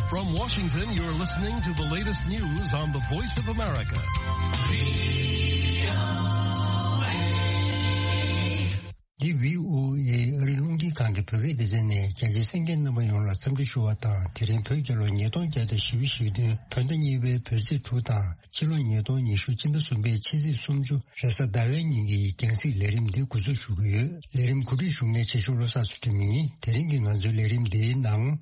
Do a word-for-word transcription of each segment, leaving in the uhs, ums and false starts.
From Washington, you're listening to the latest news on the Voice of America. འདི་བྷི་ཨོ་ཨེ་ཨ་རིའི་རླུང་འཕྲིན་ཁང་གི་བོད་སྐད་སྡེ་ཚན་ནས། རྒྱ་ཆེའི་གསན་མཁན་རྣམ་པ་ཡོངས་ལ་འཚམས་འདྲི་ཞུ་བ་དང་། དེ་རིང་བོད་རྒྱལ་ལོ་ཉིས་སྟོང་བརྒྱ་དང་བཞི་བཅུ་ཞེ་བདུན། བོད་ཟླ་གཉིས་པའི་བོད་ཚེས་དྲུག་དང་། ཕྱི་ལོ་ཉིས་སྟོང་ཉི་ཤུ་སྤྱི་ཟླ་གསུམ་པའི་ཕྱི་ཚེས་སུམ་ཅུ་རེས་གཟའ་ཟླ་བའི་ཉིན་གྱི་རྒྱང་སྲིང་ལས་རིམ་འདི་འགོ་འཛུགས་ཞུ་གི་ཡོད། ལས་རིམ་གོ་སྒྲིག་ཞུ་མཁན་ཆེ་ཆུང་བློ་བཟང་ཚུལ་ཁྲིམས་ཡིན། དེ་རིང་གི་ང་ཚོའི་ལས་རིམ་འདིའི་ནང་།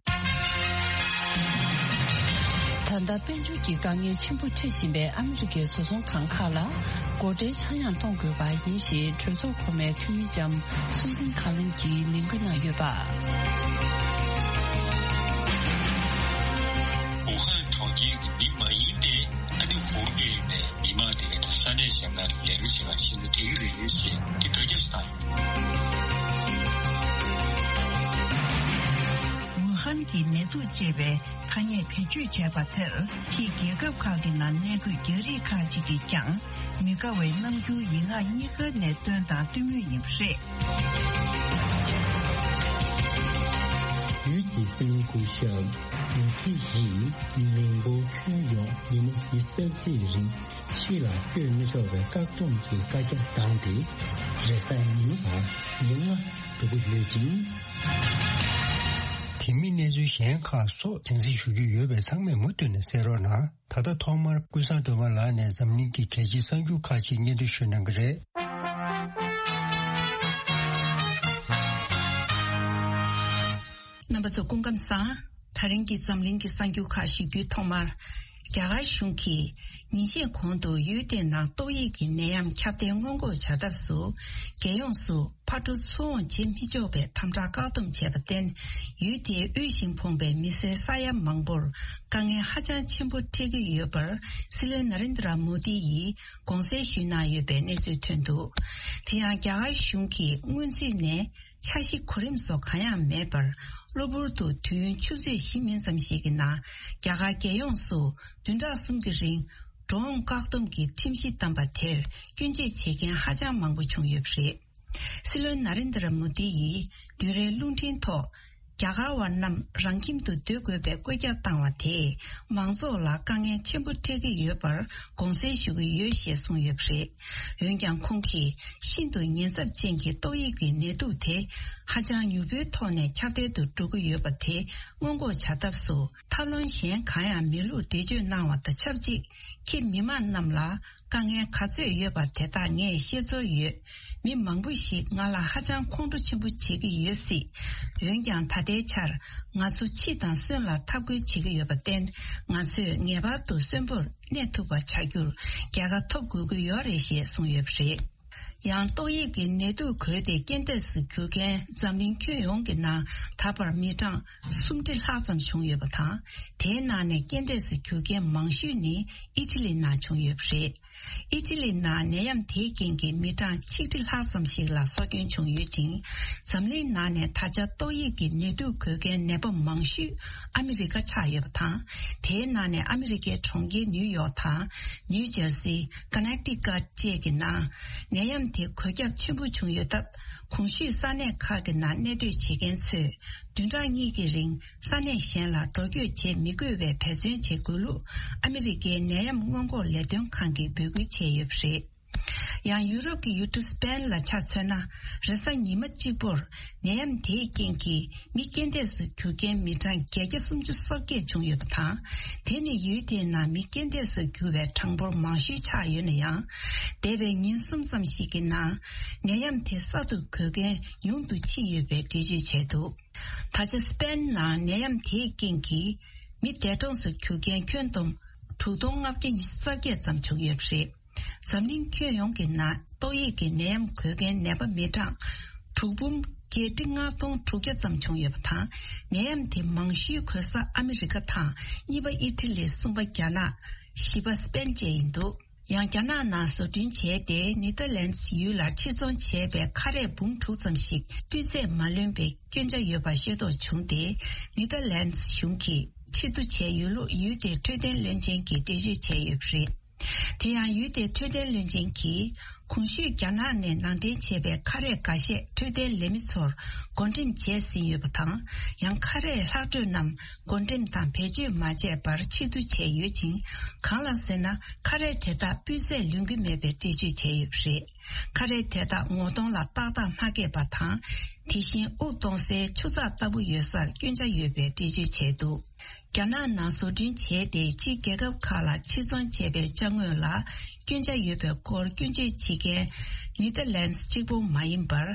ད་ལྟ་དཔལ་འབྱོར་གྱི་དཀའ་ངལ་ཆེན་པོ་འཕྲད་བཞིན་པའི་ཨ་མི་རི་ཀའི་བཟོ་ཚོང་ཁང་ཁག་ལ་སྒོ་ཁྲལ་ཆག་ཡང་གཏོང་དགོས་པ་ཡིན་ཞེས་གྲོས་ཚོགས་གོང་མའི་འཐུས་མི་ལྕམ་སུ་ཟན་ཁ་ལིན་གྱིས་ནན་སྐུལ་གནང་ཡོད་པ། ཝུ་ཧན་གྲོང་ཁྱེར་གྱི་མི་མ་ཡིན་པའི་ཨ་ནི་གོང་འཕེལ་ནས་མི་མང་དེ་གའི་ས་གནས་གཞན་ལ་ལས་ཀ་བྱེད་པ་ཞིག་ལ་འགྲིག་གི་རེད་ཞེས་ཀྱི་བརྡ་ཁྱབ་བཏང་ཡོད། ཝུ་ཧན་གྱི་ནད་དུག་ཅེས་པའི་ཐ་སྙད་བེད་སྤྱོད་བྱས་པ་དེར་ཕྱིའི་རྒྱལ་ཁབ་ཁག་གི་ནང་གནས་འཁོད་རྒྱ་རིགས་ཁག་ཅིག་གིས་ཀྱང་མི་དགའ་བའི་རྣམ་འགྱུར་ཡིག་ངག་གཉིས་ཀ་ནས་སྟོན་དང་སྟོན་མུས་ཡིན་པ་རེད། ཡུལ་གྱི་སྲིད་བློན་སྐུ་ཞབས་མུ་ཐི་ཡིས་མིང་པོ་ཁྱོན་ཡོངས་ཉིན་མོ་ཉི་ཤུ་རྩ་གཅིག་རིང་ཕྱི་ལ་བསྐྱོད་མི་ཆོག་པའི་བཀག་སྡོམ་གྱི་བཀའ་རྒྱ་བཏང་སྟེ། རེས་གཟའ་ཉི་མ་དང་ཉིན་ལྔ་འགྲོ་གི་ཡོད་ཅིང་། དེ་མིན་གནས་ཚུལ་གཞན་ཁག་སོགས་རྒྱང་སྲིང་ཞུ་རྒྱུ་ཡོད་པས་ཚང་མས་མུ་མཐུད་ནས་གསན་རོགས་གནང་། ད་ལྟ་ཐོག་མར་ཀུན་བཟང་སྒྲོལ་མ་ལགས་ནས་འཛམ་གླིང་གི་གལ་ཆེའི་གསར་འགྱུར་ཁག་ཅིག་སྙན་སྒྲོན་ཞུ་གནང་གི་རེད། རྣམ་པ་ཚོ་སྐུ་ཁམས་བཟང་། ད་རིང་གི་འཛམ་གླིང་གི་གསར་འགྱུར་ཁག་ཞུ་རྒྱུའི་ཐོག་མར། རྒྱ་གར་གཞུང་གིས་ཉིན་ཤས་གོང་དུ་ཡུལ་དེའི་ནང་ཏོག་དབྱིབས་ཀྱི་ནད་ཡམས་ཁྱབ་གདལ་སྔོན་འགོག་བྱ་ཐབས་སུ། རྒྱལ་ཡོངས་སུ་ཕར་འགྲོ་ཚུར་འོང་བྱེད་མི་ཆོག་པའི་དམ་དྲག་བཀག་སྡོམ་བྱས་པར་བརྟེན། ཡུལ་དེའི་དབུལ་ཞིང་ཕོངས་པའི་མི་སེར་ས་ཡ་མང་པོར་དཀའ་ངལ་ཧ་ཅང་ཆེན་པོ་འཕྲད་ཀྱི་ཡོད་པར། སྲིད་བློན་ན་རེན་དྲ་མོ་དི་ཡིས་དགོངས་སེལ་ཞུས་གནང་ཡོད་པའི་གནས་ཚུལ་ཐོན་འདུག། དེ་ཡང་རྒྱ་གར་གཞུང་གིས་སྔོན་ཚུད་ནས། འཆར་གཞི་གོ་རིམ་སོགས་གང་ཡང་མེད་པར། གློ་བུར་དུ་དུས་ཡུན་ཆུ་ཚོད་བཞི་མིན་ཙམ་ཞིག་གི་ནང་། རྒྱ་གར་རྒྱལ་ཡོངས་སུ་བདུན་ཕྲག་གསུམ་གྱི་རིང་། འགྲོ་འོང་བཀག་སྡོམ་གྱི་ཁྲིམས་གཞི་བཏང་པ་དེར་སྐྱོན་བརྗོད་བྱེད་མཁན་ཧ་ཅང་མང་པོ་བྱུང་ཡོད་པ་རེད། སྲིད་བློན་ན་རེན་དྲ་མོ་དི་ཡིས་བདུན་རེའི་རླུང་འཕྲིན་ཐོག། རྒྱ་གར་བ་རྣམས་རང་ཁྱིམ་དུ་སྡོད་དགོས་པའི་བཀོད་ཁྱབ་བཏང་བ་དེས་མང་ཚོགས་ལ་དཀའ་ངལ་ཆེན་པོ་འཕྲད་ཀྱི་ཡོད་པར་དགོངས་སེལ་ཞུ་གི་ཡོད་ཞེས་གསུངས་ཡོད་པ་རེད། འོན་ཀྱང་ཁོང་གིས་ཤིན་ཏུ་ཉེན་ཚབས་ཅན་གྱི་ཏོག་དབྱིབས་ཀྱི་ནད་དུག་དེ་ཧ་ཅང་མྱུར་པོའི་ཐོག་ནས་ཁྱབ་གདལ་དུ་འགྲོ་གི་ཡོད་པ་དེ་སྔོན་འགོག་བྱ་ཐབས་སུ་ཐབས་ལམ་གཞན་གང་ཡང་མེད་ལུགས་འགྲེལ་བརྗོད་གནང་བ་དང་ཆབས་ཅིག། ཁྱེད་མི་མང་རྣམས་ལ་དཀའ་ངལ་ག་ཚོད་ཡོད་པ་དེ་དག་ངས་ཤེས་ཚོར་ཡོད། མི་མང་པོ་ཞིག་ང་ལ་ཧ་ཅང་ཁོང་ཁྲོ་ཆེན་པོ་བྱེད་ཀྱི་ཡོད་སྲིད། འོན་ཀྱང་ད་ལྟའི་ཆར་ང་ཚོ་འཆི་དང་གསོན་ལ་འཐབ་རྒོལ་བྱེད་ཀྱི་ཡོད་པར་བརྟེན། ང་ཚོས་ངེས་པར་དུ་གསོན་པོར་གནས་ཐུབ་པ་བྱ་རྒྱུར་རྒྱལ་ཁ་ཐོབ་དགོས་ཀྱི་ཡོད་རེད་ཞེས་གསུངས་ཡོད་པ་རེད། ཡང་ཏོག་དབྱིབས་ཀྱི་ནད་དུག་འགོས་ཏེ་རྐྱེན་འདས་སུ་གྱུར་མཁན་འཛམ་གླིང་ཁྱོན་ཡོངས་ཀྱི་ནང་ད་བར་མི་གྲངས་སུམ་ཁྲི་ལྷག་ཙམ་བྱུང་ཡོད་པ་དང་། དེའི་ནང་ནས་རྐྱེན་འདས་སུ་གྱུར་མཁན་མང་ཤོས་ནི་ཨི་ཊ་ལི་ནང་བྱུང་ཡོད་པ་རེད། ཨི་ཊ་ལི་ནང་ནད་ཡམས་དེའི་རྐྱེན་གྱིས་མི་གྲངས་ཆིག་ཁྲི་ལྷག་ཙམ་ཞིག་ལ་སྲོག་སྐྱོན་བྱུང་ཡོད་ཅིང་། འཛམ་གླིང་ནང་ནས་ད་ཆ་ཏོག་དབྱིབས་ཀྱི་ནད་དུག་འགོས་མཁན་ནད་པ་མང་ཤོས་ཨ་མི་རི་ཀ་ཆགས་ཡོད་པ་དང་། དེའི་ནང་ནས་ཨ་མི་རི་ཀའི་གྲོང་ཁྱེར་ནིའུ་ཡོག་དང་། ནིའུ་ཇར་སི། ཀ་ནེག་ཊི་ཀཊ་བཅས་ཀྱི་ནང་ནད་ཡམས་དེ་འགོས་ཁྱབ་ཆེན་པོ་བྱུང་ཡོད་སྟབས། གོང་ཞུས་ས་གནས་ཁག་གི་ནང་གནས་སྡོད་བྱེད་མཁན་ཚོས་བདུན་ཕྲག་གཉིས་ཀྱི་རིང་ས་གནས་གཞན་ལ་འགྲོ་སྐྱོད་བྱེད་མི་དགོས་པའི་འབད་བརྩོན་བྱེད་དགོས་ལུགས་ཨ་མི་རི་ཀའི་ནད་ཡམས་སྔོན་འགོག་ལས་དོན་ཁང་གིས་འབོད་སྐུལ་བྱས་ཡོད་པ་རེད། ཡང་ཡུ་རོབ་ཀྱི་ཡུལ་གྲུ་སི་པེན་ལ་ཆ་མཚོན་ན། རེས་གཟའ་ཉི་མ་གཅིག་པོར་ནད་ཡམས་དེའི་རྐྱེན་གྱིས་མི་རྐྱེན་འདས་སུ་གྱུར་མཁན་མི་གྲངས་བརྒྱད་བརྒྱ་སུམ་ཅུ་སོ་བརྒྱད་བྱུང་ཡོད་པ་དང་། དེ་ནི་ཡུལ་དེའི་ནང་མི་རྐྱེན་འདས་སུ་གྱུར་བའི་གྲངས་འབོར་མང་ཤོས་ཆགས་ཡོད་ན་ཡང་། འདས་པའི་ཉིན་གསུམ་ཙམ་ཞིག་གི་ནང་ནད་ཡམས་དེ་གསར་དུ་འགོས་མཁན་ཉུང་དུ་ཕྱིན་ཡོད་པའི་འགྲེལ་བརྗོད་བྱས་འདུག། ད་ཆ་སི་པེན་ནང་ནད་ཡམས་དེའི་རྐྱེན་གྱིས་མི་འདས་གྲོངས་སུ་གྱུར་མཁན་ཁྱོན་བསྡོམས་དྲུག་སྟོང་ལྔ་བརྒྱ་ཉི་ཤུ་རྩ་བརྒྱད་ཙམ་བྱུང་ཡོད་པ་རེད། འཛམ་གླིང་ཁྱོན་ཡོངས་ཀྱི་ནང་ཏོག་དབྱིབས་ཀྱི་ནད་ཡམས་འགོས་མཁན་ནད་པ་མི་གྲངས་དྲུག་འབུམ་བརྒྱད་ཁྲི་ལྔ་སྟོང་དྲུག་བརྒྱ་ཙམ་བྱུང་ཡོད་པ་དང་། ནད་ཡམས་དེ་མང་ཤོས་འགོས་ས་ཨ་མི་རི་ཀ་དང་། གཉིས་པ་ཨི་ཊ་ལི། གསུམ་པ་རྒྱ་ནག་བཞི་པ་སི་པེན་བཅས་ཡིན་འདུག། ཡང་རྒྱ་ནག་ནང་བཟོ་སྐྲུན་བྱས་ཏེ་ནེ་ཐར་ལན་སི་ཡུལ་ལ་ཕྱིར་ཚོང་བྱས་པའི་ཁ་རས་འབུམ་དྲུག་ཙམ་ཞིག་སྤུས་ཚད་མ་ལོན་པའི་སྐྱོན་ཆ་ཡོད་པ་ཤེས་རྟོགས་བྱུང་སྟེ། ནེ་ཐར་ལན་སི་གཞུང་གིས་ཕྱིར་བསྡུ་བྱས་ཡོད་ལུགས་ཡུལ་དེའི་འཕྲོད་བསྟེན་བློན་ཆེན་གྱིས་འགྲེལ་བརྗོད་བྱས་ཡོད་པ་རེད། དེ་ཡང་ཡུལ་དེའི་འཕྲོད་བསྟེན་བློན་ཆེན་གྱིས། གོང་ཞུས་རྒྱ་ནག་ནས་ནང་འདྲེན་བྱས་པའི་ཁ་རས་འགའ་ཤས་འཕྲོད་བསྟེན་ལས་མི་ཚོར་བགོ་འགྲེམས་བྱས་ཟིན་ཡོད་པ་དང་། ཡང་ཁ་རས་ལྷག་འཕྲོས་རྣམས་བགོ་འགྲེམས་དང་བེད་སྤྱོད་མ་བྱས་པར་ཕྱིར་བསྡུ་བྱས་ཡོད་ཅིང་། གང་ལགས་ཟེར་ན། ཁ་རས་དེ་དག་སྤུས་ཚད་ལོན་གྱི་མེད་པའི་འགྲེལ་བརྗོད་བྱས་ཡོད་པ་རེད། ཁ་རས་དེ་དག་ངོ་གདོང་ལ་ཏག་ཏག་མ་བཀལ་བ་དང་། དེ་བཞིན་དབུགས་གཏོང་སའི་ཆུ་ཚགས་ལྟ་བུ་ཡོད་སར་སྐྱོན་ཆ་ཡོད་པའི་འགྲེལ་བརྗོད་བྱས་འདུག་རྒྱ་ནག་ནང་བཟོ་སྐྲུན་བྱས་ཏེ་ཕྱིའི་རྒྱལ་ཁབ་ཁག་ལ་ཕྱིར་ཚོང་བྱས་པའི་ཅ་དངོས་ལ་སྐྱོན་ཆ་ཡོད་པའི་སྐོར་སྐྱོན་བརྗོད་བྱེད་མཁན་ནེ་ཐར་ལན་སི་གཅིག་པུ་མ་ཡིན་པར།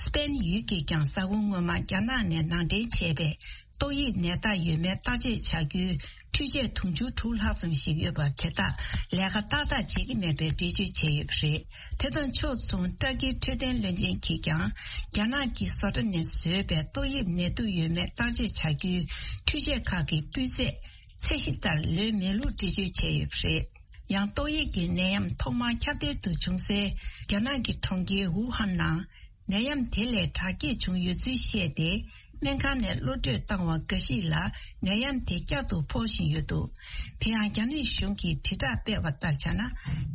སི་པེན་ཡུལ་གྱིས་ཀྱང་ས་ཁོངས་སྔོན་མ་རྒྱ་ནག་ནས་ནང་འདྲེན་བྱས་པའི་ཏོག་དབྱིབས་ནད་རྟགས་ཡོད་མེད་བརྟག་དཔྱད་བྱ་རྒྱུའི་འཕྲུལ་ཆས་དུང་ཕྱུར་དྲུག་ལྷག་ཙམ་ཞིག་ཡོད་པར་དེ་དག་ལས་ཀ་ཏག་ཏག་བྱེད་ཀྱི་མེད་པའི་འགྲེལ་བརྗོད་བྱས་ཡོད་པ་རེད། དེ་དང་ཕྱོགས་མཚུངས་ཏར་ཀིའི་འཕྲོད་བསྟེན་བློན་ཆེན་གྱིས་ཀྱང་རྒྱ་ནག་གི་བཟོ་གྲྭ་ནས་བཟོས་པའི་ཏོག་དབྱིབས་ནད་དུག་ཡོད་མེད་བརྟག་དཔྱད་བྱ་རྒྱུའི་འཕྲུལ་ཆས་ཁག་གི་སྤུས་ཚད་ཚད་གཞི་ལྟར་ལོན་མེད་ལུགས་འགྲེལ་བརྗོད་བྱས་ཡོད་པ་རེད། ཡང་ཏོག་དབྱིབས་ཀྱི་ནད་ཡམས་ཐོག་མར་ཁྱབ་གདལ་དུ་བྱུང་སའི་རྒྱ་ནག་གི་གྲོང་ཁྱེར་ཝུ་ཧན་ནང་ནད་ཡམས་དེ་ལས་དྲག་སྐྱེད་བྱུང་ཡོད་ཚུལ་བཤད་དེ། སྨན་ཁང་ནས་གློད་བཀྲོལ་བཏང་བ་འགའ་ཞིག་ལ་ནད་ཡམས་དེ་བསྐྱར་དུ་ཕོག་བཞིན་ཡོད་འདུག་དེ་ཡང་རྒྱ་ནག་གཞུང་གིས་དྲིལ་བསྒྲགས་སྤེལ་བ་ལྟར་བྱས་ན།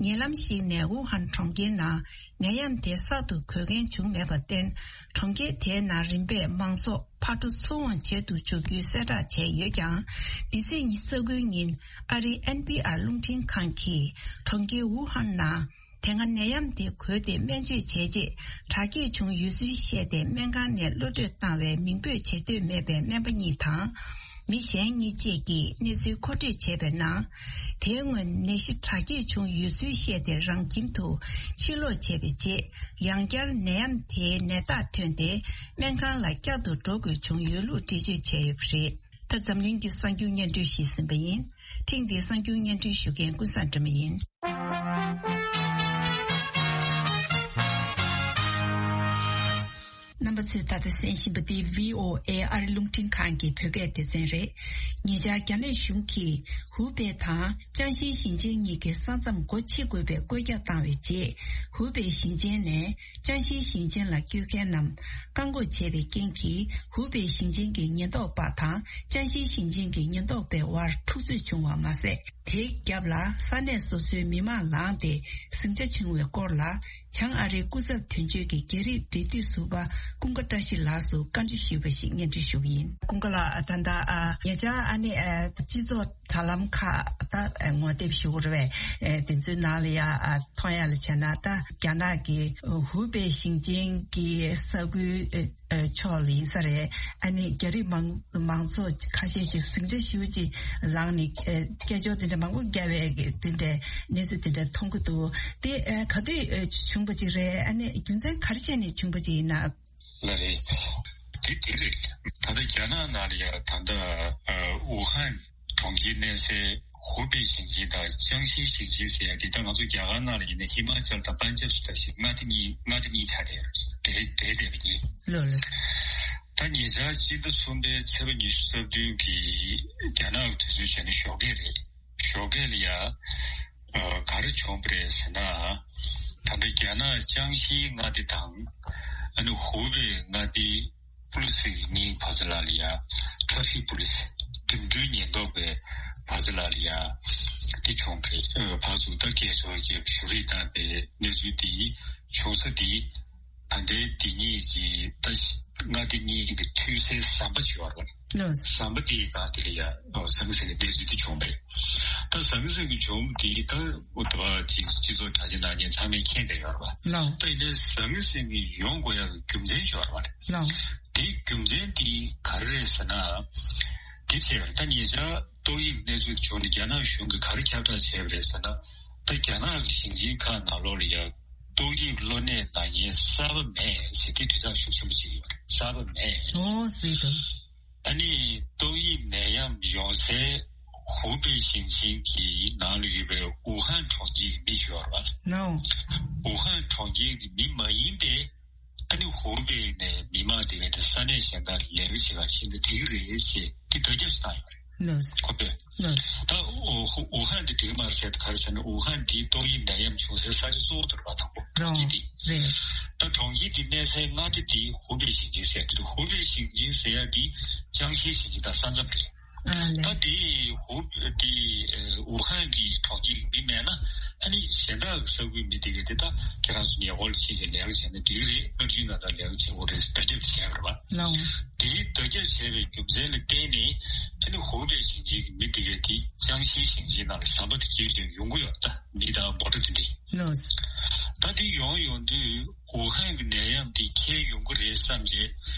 ཉེ་ལམ་ཞིག་ནས་ཝུ་ཧན་གྲོང་ཁྱེར་ནང་ནད་ཡམས་དེ་གསར་དུ་འགོས་མཁན་བྱུང་མེད་པར་བརྟེན། གྲོང་ཁྱེར་དེའི་ནང་རིམ་པས་མང་ཚོགས་ཕར་འགྲོ་ཚུར་འོང་བྱེད་དུ་འཇུག་རྒྱུའི་གསལ་བསྒྲགས་བྱས་ཡོད་ཀྱང་། འདི་ཚེས་ཉི་ཤུ་རྩ་དགུའི་ཉིན་ཨ་རིའི་ཨེན་པི་ཨར་རླུང་འཕྲིན་ཁང་གིས་གྲོང་ཁྱེར་ཝུ་ཧན་ནང་དེ་སྔ་ནད་ཡམས་དེ་འགོས་ཏེ་སྨན་བཅོས་བྱས་རྗེས་དྲག་སྐྱེད་བྱུང་ཡོད་ཚུལ་བཤད་དེ། སྨན་ཁང་ནས་གློད་བཀྲོལ་བཏང་བའི་མིང་འབོད་བྱེད་འདོད་མེད་པའི་སྨན་པ་གཉིས་དང་། མི་གཞན་གཉིས་བཅས་ཀྱིས་གནས་ཚུལ་མཁོ་སྤྲོད་བྱས་པའི་ནང་། དེའི་སྔོན་ནད་གཞི་དྲག་སྐྱེད་བྱུང་ཡོད་ཚུལ་བཤད་དེ་རང་ཁྱིམ་དུ་ཕྱིར་ལོག་བྱས་པའི་རྗེས། ཡང་བསྐྱར་ནད་ཡམས་དེའི་ནད་རྟགས་ཐོན་ཏེ། སྨན་ཁང་ལ་བསྐྱར་དུ་འགྲོ་དགོས་བྱུང་ཡོད་ལུགས་འགྲེལ་བརྗོད་བྱས་ཡོད་པ་རེད། ད་འཛམ་གླིང་གི་གསར་འགྱུར་སྙན་སྒྲོན་ཞིག་ཟིན་པ་ཡིན། ཐེངས་འདིའི་གསར་འགྱུར་སྙན་སྒྲོན་ཞུ་མཁན་ཀུན་བཟང་སྒྲོལ་མ་ཡིན། རྣམ་པ་ཚོས་ད་ལྟ་གསན་བཞིན་པ་འདི་བྷི་ཨོ་ཨེ་ཨ་རི་རླུང་འཕྲིན་ཁང་གི་བོད་སྐད་སྡེ་ཚན་རེད། ཉེ་ཆར་རྒྱ་ནག་གཞུང་གིས་ཧུའུ་པེ་དང་ཅང་ཤིའི་ཞིང་ཆེན་གཉིས་ཀྱི་ས་མཚམས་སྒོ་ཕྱེ་དགོས་པའི་བཀོད་ཁྱབ་བཏང་བའི་རྗེས། ཧུའུ་པེ་ཞིང་ཆེན་ནས་ཅང་ཤིའི་ཞིང་ཆེན་ལ་བསྐྱོད་མཁན་རྣམས་བཀག་འགོག་བྱས་པའི་རྐྱེན་གྱིས། ཧུའུ་པེ་ཞིང་ཆེན་གྱི་ཉེན་རྟོག་པ་དང་ཅང་ཤིའི་ཞིང་ཆེན་གྱི་ཉེན་རྟོག་པའི་དབར་འཁྲུག་རྩོད་བྱུང་བ་མ་ཟད། དེའི་རྒྱབ་ལ་ས་གནས་སོ་སོའི་མི་མང་ལངས་ཏེ་ཟིང་ཆ་བྱུང་བའི་སྐོར་ལ། བྱང་ཨ་རིའི་སྐུ་ཚབ་དོན་གཅོད་ཀྱི་རྒྱ་རིགས་འབྲེལ་མཐུད་ཟུར་པ་ཀུན་དགའ་བཀྲ་ཤིས་ལགས་སུ་བཀའ་འདྲི་ཞུས་པ་ཞིག་སྙན་སྒྲོན་ཞུ་གི་ཡིན། ཀུན་དགའ་ལགས། ད་ལྟ་ཨ་ཉེ་ཆར་ཨ་ནི་ཨ་སྤྱི་ཚོགས་དྲ་ལམ་ཁག་ད་ངོ་དེབ་ཞུ་དགོས་རེད་པས། ཨ་དེ་ཚོའི་ནང་ལ་ཡ་ཨ་མཐོང་ཡ་ལ་བྱས་ན། ད་རྒྱ་ནག་གི་ཧུའུ་པེ་ཞིང་ཆེན་གྱི་ས་ཁུལ་ཨ་ཕྱོགས་ལ་ཡིན་ས་རེད། ཨ་ནི་རྒྱ་རིགས་མང་མང་ཚོགས་ཁ་ཤས་ཀྱིས་ཟིང་ཆ་ཞེ་པོ་ཅིག་ལངས་ནས་ཨ་སྐད་ཅོར་དེ་འདྲ་མང་པོ་བརྒྱབ་པའི་དེ་འདྲའི་གནས་ཚུལ་དེ་འདྲ་མཐོང་གི་འདུག་དེ་ཨ་ག་དུས་ཨ་བྱུང་བ་ཅིག་རེད། ཨ་ནི་རྒྱུ་མཚན་ག་རེ་བྱས་ནས་བྱུང་བ་ཅིག་ཡིན་ན། ལགས་རེད། དེ་དེ་རེད། ད་ལྟ་རྒྱ་ནག་ནང་ལ་ཡ་ད་ལྟ་ཨ་ཝུ་ཧན་གྲོང་ཁྱེར་གནས་སའི་ཧུའུ་པེ་ཞིང་ཆེན་དང་ཅང་ཤིའི་ཞིང་ཆེན་ཟེར་ཡ་དེ། ད་ང་ཚོ་རྒྱ་གར་ནང་ལ་ཡིན་ན་ཧི་མ་ཅལ་དང་པན་ཇབ་ཟེར་ད་ཞིག་མངའ་སྡེ་གཉིས་མངའ་སྡེ་གཉིས་ཆགས་བསྡད་ཡོད་རེད། དེ་དེ་དེ་གཉིས། ལགས་ལགས། ད་ཉེ་ཆར་སྤྱི་ཟླ་གསུམ་པའི་ཚེས་པ་ཉི་ཤུ་རྩ་བདུན་གྱི་རྒྱ་ནག་གི་དུས་ཚོད་བྱས་ན་ཞོགས་ཀས་རེད། ཞོགས་ཀས་ལ་ཡ་ཨ་ག་རེ་བྱུང་བ་རེད་ཟེར་ན། ད་ལྟ་རྒྱ་ནག་ཅང་ཤིའི་མངའ་སྡེ་དང་ཨ་ནི་ཧུའུ་པེ་མངའ་སྡེའི་པུ་ལི་སི་གཉིས་བར་མཚམས་ལ་ཡ་ཊ་ཕིག་པུ་ལི་སི། འགྲིམ་འགྲུལ་ཉེན་རྟོག་པའི་བར་མཚམས་ལ་ཡ་དེ་བྱུང་བ་རེད། ཨ་ཕར་ཚུར་ད་སྐད་ཅོར་གྱི་བཞུགས་རིས་བཏང་བའི་གནས་ཚུལ་དེ་བྱུང་ས་དེ། ད་ལྟའི་དེ་གཉིས་ཀྱི་ད་མངའ་སྡེ་གཉིས་ཀྱི་མཐུན་སའི་ཟམ་པ་ཅིག་ཡོད་རེད། ལགས། ཟམ་པ་དེའི་སྒང་དེ་ལ་ཡ་ཟང་ཟིང་གི་གནས་ཚུལ་དེ་བྱུང་བ་རེད། ད་ཟང་ཟིང་གི་བྱུང་དེ་ད་འོ་ད་ཅིག་སྤྱི་ཚོགས་དྲ་རྒྱ་ནང་ཉན་ཚང་མས་མཁྱེན་བསྡད་ཡོད་རེད་པ། ལགས། ད་ཡིན་ནའི་ཟང་ཟིང་གི་ཡོང་དགོས་ཡག་གི་རྒྱུ་མཚན་ཅིག་ཡོད་རེད་པ། ལགས། དེའི་རྒྱུ་མཚན་དེ་ག་རེ་རེད་ཟེར་ན། དེ་བྱས་ད་ཉེ་ཆར་ཏོག་དབྱིབས་གནས་ཚུལ་བྱུང་ནས་རྒྱ་ནག་གཞུང་གིས་ག་རེ་ཁྱབ་བསྒྲགས་བྱས་པ་རེད་ཟེར་ན། ད་རྒྱ་ནག་གི་ཞིང་ཆེན་ཁག་ནང་ལོགས་ལ་ཡ་ཏོག་དབྱིབས་གློ་ནད་ན་མཁན་གསར་པ་མེད་ཟེར་དེ་དྲིལ་བསྒྲགས་ཤུགས་ཆེན་པོ་བྱེད་ཀྱི་ཡོད་རེད། གསར་པ་མེད། ཨོ་ཟེར་དང་། ཨ་ནི་ཏོག་དབྱིབས་ནད་ཡམས་ཡོང་སའི་ཧུའུ་པེ་ཞིང་ཆེན་གྱི་ནང་ལ་ཡོད་པའི་ཝུ་ཧན་གྲོང་ཁྱེར་གྱི་མི་ཞིག་ཡོད་རེད་པ། ནའོ། ཝུ་ཧན་གྲོང་ཁྱེར་གྱི་མི་མ་ཡིན་པའི་ཨ་ནི་ཧུའུ་པེ་ནས་མི་མང་དེ་ག་དེ་ས་གནས་གཞན་དག་ལ་ལས་ཀ་བྱེད་ག་ཕྱིན་ན་འགྲིག་གི་རེད་ཟེར་དེ་བརྡ་ཁྱབ་ཞིག་བཏང་ཡོད་རེད། ལགས། ཁོ་པས། ལགས། ད་ཝུ་ཧན་དེ་འགྲིག་མ་རེད་ཟེར་དེ་ག་རེ་ཟེར་ན། ཝུ་ཧན་དེ་ཏོག་དབྱིབས་ནད་ཡམས་བྱུང་སའི་ས་ཆ་གཙོ་བོ་དེ་རེད་པ། དང་པོ་གྲོང་ཁྱེར་དེ། རེད། ད་གྲོང་ཁྱེར་དེ་གནས་སའི་མངའ་སྡེ་དེ་ཧུའུ་པེ་ཞིང་ཆེན་ཟེར་གྱི་འདུག་ཧུའུ་པེ་ཞིང་ཆེན་ཟེར་ཡ་དེ་ཅང་ཤིའི་ཞིང་ཆེན་དང་ས་མཚམས་རེད། ཨ་ལས། ད་དེ་ཧུ་དེ་ཝུ་ཧན་གྱི་གྲོང་ཁྱེར་གྱི་མི་མེད་ན་ཨ་ནི་གཞན་དག་གི་ས་ཁུལ་མི་དེ་གས་དེ་ད་ཁྱེད་རང་ཚོ་ཉེ་འཁོར་ལ་ཕྱིན་ཞིང་ལས་ཀ་བྱས་ན་འགྲིག་གི་རེད། སྔར་རྒྱུན་ནང་ལྟར་ལས་ཀ་བྱེད་དགོས་རེད་ཟེར་བརྡ་ཁྱབ་བྱས་པ་རེད་པ། ལའོ། དེའི་བརྡ་ཁྱབ་བྱས་པའི་རྒྱུ་མཚན་ལ་བརྟེན་ནས་ཨ་ནི་ཧུའུ་པེ་ཞིང་ཆེན་གྱི་མི་དེ་གས་དེ་ཅང་ཤིའི་ཞིང་ཆེན་ནང་ལ་ཟམ་པ་དེ་བརྒྱུད་བྱས་ཡོང་གི་ཡོད། ད་མི་དང་མོ་ཊ་དེ་འདྲས། ལོས། ད་དེ་ཡོང་ཡོང་དུས་ཝུ་ཧན་གྱི་ནད་ཡམས་དེ་ཁྱེར་ཡོང་གི་རེད་བསམ་བྱས་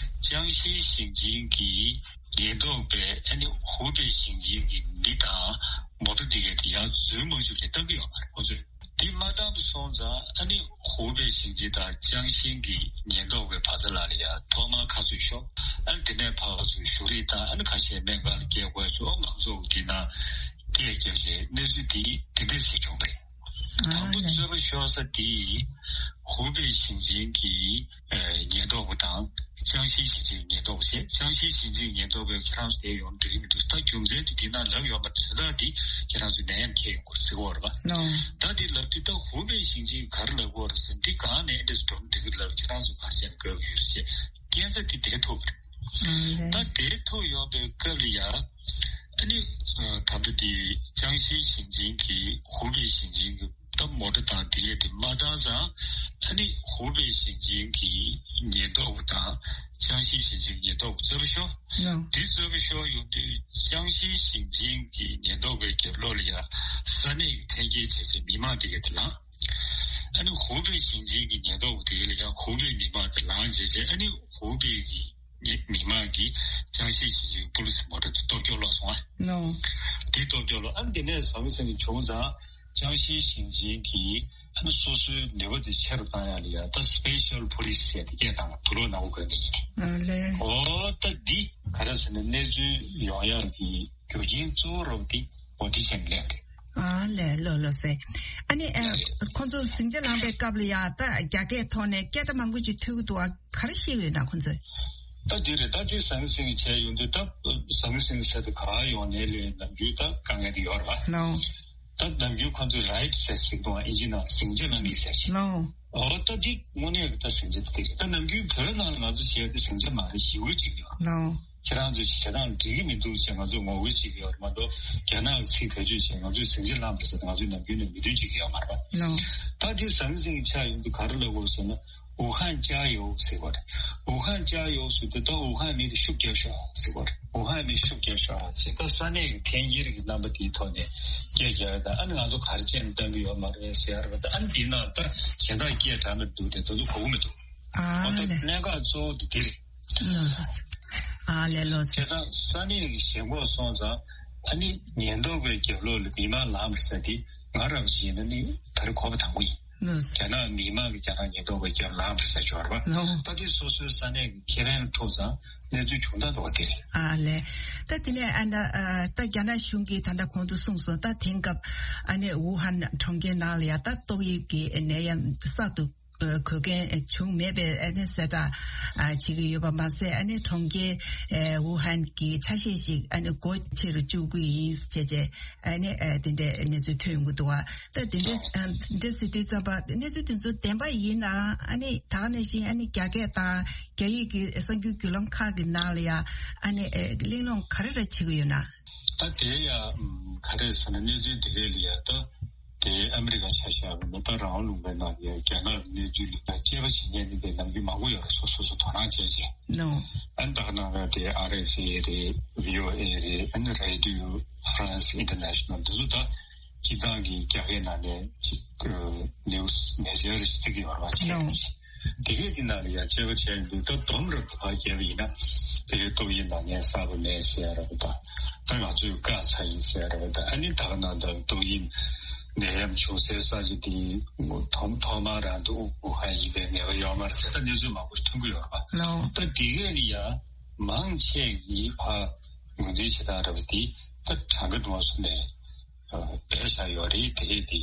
ཅང་ཤིའི་ཞིང་ཆེན་གྱི་ཉེན་རྟོག་པས་ཨ་ནི་ཧུའུ་པེ་ཞིང་ཆེན་གྱི་མི་དང་མོ་ཊ་དེ་གས་དེ་ཡར་འཛུལ་མ་བཅུག་ཅེས་བཏང་གི་ཡོད་པ་རེད། ཁོ་ཚོས་དེ་མ་བཏང་བ་སོང་ཙང་ཨ་ནི་ཧུའུ་པེ་ཞིང་ཆེན་དང་ཅང་ཤིང་གི་ཉེན་རྟོག་པའི་བར་མཚམས་ལ་ཡ་ཐོག་མར་ཁ་ཚུད་ཤོག་ཨ་ནི་དེ་ནས་ཕར་ཚུར་བཞུགས་རིས་དང་ཨ་ནི་ཁ་ཤས་སྨན་ཁང་ལ་སྐྱེལ་དགོས་ཚུལ་ང་ཚོ་དེ་ན་སྐད་བརྒྱབ་རྗེས་གནས་ཚུལ་དེ་དེ་འདྲས་ཞིག་བྱུང་བ་རེད། དང་པོ་རྩོད་པ་ཤོར་ས་དེ་ཧུའུ་པེ་ཞིང་ཆེན་གྱི་ཉེན་རྟོག་པ་དང་ཅང་ཤིའི་ཞིང་ཆེན་ཉེན་རྟོག་པ་བྱས། ཅང་ཤིའི་ཞིང་ཆེན་ཉེན་རྟོག་པས་ཁྱེད་རང་ཚོ་དེ་ཡོང་འགྲིག་གི་མི་འདུག་ད་རྒྱུ་མཚན་དེ་དེ་ན་ལབ་ཡོད་མ་རེད། དོན་དག་དེ་ཁྱེད་རང་ཚོ་ནད་ཡམས་ཁྱེར་ཡོང་དགོས་ཟེར་གྱི་ཡོད་རེད་པ། ལོ། ད་དེ་ལབ་དུས་ད་ཧུའུ་པེ་ཞིང་ཆེན་གྱིས་ག་རེ་ལབ་ཀྱི་ཡོད་རེད་ཟེར་ན། འདི་གང་ནས་འདྲས་སུ་འགྲོ་འགྲིག་གི་ལབ། ཁྱེད་རང་ཚོ་ག་རེ་བྱས་ན་དགོས་ཀྱི་ཡོད་ཟེར་སྐད་ཆ་དེ་དེ་ཐུག་པ་རེད། ད་དེ་ཐུག་ཡོང་པའི་སྐབས་ལ་ཡ། ཨ་ནི། ད་ལྟ་དེ་ཅང་ཤིའི་ཞིང་ཆེན་གྱི་ཧུའུ་པེ་ཞིང་ཆེན་གྱི་ད་མོ་ཊ་དང་དེ་གས་དེ་མ་བཏང་ཙང་ཨ་ནི་ཧུའུ་པེ་ཞིང་ཆེན་གྱི་ཉེན་རྟོག་པ་དང་ཅང་ཤིའི་ཞིང་ཆེན་གྱི་ཉེན་རྟོག་པ་རྩོད་པ་ཤོར། དེ་རྩོད་པ་ཤོར་ཡོང་དུས་ཅང་ཤིའི་ཞིང་ཆེན་གྱི་ཉེན་རྟོག་པའི་རྒྱབ་ལོགས་ལ་ཡ་ས་གནས་ཀྱི་འཐེན་འཁྱེར་བྱས་བྱས་མི་མང་དེ་གས་དེ་ལངས། ཨ་ནི་ཧུའུ་པེ་ཞིང་ཆེན་གྱི་ཉེན་རྟོག་པ་དེ་གས་ལ་ཡ་ཧུའུ་པེ་མི་མང་དེ་ལངས་བྱས་བྱས་ཨ་ནི་ཧུའུ་པེ་གི་མི་མང་གིས་ཅང་ཤིའི་ཞིང་ཆེན་པུ་ལི་སི་མོ་ཊ་དེ་གཏོར་སྐྱོན་སློག་སོང་ཨ། ལོ། དེ་གཏོར་སྐྱོན་སློག་ཨ་ནི་དེ་ནས་ཟང་ཟིང་བྱུང་ཙང་ཅང་ཤིའི་ཞིང་ཆེན་གྱིས་ཨ་ནི་སོ་སོའི་ནུས་པ་དེ་ཆེ་རུ་བཏང་ཡག་ལ་ཡ་ད་སི་པེ་ཤལ་པུ་ལི་སི་ཟེར་དེ་སྐད་བཏང་དུག་ལོག་ནག་པོ་གོན་དེ་ཡིན། ཨ་ལས། ཨོ་ད་འདི་ག་རེ་ཟེར་ན་གནས་ཚུལ་ཡོང་ཡག་གི་རྒྱུ་རྐྱེན་གཙོ་བོ་རོབ་དེ་ཨོ་དེ་བྱས་ནས་སླེབས་རེད། ཨ་ལས། ལོ་ལོ་ཟེར། ཨ་ནི་ཨ་ཁོང་ཚོ་ཟིང་ཆ་ལངས་པའི་སྐབས་ལ་ཡ་ད་རྒྱ་སྐད་ཐོག་ནས་སྐད་སྒྲ་མང་པོ་ཅིག་ཐོས་ཀྱི་འདུག་ཨ་ག་རེ་བཤད་ཀྱི་ཡོད་ན་ཁོང་ཚོས། ད་དེ་རེད། ད་དེ་ཟང་ཟིང་བྱས་ཡོང་དུས་ད་ཟང་ཟིང་ཟེར་དུས་ག་ཡོང་ནས་ལས་ནམ་རྒྱུན་ད་དཀའ་ངལ་དེ་ཡོད་རེད་པ། ལོ། ད་ནམ་རྒྱུན་ཁོང་ཚོས་རའིཊ་ཟེར་ཟེར་གི་འདུག་ཨ་ཨིན་ཇི་ནང་ལ་ཟིང་ཆ་གནང་གི་ཟེར་ཞིག་ལོ། ཨོ་ད་འདི་དངོས་གནས་ཀྱི་ད་ཟིང་ཆ་དེ་རེད། ད་ནམ་རྒྱུན་བོད་ནང་ལ་ང་ཚོ་བྱས་ཏེ་ཟིང་ཆ་མ་རེད་ཞེ་པོ་ཅིག་ཡོད། ལོ། ཁྱེད་རང་ཚོ་བྱེད་སྟངས་འགྲིག་གི་མི་འདུག་ཅེས་ང་ཚོས་ངོ་རྒོལ་བྱེད་ཀྱི་ཡོད་རེད་མ་གཏོགས་རྒྱ་ནག་གི་ཚིག་བེད་སྤྱོད་བྱས་ང་ཚོས་ཟིང་ཆ་ལངས་པ་རེད་ཟེར་ཏེ་ང་ཚོས་ནམ་རྒྱུན་ནས་མོས་མཐུན་བྱེད་ཀྱི་ཡོད་མ་རེད་པ། ལོ། ད་འདི་ཟང་ཟིང་ཆགས་ཡོང་དུས་ག་རེ་ལབ་དགོས་ཟེར་ན། 武汉加油 ཟེར་བ་རེད། 武汉加油 ཟེར་དུས་ད་ཝུ་ཧན་མི་དེ་ཤུགས་རྒྱབ་ཤོག་ཟེར་བ་རེད། 武汉མི་ཤུགས་རྒྱབ་ཤོག་ཟེར། ད་ས་གནས་ཀྱི་འཐེན་འཁྱེར་གྱི་རྣམ་པ་དེའི་ཐོག་ནས་སྐད་རྒྱག་ཡ་དང་ཨ་ནི་ང་ཚོ་ག་རེ་བྱས་ནས་བཏང་གི་ཡོད་མ་རེད་ཟེར་ཡ་རེད་པ། ད་ཨ་ནི་དེའི་ནང་ད་གཞན་དག་སྐད་གྲགས་མི་འདུག་དེ་ཚོ་གོ་གི་མི་འདུག་ཨ་འོ་ད་ལས། གནད་འགག་གཙོ་བོ་དེ་དེ་རེད། ལོ་ལོ། ཨ་ལས་ལོ། བྱས་ཙང་ས་གནས་ཀྱི་ཞེན་ཁོག་སོང་ཙང་ཨ་ནི་ཉེན་རྟོག་པའི་རྒྱབ་ལོགས་ལ་མི་མང་ལངས་པ་ཟེར་དེ་ང་རང་བཞིན་ན་ནི་ད་རེས་གོ་བ་དང་པོ་ཡིན། ལོ། རྒྱ་ནག་མི་མང་གི་རྒྱ་ནག་ཉེན་རྟོག་པའི་རྒྱབ་ལངས་པ་ཟེར་ཆོག་རེད་པ། ལོ། ད་དེ་སོ་སོའི་ས་གནས་ཀྱི་ཁེ་ཕན་ཐོག་ཙང་གནས་ཚུལ་བྱུང་སྟངས་འདྲ་བ་དེ་རེད། ཨ་ལས། ད་དེ་ནས་ཨ་ན་ཨ་ད་རྒྱ་ནག་གཞུང་གིས་ད་ལྟ་གོང་དུ་གསུངས་སོང་། ད་དེང་སྐབས་ཨ་ནི་ཝུ་ཧན་གྲོང་ཁྱེར་ནང་ལ་ཡ་ད་ཏོག་དབྱིབས་ཀྱི་ནད་ཡམས་གསར་དུ་ཨ་འགོས་མཁན་བྱུང་མེད་པའི་ཨ་ནི་གསལ་བསྒྲགས་ཨ་བྱེད་ཀྱི་ཡོད་པ་མ་ཟད། ཨ་ནི་གྲོང་ཁྱེར་ཨ་ཝུ་ཧན་གྱི་ཆ་ཤས་ཤིག་ཨ་ནི་སྒོ་ཕྱེ་རུ་བཅུག་གི་ཡིན་ཞེས་བྱས་ཨ་ནི་ཨ་དེ་འདྲའི་གནས་ཚུལ་ཐོན་ཡོང་གི་འདུག་བ། ད་དེ་འདྲའི་ཨ་འདྲ་ཟེར་དུས་ཙམ་པ་གནས་ཚུལ་དེ་ཚོ་བདེན་པ་ཡིན་ན་ཨ་ནི་ད་ག་ནང་བཞིན་ཨ་ནི་རྒྱ་སྐད་དང་རྒྱ་ཡིག་གི་གསར་འགྱུར་བརྒྱུད་ལམ་ཁག་གི་ནང་ལ་ཡ་ཨ་ནི་ཨ་གླེང་སློང་ག་རེ་རེ་བྱེད་ཀྱི་ཡོད་ན། ད་དེ་ཡ་ག་རེ་ཟེར་ན་གནས་ཚུལ་དེ་གས་ལ་ཡ་ད། དེ་ཨ་མི་རི་ཀ་ཆ་བཞག་པ་ན་ད་རང་དབང་ལུང་པའི་ནང་ལ་རྒྱ་ནག་གི་གནས་ཚུལ་ལ་དཔྱད་པ་བྱེད་མཁན་ནི་དེ་ནམ་རྒྱུན་མང་པོ་ཡོད་རེད། སོ་སོ་སོ་དོ་སྣང་བྱས་བྱས། ནོ། ཨ་ནི་ད་ག་ནང་ལ་དེ་ཨར་ཨེ་སི་ཨེ་རེད། བྷི་ཨོ་ཨེ་རེད། ཨ་ནི་རེ་ཌི་ཡོ་ཧྥ་རན་སི་ཨིན་ཊར་ནེ་ཤ་ནལ་འདི་ཚོ་ད་སྤྱི་བཏང་གི་རྒྱ་སྐད་ནང་ནས་ཅིག་ནིའུ་སི་མེ་ཇར་རེ་ཞིག་བརྩི་གི་ཡོད་རེད་བ། བྱས་ནོ། ནས་དེ་གས་ཀྱི་ནང་ལ་ཡང་དཔྱད་པ་བྱས་ཡོང་དུས་ད་སྡོམ་རབ་ཏུ་ཕར་བརྒྱབ་པ་ཡིན་ན་དེ་གའི་ཏོག་དབྱིབས་ནད་ཡམས་གསར་པ་མེད་ཟེར་ཡ་རབ་ད། ད་ང་ཚོས་བཀག་ཚར་ཡིན་ཟེར་ཡ་རབ་ད། ཨ་ནི་ད་ག་ནང་ལྟར་ཏོག་དབྱིབས་ནད་ཡམས་བྱུང་སའི་ས་ཆ་དེ་ཐོག་ཐོག་མར་རང་དུ་ཝུ་ཧན་ཡིན་པའི་ངེས་པ་ཡོད་མ་རེད་ཟེར་ད་གནས་ཚུལ་མང་པོ་ཐོན་གྱི་ཡོད་རེད་པ། ལའོ། ད་དེ་གས་ལ་ཡང་མང་ཆེ་གིས་ཕར་ངོས་འཛིན་བྱེད་སྟངས་རབ་དེ་ད་གྲངས་ཀ་དུ་མ་སོང་ནས། སྦས་བཞག་ཡོད་རེད། དེ་རེད་དེ་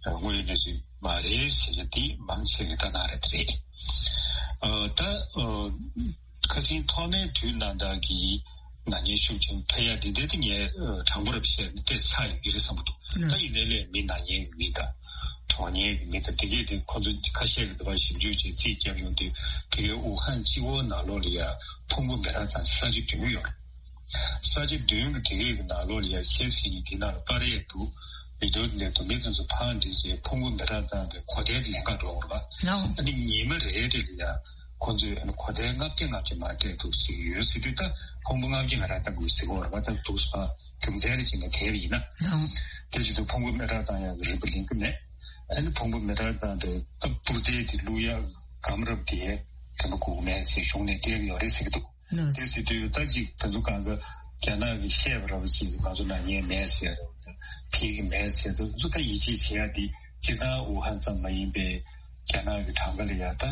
དངོས་ཡོད་གནས་ཚུལ་མ་རེད་ཟེར་གྱི་དེ་མང་ཆེ་གི་ལྟ་སྟངས་རེད་དེ་རེད། ད་ཁ་སང་ཐོག་མའི་དུས་ནང་ལྟར་གྱི་ན་མཁན་ཤུགས་ཆེན་འཕེལ་ཡ་དེ་འདྲ་དེ་ངས་དྲང་པོ་རེད་བཤད་ན་དེ་ཆགས་ཡོད་ཀྱི་རེད་བསམ་གྱི་འདུག་ད་ཡིན་ནའི་ལས་མི་ན་མཁན་གྱི་མི་དང་གྲོངས་མཁན་གྱི་མི་དང་དེ་གས་དེ་ཁོ་ཚོ་ཁ་ཤས་ཀྱི་འདུག་པ་ཞིབ་འཇུག་བྱས་རྩིས་བརྒྱབ་ཡོང་དུས་དེ་གའི་ཝུ་ཧན་གཅིག་པོ་ནང་ལོགས་ལ་ཡ་ཕུང་པོ་མི་རག་ཙམ་ས་ཆ་བདུན་ཡོད་རེད། ས་ཆ་བདུན་གྱི་སྡེ་རིགས་ཀྱི་ནང་ལོགས་ལ་ཡ་ཁྱེད་ཚོས་ཀྱིས་དེ་ནང་ལ་པར་ཡས་འདུག་བི་ཌིའོ་དེ་ལས་དུ་མི་དེ་ཚོ་ཕར་འགྲིལ་རྗེས་ཕུང་པོ་མེ་སྲེག་བཏང་སྟེ་གོ་ཐལ་དེ་ལེན་ག་འགྲོ་དགོས་རེད་པ། ལའོ། ཨ་ནི་ཉི་མ་རེ་རེ་ལ་ཡ་ཁོ་ཚོས་ཨ་ནི་གོ་ཐལ་ལྔ་བརྒྱ་ལྔ་བརྒྱ་མར་སྤྲད་འདུག་ཟེར་གྱི་ཡོད་ཟེར་དུས། ད་ཕུང་པོ་ལྔ་བརྒྱ་ང་རང་བཏང་དགོས་ཟེར་གྱི་ཡོད་རེད་པ། ད་འདུག་སེ་རྒྱུ་མཚན་རེ་བྱས་ནས་དེ་བས་ཡིན་ན། ལའོ། དེ་བྱེད་དུས་ཕུང་པོ་མེ་སྲེག་བཏང་ཡག་གི་རིན་པ་ལེན་གྱི་མེད། ཨ་ནི་ཕུང་པོ་མེ་སྲེག་བཏང་སྟེ་ད་སྤུར་རྡེལ་དེ་བླུག་ཡག་སྒམ་རབ་དེ་རིན་པ་དགོས་ཀྱི་མེད་ཟེར་གཞུང་ནས་བསྡད་ཀྱི་ཡོད་རེད་ཟེར་གྱི་འདུག་ལགས། དེ་ཟེར་དུས་ད་ཅིག་ད་ཚོ་གང་ག་རྒྱ་ནག་གིས་བཤད་པ་ར་བ་ཅིག་ང་ཚོ་ནང་ཉན་མེད་ཟེར་ར་བ་དང་ཕེབས་ཀྱི་མེད་ཟེར་དུས། ང་ཚོ་ད་ཡིད་ཆེས་བྱེད་ཡ་དེ་སྤྱིར་བཏང་ཝུ་ཧན་ཙམ་མ་ཡིན་པའི་རྒྱ་ནག་གི་གྲངས་ཀ་ལ་ཡ་ད་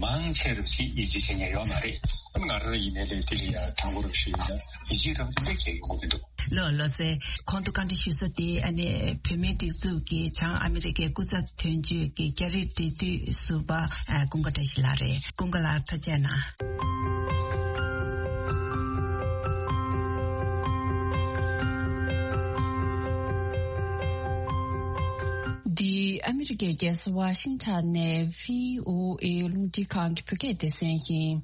མང་ཆེ་ར་བ་ཅིག་ཡིད་ཆེས་བྱེད་མཁན་ཡོད་མ་རེད། ང་རང་ཡིན་ནའི་ལས་དེ་ལ་ཡ་དྲང་པོ་ར་བ་ཞུས་ན་ཡིད་ཆེས་ར་བ་དེ་འདྲ་བྱེད་ཡོང་གི་མི་འདུག་ལགས། ལགས་སེ། གོང་དུ་བཀའ་འདྲི་ཞུས་ས་དེ་ཨ་ནི་བོད་མིའི་སྒྲིག་འཛུགས་ཀྱི་བྱང་ཨ་མི་རི་ཀའི་སྐུ་ཚབ་དོན་གཅོད་ཀྱི་རྒྱ་རིགས་འབྲེལ་མཐུད་ཟུར་པ་ཨ་ཀུན་དགའ་བཀྲ་ཤིས་ལགས་རེད། ཀུན་དགའ་ལགས་ཐུགས་རྗེ་གནང་། འདི་ཨ་མི་རི་ཀའི་རྒྱལ་ས་ཝ་ཤིང་ཊོན་ནས་བྷི་ཨོ་ཨེ་རླུང་འཕྲིན་ཁང་གི་བོད་སྐད་སྡེ་ཚན་ཡིན།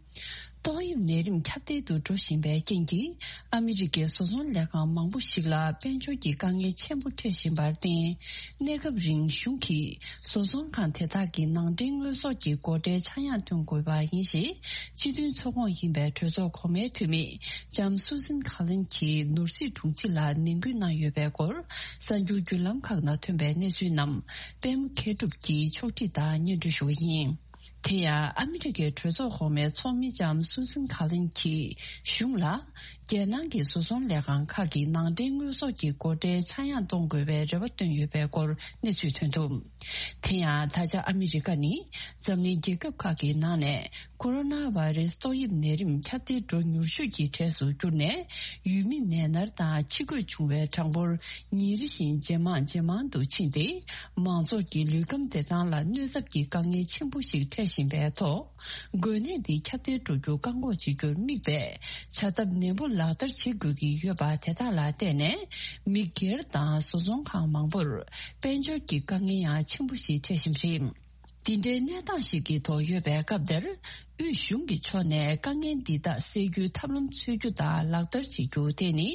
ཏོག་དབྱིབས་ནད་རིམས་ཁྱབ་གདལ་དུ་འགྲོ་བཞིན་པའི་རྐྱེན་གྱིས། ཨ་མི་རི་ཀའི་བཟོ་ཚོང་ལས་ཁང་མང་པོ་ཞིག་ལ་དཔལ་འབྱོར་གྱི་དཀའ་ངལ་ཆེན་པོ་འཕྲད་བཞིན་པར་བརྟེན། གནས་སྐབས་རིང་གཞུང་གིས་བཟོ་ཚོང་ཁང་དེ་དག་གི་ནང་འདྲེན་དངོས་ཟོག་གི་སྒོ་ཁྲལ་ཆག་ཡང་གཏོང་དགོས་པ་ཡིན་ཞེས། སྤྱི་མཐུན་ཚོགས་ཁོངས་ཡིན་པའི་གྲོས་ཚོགས་གོང་མའི་འཐུས་མི་ལྕམ་སུ་སན་ཁ་ལིན་གྱིས་ནོར་སྲིད་དྲུང་ཆེ་ལ་ནན་སྐུལ་གནང་ཡོད་པའི་སྐོར། གསར་འགྱུར་བརྒྱུད་ལམ་ཁག་ནང་ཐོན་པའི་གནས་ཚུལ་རྣམས་པད་མ་མཁས་གྲུབ་ཀྱིས་ཕྱོགས་སྒྲིག་དང་སྙན་སྒྲོན་ཞུ་གི་ཡིན། དེ་ཡང་ཨ་མི་རི་ཀའི་གྲོས་ཚོགས་གོང་མའི་ཚོགས་མི་ལྕམ་སུ་སན་ཁ་ལིན་གྱིས་གཞུང་ལ། རྒྱལ་ནང་གི་བཟོ་ཚོང་ལས་ཁང་ཁག་གི་ནང་འདྲེན་དངོས་ཟོག་གི་སྒོ་ཁྲལ་ཆག་ཡང་གཏོང་དགོས་པའི་རེ་བ་བཏོན་ཡོད་པའི་སྐོར་གནས་ཚུལ་ཐོན་འདུག་དེ་ཡང་ད་ཆ་ཨ་མི་རི་ཀ་ནི་འཛམ་གླིང་རྒྱལ་ཁབ་ཁག་གི་ནང་ནས་ཀོ་རོ་ན་བྷ་རེ་སི་ཏོག་དབྱིབས་ནད་རིམས་ཁྱབ་གདལ་འགྲོ་མྱུར་ཤོས་ཀྱི་གྲས་སུ་གྱུར་ནས། ཡུལ་མི་ནད་མནར་དང་འཆི་འགོས་བྱུང་བའི་གྲངས་འབོར་ཉིན་རེ་བཞིན་ཇེ་མང་ཇེ་མང་དུ་ཕྱིན་ཏེ། མང་ཚོགས་ཀྱི་ལུས་ཁམས་བདེ་ཐང་ལ་གནོད་ཚབས་ཀྱི་དཀའ་ངལ་ཆེན་པོ་ཞིག་འཕྲད་བཞིན་པའི་ཐོག་འགོས་ནད་འདི་ཁྱབ་གདལ་འགྲོ་རྒྱུ་བཀག་འགོག་བྱེད་རྒྱུར་དམིགས་པའི་བྱ་ཐབས་ནན་པོ་ལག་བསྟར་བྱེད་དགོས་ཀྱི་ཡོད་པ་དེ་དག་ལ་བརྟེན་ནས། མི་སྒེར་དང་བཟོ་ཚོང་ཁང་མང་པོར་དཔལ་འབྱོར་གྱི་དཀའ་ངལ་ཡང་ཆེན་པོ་ཞིག་འཕྲད་བཞིན་པ་རེད། འདི་འདྲའི་གནས་སྟངས་ཤིག་གི་ཐོག་ཡོད་པའི་སྐབས་འདིར། དབུས་གཞུང་གི་ཕྱོགས་ནས་དཀའ་ངལ་འདི་དག་སེལ་རྒྱུའི་ཐབས་ལམ་འཚོལ་རྒྱུ་དང་ལག་བསྟར་བྱེད་རྒྱུ་དེ་ནི་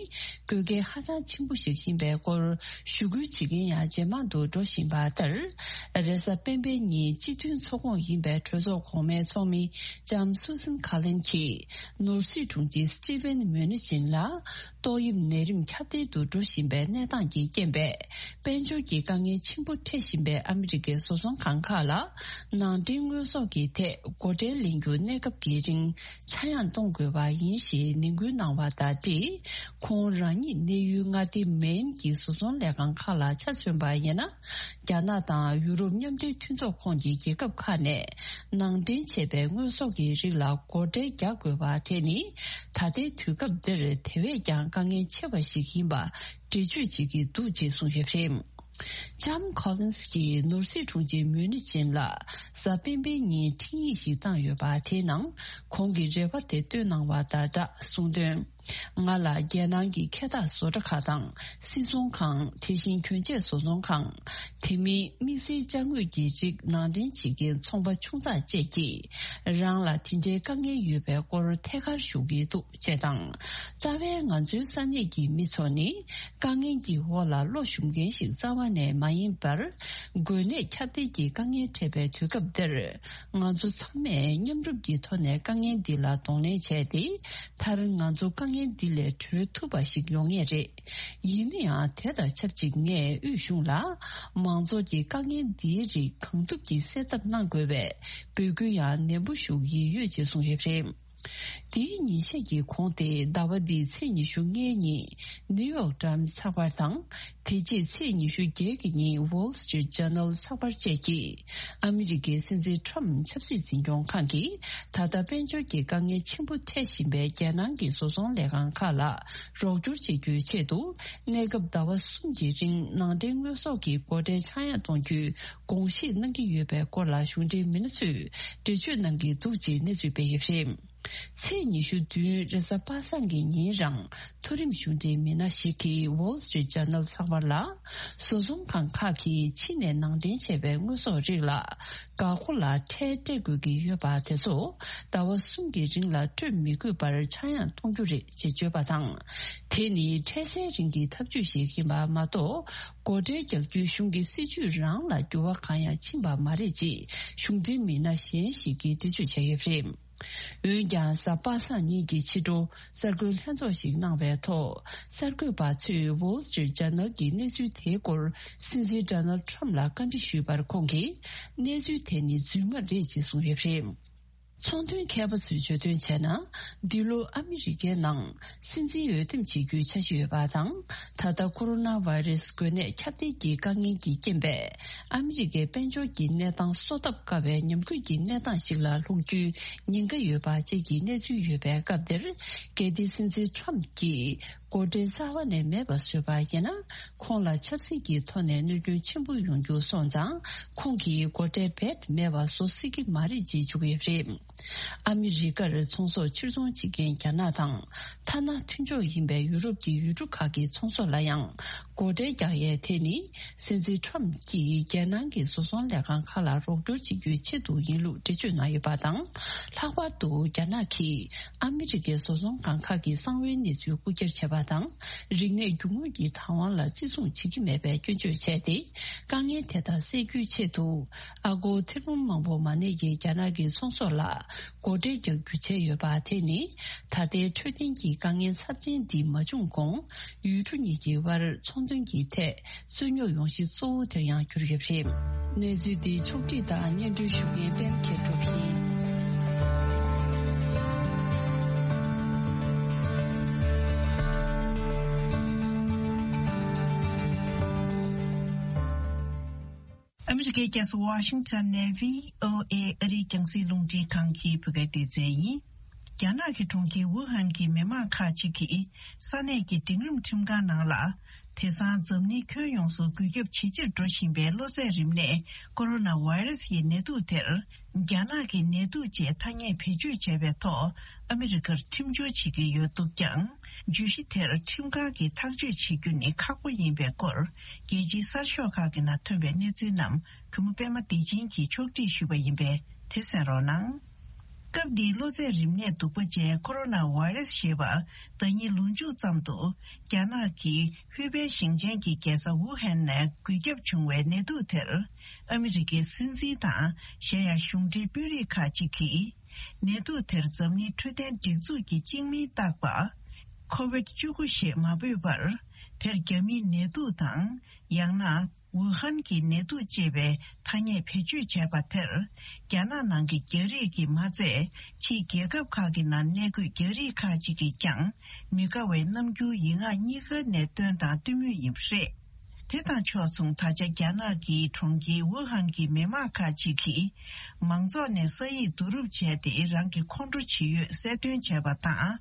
དགོས་གལ་ཧ་ཅང་ཆེན་པོ་ཞིག་ཡིན་པའི་སྐོར་ཞུ་སྐུལ་བྱེད་མཁན་ཡང་ཇེ་མང་དུ་འགྲོ་བཞིན་པ་ལྟར། རེས་གཟའ་སྤེན་པའི་ཉིན་སྤྱི་མཐུན་ཚོགས་ཁོངས་ཡིན་པའི་གྲོས་ཚོགས་གོང་མའི་ཚོགས་མི་ལྕམ་སུ་སན་ཁ་ལིན་གྱིས་ནོར་སྲིད་དྲུང་ཆེ་སི་ཊི་ཝན་མུ་ནི་ཅིན་ལ། ཏོག་དབྱིབས་ནད་རིམས་ཁྱབ་གདལ་དུ་འགྲོ་བཞིན་པའི་གནས་སྟངས་ཀྱི་རྐྱེན་པས། དཔལ་འབྱོར་གྱི་དཀའ་ངལ་ཆེན་པོ་འཕྲད་བཞིན་པའི་ཨ་མི་རི་ཀའི་བཟོ་ཚོང་ཁང་ཁག་ལ། ནང་འདྲེན་དངོས་ཟོག་གི་ཐད་སྒོ་ཁྲལ་ལེན་རྒྱུ་གནས་སྐབས་ཀྱི་རིང་ཆག་ཡང་གཏོང་དགོས་པ་ཡིན་ཞེས་ནན་སྐུལ་གནང་བ་དང་འབྲེལ། ཁོང་རང་ཉིད་གནས་ཡུལ་མངའ་སྡེ་མེན་གྱི་བཟོ་ཚོང་ལས་ཁང་ཁག་ལ་ཆ་མཚོན་པ་ཡིན་ན། རྒྱ་ནག་དང་ཡུ་རོབ་མཉམ་འབྲེལ་མཐུན་ཚོགས་ཁོངས་ཀྱི་རྒྱལ་ཁབ་ཁག་ནས་ནང་འདྲེན་བྱས་པའི་དངོས་ཟོག་གི་རིགས་ལ་སྒོ་ཁྲལ་རྒྱག་དགོས་པ་དེ་ནི། ད་ལྟའི་དུས་སྐབས་འདིར་དེ་བས་ཀྱང་དཀའ་ངལ་ཆེ་བ་ཞིག་ཡིན་པ་འགྲེལ་བརྗོད་བྱེད་ཀྱི་འདུག་ཅེས་གསུངས་ཡོད་པ་རེད། ལྕམ་ཁོ་ལིན་སི་གྱིས་ནོར་སྲིད་དྲུང་ཆེ་མུ་ནི་ཅིན་ལ་གཟའ་སྤེན་པའི་ཉིན་འཕྲིན་ཡིག་ཞིག་བཏང་ཡོད་པ་དེའི་ནང་ཁོང་གི་རེ་བ་དེ་བཏོན་གནང་བ་དང་སྦྲགས་གསུངས་དོན། ང་ལ་རྒྱལ་ནང་གི་འཁལ་འཐག་བཟོ་གྲྭ་ཁག་དང་སིལ་ཚོང་ཁང་། དེ་བཞིན་གྱོན་ཆས་བཟོ་ཚོང་ཁང་། དེ་མིན་དམིགས་བསལ་ཅ་དངོས་ཀྱི་རིགས་ནང་འདྲེན་བྱེད་མཁན་ཚོང་པ་ཆུང་ཙག་བཅས་ཀྱིས་རང་ལ་དེ་འདྲའི་དཀའ་ངལ་ཡོད་པའི་སྐོར་ཐད་ཀར་ཞུ་གི་འདུག་ཅེས་དང་། རྩ་བའི་ང་ཚོའི་ས་གནས་ཀྱི་མི་ཚོ་ནི་དཀའ་ངལ་གྱི་འོག་ལ་བློ་ཞུམ་མཁན་ཞིག་རྩ་བ་ནས་མ་ཡིན་པར། འགོས་ནད་ཁྱབ་གདལ་གྱི་དཀའ་ངལ་འཕྲད་པའི་དུས་སྐབས་འདིར། ང་ཚོ་ཚང་མས་མཉམ་རུབ་ཀྱི་ཐོག་ནས་དཀའ་ངལ་འདི་ལ་གདོང་ལེན་བྱས་ཏེ། མཐར་ང་ཚོ་དཀའ་ངལ་འདི་ལས་གྲོལ་ཐུབ་པ་ཞིག་ཡོང་ངེས་རེད། ཡིན་ན་ཡང་དེ་དང་ཆབས་ཅིག་ངས་དབུས་གཞུང་ལ་མང་ཚོགས་ཀྱི་དཀའ་ངལ་འདིའི་རིགས་གང་ཐུབ་ཀྱིས་སེལ་ཐབས་གནང་དགོས་པའི་འབོད་སྐུལ་ཡང་ནན་པོ་ཞུ་གི་ཡོད་ཅེས་གསུངས་ཡོད་པ་རེད། དེའི་ཉིན་ཤས་ཀྱི་གོང་སྟེ་ཟླ་བ་འདིའི་ཚེས་ཉི་ཤུ་ལྔའི་ཉིན་ནིའུ་ཡོག་ཊའིམ་ཚགས་པར་དང་། དེ་རྗེས་ཚེས་ཉི་ཤུ་བརྒྱད་ཀྱི་ཉིན་Wall Street Journal་ཚགས་པར་བཅས་ཀྱིས་ཨ་མི་རི་ཀའི་སྲིད་འཛིན་ཊམ་ཆབ་སྲིད་འཛིན་སྐྱོང་ཁང་གིས་ད་ལྟ་དཔལ་འབྱོར་གྱི་དཀའ་ངལ་ཆེན་པོ་འཕྲད་བཞིན་པའི་རྒྱལ་ནང་གི་བཟོ་ཚོང་ལས་ཁང་ཁག་ལ་རོགས་སྐྱོར་བྱེད་རྒྱུའི་ཆེད་དུ། གནས་སྐབས་ཟླ་བ་གསུམ་གྱི་རིང་ནང་འདྲེན་དངོས་ཟོག་གི་སྒོ་ཁྲལ་ཆག་ཡང་གཏོང་རྒྱུའི་དགོངས་བཞེས་གནང་གི་ཡོད་པའི་སྐོར་ལ་གཞུང་འབྲེལ་མི་སྣ་ཚོས་འགྲེལ་བརྗོད་གནང་གི་འདུག་ཅེས་གནས་ཚུལ་སྤེལ་ཡོད་པ་རེད། ཚེས་ཉི་ཤུ་བདུན་རེས་གཟའ་པ་སངས་ཀྱི་ཉིན་རང་མཐོ་རིམ་གཞུང་འབྲེལ་མི་སྣ་ཞིག་གིས་Wall Street Journal་ཚགས་པར་ལ། བཟོ་ཚོང་ཁང་ཁག་གིས་ཕྱི་ནས་ནང་འདྲེན་བྱས་པའི་དངོས་ཟོག་རིགས་ལ་འགག་སྒོ་ལ་ཁྲལ་སྤྲད་དགོས་ཀྱི་ཡོད་པ་དེ་ཚོ་ཟླ་བ་གསུམ་གྱི་རིང་ལ་སྤྲོད་མི་དགོས་པར་ཆག་ཡང་གཏོང་རྒྱུ་རེད་ཅེས་བརྗོད་པ་དང་། དེ་ནི་འཕྲལ་སེལ་རིང་གི་ཐབས་ཇུས་ཤིག་ཡིན་པ་མ་གཏོགས། སྒོ་ཁྲལ་རྒྱག་རྒྱུའི་གཞུང་གི་སྲིད་ཇུས་རང་ལ་འགྱུར་བ་གང་ཡང་ཕྱིན་པ་མ་རེད་ཅེས་གཞུང་འབྲེལ་མི་སྣ་གཞན་ཞིག་གིས་འགྲེལ་བརྗོད་བྱས་ཡོད་པ་རེད། འོན་ཀྱང་གཟའ་པ་སངས་ཉིན་གྱི་ཕྱི་དྲོ་གསར་འགོད་ལྷན་ཚོགས་ཤིག་གནང་བའི་ཐོག་གསར་འགོད་པ་ཚོས་Wall Street Journal་གྱི་གནས་ཚུལ་དེའི་སྐོར་སྲིད་འཛིན་Donald Trump་ལ་བཀའ་འདྲི་ཞུས་པར་ཁོང་གིས་གནས་ཚུལ་དེ་ནི་རྫུན་མ་རེད་ཅེས་གསུངས་ཡོད་པ་རེད། ཚོང་དོན་མཁས་པ་ཚོས་བརྗོད་དོན་བྱས་ན། འདི་ལོ་ཨ་མི་རི་ཀའི་ནང་སྲིད་འཛིན་འོས་འདེམས་བྱེད་རྒྱུའི་འཆར་གཞི་ཡོད་པ་དང་། ད་ལྟ་ཀོ་རོ་ན་བྷ་ཡི་རེ་སི་འགོས་ནད་ཁྱབ་གདལ་གྱི་དཀའ་ངལ་གྱི་རྐྱེན་པས། ཨ་མི་རི་ཀའི་དཔལ་འབྱོར་གྱི་གནས་སྟངས་གསོ་ཐབས་དཀའ་བའི་ཉམས་རྒུད་ཀྱི་གནས་སྟངས་ཤིག་ལ་ལྷུང་རྒྱུའི་ཉེན་ཁ་ཡོད་པ་བཅས་ཀྱི་གནས་ཚུལ་ཡོད་པའི་སྐབས་འདིར། གལ་ཏེ་སྲིད་འཛིན་ཁྲོམ་གྱིས་སྒོ་ཁྲལ་རྩ་བ་ནས་མེད་པ་བཟོས་པ་ཡིན་ན། ཁོང་ལ་ཆབ་སྲིད་ཀྱི་ཐོག་ནས་གནོད་སྐྱོན་ཆེན་པོ་ཡོང་རྒྱུ་སོང་ཙང་། ཁོང་གིས་སྒོ་ཁྲལ་རྦད་མེད་པ་བཟོ་སྲིད་ཀྱི་མ་རེད་ཅེས་བརྗོད་ཀྱི་ཡོད་པ་རེད། ཨ་མི་རི་ཀར་ཚོང་ཟོག་ཕྱིར་ཚོང་བྱེད་མཁན་རྒྱ་ནག་དང་། ཐ་ན་མཐུན་ཕྱོགས་ཡིན་པའི་ཡུ་རོབ་ཀྱི་ཡུལ་གྲུ་ཁག་གི་ཚོང་ཟོག་ལ་ཡང་སྒོ་ཁྲལ་རྒྱག་ཡས་དེ་ནི། སྲིད་འཛིན་ཁྲོམ་གྱིས་རྒྱལ་ནང་གི་བཟོ་ཚོང་ལས་ཁང་ཁག་ལ་རོགས་སྐྱོར་བྱེད་རྒྱུའི་ཆེད་དུ་ཡིན་ལུགས་འགྲེལ་བརྗོད་གནང་ཡོད་པ་དང་། ལྷག་པར་དུ་རྒྱ་ནག་གིས་ཨ་མི་རི་ཀའི་བཟོ་ཚོང་ཁང་ཁག་གི་གསང་བའི་གནས་ཚུལ་རྐུ་འཁྱེར་བྱས་པ་དང་། རིག་གནས་རྒྱུ་དངོས་ཀྱི་བདག་དབང་ལ་བརྩི་སྲུང་བྱེད་ཀྱི་མེད་པའི་སྐྱོན་བརྗོད་བྱས་ཏེ། དཀའ་ངལ་དེ་དག་སེལ་རྒྱུའི་ཆེད་དུ། ཨ་སྒོར་ཐེར་འབུམ་མང་པོ་མ་གནས་ཀྱི་རྒྱ་ནག་གི་ཚོང་ཟོག་ལ་སྒོ་ཁྲལ་རྒྱག་རྒྱུ་བྱས་ཡོད་པ་དེ་ནི། ད་ལྟའི་འཕྲོད་བསྟེན་གྱི་དཀའ་ངལ་ཚབས་ཆེན་འདི་མ་བྱུང་གོང་། ཡུལ་གྲུ་གཉིས་ཀྱི་དབར་ཚོང་དོན་གྱི་ཐད་རྩོད་རྙོག་ཡོང་གཞི་གཙོ་བོ་དེར་ཡང་གྱུར་ཡོད་པ་རེད། གནས་ཚུལ་འདི་ཕྱོགས་བསྒྲིགས་དང་སྙན་སྒྲོན་ཞུ་མཁན་པད་མ་མཁས་གྲུབ་ཡིན། ཨ་མི་རི་ཀའི་རྒྱལ་ས་ཝ་ཤིང་ཊོན་ནས་བྷི་ཨོ་ཨེ་ཨ་རིའི་རྒྱང་སྲིང་རླུང་འཕྲིན་ཁང་གི་བོད་སྐད་སྡེ་ཚན་ཡིན། རྒྱ་ནག་གི་གྲོང་ཁྱེར་ཝུ་ཧན་གྱི་མི་མང་ཁག་ཅིག་གིས་ས་གནས་ཀྱི་འབྲིང་རིམ་ཁྲིམས་ཁང་ནང་ལ། དེང་སང་འཛམ་གླིང་ཁྱོན་ཡོངས་སུ་འགོས་ཁྱབ་ཇེ་ཆེར་འགྲོ་བཞིན་པའི་གློ་ཚད་རིམས་ནད་ཀོ་རོ་ན་བྷ་ཡི་རེ་སི་ཡི་ནད་དུག་དེར། རྒྱ་ནག་གི་ནད་དུག་ཅེས་ཐ་སྙད་བེད་སྤྱོད་བྱས་པའི་ཐོག་ཨ་མི་རི་ཀར་ཁྲིམས་སྦྱོར་བྱེད་ཀྱི་ཡོད་འདུག་ཀྱང་། བརྗོད་གཞི་དེར་ཁྲིམས་ཁང་གིས་ཐག་གཅོད་བྱེད་རྒྱུ་ནི་ཁག་པོ་ཡིན་པའི་སྐོར། རྒྱལ་སྤྱིའི་གསར་ཤོག་ཁག་གི་ནང་ཐོན་པའི་གནས་ཚུལ་རྣམས་གུས་མོ་པད་མ་བདེ་ཆེན་གྱིས་ཕྱོགས་སྒྲིག་ཞུས་པ་ཡིན་པས་དེ་གསན་རོགས་གནང་། སྐབས་འདིའི་གློ་ཚད་རིམས་ནད་གདུག་པ་ཅན་ཀོ་རོ་ན་བྷ་ཡི་རེ་སི་ཞེས་པ་ཟླ་ཉིན་ལོ་མཇུག་ཙམ་དུ་རྒྱ་ནག་གི་ཧུའེ་པེ་ཞིང་ཆེན་གྱི་རྒྱལ་ས་ཝུ་ཧན་ནས་འགོས་ཁྱབ་བྱུང་བའི་ནད་དུག་དེར། ཨ་མི་རི་ཀའི་སྲིད་འཛིན་དང་གཞན་ཡང་གཞུང་འབྲེལ་དཔོན་རིགས་ཁག་ཅིག་གིས། ནད་དུག་དེར་འཛམ་གླིང་འཕྲོད་བསྟེན་སྒྲིག་འཛུགས་ཀྱིས་གཅིག་མིང་བཏགས་པ། ཁོ་ཝིད་བཅུ་དགུ་ཞེས་མ་འབོད་པར། དེར་རྒྱ་མིའི་ནད་དུག་དང་། ཡང་ན། ཝུ་ཧན་གྱི་ནད་དུག་ཅེས་པའི་ཐ་སྙད་བེད་སྤྱོད་བྱས་པ་དེར། རྒྱ་ནག་ནང་གི་རྒྱ་རིགས་ཀྱིས་མ་ཚད། ཕྱིའི་རྒྱལ་ཁབ་ཁག་གི་ནང་གནས་འཁོད་རྒྱ་རིགས་ཁག་ཅིག་གིས་ཀྱང་། མི་དགའ་བའི་རྣམ་འགྱུར་ཡིག་ངག་གཉིས་ཀ་ནས་བཏོན་དང་བཏོན་མུས་ཡིན་པ་རེད། དེ་དང་ཕྱོགས་མཚུངས། ད་ཆ་རྒྱ་ནག་གི་གྲོང་ཁྱེར་ཝུ་ཧན་གྱི་མི་མང་ཁག་ཅིག་གིས། མང་ཚོགས་ནས་ས་ཡིག་བསྡུ་རུབ་བྱས་ཏེ། རང་གི་ཁོང་ཁྲོ་ཇི་ཡོད་གསལ་སྟོན་བྱས་པ་དང་།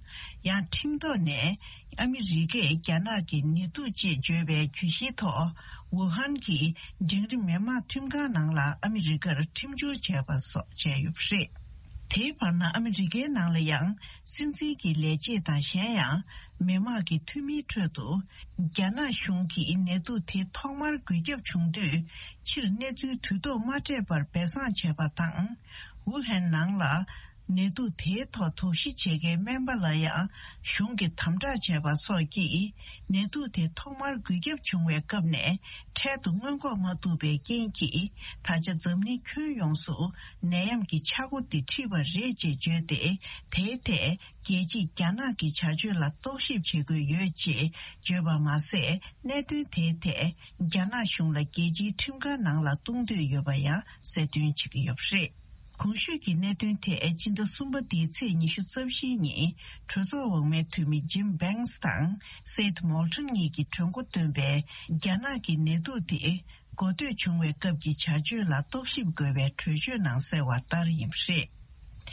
ཡང་ཁྲིམས་ཐོག་ནས། ཨ་མི་རི་ཀས་རྒྱ་ནག་གི་ནད་དུག་ཅེས་བརྗོད་པའི་གྱོད་གཞིའི་ཐོག་ཝུ་ཧན་གྱི་འབྲིང་རིམ་མི་དམངས་ཁྲིམས་ཁང་ནང་ལ་ཨ་མི་རི་ཀར་ཁྲིམས་སྦྱོར་བྱས་པ་སོགས་བྱས་ཡོད་པ་རེད། དེའི་བར་ན་ཨ་མི་རི་ཀའི་ནང་ལ་ཡང་སྲིད་འཛིན་གྱི་ལས་བྱེད་དང་གཞན་ཡང་མི་དམངས་ཀྱི་འཐུས་མིའི་ཁྲོད་དུ། རྒྱ་ནག་གཞུང་གིས་ནད་དུག་དེ་ཐོག་མར་འགོས་ཁྱབ་བྱུང་དུས་ཕྱིར་གནས་ཚུལ་དུས་ཐོག་མ་སྤྲད་པར་སྦས་གསང་བྱས་པ་དང་། ཝུ་ཧན་ནང་ལ། ནད་དུག་དེའི་ཐོག་དོགས་གཞི་བྱེད་མཁན་སྨན་པ་ལ་ཡང་གཞུང་གིས་དམ་དྲག་བྱས་པ་སོགས་ཀྱིས། ནད་དུག་དེ་ཐོག་མར་འགོས་ཁྱབ་བྱུང་བའི་སྐབས་ནས་འཕྲལ་དུ་སྔོན་འགོག་མ་ཐུབ་པའི་རྐྱེན་གྱིས། ད་ཆ་འཛམ་གླིང་ཁྱོན་ཡོངས་སུ་ནད་ཡམས་ཀྱི་ཆག་སྒོ་འདི་འཁྲིས་པ་རེད་ཅེས་བརྗོད་དེ། དེའི་ཐད་རྒྱལ་སྤྱིས་རྒྱ་ནག་གི་བྱ་སྤྱོད་ལ་རྟོག་ཞིབ་བྱེད་དགོས་ཡོད་ཅེས་བརྗོད་པ་མ་ཟད། གནད་དོན་དེའི་ཐད་རྒྱ་ནག་གཞུང་ལ་རྒྱལ་སྤྱིའི་ཁྲིམས་ཁང་ནང་ལ་གཏོང་འདོད་ཡོད་པ་ཡང་གསལ་སྟོན་བྱེད་ཀྱི་ཡོད་པ་རེད། གོང་ཞུས་ཀྱི་གནད་དོན་དེ་སྤྱི་ཟླ་གསུམ་པ་འདིའི་ཚེས་ཉི་ཤུ་རྩ་བཞིའི་ཉིན་གྲོས་ཚོགས་འོག་མའི་འཐུས་མི་ཇིམ་བྷེངས་དང་སེད་མོལ་ཊོན་གཉིས་ཀྱིས་གྲོས་འགོ་བཏོན་པའི་རྒྱ་ནག་གི་ནད་དུག་དེ་འགོ་སྟོད་བྱུང་བའི་སྐབས་ཀྱི་བྱ་སྤྱོད་ལ་རྟོག་ཞིབ་དགོས་པའི་གྲོས་ཆོད་ནང་གསལ་བ་ལྟར་ཡིན་པ་རེད།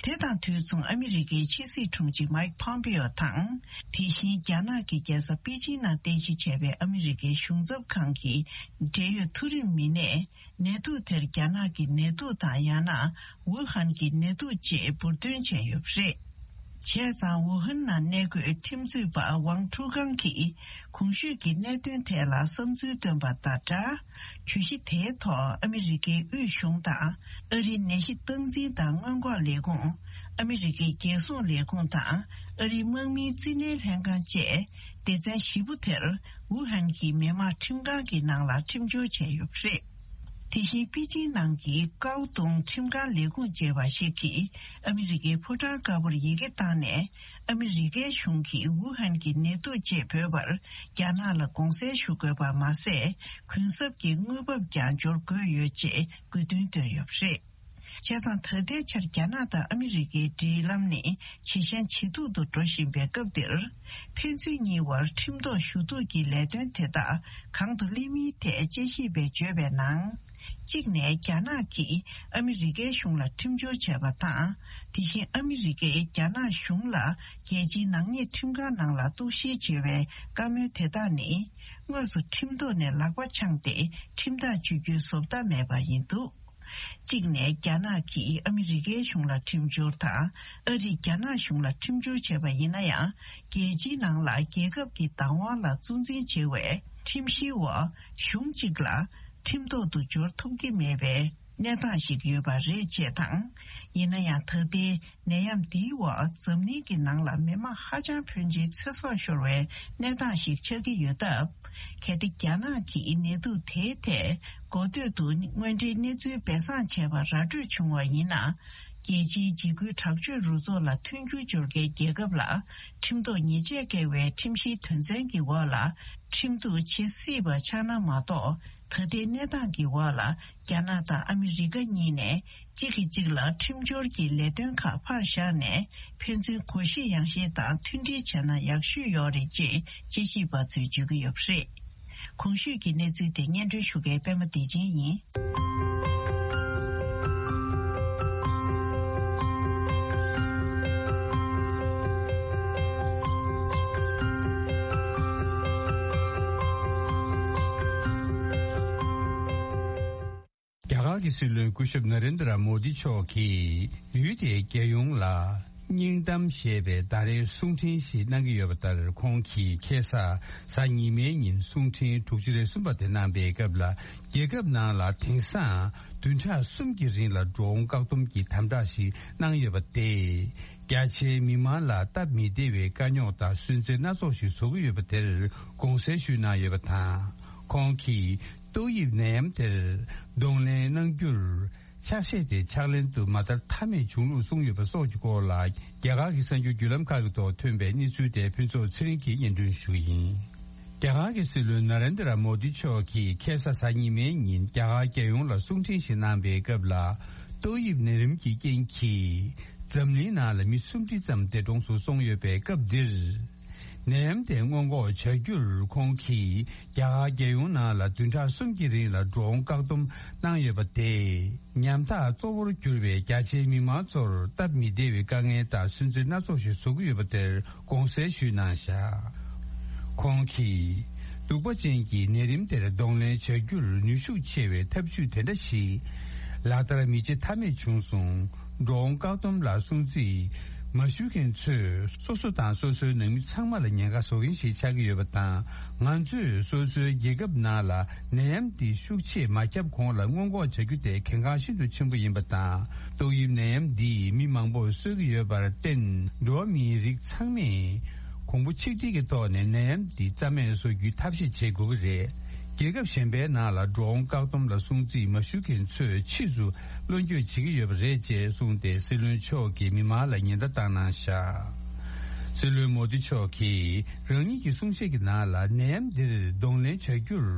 དེ་དང་དུས་མཚུངས་ཨ་མི་རི་ཀའི་ཕྱི་སྲིད་དྲུང་ཆེ་མའིག་ཕོམ་པེའོ་དང་། དེ་བཞིན་རྒྱ་ནག་གི་རྒྱལ་ས་པེ་ཅིན་ནང་རྟེན་གཞི་བྱས་པའི་ཨ་མི་རི་ཀའི་གཞུང་ཚབ་ཁང་གི་འབྲེལ་ཡོད་མཐོ་རིམ་མི་སྣས། ནད་དུག་དེར་རྒྱ་ནག་གི་ནད་དུག་དང་ཡང་ན་ཝུ་ཧན་གྱི་ནད་དུག་ཅེས་འབུར་འདོན་བྱས་ཡོད་པ་རེད། བྱས་ཙང་ཝུ་ཧན་ནང་གནས་འཁོད་ཁྲིམས་རྩོད་པ་ཝང་ཁྲུའུ་ཀང་གིས་གོང་ཞུས་ཀྱི་གནད་དོན་ཐད་ལ་བསམ་ཚུལ་བཏོན་པ་དང་སྦྲགས། གྱོད་གཞི་དེའི་ཐོག་ཨ་མི་རི་ཀའི་དབུས་གཞུང་དང་། ཨ་རིའི་ནད་གཞི་སྟངས་འཛིན་དང་སྔོན་འགོག་ལས་ཁུངས། ཨ་མི་རི་ཀའི་རྒྱལ་སྲུང་ལས་ཁུངས་དང་། ཨ་རིའི་དམག་མིའི་རྩིས་ལེན་ལྷན་ཁང་བཅས། སྡེ་ཚན་བཞི་པོ་དེར་ཝུ་ཧན་གྱི་མི་དམངས་ཁྲིམས་ཁང་གི་ནང་ལ་ཁྲིམས་སྦྱོར་བྱས་ཡོད་པ་རེད། དེ་བཞིན་པེ་ཅིང་ནང་གི་ཀའོ་ཏུང་ཁྲིམས་ཁང་ལས་ཁུངས་ཅེས་པ་ཞིག་གིས་ཨ་མི་རི་ཀའི་ཕོ་བྲང་དཀར་པོར་ཡི་གེ་བཏང་ནས། ཨ་མི་རི་ཀའི་གཞུང་གིས་ཝུ་ཧན་གྱི་ནད་དུག་ཅེས་འབོད་པར་རྒྱ་ནག་ལ་དགོངས་སེལ་ཞུ་དགོས་པ་མ་ཟད། གུན་གསབ་ཀྱི་དངུལ་འབབ་ཀྱང་འབྱོར་དགོས་ཡོད་ཅེས་དགོས་འདུན་བཏོན་ཡོད་པ་རེད། བྱས་ཙང་ད་ལྟའི་ཆར་རྒྱ་ནག་དང་ཨ་མི་རི་ཀའི་འབྲེལ་ལམ་ནི་ཇེ་ཞན་ཇེ་སྡུག་ཏུ་འགྲོ་བཞིན་པའི་སྐབས་འདིར། ཕན་ཚུན་གཉིས་བར་ཁྲིམས་ཐོག་ཞུ་གཏུག་གི་ལས་དོན་དེ་དག་གང་དུ་སླེབས་མིན་ཐད་དཔྱད་ཞིབ་པས་བརྗོད་པའི་ནང་། གཅིག་ནས་རྒྱ་ནག་གིས་ཨ་མི་རི་ཀའི་གཞུང་ལ་ཁྲིམས་སྦྱོར་བྱས་པ་དང་། དེ་བཞིན་ཨ་མི་རི་ཀས་རྒྱ་ནག་གཞུང་ལ་རྒྱལ་སྤྱིའི་ནག་ཉེས་ཁྲིམས་ཁང་ནང་ལ་གཏུག་བཤེར་བྱེད་པའི་བཀའ་མོལ་དེ་དག་ནི། དངོས་སུ་ཁྲིམས་ཐོག་ནས་ལག་པ་འཆང་སྟེ་ཁྲིམས་ཐག་གཅོད་རྒྱུའི་བཟོ་ལྟ་མེད་པ་ཡིན་འདུག་གཅིག་ནས་རྒྱ་ནག་གིས་ཨ་མི་རི་ཀའི་གཞུང་ལ་ཁྲིམས་སྦྱོར་དང་། ཨ་རིས་རྒྱ་ནག་གཞུང་ལ་ཁྲིམས་སྦྱོར་བྱས་པ་ཡིན་ན་ཡང་། རྒྱལ་སྤྱིའི་ནང་ལ་རྒྱལ་ཁབ་ཀྱི་བདག་དབང་ལ་གཙོ་འཛིན་བྱེད་པའི་ཁྲིམས་གཞིའི་འོག་གཞུང་གཅིག་ལ་ཁྲིམས་ཐོག་ཏུ་འབྱོར་ཐུབ་ཀྱི་མེད་པའི་གནས་སྟངས་ཤིག་ཡོད་པ་རེད་ཅེས་དང་། ཡིན་ན་ཡང་ད་ལྟའི་ནད་ཡམས་འདིའི་འོག་འཛམ་གླིང་གི་ནང་ལ་མི་མང་ཧ་ཅང་ཕོན་ཆེའི་ཚེ་སྲོག་ཤོར་བའི་གནས་སྟངས་ཤིག་ཆགས་ཀྱི་ཡོད་སྟབས། གལ་ཏེ་རྒྱ་ནག་གིས་ནད་དུག་དེའི་ཐད་འགོ་སྟོད་དུ་དངོས་འབྲེལ་གནས་ཚུལ་སྦས་གསང་བྱས་པ་ར་སྤྲོད་བྱུང་བ་ཡིན་ན། རྒྱལ་སྤྱིའི་འཇིགས་སྐུལ་དྲག་སྤྱོད་རུ་ཚོགས་ལ་མཐུན་འགྱུར་སྦྱོར་མཁན་རྒྱལ་ཁབ་ལ་ཁྲིམས་ཐོག་ཉེས་ཆད་བཀལ་བའི་ཁྲིམས་གཞིའི་དོན་ཚན་གྱི་འོག་ལ་ཁྲིམས་གཏུག་བྱེད་སྲིད་པ་ཆགས་ན་མ་གཏོགས། ད་ལྟའི་གནས་སྟངས་ཀྱི་འོག་ལ་རྒྱ་ནག་དང་ཨ་མི་རི་ཀ་གཉིས་ནས་གཅིག་གིས་གཅིག་ལ་ཁྲིམས་སྦྱོར་གྱི་ལས་དོན་ཁག་ཕར་བཞག་ནས། ཕན་ཚུན་གོ་ཤེས་ཡང་ཤེས་དང་མཐུན་སྒྲིལ་བྱས་ན་ཡག་ཤོས་ཡོད་རེད་ཅེས་དཔྱད་ཞིབ་པ་ཚོས་བརྗོད་ཀྱི་ཡོད་པ་རེད། གོང་ཞུས་ཀྱི་གནས་ཚུལ་དེ་སྙན་སྒྲོན་ཞུ་མཁན་པད་མ་བདེ་ཆེན་ཡིན། རྒྱ་གར་གྱི་སྲིད་བློན་སྐུ་ཞབས་ན་རེན་དྲ་མོ་དི་མཆོག་གིས་ཡུལ་དེའི་རྒྱལ་ཡོངས་ལ་སྙིང་གཏམ་ཞེས་པའི་ཟླ་རེའི་གསུང་འཕྲིན་ཞིག་གནང་གི་ཡོད་པ་ལྟར། ཁོང་གིས་ཁ་སང་གཟའ་ཉི་མའི་ཉིན་གསུང་འཕྲིན་དྲུག་ཅུ་རེ་གསུམ་པ་དེ་གནང་པའི་སྐབས་ལ། རྒྱལ་ཁབ་ནང་ལ་དེང་སང་བདུན་ཕྲག་གསུམ་གྱི་རིང་ལ་འགྲོ་འོང་བཀག་སྡོམ་གྱི་དམ་དྲག་ཞིག་གནང་ཡོད་པ་དེས། རྒྱ་ཆེའི་མི་མང་ལ་སྟབས་མི་བདེ་བའི་དཀའ་རྙོག་དང་སུན་གཙེར་སྣ་ཚོགས་ཤིག་བཟོ་གི་ཡོད་པ་དེར་དགོངས་སེལ་ཞུས་གནང་ཡོད་པ་དང་། ཁོང་གིས་ཏོག་དབྱིབས་ནད་ཡམས་དེར་གདོང་ལེན་གནང་རྒྱུར། ཕྱག་བཞེས་དེ་ཕྱག་ལེན་དུ་མ་བསྟར་ཐབས་མེད་བྱུང་ལུགས་གསུངས་ཡོད་པ་སོགས་ཀྱི་སྐོར་ལ། རྒྱ་གར་གྱི་གསར་འགྱུར་བརྒྱུད་ལམ་ཁག་གི་ཐོག་ཐོན་པའི་གནས་ཚུལ་དེ་ཕུན་ཚོགས་ཚེ་རིང་གིས་སྙན་སྒྲོན་ཞུ་གི་ཡིན། རྒྱ་གར་གྱི་སྲིད་བློན་ན་རེན་དྲ་མོ་དི་མཆོག་གིས་ཁ་སང་གཟའ་ཉི་མའི་ཉིན་རྒྱ་གར་རྒྱལ་ཡོངས་ལ་གསུང་འཕྲིན་ཞིག་གནང་པའི་སྐབས་ལ། ཏོག་དབྱིབས་ནད་རིམས་ཀྱི་རྐྱེན་གྱིས་འཛམ་གླིང་ནང་ལ་མི་སུམ་ཁྲི་ཙམ་འདས་གྲོངས་སུ་སོང་ཡོད་པའི་སྐབས་འདིར། ནད་ཡམས་དེ་སྔོན་འགོག་བྱ་རྒྱུར་ཁོང་གིས་རྒྱ་གར་རྒྱལ་ཡོངས་ནང་ལ་བདུན་ཕྲག་གསུམ་གྱི་རིང་ལ་འགྲོ་འོང་བཀག་སྡོམ་གནང་ཡོད་པ་དེས། ཉམ་ཐག་གཙོ་བོར་གྱུར་པའི་རྒྱ་ཆེའི་མི་མང་ཚོར་སྟབས་མི་བདེ་བའི་དཀའ་ངལ་དང་སུན་གཙེར་སྣ་ཚོགས་ཤིག་བཟོ་གི་ཡོད་པ་དེར་དགོངས་སེལ་ཞུས་གནང་བཞག་ཁོང་གིས། གདུག་པ་ཅན་གྱི་ནད་རིམས་དེར་གདོང་ལེན་བྱ་རྒྱུར་ནུས་ཤུགས་ཆེ་བའི་ཐབས་ཇུས་དེ་འདྲ་ཞིག་ལག་བསྟར་མི་བྱེད་ཐབས་མེད་བྱུང་སོང་། འགྲོ་འོང་བཀག་སྡོམ་ལ་སྲུང་བརྩི་མ་ཞུ་མཁན་ཚོས་སོ་སོ་དང་སོ་སོའི་ནང་མི་ཚང་མ་ལ་ཉེན་ཁ་བཟོ་མཁན་ཞིག་ཆགས་ཀྱི་ཡོད་པ་དང་། ང་ཚོས་སོ་སོའི་རྒྱལ་ཁབ་ནང་ལ་ནད་ཡམས་འདི་ཤུགས་ཆེ་མ་ཁྱབ་གོང་ལ་སྔོན་འགོག་བྱ་རྒྱུ་དེ་གལ་འགངས་ཤིན་ཏུ་ཆེན་པོ་ཡིན་པ་དང་། ཏོག་དབྱིབས་ནད་ཡམས་འདིས་མི་མང་པོར་གསོད་ཀྱི་ཡོད་པར་བརྟེན། འགྲོ་བ་མིའི་རིགས་ཚང་མས་གོང་བུ་ཆིག་སྒྲིལ་གྱི་ཐོག་ནས་ནད་ཡམས་འདི་རྩ་མེད་བཟོ་རྒྱུའི་ཐབས་ཤེས་བྱེད་དགོས་ཀྱི་རེད། རྒྱལ་ཁབ་གཞན་པའི་ནང་ལ་འགྲོ་འོང་བཀག་སྡོམ་ལ་སྲུང་བརྩི་མ་ཞུ་མཁན་ཚོས་ཕྱིས་སུ་བློ་འགྱོད་བྱེད་ཀྱི་ཡོད་པ་རེད་ཅེས་གསུངས་ཏེ། སྲིད་བློན་མཆོག་གིས་མི་མང་ལ་ཉེན་བརྡ་བཏང་གནང་བཞག་སྲིད་བློན་མོ་དི་མཆོག་གིས་རང་ཉིད་ཀྱི་གསུང་བཤད་ཀྱི་ནང་ལ། ནད་ཡམས་འདིར་གདོང་ལེན་བྱ་རྒྱུར་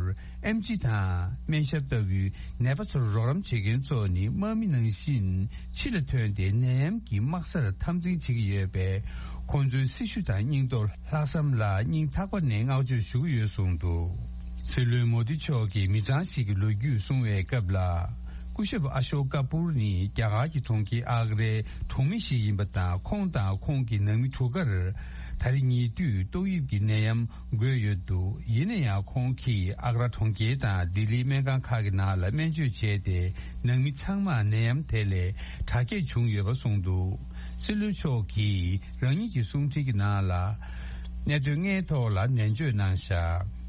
ཨེམ་ཆི་དང་སྨན་ཞབས་ལྟ་བུའི་ནད་པ་ཚོར་རོགས་རམ་བྱེད་མཁན་ཚོ་ནི་དམག་མི་ནང་བཞིན་ཕྱི་ལ་ཐོན་ཏེ་ནད་ཡམས་ཀྱི་དམག་སར་འཐབ་འཛིང་བྱེད་ཀྱི་ཡོད་པས། ཁོང་ཚོའི་སྲི་ཞུ་དང་སྙིང་སྟོབས། ལྷག་བསམ་ལ་སྙིང་ཐག་པ་ནས་བསྔགས་བརྗོད་ཞུ་གི་ཡོད་གསུངས་འདུག་སྲིད་བློན་མོ་དི་མཆོག་གིས་མི་ཚང་ཞིག་གི་ལོ་རྒྱུས་གསུང་བའི་སྐབས་ལ། སྐུ་ཞབས་ཨ་ཤོ་ཀ་པུར་ནི་རྒྱ་གར་གྱི་གྲོང་ཁྱེར་ཨག་རའི་གྲོང་མི་ཞིག་ཡིན་པ་དང་། ཁོང་དང་ཁོང་གི་ནང་མི་དྲུག་ཀར་ད་རེས་ཉེ་དུས་ཏོག་དབྱིབས་ཀྱི་ནད་ཡམས་འགོས་ཡོད་འདུག་ཡིན་ན་ཡང་ཁོང་གིས་ཨག་ར་གྲོང་ཁྱེར་དང་ལྡི་ལིའི་སྨན་ཁང་ཁག་གི་ནང་ལ་སྨན་བཅོས་བྱས་ཏེ། ནང་མི་ཚང་མར་ནད་ཡམས་དེ་ལས་དྲག་སྐྱེད་བྱུང་ཡོད་པ་གསུངས་འདུག་སྲིད་བློན་མཆོག་གིས་རང་ཉིད་ཀྱི་གསུང་འཕྲིན་གྱི་ནང་ལ། གནད་དོན་ལྔའི་ཐོག་ལ་ནན་བརྗོད་གནང་བཞག་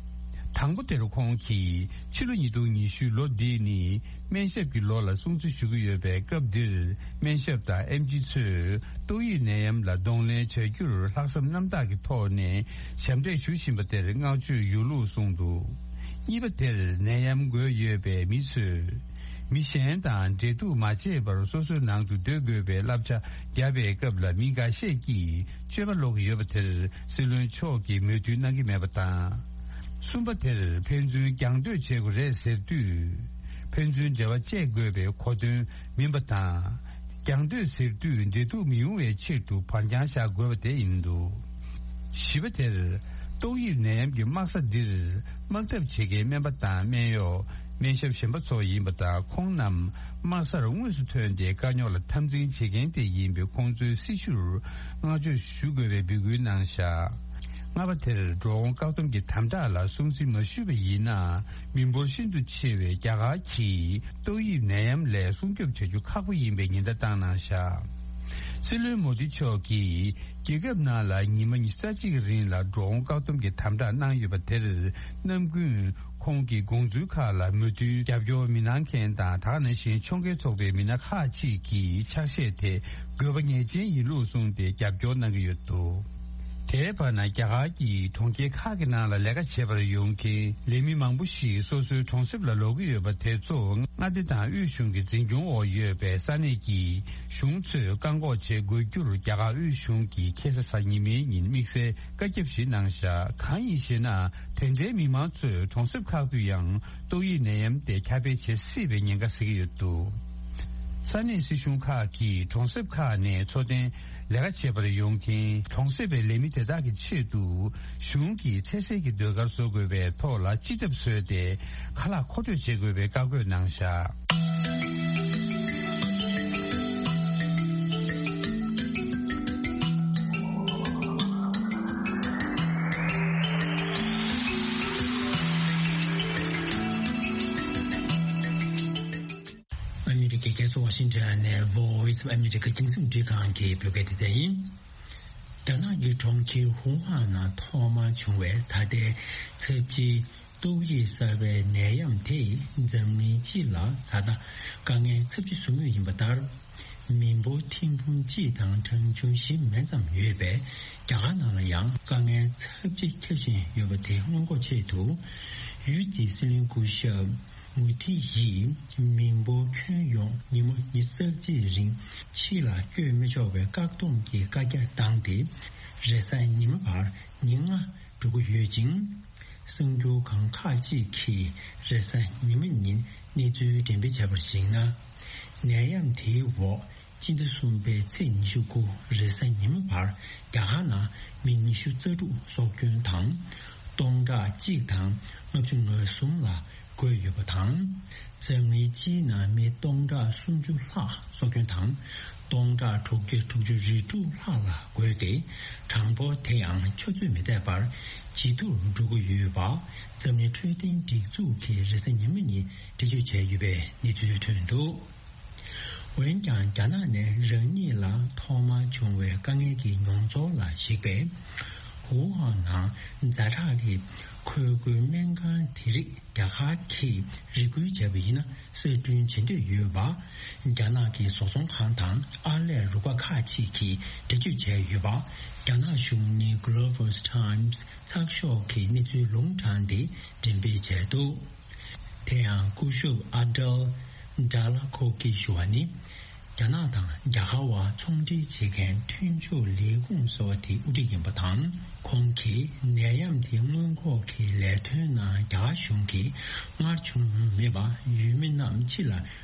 དང་པོ་དེར་ཁོང་གིས་ཕྱི་ལོ་ཉིས་སྟོང་ཉི་ཤུ་ལོ་འདི་ནི་སྨན་ཞབས་ཀྱི་ལོ་ལ་སྲུང་བརྩི་ཞུ་གི་ཡོད་པའི་སྐབས་འདིར། སྨན་ཞབས་དང་ཨེམ་ཆི་ཚོས་ཏོག་དབྱིབས་ནད་ཡམས་ལ་གདོང་ལེན་བྱ་རྒྱུར་ལྷག་བསམ་རྣམ་དག་གི་ཐོག་ནས་ཞབས་འདེགས་ཞུ་བཞིན་པ་དེར་བསྔགས་བརྗོད་ཡོད་ལུགས་གསུངས་འདུག་གཉིས་པ་དེར་ནད་ཡམས་འགོས་ཡོད་པའི་མི་ཚོས། མི་གཞན་དང་འབྲེལ་གཏུག་མ་བྱས་པར་སོ་སོའི་ནང་དུ་སྡོད་དགོས་པའི་བསླབ་བྱ་བརྒྱབ་པའི་སྐབས་ལ་མི་འགའ་ཤས་ཀྱིས་སྤྱོད་པ་ལོག་གི་ཡོད་པ་དེར་སྲིད་བློན་མཆོག་གིས་མོས་མཐུན་གནང་གི་མེད་པ་དང་། གསུམ་པ་དེར་ཕན་ཚུན་རྒྱང་སྡོད་བྱེད་དགོས་རེད་ཟེར་དུས། ཕན་ཚུན་འབྲེལ་བ་བཅད་དགོས་པའི་གོ་དོན་མིན་པ་དང་། རྒྱང་སྡོད་ཟེར་དུས་འབྲེལ་གཏུག་མི་ཡོང་བའི་ཆེད་དུ་བར་འགྱངས་བཞག་དགོས་པ་དེ་ཡིན་འདུག་བཞི་པ་དེར། ཏོག་དབྱིབས་ནད་ཡམས་ཀྱི་དམག་ས་འདིར་དམག་འཐབ་བྱེད་མཁན་སྨན་པ་དང་སྨན་གཡོག་སྨན་ཞབས་གཞན་པ་ཚོ་ཡིན་པ་དང་། ཁོང་རྣམས་དམག་སར་དངོས་སུ་ཐོན་ཏེ་དཀའ་རྙོག་ལ་འཐབ་འཛིང་བྱེད་མཁན་དེ་ཡིན་པས། ཁོང་ཚོའི་སྲི་ཞུར་བསྔགས་བརྗོད་ཞུ་དགོས་པའི་འབོད་སྐུལ་གནང་བཞག་ལྔ་པ་དེར་འགྲོ་འོང་བཀག་སྡོམ་གྱི་དམ་དྲག་ལ་སྲུང་བརྩི་མ་ཞུས་པ་ཡིན་ན། མི་འབོར་ཤིན་ཏུ་ཆེ་བའི་རྒྱ་གར་གྱིས་ཏོག་དབྱིབས་ནད་ཡམས་ལས་སྲུང་སྐྱོབ་བྱ་རྒྱུ་ཁག་པོ་ཡིན་པའི་ཉེན་བརྡ་བཏང་གནང་བཞག་སྲིད་བློན་མོ་དི་མཆོག་གིས་རྒྱལ་ཁབ་ནང་ལ་ཉི་མ་ཉི་ཤུ་རྩ་གཅིག་རིང་ལ་འགྲོ་འོང་བཀག་སྡོམ་གྱི་དམ་དྲག་གནང་ཡོད་པ་དེར་རྣམ་ཀུན་ཁོང་གི་དགོངས་ཚུལ་ཁག་ལ་མོས་མཐུན་རྒྱབ་སྐྱོར་མི་གནང་མཁན་དང་། ད་ག་ནང་བཞིན་ཕྱོགས་འགལ་ཚོགས་པའི་མི་སྣ་ཁག་ཅིག་གིས་ཕྱག་བཞེས་དེ་དགོས་པ་ངེས་ཅན་ཡིན་ལུགས་གསུངས་ཏེ་རྒྱབ་སྐྱོར་གནང་གི་ཡོད་འདུག་དེའི་བར་ན། རྒྱ་གར་གྱི་གྲོང་ཁྱེར་ཁག་གི་ནང་ལ་ལས་ཀ་བྱེད་པར་ཡོང་མཁན་ལས་མི་མང་པོ་ཞིག་སོ་སོའི་གྲོང་གསེབ་ལ་ལོག་གི་ཡོད་པ་དེ་ཚོ་མངའ་སྡེ་དང་དབུས་གཞུང་གི་འཛིན་སྐྱོང་འོག་ཡོད་པའི་ས་གནས་ཀྱི་གཞུང་ཚོས་བཀག་འགོག་བྱེད་དགོས་རྒྱུར་རྒྱ་གར་དབུས་གཞུང་གིས་ཁ་སང་གཟའ་ཉི་མའི་ཉིན་དམིགས་བསལ་བཀའ་ཁྱབ་ཞིག་གནང་བཞག་གང་ཡིན་ཞེ་ན། དེ་འདྲའི་མི་མང་ཚོས་གྲོང་གསེབ་ཁག་ཏུ་ཡང་ཏོག་དབྱིབས་ནད་ཡམས་དེ་ཁྱབ་སྤེལ་བྱེད་སྲིད་པའི་ཉེན་ཁ་གཟིགས་ཀྱི་ཡོད་འདུག་ས་གནས་སྲིད་གཞུང་ཁག་གིས་གྲོང་གསེབ་ཁག་ནས་འཚོ་རྟེན་ལས་ཀ་བྱེད་པར་ཡོང་མཁན་གྲོང་གསེབ་པའི་ལས་མི་དེ་དག་གི་ཆེད་དུ་གཞུང་གིས་ཚེ་སྲོག་གི་ཟློས་གར་བཟོ་དགོས་པའི་ཐོག་ལ་སྤྱི་ཐབ་བཟོས་ཏེ་ཁ་ལག་མཁོ་སྤྲོད་བྱེད་དགོས་པའི་བཀའ་བཀོད་གནང་བཞག་ཨ་མི་རི་ཀའི་རྒྱལ་ས་ཝ་ཤིང་ཊོན་ནས་Voice of America རྒྱང་སྲིང་རླུང་འཕྲིན་ཁང་གི་བོད་སྐད་སྡེ་ཚན་ཡིན། རྒྱ་ནག་གི་གྲོང་ཁྱེར་ཧུའུ་ཧན་ནང་ཐོག་མར་བྱུང་བའི་ད་ལྟའི་ཚབས་ཆེའི་ཏོག་དབྱིབས་གསར་པའི་ནད་ཡམས་དེས་འཛམ་གླིང་སྤྱི་ལ་ད་ལྟ་དཀའ་ངལ་ཚབས་ཆེ་བཟོ་མུས་ཡིན་པ་ལྟར། མི་འབོར་ཐེར་འབུམ་གཅིག་དང་གྲངས་ཆུང་བཞི་མན་ཙམ་ཡོད་པའི་རྒྱ་གར་ནང་ལ་ཡང་དཀའ་ངལ་ཚབས་ཆེ་ཁྱབ་བཞིན་ཡོད་པ་དེ་སྔོན་འགོག་ཆེད་དུ། ཡུལ་དེའི་སྲིད་བློན་སྐུ་ཞབས་མུ་དྷི་ཡིས་མི་འབོར་ཁྱོན་ཡོངས་ཉིན་མོ་ཉི་ཤུ་རྩ་གཅིག་རིང་ཕྱི་ལ་བསྐྱོད་མི་ཆོག་པའི་བཀག་སྡོམ་གྱི་བཀའ་རྒྱ་བཏང་སྟེ། རེས་གཟའ་ཉི་མ་བར་ཉིན་ལྔ་འགྲོ་གི་ཡོད་ཅིང་། གསར་འགྱུར་ཁང་ཁག་ཅིག་གིས་རེས་གཟའ་ཉི་མ་ཉིན་གནས་ཚུལ་འགྲེམས་སྤེལ་བྱས་པར་གཞིགས་ན། ནད་ཡམས་དེའི་འོག་སྤྱི་ཟླ་གསུམ་པའི་ཚེས་ཉི་ཤུ་དགུ་རེས་གཟའ་ཉི་མ་བར་རྒྱ་གར་ནང་མི་ཉི་ཤུ་རྩ་དྲུག་སྲོག་སྐྱོན་དང་། སྟོང་ཕྲག་གཅིག་དང་ལྔ་བཅུ་ང་གསུམ་ལ་འགོས་ཡོད་པ་དང་། འཛམ་གླིང་སྤྱིའི་ནང་མི་སྟོང་ཕྲག་སུམ་ཅུ་ལྷག་སྲོག་སྐྱོན་དང་། སྟོང་ཕྲག་དྲུག་བརྒྱ་དྲུག་ཅུ་རེ་དྲུག་ལྷག་ལ་འགོས་ཏེ། གྲངས་འབོར་དེ་ཡང་ཆུ་ཚོད་མི་འདས་པར་ཇེ་མཐོར་འགྲོ་གི་ཡོད་པ། འཛམ་གླིང་འཕྲོད་བསྟེན་སྒྲིག་འཛུགས་ཀྱིས་རེས་གཟའ་ཉི་མ་ཉིན་འགྲེལ་བརྗོད་བྱས་ཡོད་པའི་གནས་ཚུལ་ཐོན་འདུག་འོན་ཀྱང་། རྒྱ་ནག་ནས་རང་ཉིད་ལ་ཐོག་མར་བྱུང་བའི་དཀའ་ངལ་གྱི་མྱོང་ཚོར་ལ་གཞིགས་པས། ཧུའུ་ཧན་ནང་ཛ་དྲག་གི་འཁོལ་རྒྱུག་སྨན་ཁང་དེ་རིགས་རྒྱ་གར་གྱིས་རེ་སྐུལ་བྱས་པ་ཡིན་ན་གསར་སྐྲུན་བྱེད་འདོད་ཡོད་པ། རྒྱ་ནག་གི་བཟོ་ཚོང་ཁང་དང་ཨར་ལས་རུ་ཁག་ཁག་ཅིག་གིས་འགྲེལ་བརྗོད་བྱས་ཡོད་པ། རྒྱ་ནག་གཞུང་གཉེར་Global's Times ཚགས་ཤོག་གིས་གནས་ཚུལ་ལུང་དྲངས་ཏེ་འགྲེམས་སྤེལ་བྱས་འདུག་དེ་ཡང་སྐུ་ཞབས་ཨ་ཏལ་ཌ་ལ་ཁོ་ཀི་ཞུ་བ་ནི། རྒྱ་ནག་དང་རྒྱ་གར་བར་ཚོང་འབྲེལ་བྱེད་མཁན་མཐུན་ཕྱོགས་ལས་ཁུངས་ཟེར་བ་དེའི་དབུ་ཁྲིད་ཡིན་པ་དང་། ཁོང་གིས་ནད་ཡམས་དེ་སྔོན་འགོག་གི་ལས་དོན་ནང་རྒྱ་གར་གཞུང་གིས་སྔར་བྱུང་མྱོང་མེད་པ། ཡུལ་མི་རྣམས་ཕྱི་ལ་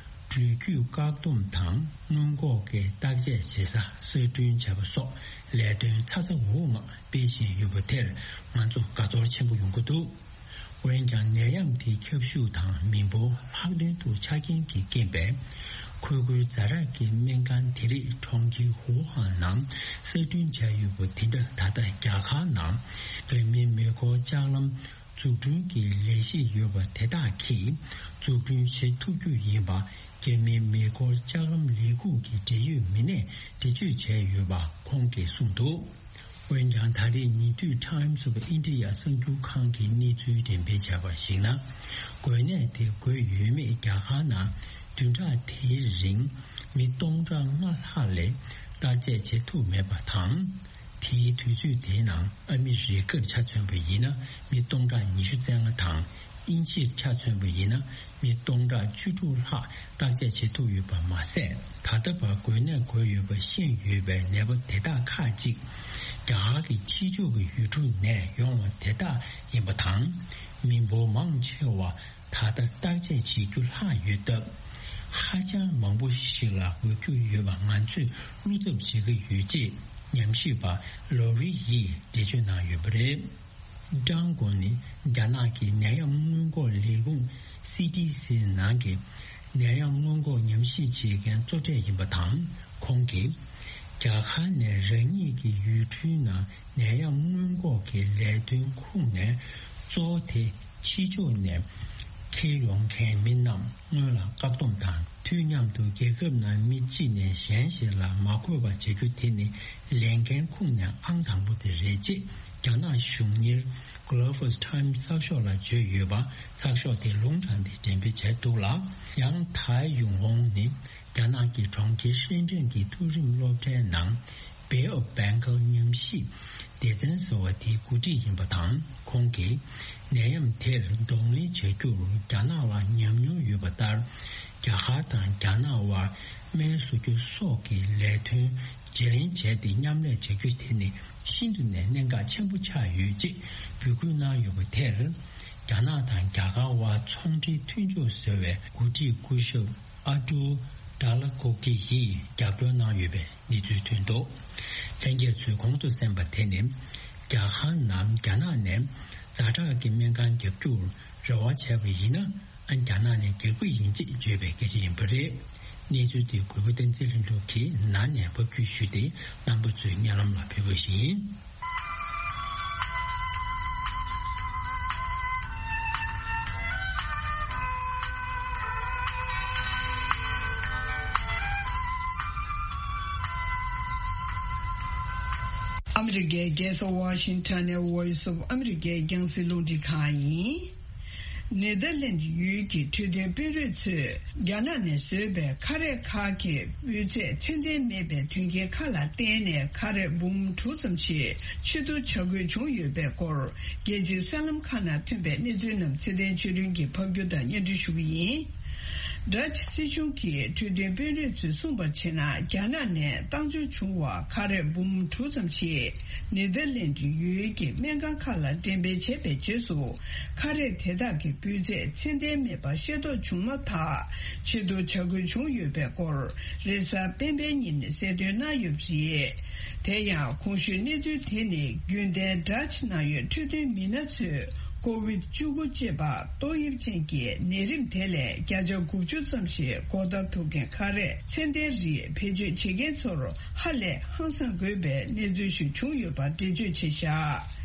འགྲུལ་སྐྱོད་བཀག་སྡོམ་དང་སྔོན་འགོག་གི་བརྟག་དཔྱད་བྱེད་ས་གསར་སྐྲུན་བྱས་པ་སོགས་ལས་དོན་ཚ་ཚ་འུར་འུར་ངང་སྤེལ་བཞིན་ཡོད་པ་དེར་ང་ཚོ་དགའ་ཚོར་ཆེན་པོ་ཡོང་གི་འདུག་འོན་ཀྱང་། ནད་ཡམས་དེའི་ཁྱབ་ཤུགས་དང་མི་འབོར་ལྷག་དོན་དུ་ཆ་རྐྱེན་གྱི་རྐྱེན་པས། འཁོལ་རྒྱུག་ཛ་དྲག་གི་སྨན་ཁང་དེ་རིགས་གྲོང་ཁྱེར་ཧུའུ་ཧན་ནང་གསར་སྐྲུན་བྱས་ཡོད་པ་དེ་འདྲ་ད་ལྟ་རྒྱ་གར་ནང་བོད་མིའི་མེ་འཁོར་ལྕགས་ལམ་ འཛུགས་སྐྲུན་གྱི་ལས་གཞི་ཡོད་པ་དེ་དག་གིས་འཛུགས་སྐྲུན་བྱེད་ཐུབ་རྒྱུ་ཡིན་པ། རྒྱ་མིའི་མེ་འཁོར་ལྕགས་ལམ་ལས་ཁུངས་ཀྱི་འབྲེལ་ཡོད་མི་སྣས་འགྲེལ་བརྗོད་བྱས་ཡོད་པ་ཁོང་གིས་གསུངས་འདུག། འོན་ཀྱང་། ད་རེས་ཉེ་དུས་Times of India གསར་འགྱུར་ཁང་གིས་གནས་ཚུལ་འགྲེམས་སྤེལ་བྱས་པར་གཞིགས་ན། འགོས་ནད་དེ་འགོས་ཡོད་མེད་རྒྱ་གར་ནང་བདུན་ཕྲག་དེའི་རིང་མི་སྟོང་ཕྲག་ལྔ་ལྷག་ལས་བརྟག་དཔྱད་བྱེད་ཐུབ་མེད་པ་དང་། དེའི་དུས་ཚོད་དེའི་ནང་ཨ་མི་རི་ཀར་ཆ་མཚོན་པ་ཡིན་ན། མི་སྟོང་ཕྲག་ཉི་ཤུ་རྩ་ལྔ་དང་། དབྱིན་ཇིར་ཆ་མཚོན་པ་ཡིན་ན། མི་སྟོང་ཕྲག་བཅུ་དྲུག་ལྷག་བརྟག་དཔྱད་བྱེད་ཐུབ་ཡོད་པ་མ་ཟད། ད་ལྟ་བར་འགོས་ནད་འགོས་ཡོད་པ་ཤེས་ཡོད་པའི་ནད་པ་དེ་དག་ཁག་ཅིག་རྒྱ་གར་གྱི་ཕྱི་ཕྱོགས་ཀྱི་ཡུལ་གྲུ་ནས་ཡོང་བ་དེ་དག་ཡིན་པ་དང་། མི་འབོར་མང་ཆེ་བ་ད་ལྟ་བརྟག་དཔྱད་བྱེད་རྒྱུ་ལྷག་ཡོད་སྟབས། ཧ་ཅང་མང་པོ་ཞིག་ལ་འགོས་རྒྱུ་ཡོད་པ་ང་ཚོས་བློ་འཚབ་བྱེད་ཀྱི་ཡོད་ཅེས་ཉམས་ཞིབ་པ་ལོ་རི་ཡིས་འགྲེལ་བརྗོད་གནང་ཡོད་པ་རེད། ཀྲང་གོ་ནི་རྒྱ་ནག་གི་ནད་ཡམས་སྔོན་འགོག་ལས་ཁུངས་སི་ཏི་སི་ནང་གི་ནད་ཡམས་སྔོན་འགོག་ཉམས་ཞིབ་བྱེད་མཁན་གཙོ་གྲས་ཡིན་པ་དང་། ཁོང་གིས་རྒྱ་གར་ནས་རང་ཉིད་ཀྱི་ཡུལ་གྲུའི་ནང་ནད་ཡམས་སྔོན་འགོག་གི་ལས་དོན་ཁུངས་ནས་གཙོ་བོ་དེ་ཕྱི་ཕྱོགས་ནས་འཁྱེར་ཡོང་མཁན་མི་རྣམས་སྔོན་ལ་བཀག་སྡོམ་དང་། དུས་མཉམ་དུ་རྒྱལ་ཁབ་ནང་མི་གཅིག་ནས་གཞན་ཞིག་ལ་མ་འགོས་པ་བྱེད་རྒྱུ་དེ་ནི་ལས་འགན་ཁུངས་ནས་ཨང་དང་པོ་དེ་རེད་ཅེས་རྒྱ་ནག་གཞུང་གཉེར་Global Times གསར་ཤོག་ལ་བརྗོད་ཡོད་པ་གསར་ཤོག་དེ་ལུང་དྲངས་ཏེ་འགྲེམས་སྤེལ་བྱས་འདུག་ལ། ཡང་ཐའེ་ཡུང་ཧོང་ནི་རྒྱ་ནག་གི་གྲོང་ཁྱེར་ཧྲེན་ཀྲེན་གྱི་མཐོ་རིམ་སློབ་གྲྭའི་ནང་Bay of Bengal ཉམས་ཞིབ་སྡེ་ཚན་ཟེར་བ་དེའི་འགོ་ཁྲིད་ཡིན་པ་དང་། ཁོང་གིས་ནད་ཡམས་དེར་གདོང་ལེན་བྱ་རྒྱུར་རྒྱ་ནག་ལ་ཉམས་མྱོང་ཡོད་པ་ལྟར། རྒྱ་གར་དང་རྒྱ་ནག་དབར་སྨན་བཟོ་རྒྱུ་སོགས་ཀྱི་ལས་དོན་བརྗེ་ལེན་བྱས་ཏེ་མཉམ་ལས་བྱ་རྒྱུ་དེ་ནི་ཤིན་ཏུ་ནས་གནད་འགག་ཆེན་པོ་ཆགས་ཡོད་ཅེས་འབོད་སྐུལ་གནང་ཡོད་པ་དེར། རྒྱ་ནག་དང་རྒྱ་གར་དབར་ཚོང་འབྲེལ་མཐུན་ཕྱོགས་ཟེར་བའི་འགོ་ཁྲིད་སྐུ་ཞབས་ཨ་ཏུ་ཌ་ལ་ཀོ་ཀི་ཡིས་རྒྱབ་སྐྱོར་གནང་ཡོད་པའི་གནས་ཚུལ་ཐོན་འདུག། ལྷན་རྒྱས་ཚོས་གོང་དུ་གསན་པ་དེ་ནི། རྒྱ་གར་ནང་རྒྱ་ནག་ནས་ཛ་དྲག་གི་སྨན་ཁང་བརྒྱབ་རྒྱུར་རེ་བ་བྱས་པ་ཡིན་ན། ཨ། རྒྱ་ནག་ནས་རྒྱག་གི་ཡིན་ཅེས་བརྗོད་པའི་སྐད་ཆ་ཡིན་པ་རེད། གནས་ཚུལ་དེ་གུས་པ་བསྟན་འཛིན་ལྷུན་གྲུབ་ཀྱིས་ནང་ནས་ཕབ་སྒྱུར་ཞུས་ཏེ། རྣམ་པ་ཚོའི་སྙན་ལམ་ལ་ཕུལ་བ་ཞིག་ཡིན། ཨ་མི་རི་ཀའི་རྒྱལ་ས་ཝ་ཤིང་ཊོན་ནས་Voice of America རྒྱང་སྲིང་རླུང་འཕྲིན་ཁང་ཡིན། ནེ་དར་ལེན་ཌི་ཡུལ་གྱི་འཕྲོད་བསྟེན་དཔོན་རིགས་ཚོས་རྒྱ་ནག་ནས་བཟོས་པའི་ཁ་རས་ཁག་གི་སྤུས་ཚད་ཚད་ལྡན་མེད་པའི་དོན་རྐྱེན་ཁག་ལ་བརྟེན་ནས། ཁ་རས་འབུམ་དྲུག་ཙམ་ཞིག་ཕྱིར་བསྡུ་བྱ་དགོས་བྱུང་ཡོད་པའི་སྐོར། རྒྱལ་སྤྱིའི་གསར་ལམ་ཁག་ནང་ཐོན་པའི་གནས་ཚུལ་རྣམས་ཚེ་བརྟན་ཆོས་སྒྲོན་གྱིས་ཕབ་སྒྱུར་དང་སྙན་སྒྲོན་ཞུ་གི་ཡིན། ཌ་ཅི་སྲིད་གཞུང་གི་འཕྲོད་བསྟེན་དཔོན་རིགས་ཚོས་གསུངས་པར་བྱས་ན། རྒྱ་ནག་ནས་བཏང་འབྱོར་བྱུང་བ་ཁ་རས་འབུམ་དྲུག་ཙམ་ཞིག་ནེ་དར་ལེན་ཌི་ཡུལ་གྱི་སྨན་ཁང་ཁག་ལ་འགྲེམས་སྤེལ་བྱས་པའི་རྗེས་སུ། ཁ་རས་དེ་དག་གི་སྤུས་ཚད་ཚད་ལྡན་མེད་པ་ཤེས་རྟོགས་བྱུང་མ་ཐག་ཕྱིར་བསྡུ་བྱ་དགོས་བྱུང་ཡོད་པའི་སྐོར། རེས་གཟའ་སྤེན་པའི་ཉིན་གསལ་སྟོན་གནང་ཡོད་པ་རེད། དེ་ཡང་གོང་ཞུས་གནས་ཚུལ་དེ་ནི་རྒྱུན་ལྡན་ཌ་ཅི་ནང་ཡོད་འཕྲོད་བསྟེན་མི་སྣ་ཚོས། ཀོ་བིད་བཅུ་དགུ་ཅེས་པ་ཏོག་དབྱིབས་ཅན་གྱི་ནད་རིམས་དེ་ལས་བརྒྱ་ཆ་དགུ་བཅུ་ཙམ་ཞིག་འགོག་ཐབས་ཐུབ་མཁན་ཁ་རས་ཚད་ལྡན་རིགས་བེད་སྤྱོད་བྱེད་མཁན་ཚོར་ཧ་ལས་ཧང་སང་དགོས་པའི་གནས་ཚུལ་ཞིག་བྱུང་ཡོད་པ་འགྲེལ་བརྗོད་བྱས་བཞག།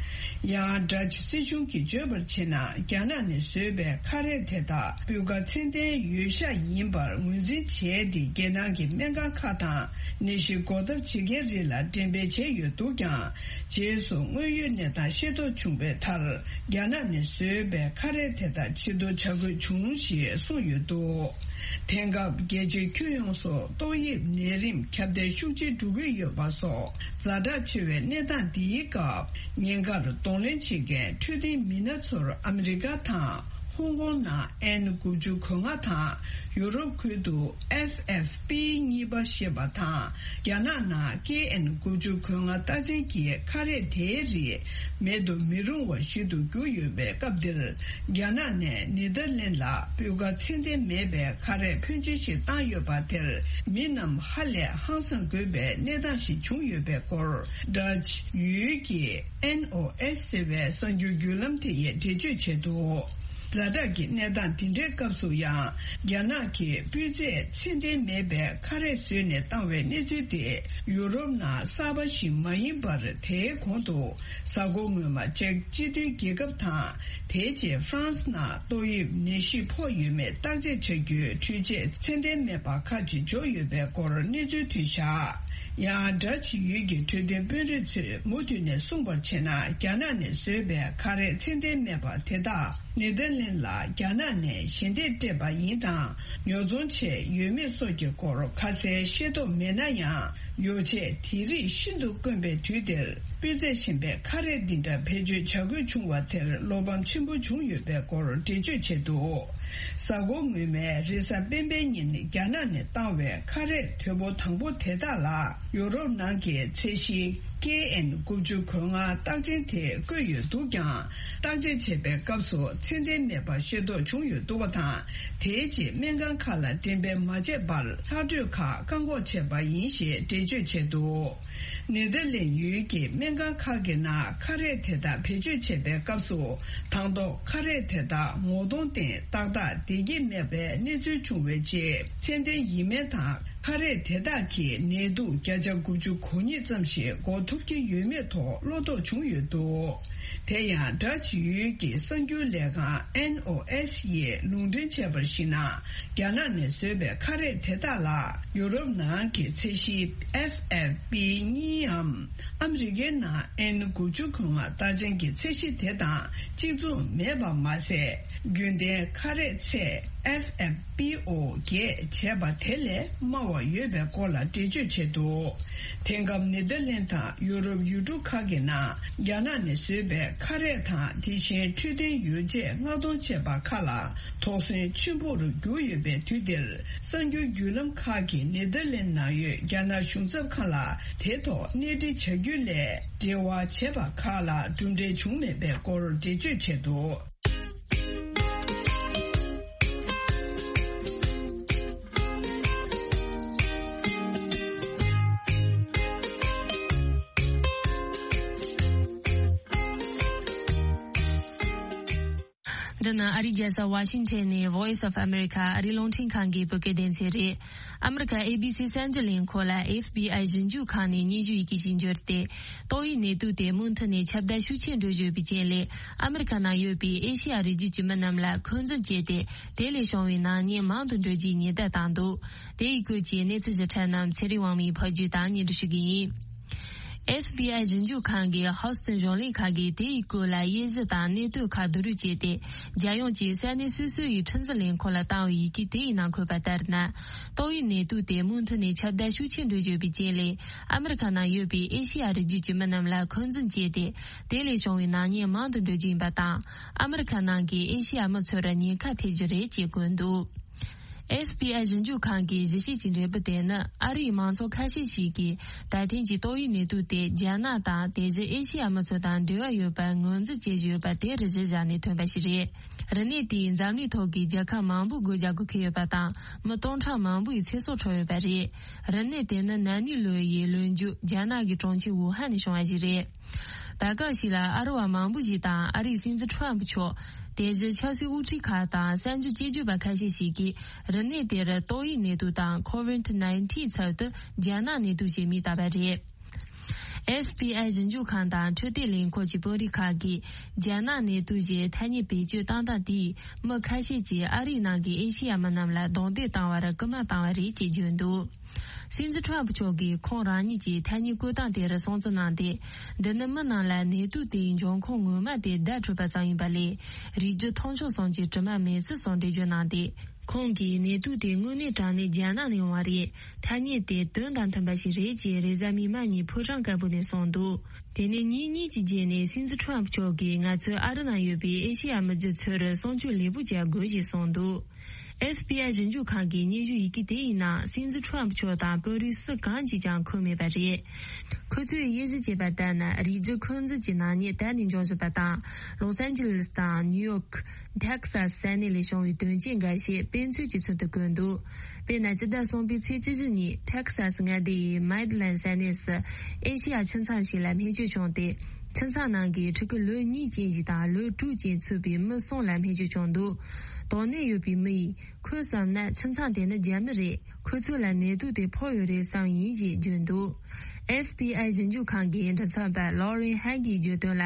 ཡང་ཌ་ཅི་སྲིད་གཞུང་གིས་བརྗོད་པར་བྱས་ན། རྒྱ་ནག་ནས་བཟོས་པའི་ཁ་རས་དེ་དག་སྤུས་ཀ་ཚད་ལྡན་ཡོད་ཤག་ཡིན་པར་ངོས་འཛིན་བྱས་ཏེ། རྒྱལ་ནང་གི་སྨན་ཁང་ཁག་དང་ནད་གཞི་འགོག་ཐབས་བྱེད་མཁན་རིགས་ལ་འགྲེམས་སྤེལ་བྱས་ཡོད་འདུག་ཀྱང་། རྗེས་སུ་དངོས་ཡོད་གནས་སྟངས་ཤེས་རྟོགས་བྱུང་བའི་མཐར། རྒྱ་ནག་ནས་བཟོས་པའི་ཁ་རས་དེ་དག་ཕྱིར་བསྡུ་བྱ་དགོས་བྱུང་ཞེས་གསུངས་ཡོད་འདུག། དེང་སྐབས་རྒྱལ་སྤྱིའི་ཁྱོན་ཡོངས་སུ་ཏོག་དབྱིབས་ནད་རིམས་ཁྱབ་གདལ་ཤུགས་ཆེ་འགྲོ་གི་ཡོད་པ་སོགས་ཛ་དྲག་ཆེ་བའི་གནས་སྟངས་འདིའི་སྐབས། ཉེན་ཁར་གདོང་ལེན་བྱེད་མཁན་འཕྲོད་བསྟེན་མི་སྣ་ཚོར་ཨ་མི་རི་ཀ་དང་ཧོང་ཀོང་ནང་ཨེན་དགུ་བཅུ་གོ་ལྔ་དང་། ཡུ་རོབ་ཁུལ་དུ་ཨེཕ་ཨེཕ་པི་གཉིས་པ་ཞེས་པ་དང་། རྒྱ་ནག་ནང་ཀེ་ཨེན་དགུ་བཅུ་གོ་ལྔ་རྟགས་ཅན་གྱི་ཁ་རས་དེའི་རིགས་མེད་དུ་མི་རུང་བ་ཞིག་ཏུ་གྱུར་ཡོད་པའི་སྐབས་འདིར། རྒྱ་ནག་ནས་ནེ་དར་ལེན་ལ་སྤུས་ཀ་ཚད་ལྡན་མེད་པའི་ཁ་རས་ཕོན་ཆེ་ཞིག་བཏང་ཡོད་པ་དེར། མི་རྣམས་ཧ་ལས་ཧང་སང་དགོས་པའི་གནས་སྟངས་ཤིག་བྱུང་ཡོད་པའི་སྐོར། ཌ་ཅི་ཡུལ་གྱི་ཨེན་ཨོ་ཨེས་ཟེར་བའི་གསར་འགྱུར་བརྒྱུད་ལམ་དེ་ཡིས་འགྲེལ་བརྗོད་བྱས་འདུག། ཛ་དྲག་གི་གནས་སྟངས་དེ་འདྲའི་སྐབས་སུ་ཡང་། རྒྱ་ནག་གིས་སྤུས་ཚད་ཚད་ལྡན་མེད་པའི་ཁ་རས་བཟོས་ནས་བཏང་བའི་གནས་ཚུལ་དེ། ཡུ་རོབ་ནང་གསར་པ་ཞིག་མ་ཡིན་པར། དེའི་གོང་དུ། གཟའ་འཁོར་སྔོན་མ་ཅེཀ་སྤྱི་མཐུན་རྒྱལ་ཁབ་དང་། དེའི་རྗེས་ཧྥ་རན་སི་ནང་ཏོག་དབྱིབས་ནད་གཞི་ཕོག་ཡོད་མེད་བརྟག་དཔྱད་བྱ་རྒྱུའི་འཕྲུལ་ཆས་ཚད་ལྡན་མེད་པ་ཁག་ཅིག་འབྱོར་ཡོད་པའི་སྐོར་གནས་ཚུལ་ཐོན་བཞག་ཡང་། སྒྲ་ཇི་ཡུལ་གྱི་འཕྲོད་བསྟེན་དཔོན་རིགས་ཚོས་མུ་མཐུད་ནས་གསུངས་པར་བྱས་ན། རྒྱ་ནག་ནས་བཟོས་པའི་ཁ་རས་ཚད་ལྡན་མེད་པ་དེ་དག་ནེ་དར་ལན་ལ་རྒྱ་ནག་ནས་ཞལ་འདེབས་སྤྲད་པ་ཡིན་དང་། ཉོ་ཚོང་བྱས་ཡོད་མེད་སོགས་ཀྱི་སྐོར་ཁ་གསལ་ཤེས་རྟོགས་མེད་ན་ཡང་། ཡོ་ཆས་དེ་རིགས་ཤིན་ཏུ་དཀོན་པའི་དུས་འདིར། སྤུས་ཚད་ཞན་པའི་ཁ་རས་འདི་འདྲ་བེད་སྤྱོད་བྱ་དགོས་བྱུང་བ་དེར་བློ་ཕམ་ཆེན་པོ་བྱུང་ཡོད་པའི་སྐོར་འགྲེལ་བརྗོད་བྱས་འདུག་གཟའ་འཁོར་སྔོན་མའི་རེས་གཟའ་སྤེན་པའི་ཉིན། རྒྱ་ནག་ནས་བཏང་བའི་ཁ་རས་དོད་པོ་དང་པོ་དེ་དག་ལ། ཡོ་རོབ་ནང་གི་ཚད་གཞི་ཀེ་ཨེན་དགུ་བཅུ་གོ་ལྔ་རྟགས་ཅན་དེ་བཀོད་ཡོད་འདུག་ཀྱང་། བརྟག་དཔྱད་བྱས་པའི་སྐབས་སུ་ཚད་ལྡན་མེད་པ་ཤེས་རྟོགས་བྱུང་ཡོད་འདུག་པ་དང་། དེའི་རྗེས་སྨན་ཁང་ཁག་ལ་འགྲེམས་སྤེལ་མ་བྱས་པར། ལྷག་འཕྲོས་ཁག་བཀག་འགོག་བྱས་པ་ཡིན་ཞེས་འགྲེལ་བརྗོད་བྱས་འདུག་ནེ་དར་ལན་ཡུལ་གྱི་སྨན་ཁང་ཁག་གི་ནང་ཁ་རས་དེ་དག་བེད་སྤྱོད་བྱས་པའི་སྐབས་སུ། དང་ཐོག་ཁ་རས་དེ་དག་ངོ་གདོང་སྟེང་ཏག་ཏག་བསྡད་ཀྱི་མེད་པའི་གནས་ཚུལ་བྱུང་བའི་རྗེས། ཚད་ལྡན་ཡིན་མིན་དང་། ཁ་རས་དེ་དག་གིས་ནད་དུག་བརྒྱ་ཆ་དགུ་བཅུ་གོ་གཉིས་ཙམ་ཞིག་འགོག་ཐུབ་ཀྱི་ཡོད་མེད་ཐོག་བློ་དོགས་བྱུང་ཡོད་འདུག་དེ་ཡང་། སྒྲ་ཇི་ཡུལ་གྱི་གསར་འགྱུར་ལས་ཁང་ཨེན་ཨོ་ཨེས་ཡིས་ལུང་འདྲེན་བྱས་པར་གཞིགས་ན། རྒྱ་ནག་ནས་བཟོས་པའི་ཁ་རས་དེ་དག་ལ། ཡུ་རོབ་ནང་གི་ཚད་གཞི་ཨེཕ་ཨེཕ་པི་གཉིས་འམ། ཨ་མི་རི་ཀའི་ནང་ཨེན་དགུ་བཅུ་གོ་ལྔ་རྟགས་ཅན་གྱི་ཚད་གཞི་དེ་དང་གཅིག་མཚུངས་མེད་པ་མ་ཟད། རྒྱུན་ལྡན་ཁ་རས་ཚད་ཨེཕ་ཨེཕ་པི་ཨོ་བརྒྱད་བྱས་པ་དེ་ལས་དམའ་བ་ཡོད་པའི་སྐོར་ལ་འགྲེལ་བརྗོད་བྱས་འདུག་དེང་སྐབས་ནེ་དར་ལན་དང་ཡུ་རོབ་ཡུལ་གྲུ་ཁག་གི་ནང་རྒྱ་ནག་ནས་བཟོས་པའི་ཁ་རས་དང་། དེ་བཞིན་འཕྲོད་བསྟེན་ཡོ་བྱད་མངགས་གཏོང་བྱས་པ་ཁག་ལ་དོགས་ཟོན་ཆེན་པོར་གྱུར་ཡོད་པའི་དུས་འདིར། གསར་འགྱུར་བརྒྱུད་ལམ་ཁག་གིས་ནེ་དར་ལན་ནང་ཡོད་རྒྱ་ནག་གཞུང་ཚབ་ཁང་ལ་དེ་ཐོག་གནས་འདྲི་བྱ་རྒྱུ་ལས་འབྲེལ་བ་བྱས་པ་ཁག་ལ་གྲུབ་འབྲས་བྱུང་མེད་པའི་སྐོར་འགྲེལ་བརྗོད་བྱས་འདུག་འདི་ནི་ཨ་རིའི་རྒྱལ་ས་ཝ་ཤིང་ཊོན་ནས་Voice of America ཨ་རིའི་རླུང་འཕྲིན་ཁང་གི་བོད་སྐད་སྡེ་ཚན་རེད། ཨ་མི་རི་ཀ་ཨེ་བི་སི་གསར་འགྱུར་ལས་ཁུངས་ལ་ཨེཕ་བི་ཨའི་ཞིབ་འཇུག་ཁང་ནས་སྙན་ཞུ་ཡི་གེ་ཞིག་འབྱོར་ཏེ། ཏོག་དབྱིབས་ནད་དུག་དེ་མུ་མཐུད་ནས་ཁྱབ་གདལ་ཤུགས་ཆེན་འགྲོ་བཞིན་ཡོད་པའི་རྐྱེན་ལས། ཨ་མི་རི་ཀ་ནང་ཡོད་པའི་ཨེ་ཤེ་ཡ་རི་རྒྱུད་ཀྱི་མི་རྣམས་ལ་འཁོན་འཛིན་བྱས་ཏེ། དེ་ལས་བྱུང་བའི་ནག་ཉེས་མང་དུ་འགྲོ་རྒྱུའི་ཉེན་བརྡ་བཏང་འདུག་དེ་ཡི་སྐོར་གྱི་གནས་ཚུལ་ཞིབ་ཕྲ་རྣམས་ཚེ་རིང་དབང་མོས་ཕབ་སྒྱུར་དང་སྙན་སྒྲོན་ཞུ་གི་ཡིན། ཨེཕ་བི་ཨའི་ཞིབ་འཇུག་ཁང་གིས་ཧོ་སི་ཊོན་གཞུང་ལས་ཁང་གིས་དེ་ཡི་སྐོར་ལ་དབྱེ་གཞི་དང་གནད་དོན་ཁག་བསྡུ་རུབ་བྱས་ཏེ། རྒྱལ་ཡོངས་ཀྱི་ས་གནས་སོ་སོ་ཡི་ཁྲིམས་འཛིན་ལས་ཁུངས་ལ་བཏང་བའི་ཡི་གེ་དེ་ཡི་ནང་འཁོད་པ་ལྟར་ན། ཏོག་དབྱིབས་ནད་དུག་དེ་མུ་མཐུད་ནས་ཁྱབ་གདལ་ཤུགས་ཆེན་འགྲོ་བཞིན་ཡོད་པའི་རྐྱེན་ལས། ཨ་མི་རི་ཀ་ནང་ཡོད་པའི་ཨེ་ཤེ་ཡ་རི་རྒྱུད་ཀྱི་མི་རྣམས་ལ་འཁོན་འཛིན་བྱས་ཏེ། དེ་ལས་བྱུང་བའི་ནག་ཉེས་མང་དུ་འགྲོ་རྒྱུ་ཡིན་པ་དང་། ཨ་མི་རི་ཀ་ནང་གི་ཨེ་ཤེ་ཡ་མི་ཚོར་ཉེན་ཁ་ཐེབས་རྒྱུ་རེད་ཅེས་བཀོད་འདུག་ཨེཕ་བི་ཨའི་ཞིབ་འཇུག་ཁང་གིས་ཞིབ་བཤེར་གྱི་འབྲས་བུ་དེ་ནི། ཨ་རིའི་མང་ཚོགས་ཁ་ཤས་ཤིག་གིས་ད་ཐེངས་ཀྱི་ཏོག་དབྱིབས་ནད་དུག་དེ་རྒྱ་ནག་དང་དེ་བཞིན་ཨེ་ཤེ་ཡ་མི་ཚོ་དང་འབྲེལ་བ་ཡོད་པར་ངོས་འཛིན་བྱེད་བཞིན་ཡོད་པ་དེར་གཞི་བཞག་ནས་ཐོན་པ་ཞིག་རེད། རིམས་ནད་དེས་འཛམ་གླིང་ཐོག་གི་རྒྱལ་ཁབ་མང་པོའི་སྒོ་རྒྱག་དགོས་ཀྱི་ཡོད་པ་དང་། མི་སྟོང་ཕྲག་མང་པོའི་ཚེ་སྲོག་འཕྲོག་ཡོད་པ་རེད། རིམས་ནད་དེ་ནི་ན་ནིང་ལོ་ཡི་ལོ་མཇུག་རྒྱ་ནག་གི་གྲོང་ཁྱེར་ཝུ་ཧན་ནས་བྱུང་བ་ཞིག་རེད། བར་སྐབས་ཤིག་ལ་ཨ་རི་བ་མང་པོ་ཞིག་དང་ཨ་རིའི་སྲིད་འཛིན་ཁྲོམ་ཕུ་མཆོག་དེ་བཞིན་ཆབ་སྲིད་དབུ་ཁྲིད་ཁག་དང་གསར་འགྱུར་དཔྱད་བརྗོད་པ་ཁ་ཤས་ཤིག་གིས་རིམས་ནད་དེར་ཏོག་དབྱིབས་ནད་དུག་དང་Covid nineteen ཚབ་ཏུ་རྒྱ་ནག་ནད་དུག་ཅེས་མིང་བཏགས་པ་རེད། ཨེཕ་བི་ཨའི་ཞིབ་འཇུག་ཁང་དང་འཕྲོད་བསྟེན་ལས་ཁུངས་ཀྱི་དཔོན་རིགས་ཁག་གིས་རྒྱ་ནག་ནད་དུག་ཅེས་ཐ་སྙད་བེད་སྤྱོད་བཏང་སྟངས་དེས་མི་ཁ་ཤས་ཀྱིས་ཨ་རིའི་ནང་གི་ཨེ་ཤེ་ཡ་མི་རྣམས་ལ་རྡུང་རྡེག་བཏང་བར་སྐུལ་མ་བཏང་བ་རེད་ཅེས་བརྗོད་འདུག་སྲིད་འཛིན་ཁྲོམ་ཕུ་མཆོག་གིས་ཁོང་རང་ཉིད་ཀྱི་ཐ་སྙད་བཀོད་སྟངས་དེར་སྲུང་བརྩི་གནང་སྟེ། འདི་ནི་མི་རྣམས་ལ་ནད་དུག་དེའི་འབྱུང་ཁུངས་ངོ་མ་དེ་བརྡ་འཕྲོད་པ་ཙམ་ཡིན་པ་ལས། རིགས་རྒྱུད་མཐོང་ཆུང་གསུམ་གྱི་དྲི་མ་མེད་ཚུལ་སོགས་འགྲེལ་བརྗོད་གནང་སྟེ། ཁོང་གིས་ནད་དུག་དེ་དངོས་གནས་དྲང་གནས་རྒྱ་ནག་ནས་ཡོང་བ་རེད། ཐ་སྙད་དེ་དོན་དང་མཐུན་པ་ཞིག་རེད་ཅེས་རེས་གཟའ་མིག་དམར་ཉིན་ཕོ་བྲང་དཀར་པོ་ནས་གསུངས་འདུག་དེ་ནས་ཉིན་གཉིས་ཀྱི་རྗེས་ནས་སྲིད་འཛིན་ཁྲོམ་ཕུ་མཆོག་གིས་ང་ཚོས་ཨ་རི་ནང་ཡོད་པའི་ཨེ་ཤེ་ཡ་མི་རྒྱུད་ཚོར་སྲུང་སྐྱོབ་ལེགས་པོ་བྱ་དགོས་ཞེས་གསུངས་འདུག་ཨེཕ་བི་ཨའི་ཞིབ་འཇུག་ཁང་གི་སྙན་ཞུ་ཡི་གེ་དེ་ཡི་ནང་སྲིད་འཛིན་ཁྲོམ་ཕུ་མཆོག་དང་དཔོན་རིགས་སུ་གང་གིས་ཀྱང་འཁོད་མེད་པ་རེད། ཁོ་ཚོས་དབྱེ་ཞིབ་བྱས་པ་ལྟར་ན། རིགས་རྒྱུད་འཁོན་འཛིན་གྱི་ནག་ཉེས་ད་ནས་འབྱུང་བཞིན་པ་དང་། ལོ་སན་ཇི་ལེས་དང་ནིའུ་ཡོག་ཊེག་སཱ་སི་ས་གནས་ལས་བྱུང་བའི་དོན་རྐྱེན་འགའ་ཤས་དཔེ་མཚོན་གྱི་ཚུལ་དུ་བཀོད་འདུག་དཔེར་ན། ཕྱི་ཟླ་གསུམ་པའི་ཚེས་བཅུ་བཞི་ཉིན་ཊེག་སཱ་སི་མངའ་སྡེ་ཡི་མེ་ཌི་ལན་ས་གནས་སུ་ཨེ་ཤེ་ཡ་ཁྱིམ་ཚང་ཞིག་ལ་རྨས་སྐྱོན་བྱུང་སྟེ། ཁྱིམ་ཚང་ནང་གི་ཕྲུ་གུ་ལོ་གཉིས་ཅན་ཞིག་དང་ལོ་དྲུག་ཅན་ཚུད་པའི་མི་གསུམ་ལ་རྨས་སྐྱོན་བྱུང་འདུག། དོགས་གནད་ཡོད་པའི་མི་ཡིས་ཁོས་བསམ་ན་ཁྱིམ་ཚང་དེ་ནི་རྒྱ་མི་རེད། ཁོ་ཚོ་ལ་ནད་དུག་དེ་ཕོག་ཡོད་རེད་བསམ་ཡིན་ཞེས་བརྗོད་འདུག། ཨེཕ་བི་ཨའི་ཞིབ་འཇུག་ཁང་གི་མགྲིན་ཚབ་པ་ལོ་རེན་ཧན་གྱིས་བརྗོད་དོན་ལ།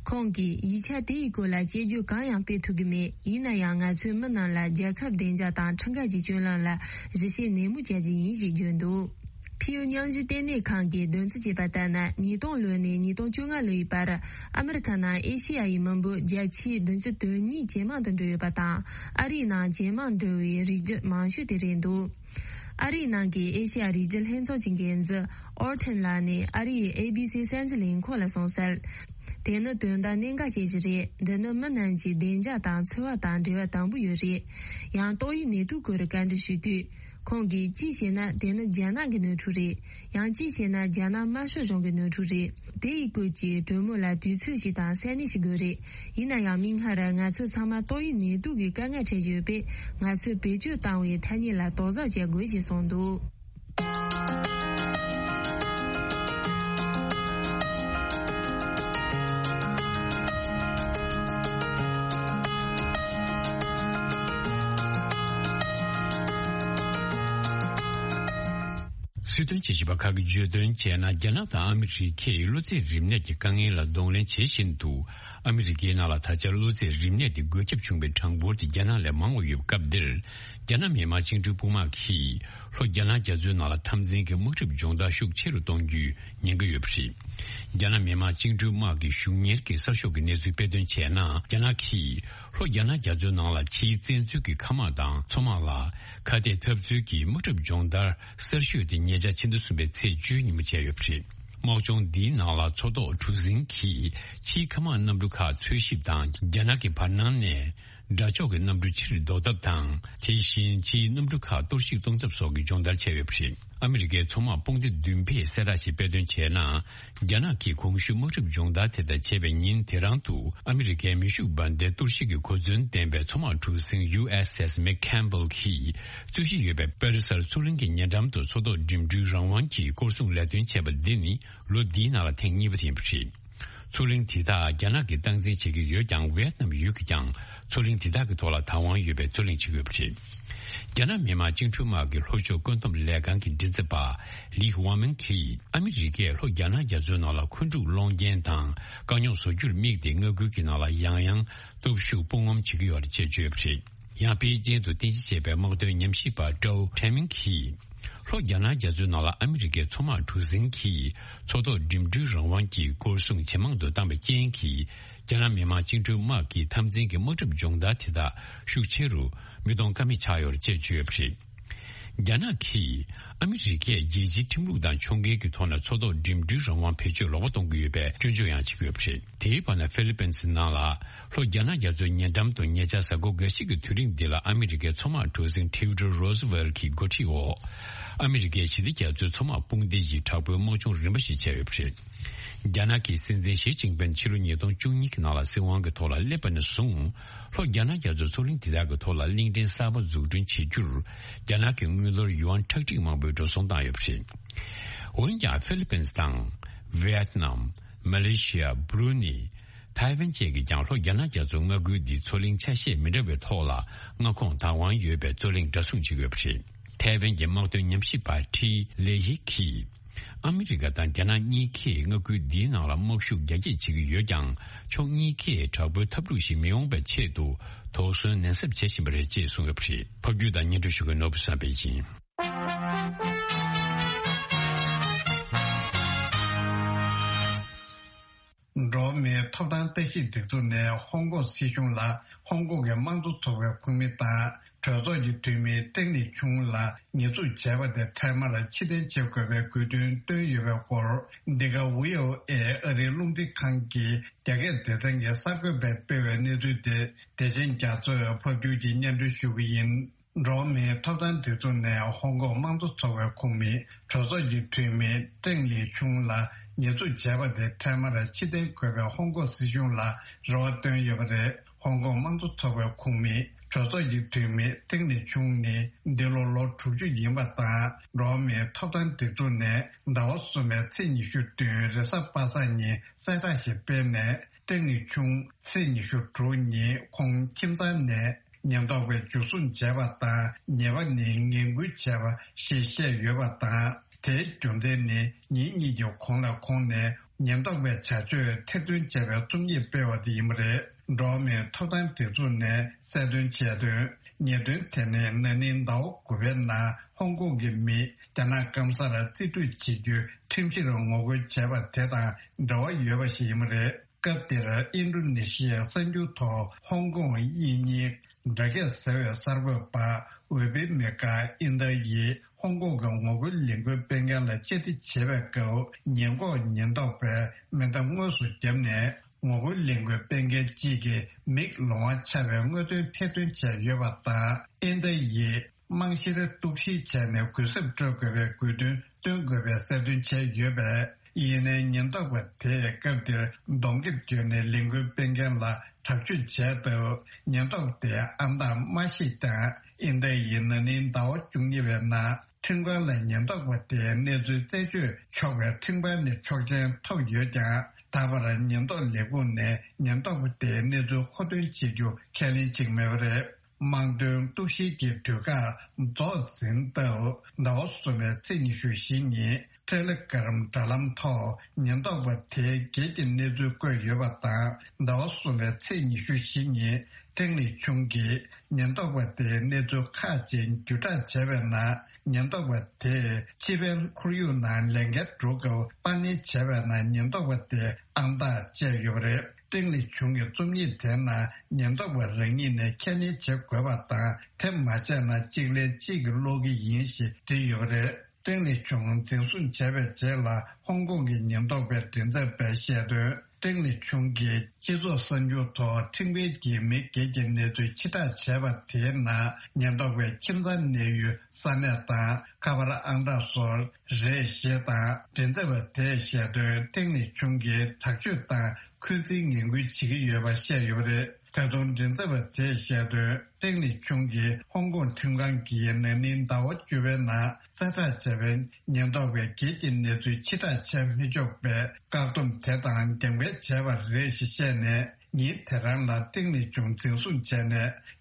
ཁོང་གིས་ཡིག་ཆ་དེའི་སྐོར་ལ་དཔྱད་བརྗོད་གང་ཡང་སྤེལ་ཐུབ་ཀྱི་མེད། ཡིན་ན་ཡང་ང་ཚོས་མི་རྣམས་ལ་རྒྱལ་ཁབ་བདེ་འཇགས་དང་ཁྲིམས་འགལ་གྱི་སྤྱོད་ལམ་ལ་ཞིབ་བཤེར་ནན་མོ་བྱ་རྒྱུ་ཡིན་ཞེས་བརྗོད་འདུག། ཕིའུ་མཉམ་ཞུགས་ལྟེ་གནས་ཁང་གིས་བདེན་རྫུན་བྱས་པ་ལྟར་ན། ཉིས་སྟོང་ལོ་ནས་ཉིས་སྟོང་བཅོ་ལྔ་ལོའི་བར་ཨ་མི་རི་ཁ་ནང་ཨེ་ཤེ་ཡ་ཡི་མི་འབོར་བརྒྱ་ཆའི་བདུན་ཅུ་དོན་གཉིས་ཇེ་མང་དུ་འགྲོ་ཡོད་པ་དང་། ཨ་རིའི་ནང་ཇེ་མང་འགྲོ་བའི་རིགས་རྒྱུད་མང་ཤོས་དེ་རེད་འདུག། ཨ་རིའི་ནང་གི་ཨེ་ཤེ་ཡ་རིགས་རྒྱུད་ལྷན་ཚོགས་ཀྱི་འགན་འཛིན་ཨོར་ཐན་ལགས་ནས་ཨ་རིའི་ཨེ་བི་སི་གསར་འགྱུར་ལས་ཁུངས་ལ་གསུངས་གསལ། དེ་ནི་དོན་དག་གནད་འགག་ཅན་ཞིག་རེད། འདི་ནི་མི་རྣམས་ཀྱི་བདེ་འཇགས་དང་འཚོ་བ་དང་འབྲེལ་བ་དམ་པོ་ཡོད་རེད། ཡང་ཏོག་དབྱིབས་ནད་དུག་སྐོར་བཀའ་འདྲི་ཞུས་དུས། ཁོང་གིས་གཅིག་བྱས་ན་དེ་ནི་རྒྱ་ནག་གི་ནོར་འཁྲུལ་རེད། ཡང་གཅིག་བྱས་ན་རྒྱ་ནག་དམར་ཤོག་གཞུང་གི་ནོར་འཁྲུལ་རེད། དེ་ཡི་སྐོར་གྱི་གྲོས་མོལ་ལ་དུས་ཚོད་ཞིག་དང་ས་གནས་ཤིག་དགོས་རེད། ཡིན་ན་ཡང་མིག་སྔར་ང་ཚོ་ཚང་མ་ཏོག་དབྱིབས་ནད་དུག་གི་དཀའ་ངལ་འཕྲད་བཞིན་ཡོད་པས། ང་ཚོས་བེད་སྤྱོད་བཏང་བའི་ཐ་སྙད་ལ་དོགས་ཟོན་བྱེད་དགོས་ཞེས་གསུངས་འདུག། སྲིད་དོན་དཔྱད་ཞིབ་པ་ཁག་གིས་བརྗོད་དོན་བྱས་ན། རྒྱ་ནག་དང་ཨ་མི་རི་ཁས་གློ་ཚད་རིམས་ནད་ཀྱི་དཀའ་ངལ་ལ་གདོང་ལེན་བྱེད་བཞིན་དུ། ཨ་མི་རི་ཀའི་ནང་ལ་ད་ཆ་གློ་ཚད་རིམས་ནད་དེ་འགོས་ཁྱབ་བྱུང་བའི་གྲངས་འབོར་དེ་རྒྱ་ནག་ལས་མང་བ་ཡོད་པའི་སྐབས་འདིར། རྒྱ་ནག་མི་དམངས་བཅིངས་འགྲོལ་དཔུང་དམག་གིས་ལྷོ་རྒྱ་ནག་རྒྱ་མཚོའི་ནང་ལ་འཐབ་འཛིང་གི་དམག་འཁྲུག་སྦྱོང་བརྡར་ཤུགས་ཆེ་རུ་གཏོང་རྒྱུའི་ཉེན་ཁ་ཡོད་པ་རེད། རྒྱ་ནག་མི་དམངས་བཅིངས་འགྲོལ་དམག་གི་གཞུང་གཉེར་གྱི་གསར་ཤོག་གི་གནས་ཚུལ་དཔེ་སྟོན་བྱས་ན། རྒྱ་ནག་གིས་ལྷོ་རྒྱ་ནག་རྒྱ་མཚོའི་ནང་ལ་ཕྱིའི་བཙན་འཛུལ་གྱི་མཁའ་དམག་དང་མཚོ་དམག་ལ་ཁ་གཏད་འཐབ་རྩོད་ཀྱི་དམག་འཁྲུག་སྦྱོང་བརྡར་གསར་ཤོས་དེ་ཉེ་ཆར་ཕྱི་ཟླ་གསུམ་པའི་ཚེས་བཅུའི་ཉིན་མོ་བྱས་ཡོད་པ་རེད། དམག་སྦྱོང་འདིའི་ནང་ལ་མཚོ་ཐོག་གྲུ་གཟིངས་ཀྱིས་ཕྱིའི་མཁའ་དམག་གནམ་གྲུ་ཁག་འཚོལ་ཞིབ་དང་། རྒྱ་ནག་གི་བར་སྣང་ནས་དགྲ་ཕྱོགས་ཀྱི་གནམ་གྲུ་ཕྱིར་ལྡོག་ཐབས་དང་། དེ་བཞིན་ཕྱིའི་གནམ་གྲུ་ཁག་གཏོར་བཤིག་གཏོང་ཐབས་སོགས་ཀྱི་སྦྱོང་བརྡར་བྱས་ཡོད་པ་རེད། ཨ་མི་རི་ཀའི་མཚོ་དམག་དཔུང་སྡེ་བདུན་པས་གསལ་བསྒྲགས་ཤིག་དཔེ་སྟོན་བྱས་ན། རྒྱ་ནག་གིས་གོང་ཞུས་དམག་འཁྲུག་སྦྱོང་བརྡར་དེ་དག་བྱས་པའི་ཉིན་དེ་རང་དུ། ཨ་མི་རི་ཀའི་མེ་ཤུགས་འབར་མདེལ་གཏོར་བཤིག་གི་གོ་མཚོན་ལྡན་པའི་མཚོ་དམག་གྲུ་གཟིངས་ཡུ་ཨེས་ཨེས་མེག་ཁེམ་བྷལ་གྱིས་རྩོད་གཞི་ཡོད་པའི་པེ་རི་སར་མཚོ་གླིང་གི་ཉེ་འགྲམ་དུ་མཚོ་ཐོག་འགྲིམ་འགྲུལ་རང་དབང་གི་སྐོར་སྲུང་ལས་དོན་བྱས་པ་འདི་ནི་ལོ་འདིའི་ནང་ལ་ཐེངས་གཉིས་པ་དེ་ཡིན་པ་རེད། མཚོ་གླིང་དེ་དག་རྒྱ་ནག་གིས་སྟངས་འཛིན་བྱེད་ཀྱི་ཡོད་ཀྱང་། ཝེ་ཏི་ནམ་ཡུལ་གྱིས་ཀྱང་མཚོ་གླིང་དེ་དག་གི་ཐོག་ལ་བདག་དབང་ཡོད་པའི་རྩོད་གླེང་བྱེད་ཀྱི་ཡོད་པ་རེད། རྒྱ་ནག་མི་དམངས་བཅིངས་འགྲོལ་དམག་གི་ལྷོ་ཕྱོགས་བཀོད་འདོམས་ལས་ཁང་གི་མགྲིན་ཚབ་པ་ལི་ཝང་མིང་གིས། ཨ་མི་རི་ཀས་ལྷོ་རྒྱ་ནག་རྒྱ་མཚོའི་ནང་ལ་འཁོན་འཁྲུག་སློང་རྐྱེན་དང་དཀའ་རྙོག་བཟོ་རྒྱུར་དམིགས་ཏེ། མངའ་ཁུལ་གྱི་ནང་ལ་ཡང་ཡང་སྟོབས་ཤུགས་སྤོང་ངམ་བྱེད་ཀྱི་ཡོད་རེད་ཅེས་བརྗོད་པ་རེད། ཡང་པེ་ཅིན་དུ་རྟེན་གཞི་བྱས་པའི་དམག་དོན་ཉམས་ཞིབ་པ་ཀྲའོ་ཁྲེན་མིང་གིས། ལྷོ་རྒྱ་ནག་རྒྱ་མཚོའི་ནང་ལ་ཨ་མི་རི་ཀའི་མཚོ་དམག་གྲུ་གཟིངས་ཀྱིས་མཚོ་ཐོག་འགྲིམ་འགྲུལ་རང་དབང་གི་སྐོར་སྲུང་ཇེ་མང་དུ་བཏང་བའི་རྐྱེན་གྱིས། རྒྱ་ནག་མི་དམངས་བཅིངས་འགྲོལ་དམག་གི་འཐབ་འཛིང་གི་དམག་འཁྲུག་སྦྱོང་བརྡར་དེ་དག་ཤུགས་ཆེ་རུ་མི་གཏོང་ཀ་མེད་ཆགས་ཡོད་རེད་ཅེས་བརྗོད་པ་རེད། རྒྱ་ནག་གིས་ཨ་མི་རི་ཀས་རྒྱལ་སྤྱིའི་ཁྲིམས་ལུགས་དང་ཕྱོགས་འགལ་གྱི་ཐོག་ནས་མཚོ་ཐོག་འགྲིམ་འགྲུལ་རང་དབང་བེད་སྤྱོད་ལོག་པ་གཏོང་གི་ཡོད་པའི་སྐྱོན་བརྗོད་ཡང་བྱེད་ཀྱི་ཡོད་པ་རེད། དེའི་བར་ན་ཧྥི་ལི་པིན་སི་ནང་ལ་ལྷོ་རྒྱ་ནག་རྒྱ་མཚོའི་ཉེ་འགྲམ་དུ་ཉེ་ཆར་གཟའ་འཁོར་འགའ་ཤས་ཀྱི་དུས་རིང་འདི་ལ་ཨ་མི་རི་ཀའི་མཚོ་དམག་གྲུ་གཟིངས་ཐིའུ་ཌོར་རོ་སི་ཝེལ་གྱི་འགོ་ཁྲིད་འོག་ཨ་མི་རི་ཀའི་ཞི་བདེ་རྒྱ་མཚོའི་མཚོ་དམག་དཔུང་སྡེ་ཡིས་དྲག་པོའི་དམག་སྦྱོང་རིམ་པ་ཞིག་བྱས་ཡོད་པ་རེད། རྒྱ་ནག་གི་སྲིད་འཛིན་ཞི་ཅིན་ཕིན་ཕྱི་ལོ་ཉིས་སྟོང་བཅུ་གཉིས་ཀྱི་ནང་ལ་སྲིད་དབང་གི་ཐོག་ལ་སླེབས་པ་ནས་བཟུང་། ལྷོ་རྒྱ་ནག་རྒྱ་མཚོའི་མཚོ་གླིང་དེ་དག་གི་ཐོག་ལ་གླིང་ཕྲན་གསར་པ་འཛུགས་སྐྲུན་བྱེད་རྒྱུར། རྒྱ་ནག་གིས་དངུལ་ལོར་ཡུ་ཨན་ཁྲག་ཁྲིག་མང་པོའི་འགྲོ་སོང་བཏང་ཡོད་པ་རེད། འོན་ཀྱང་ཧྥི་ལི་པིན་སི་དང་། ཝེ་ཏི་ནམ། མ་ལེ་ཤི་ཡ། བྷུ་རུ་ནི། ཐའེ་ཝན་བཅས་ཀྱིས་ཀྱང་ལྷོ་རྒྱ་ནག་རྒྱ་མཚོའི་མངའ་ཁུལ་འདིའི་མཚོ་གླིང་ཆ་ཤས་མི་འདྲ་བའི་ཐོག་ལ་མངའ་ཁོངས་བདག་དབང་ཡོད་པའི་རྩོད་གླེང་འདྲ་མཚུངས་བྱེད་ཀྱི་ཡོད་པ་རེད། ཐའེ་ཝན་གྱི་དམག་དོན་ཉམས་ཞིབ་པ་ཁྲི་ལེ་ཡི་གིས། ཨ་མི་རི་ཀ་དང་རྒྱ་ནག་གཉིས་ཀས་མངའ་ཁུལ་འདིའི་ནང་ལ་དམག་ཤུགས་རྒྱ་སྐྱེད་བྱེད་ཀྱི་ཡོད་ཀྱང་། ཕྱོགས་གཉིས་ཀས་དྲག་པོའི་འཐབ་འཁྲུག་ཞིག་མི་ཡོང་བའི་ཆེད་དུ་དོགས་ཟོན་ནན་གསབ་བྱེད་བཞིན་པ་རེད་ཅེས་གསུངས་ཡོད་པ་རེད། ཕབ་སྒྱུར་དང་སྙན་སྒྲོན་ཞུ་མཁན་ནོར་བུ་བསམ་འཕེལ་ཡིན། འགྲོ་བ་མིའི་ཐོབ་ཐང་ལྟ་ཞིབ་སྒྲིག་འཛུགས་ནས་ཧོང་ཀོང་སྲིད་གཞུང་ལ་ཧོང་ཀོང་གི་དམངས་གཙོ་ཚོགས་པའི་ཁོངས་མི་དང་གྲོས་ཚོགས་ཀྱི་འཐུས་མི་ཀྲེང་ལི་ཆུང་ལ་ཉེས་འཛུགས་བྱས་པ་དེ་འཕྲལ་མར་ཕྱིར་འཐེན་བྱེད་དགོས་པའི་དགོས་འདུན་བཏོན་ཡོད་པའི་སྐོར། འདི་ག་ཝི་ཨོ་ཨེ་ཨ་རིའི་རླུང་འཕྲིན་ཁང་གི་རྒྱ་སྐད་སྡེ་ཚན་གྱི་གསར་འགོད་པས་སྤེལ་བའི་གནས་ཚུལ་དེ། བདེ་ཆེན་རྒྱ་མཚོས་ཕབ་སྒྱུར་གྱིས་སྙན་སྒྲོན་ཞུ་གི་ཡིན། འགྲོ་བ་མིའི་ཐོབ་ཐང་སྒྲིག་འཛུགས་ནས་ཧོང་ཀོང་དམངས་གཙོ་ཚོགས་པའི་ཁོངས་མི་གྲོས་ཚོགས་ཀྱི་འཐུས་མི་ཀྲེང་ལི་ཆུང་ལ་ཉེས་འཛུགས་བྱས་པ་དེ་འཕྲལ་མར་ཕྱིར་འཐེན་དགོས་པའི་ཧོང་ཀོང་སྲིད་གཞུང་ལ་རེ་བ་བཏོན་ཡོད་པ་རེད། ཧོང་ཀོང་དམངས་གཙོ་ཚོགས་པའི་ཁོངས་མི་ གྲོས་ཚོགས་ཀྱི་འཐུས་མི་ཀྲེང་ལི་ཆུང་ནི་འདི་ལོ་ལོ་དྲུག་ཅུ་ཡིན་པ་དང་། འགྲོ་བ་མིའི་ཐོབ་ཐང་སྒྲིག་འཛུགས་ནས་ཟླ་བ་གསུམ་པའི་ཚེས་ཉི་ཤུ་བདུན་རེས་གཟའ་པ་སངས་ཉིན་གསལ་བསྒྲགས་ཤིག་སྤེལ་ནས། ཀྲེང་ལི་ཆུང་ཚེས་ཉི་ཤུ་དྲུག་ཉིན་ཁོང་ཁྱིམ་ཚང་ནས་ཉེན་རྟོག་པས་འཇུ་བཟུང་བྱས་པ་དང་། ཉེས་པ་ནི་ངན་སྐུལ་བྱས་པ་ཞེས་བཤད་ཡོད་པ་དང་། དེའི་རྒྱུ་མཚན་ནི་ཉིན་གཉིས་ཀྱི་གོང་ལ་ཁོང་ནས་ཉེན་རྟོག་པའི་བྱ་སྤྱོད་ཐེར་འདོན་བྱས་པའི་རྩོམ་ཡིག་སྤེལ་བ་དེ་ཡིན་པ་རེད། འགྲོ་བ་མིའི་ཐོབ་ཐང་སྒྲིག་འཛུགས་ནས་གསལ་སྟོན་བྱས་དོན། ཉེས་དོན་དེ་ནི་ན་ནིང་ཟླ་བ་དགུ་པའི་ནང་ཧོང་ཀོང་གི་མི་རྒྱ་ནག་སྐམ་སར་རྩིས་སྤྲོད་བྱེད་རྒྱུའི་ཁྲིམས་གཞིར་ངོ་རྒོལ་བྱས་པ་དེ་དང་འབྲེལ་བ་ཡོད་པ་ཞིག་ཡིན་པ་རེད། སྐབས་དེར་ཨིན་ཌོ་ནེ་ཤི་ཡའི་གསར་འགྱུར་ཐོག་ཧོང་ཀོང་དབྱིན་ཉིན་སྒྲ་སྐད་ཟེར་བའི་གསར་འགོད་པ་འོས་འཕེན་མི་ཁ་ཨིན་ཏཱ་ཡིས་ཧོང་ཀོང་གི་ངོ་རྒོལ་ལས་འགུལ་སྤེལ་མཁན་ལ་བཅར་འདྲི་བྱེད་པའི་སྐབས། ཉེན་འགོག་ཉེན་རྟོག་པས་མེ་མདའ་དངོས་སུ་བརྒྱབ་ནས། ངོ་རྒོལ་ལས་འགུལ་སྤེལ་མཁན་གཅིག་གི་མིག་ལོང་བ་ཆགས་པའི་དངོས་དོན་ཐེར་འདོན་བྱས་ཡོད་པ་དང་། ཨིན་ཏཱ་ཡིས་རྨང་གཞིར་གཏུག་བཤེར་བྱས་ནས་གུན་གསབ་སྤྲོད་དགོས་པའི་དགོས་འདུན་བཏོན་དགོས་པའི་གསལ་སྟོན་བྱས་ཡོད་པས། ཡིན་ནའི་ཉེན་རྟོག་པ་དེས་སྐབས་དེར་གདོང་ཁེབས་གྱོན་ནས་ལས་འགུལ་སྤེལ་མཁན་ལ་དྲག་སྤྱོད་བྱས་སྟབས། ཉེན་རྟོག་པ་དེའི་ཨང་རྟགས་མ་ཤེས་ཀྱང་། ཨིན་ཏཱ་ཡིས་ན་ནིང་ཟླ་བ་བཅུ་གཉིས་པའི་ནང་ཁྲིམས་ཁང་ལ་ཉེན་རྟོག་པ་དེའི་གནས་ཚུལ་རྩད་གཅོད་ཆོག་པའི་ཁྲིམས་ཁང་ནས་ཆོག་མཆན་ཐོབ་ཡོད་ཀྱང་། ད་བར་ཉེན་རྟོག་ལས་ཁུངས་ནས་ཉེན་རྟོག་པ་དེའི་གནས་ཚུལ་མཁོ་འདོན་བྱེད་རྒྱུ་ཁས་ལེན་བྱེད་ཀྱི་མེད་པ་རེད། དམངས་དོན་གཏུག་བཤེར་གྱི་དུས་བཀག་རྫོགས་ཟིན་སྟབས། ཟླ་བ་གསུམ་པའི་ཚེས་ཉི་ཤུ་བཞི་ཉིན་ཊེ་ལེ་གྷ་རམ་དྲ་ལམ་ཐོག་ཉེན་རྟོག་པ་དེའི་སྒེར་གྱི་གནས་ཚུལ་བཀོད་ཡོད་པ་དང་། ཟླ་བ་གསུམ་པའི་ཚེས་ཉི་ཤུ་བཞི་ཉིན་ཀྲེང་ལི་ཆུང་གིས་ཉེན་རྟོག་པ་དེའི་གནས་ཚུལ་ཁག་ཅིག་བརྒྱུད་བསྒྲགས་བྱས་པའི་ནང་། ཉེན་རྟོག་པ་དེས་ཕྱི་པའི་ཁོར་ཡུག་ནང་ལས་འགན་སྒྲུབ་སྐབས་དཔང་ལེན་བྱས་པའི་ནང་ཉེན་རྟོག་པ་དེའི་ཨང་རྟགས་བཅད་ཡོད་པ་རེད། ཀྲེང་ལི་ཆུང་གི་རྩོམ་ཡིག་དེའི་ནང་ཉེན་རྟོག་པ་རང་ཉིད་ནས་ཁས་ལེན་བྱེད་དགོས་པ་དང་། དེ་མ་བྱས་ན་གཅིག་ལན་གཅིག་གིས་སློག་གི་ཡིན་ཞེས་བྲིས་ཡོད་པ་རེད། ཀྲེང་ལི་ཆུང་འཛིན་བཟུང་བྱས་པའི་རྗེས་ལ། ཧོང་ཀོང་གི་ཉེན་རྟོག་པའི་མགྲིན་ཚབ་པས་བཤད་དོན། ཀྲེང་ལི་ཆུང་གིས་སྤྱི་ཚོགས་གསར་འགྱུར་ཐོག་ཁྲིམས་འགལ་གྱིས་མི་སྒེར་གྱི་གནས་ཚུལ་ཕྱིར་བསྒྲགས་བྱས་པ་དེའི་ནང་། ཉེན་རྟོག་པའི་ཁྱིམ་ཚང་གནས་ཡུལ་ས་གནས་དང་། ཁ་པར་ཨང་གྲངས་སོགས་རེད་ཞེས་དང་། མགྲིན་ཚབ་པ་དེས་བཤད་དོན། ཀྲེང་ལི་ཆུང་གིས་དྲག་སྤྱོད་དང་འཁོན་འཛིན་ངན་སྐུལ་བྱེད་ཀྱི་ཡོད་པ་བཤད་ཡོད་པ་རེད། ད་དུང་མགྲིན་ཚབ་པ་དེས་བཤད་དོན། ཀྲེང་ལི་ཆུང་གིས་ཧོང་ཀོང་ཁྲིམས་ཁང་གིས་ན་ནིང་ཟླ་བ་བཅུ་པའི་ནང་གསལ་བསྒྲགས་བྱས་པའི་ཉེན་རྟོག་པའི་སྒེར་གྱི་གནས་ཚུལ་ཕྱིར་བསྒྲགས་བྱས་མི་ཆོག་པའི་བཀག་སྡོམ་དེ་དང་འགལ་འབེལ་བྱས་པ་རེད་ཞེས་བཤད་ནས། ཉིན་དེ་རང་ལ་ཀྲེང་ལི་ཆུང་འཛིན་བཟུང་བྱས་ནས།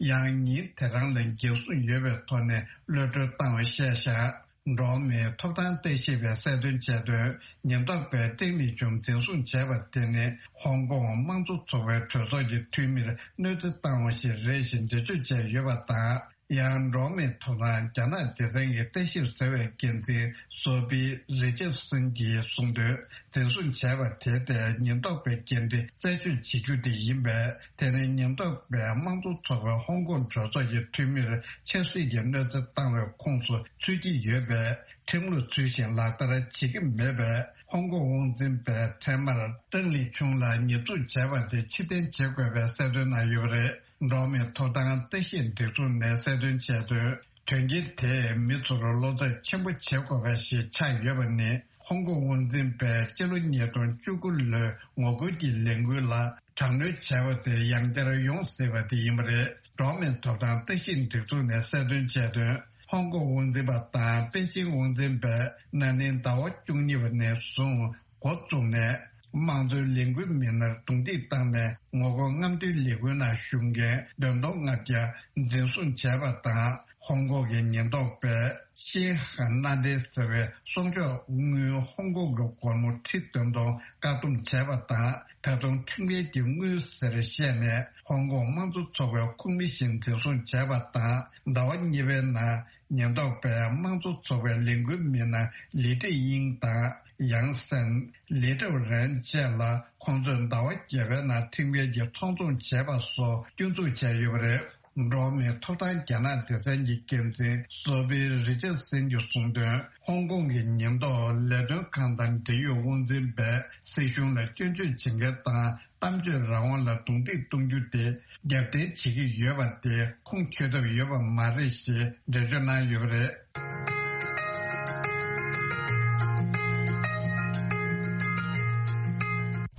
ཡང་ཉིན་དེ་རང་ལ་འགན་སྲུང་ཡོད་པའི་ཐོག་ནས་གློད་གྲོལ་བཏང་བ་བཤད་བཞག་འགྲོ་བ་མིའི་ཐོབ་ཐང་ལྟ་ཞིབ་པས་གསལ་སྟོན་བྱས་དོན། ཉེན་རྟོག་པས་ཀྲེང་ལི་ཆུང་འཛིན་བཟུང་བྱས་པ་དེ་ནི་ཧོང་ཀོང་དམངས་གཙོ་ཚོགས་པའི་གྲོས་ཚོགས་ཀྱི་འཐུས་མིར་གནོད་འཚེ་བཏང་བ་ཞིག་རེད་ཞེས་འགྲེལ་བརྗོད་བྱས་ཡོད་པ་དང་། ཡང་འགྲོ་བ་མིའི་ཐོབ་ཐང་རྒྱ་ནག་སྡེ་ཚན་གྱི་ལྟ་ཞིབ་ཟེར་བའི་འགན་འཛིན་སོ་ཕི་རི་ཅར་སན་གྱིས་གསུངས་དོན། འཛིན་བཟུང་བྱས་པ་དེ་དེ་ཉེན་རྟོག་པའི་འགན་འཁྲི་རྩད་གཅོད་བྱེད་རྒྱུ་དེ་ཡིན་པས། དེ་ནི་ཉེན་རྟོག་པས་དམངས་གཙོ་ཚོགས་པའི་ཧོང་ཀོང་གྲོས་ཚོགས་ཀྱི་འཐུས་མིར་ཆབ་སྲིད་ཀྱི་གནོད་འཚེ་བཏང་བའི་ཁོངས་སུ་ཚུད་ཀྱི་ཡོད་པས། ཁྲིམས་ལུགས་ཚུལ་བཞིན་ལག་བསྟར་བྱེད་ཀྱི་མེད་པས། ཧོང་ཀོང་དབང་འཛིན་པས་འཕྲལ་མར་ཀྲེང་ལི་ཆུང་ལ་ཉེས་འཛུགས་བྱས་པ་དེ་ཕྱིར་འཐེན་བྱེད་དགོས་པའི་གསལ་སྟོན་གནང་ཡོད་པ་རེད། འགྲོ་བ་མིའི་ཐོབ་ཐང་ལྟ་ཞིབ་སྒྲིག་འཛུགས་ནས་གསལ་སྟོན་བྱས་དོན། དོན་རྐྱེན་དེས་མི་ཚོར་བློ་འཚབ་ཆེན་པོ་བྱེད་དགོས་པ་ཞིག་ཆགས་ཡོད་པ་ནི། ཧོང་ཀོང་དབང་འཛིན་པས་སྤྱི་ལོ་ཉིས་སྟོང་བཅུ་དགུ་ལོའི་ངོ་རྒོལ་གྱི་ལས་འགུལ་ལ་དྲག་གནོན་བྱས་པ་དེ་ཡང་བསྐྱར་ཡོང་སྲིད་པ་དེ་ཡིན་པ་རེད། འགྲོ་བ་མིའི་ཐོབ་ཐང་ལྟ་ཞིབ་སྒྲིག་འཛུགས་ནས་གསལ་སྟོན་བྱས་དོན། ཧོང་ཀོང་དབང་འཛིན་པ་དང་པེ་ཅིང་དབང་འཛིན་པས་ན་ནིང་ཟླ་བ་བཅུ་གཉིས་པ་ནས་བཟུང་འགོ་བཙུགས་ནས། དམངས་གཙོའི་ལས་འགུལ་མི་སྣར་རྡུང་རྡེག་བཏང་ནས། ངོ་རྒོལ་རྔམ་སྟོན་ལས་འགུལ་ནང་ཞུགས་མཁན་བདུན་སྟོང་ལྔ་བརྒྱ་འཛིན་བཟུང་བྱས་པ་དང་། ཧོང་ཀོང་གི་ཉེན་རྟོག་པས་ཤིན་ཧ་ན་ཏེ་ཟེར་བའི་གསུང་ཆོག་དངུལ་ཧོང་ཀོང་གི་སྒོར་མོ་ཁྲི་བདུན་སྟོང་བཀག་སྡོམ་བྱས་པ་དང་། ད་དུང་ཁྲིམས་འགལ་གྱི་དངུལ་ཟེར་བཤད་ནས་ཧོང་ཀོང་དམངས་གཙོ་ཚོགས་པའི་ཁོངས་མི་ཞིག་འཛིན་བཟུང་བྱས་པ་དང་། ཟླ་བ་གཉིས་པའི་ནང་། ཉེན་རྟོག་པས་དམངས་གཙོ་ཚོགས་པའི་ལས་འགུལ་མི་སྣ་ལི་ཀྲི་དབྱིང་དང་ཡང་སན། ལི་ཀྲའོ་རན་བཅས་ལ་ཁོང་ཚོས་ཟླ་བ་བརྒྱད་པའི་ནང་ཁྲིམས་འགལ་གྱི་ཚོགས་འཛོམས་བྱས་པ་སོགས་སྐྱོན་འཛུགས་བྱས་ཡོད་པ་རེད། འགྲོ་བ་མིའི་ཐོབ་ཐང་རྒྱ་ནག་སྡེ་ཚན་གྱི་འགན་འཛིན་སོ་ཕི་རི་ཅར་སན་གྱིས་གསུངས་དོན། ཧོང་ཀོང་གི་ཉེན་རྟོག་ལས་དོན་ཁང་དང་འབྲེལ་ཡོད་དབང་འཛིན་པས་སྲིད་གཞུང་ལ་སྐྱོན་བརྗོད་བྱེད་མཁན་དང་། གཏམ་བརྗོད་རང་དབང་ལ་རྡུང་རྡེག་གཏོང་རྒྱུ་དེ་རྒྱབ་རྟེན་བྱེད་ཀྱི་ཡོད་པ་དེ་ཁུངས་འཁྱོལ་ཐབས་ཡོད་པ་མ་རེད་ཞེས་འགྲེལ་བརྗོད་གནང་ཡོད་པ་རེད།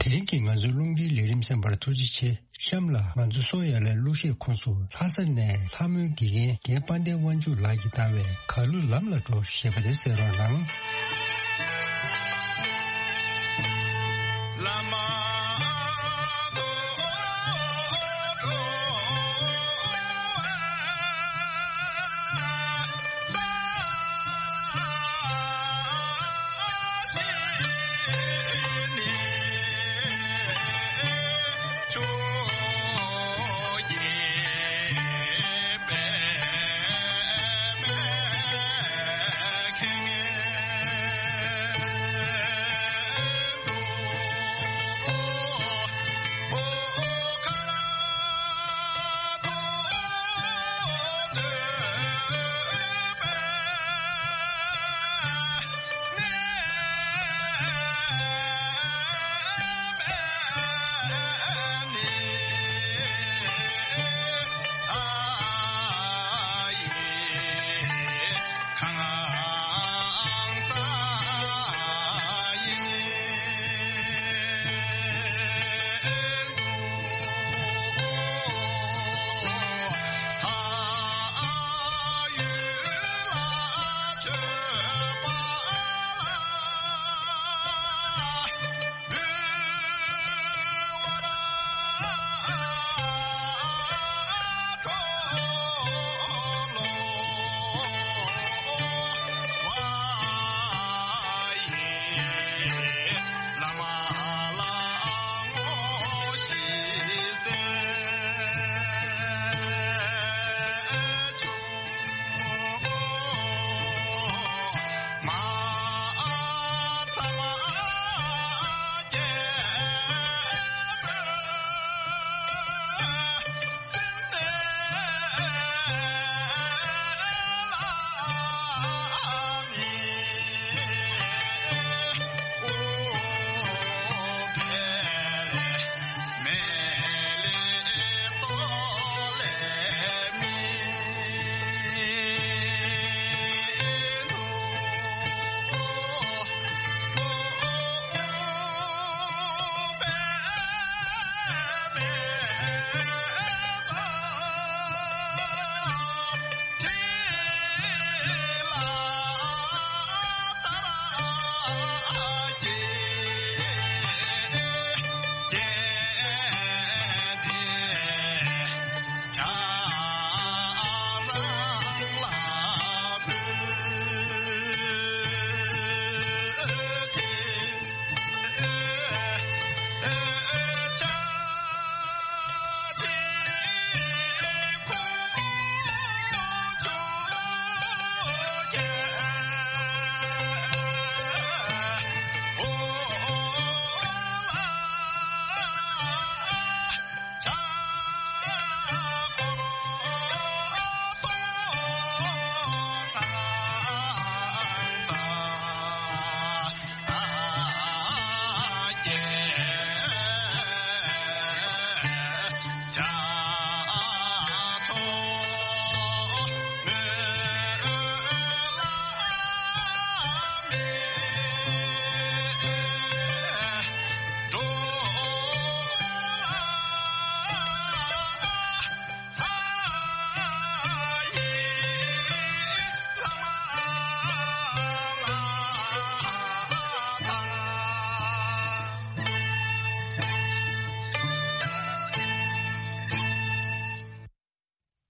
དེ་རིང་གི་ང་ཚོའི་རླུང་འཕྲིན་ལས་རིམ་གསན་པར་ཐུགས་རྗེ་ཆེ། གཤམ་ལ་ང་ཚོ་སོ་ཡ་ལའི་གླུ་གཞས་ཁོངས་སུ་ལྷ་ས་ནས་ལྷ་མོའི་དགེ་རྒན་རྒན་དཔལ་ལྡན་དབང་ཕྱུག་ལགས་ཀྱིས་བཏང་བའི་གར་གླུ་ལམ་ལ་འགྲོ་ཞེས་པ་དེ་གསན་རོགས་གནང་།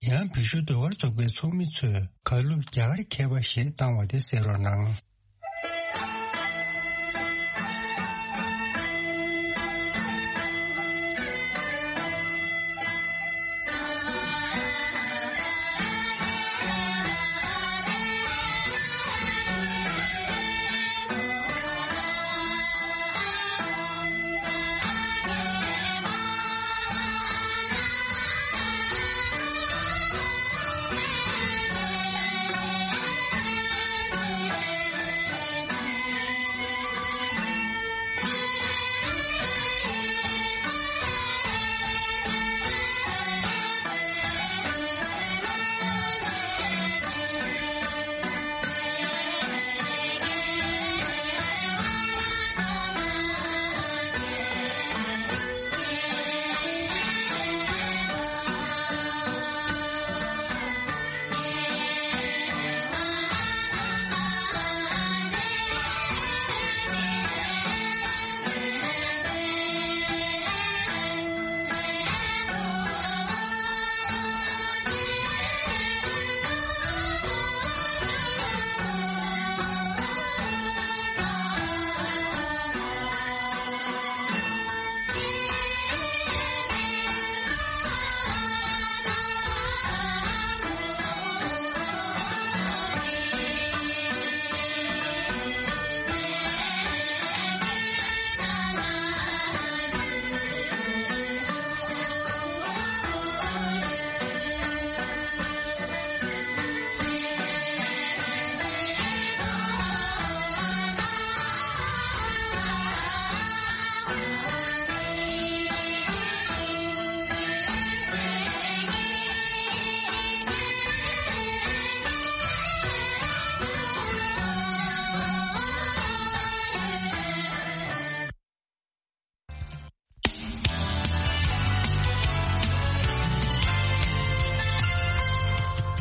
ཡང་བོད་གཞུང་ཟློས་གར་ཚོགས་པའི་ཚོགས་མི་ཚོས་གར་གླུ་རྒྱ་གར་མཁས་པ་ཞེས་བཏང་བ་དེ་གསན་རོགས་གནང་།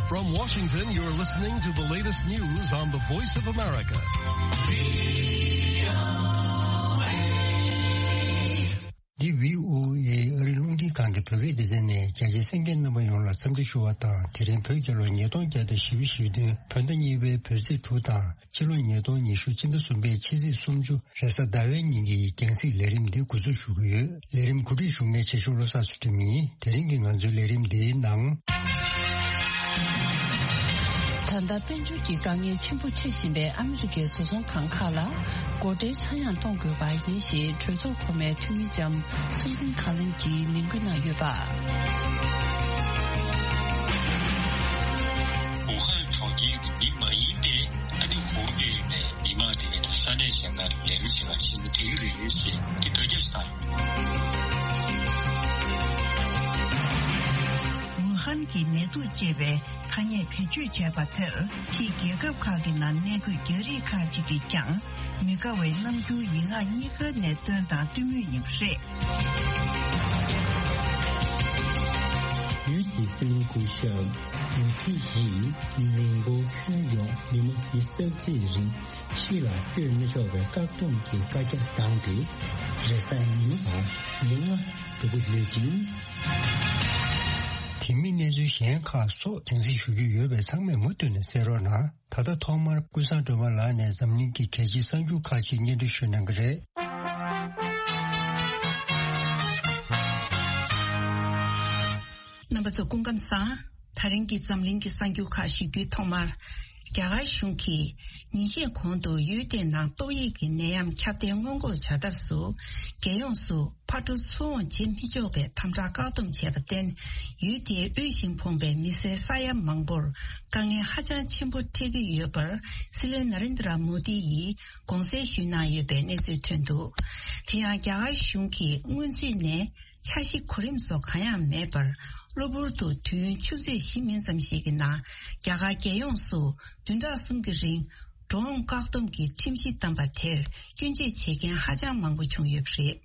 From Washington, you're listening to the latest news on the Voice of America. འདི་བྷི་ཨོ་ཨེ་ཨ་རིའི་རླུང་འཕྲིན་ཁང་གི་བོད་སྐད་སྡེ་ཚན་ནས། རྒྱ་ཆེའི་གསན་མཁན་རྣམ་པ་ཡོངས་ལ་འཚམས་འདྲི་ཞུ་བ་དང་། དེ་རིང་བོད་རྒྱལ་ལོ་ཉིས་སྟོང་བརྒྱ་དང་བཞི་བཅུ་ཞེ་བདུན་བོད་ཟླ་གཉིས་པའི་བོད་ཚེས་དྲུག་དང་། ཕྱི་ལོ་ཉིས་སྟོང་ཉི་ཤུ་སྤྱི་ཟླ་གསུམ་པའི་ཕྱི་ཚེས་སུམ་ཅུ་རེས་གཟའ་ཟླ་བའི་ཉིན་གྱི་རྒྱང་སྲིང་ལས་རིམ་འདི་འགོ་འཛུགས་ཞུ་གི་ཡོད། ལས་རིམ་གོ་སྒྲིག་ཞུ་མཁན་ཆེ་ཤོས་བློ་བཟང་ཚུལ་ཁྲིམས་ཡིན། དེ་རིང་གི་ང་ཚོའི་ལས་རིམ་འདིའི་ནང་། ད་ལྟ་དཔལ་འབྱོར་གྱི་དཀའ་ངལ་ཆེན་པོ་འཕྲད་བཞིན་པའི་ཨ་མི་རི་ཀའི་བཟོ་ཚོང་ཁང་ཁག་ལ་སྒོ་ཁྲལ་ཆག་ཡང་གཏོང་དགོས་པ་ཡིན་ཞེས་གྲོས་ཚོགས་གོང་མའི་འཐུས་མི་ལྕམ་སུ་ཟན་ཁ་ལིན་གྱིས་ནན་སྐུལ་གནང་ཡོད་པ། ཝུ་ཧན་གྲོང་ཁྱེར་གྱི་མི་མ་ཡིན་པའི་ཨ་ནི་ཧུའུ་པེ་ནས་མི་མང་དེ་ས་གནས་གཞན་ལ་ལས་ཀ་བྱེད་ག་ཕྱིན་ན་འགྲིག་གི་རེད་ཞེས་ཀྱི་དོ་ཁྱབ་བཏང་ཡོད། ཝུ་ཧན་གྱི་ནད་དུག་ཅེས་པའི་ཐ་སྙད་བེད་སྤྱོད་བྱས་པ་དེར་ཕྱིའི་རྒྱལ་ཁབ་ཁག་གི་ནང་གནས་འཁོད་རྒྱ་རིགས་ཁག་ཅིག་གིས་ཀྱང་མི་དགའ་བའི་རྣམ་འགྱུར་ཡིག་ངག་གཉིས་ཀ་ནས་སྟོན་དང་སྟོན་མུས་ཡིན་པ་རེད། ཡུལ་དེའི་སྲིད་བློན་སྐུ་ཞབས་མུ་དྷི་ཡིས་མི་འབོར་ཁྱོན་ཡོངས་ཉིན་མོ་ཉི་ཤུ་རྩ་གཅིག་རིང་ཕྱི་ལ་བསྐྱོད་མི་ཆོག་པའི་བཀག་སྡོམ་གྱི་བཀའ་རྒྱ་བཏང་སྟེ། རེས་གཟའ་ཉིན་དང་ཉིན་ལྔ་འགྲོ་གི་ཡོད་ཅིང་། དེ་མིན་གནས་ཚུལ་གཞན་ཁག་སོགས་རྒྱང་སྲིང་ཞུ་རྒྱུ་ཡོད་པས་ཚང་མས་མུ་མཐུད་ནས་གསན་རོགས་གནང་། ད་ལྟ་ཐོག་མར་ཀུན་བཟང་སྒྲོལ་མ་ལགས་ནས་འཛམ་གླིང་གི་གལ་ཆེའི་གསར་འགྱུར་ཁག་ཅིག་སྙན་སྒྲོན་ཞུ་གནང་གི་རེད། རྣམ་པ་ཚོ་སྐུ་ཁམས་བཟང་། ད་རིང་གི་འཛམ་གླིང་གི་གསར་འགྱུར་ཁག་ཞུ་རྒྱུའི་ཐོག་མར། རྒྱ་གར་གཞུང་གིས་ཉིན་ཤས་གོང་དུ་ཡུལ་དེའི་ནང་ཏོག་དབྱིབས་ཀྱི་ནད་ཡམས་ཁྱབ་གདལ་སྔོན་འགོག་བྱ་ཐབས་སུ། རྒྱལ་ཡོངས་སུ་ཕར་འགྲོ་ཚུར་འོང་བྱེད་མི་ཆོག་པའི་དམ་དྲག་བཀག་སྡོམ་བྱས་པར་བརྟེན། ཡུལ་དེའི་དབུལ་ཞིང་ཕོངས་པའི་མི་སེར་ས་ཡ་མང་པོར་དཀའ་ངལ་ཧ་ཅང་ཆེན་པོ་འཕྲད་ཀྱི་ཡོད་པར། སྲིད་བློན་ན་རེན་དྲ་མོ་དི་ཡིས་དགོངས་སེལ་ཞུས་གནང་ཡོད་པའི་གནས་ཚུལ་ཐོན་འདུག། དེ་ཡང་རྒྱ་གར་གཞུང་གིས་སྔོན་ཚུད་ནས། འཆར་གཞི་གོ་རིམ་སོགས་གང་ཡང་མེད་པར། གློ་བུར་དུ་དུས་ཡུན་ཆུ་ཚོད་བཞི་མིན་ཙམ་ཞིག་གི་ནང་། རྒྱ་གར་རྒྱལ་ཡོངས་སུ་བདུན་ཕྲག་གསུམ་གྱི་རིང་། འགྲོ་འོང་བཀག་སྡོམ་གྱི་ཁྲིམས་གཞི་བཏང་པ་དེར་སྐྱོན་བརྗོད་བྱེད་མཁན་ཧ་ཅང་མང་པོ་བྱུང་ཡོད་པ་རེད།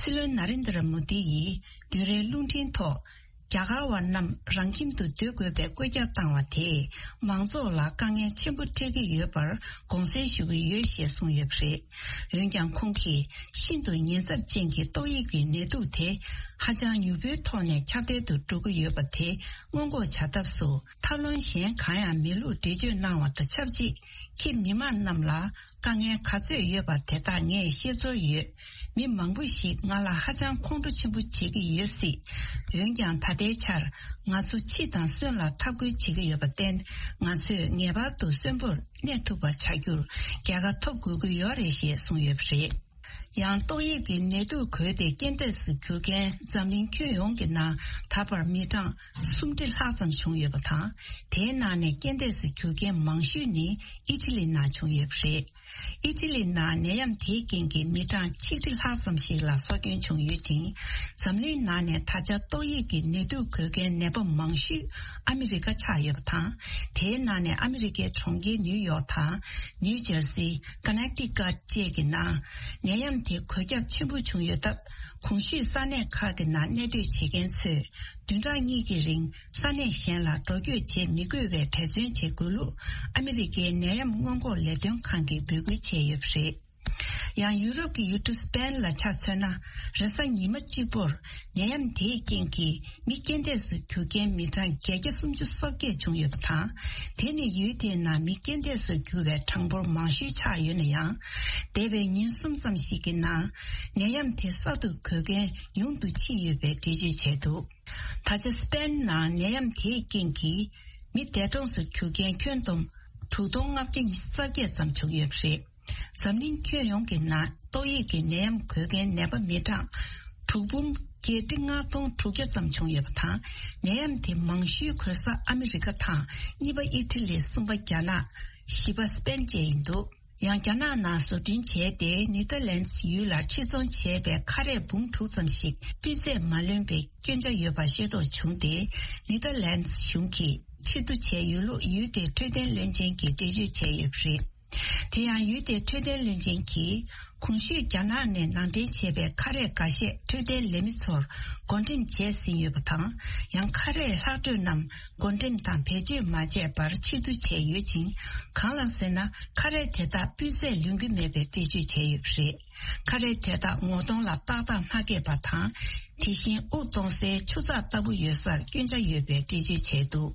སྲིད་བློན་ན་རེན་དྲ་མོ་དི་ཡིས་བདུན་རེའི་རླུང་འཕྲིན་ཐོག། རྒྱ་གར་བ་རྣམས་རང་ཁྱིམ་དུ་སྡོད་དགོས་པའི་བཀོད་ཁྱབ་བཏང་བ་དེས་མང་ཚོགས་ལ་དཀའ་ངལ་ཆེན་པོ་འཕྲད་ཀྱི་ཡོད་པར་དགོངས་སེལ་ཞུ་གི་ཡོད་ཞེས་གསུངས་ཡོད་པ་རེད། འོན་ཀྱང་ཁོང་གིས་ཤིན་ཏུ་ཉེན་ཚབས་ཅན་གྱི་ཏོག་དབྱིབས་ཀྱི་ནད་དུག་དེ་ཧ་ཅང་མྱུར་པོའི་ཐོག་ནས་ཁྱབ་གདལ་དུ་འགྲོ་གི་ཡོད་པ་དེ་སྔོན་འགོག་བྱ་ཐབས་སུ་ཐབས་ལམ་གཞན་གང་ཡང་མེད་ལུགས་འགྲེལ་བརྗོད་གནང་བ་དང་ཆབས་ཅིག། ཁྱེད་མི་མང་རྣམས་ལ་དཀའ་ངལ་ག་ཚོད་ཡོད་པ་དེ་དག་ངས་ཤེས་ཚོར་ཡོད། མི་མང་པོ་ཞིག་ང་ལ་ཧ་ཅང་ཁོང་ཁྲོ་ཆེན་པོ་བྱེད་ཀྱི་ཡོད་སྲིད། འོན་ཀྱང་ད་ལྟའི་ཆར་ང་ཚོ་འཆི་དང་གསོན་ལ་འཐབ་རྒོལ་བྱེད་ཀྱི་ཡོད་པར་བརྟེན། ང་ཚོས་ངེས་པར་དུ་གསོན་པོར་གནས་ཐུབ་པ་བྱ་རྒྱུར་རྒྱལ་ཁ་ཐོབ་དགོས་ཀྱི་ཡོད་རེད་ཞེས་གསུངས་ཡོད་པ་རེད། ཡང་ཏོག་དབྱིབས་ཀྱི་ནད་དུག་འགོས་ཏེ་རྐྱེན་འདས་སུ་གྱུར་མཁན་འཛམ་གླིང་ཁྱོན་ཡོངས་ཀྱི་ནང་ད་བར་མི་གྲངས་སུམ་ཁྲི་ལྷག་ཙམ་བྱུང་ཡོད་པ་དང་། དེའི་ནང་ནས་རྐྱེན་འདས་སུ་གྱུར་མཁན་མང་ཤོས་ནི་ཨི་ཊ་ལི་ནང་བྱུང་ཡོད་པ་རེད། ཨི་ཊ་ལི་ནང་ནད་ཡམས་དེའི་རྐྱེན་གྱིས་མི་གྲངས་ཆིག་ཁྲི་ལྷག་ཙམ་ཞིག་ལ་སྲོག་སྐྱོན་བྱུང་ཡོད་ཅིང་། འཛམ་གླིང་ནང་ནས་ད་ཆ་ཏོག་དབྱིབས་ཀྱི་ནད་དུག་འགོས་མཁན་ནད་པ་མང་ཤོས་ཨ་མི་རི་ཀ་ཆགས་ཡོད་པ་དང་། དེའི་ནང་ནས་ཨ་མི་རི་ཀའི་གྲོང་ཁྱེར་ནིའུ་ཡོག་དང་། ནིའུ་ཇར་སི། ཀ་ནེག་ཊི་ཀཊ་བཅས་ཀྱི་ནང་ནད་ཡམས་དེ་འགོས་ཁྱབ་ཆེན་པོ་བྱུང་ཡོད་སྟབས། གོང་ཞུས་ས་གནས་ཁག་གི་ནང་གནས་སྡོད་བྱེད་མཁན་ཚོས་བདུན་ཕྲག་གཉིས་ཀྱི་རིང་ས་གནས་གཞན་ལ་འགྲོ་སྐྱོད་བྱེད་མི་དགོས་པའི་འབད་བརྩོན་བྱེད་དགོས་ལུགས་ཨ་མི་རི་ཀའི་ནད་ཡམས་སྔོན་འགོག་ལས་དོན་ཁང་གིས་འབོད་སྐུལ་བྱས་ཡོད་པ་རེད། ཡང་ཡུ་རོབ་ཀྱི་ཡུལ་གྲུ་སི་པེན་ལ་ཆ་མཚོན་ན། རེས་གཟའ་ཉི་མ་གཅིག་པོར་ནད་ཡམས་དེའི་རྐྱེན་གྱིས་མི་རྐྱེན་འདས་སུ་གྱུར་མཁན་མི་གྲངས་བརྒྱད་བརྒྱ་སུམ་ཅུ་སོ་བརྒྱད་བྱུང་ཡོད་པ་དང་། དེ་ནི་ཡུལ་དེའི་ནང་མི་རྐྱེན་འདས་སུ་གྱུར་བའི་གྲངས་འབོར་མང་ཤོས་ཆགས་ཡོད་ན་ཡང་། འདས་པའི་ཉིན་གསུམ་ཙམ་ཞིག་གི་ནང་ནད་ཡམས་དེ་གསར་དུ་འགོས་མཁན་ཉུང་དུ་ཕྱིན་ཡོད་པའི་འགྲེལ་བརྗོད་བྱས་འདུག། ད་ཆ་སི་པེན་ནང་ནད་ཡམས་དེའི་རྐྱེན་གྱིས་མི་འདས་གྲོངས་སུ་གྱུར་མཁན་ཁྱོན་བསྡོམས་དྲུག་སྟོང་ལྔ་བརྒྱ་ཉི་ཤུ་རྩ་བརྒྱད་ཙམ་བྱུང་ཡོད་པ་རེད། འཛམ་གླིང་ཁྱོན་ཡོངས་ཀྱི་ནང་ཏོག་དབྱིབས་ཀྱི་ནད་ཡམས་འགོས་མཁན་ནད་པ་མི་གྲངས་དྲུག་འབུམ་བརྒྱད་ཁྲི་ལྔ་སྟོང་དྲུག་བརྒྱ་ཙམ་བྱུང་ཡོད་པ་དང་། ནད་ཡམས་དེ་མང་ཤོས་འགོས་ས་ཨ་མི་རི་ཀ་དང་། གཉིས་པ་ཨི་ཊ་ལི། གསུམ་པ་རྒྱ་ནག། བཞི་པ་སི་པེན་བཅས་ཡིན་འདུག། ཡང་རྒྱ་ནག་ནང་བཟོ་སྐྲུན་བྱས་ཏེ་ནེ་ཐར་ལན་སི་ཡུལ་ལ་ཕྱིར་ཚོང་བྱས་པའི་ཁ་རས་འབུམ་དྲུག་ཙམ་ཞིག་སྤུས་ཚད་མ་ལོན་པའི་སྐྱོན་ཆ་ཡོད་པ་ཤེས་རྟོགས་བྱུང་སྟེ། ནེ་ཐར་ལན་སི་གཞུང་གིས་ཕྱིར་བསྡུ་བྱས་ཡོད་ལུགས་ཡུལ་དེའི་འཕྲོད་བསྟེན་བློན་ཆེན་གྱིས་འགྲེལ་བརྗོད་བྱས་ཡོད་པ་རེད། དེ་ཡང་ཡུལ་དེའི་འཕྲོད་བསྟེན་བློན་ཆེན་གྱིས། གོང་ཞུས་རྒྱ་ནག་ནས་ནང་འདྲེན་བྱས་པའི་ཁ་རས་འགའ་ཤས་འཕྲོད་བསྟེན་ལས་མི་ཚོར་བགོ་འགྲེམས་བྱས་ཟིན་ཡོད་པ་དང་། ཡང་ཁ་རས་ལྷག་འཕྲོས་རྣམས་བགོ་འགྲེམས་དང་བེད་སྤྱོད་མ་བྱས་པར་ཕྱིར་བསྡུ་བྱས་ཡོད་ཅིང་། གང་ལ་ཟེར་ན། ཁ་རས་དེ་དག་སྤུས་ཚད་ལོན་གྱི་མེད་པའི་འགྲེལ་བརྗོད་བྱས་ཡོད་པ་རེད། ཁ་རས་དེ་དག་ངོ་གདོང་ལ་ཏག་ཏག་མ་བཀལ་བ་དང་། དེ་བཞིན་དབུགས་གཏོང་སའི་ཆུ་ཚགས་ལྟ་བུ་ཡོད་སར་སྐྱོན་ཆ་ཡོད་པའི་འགྲེལ་བརྗོད་བྱས་འདུག་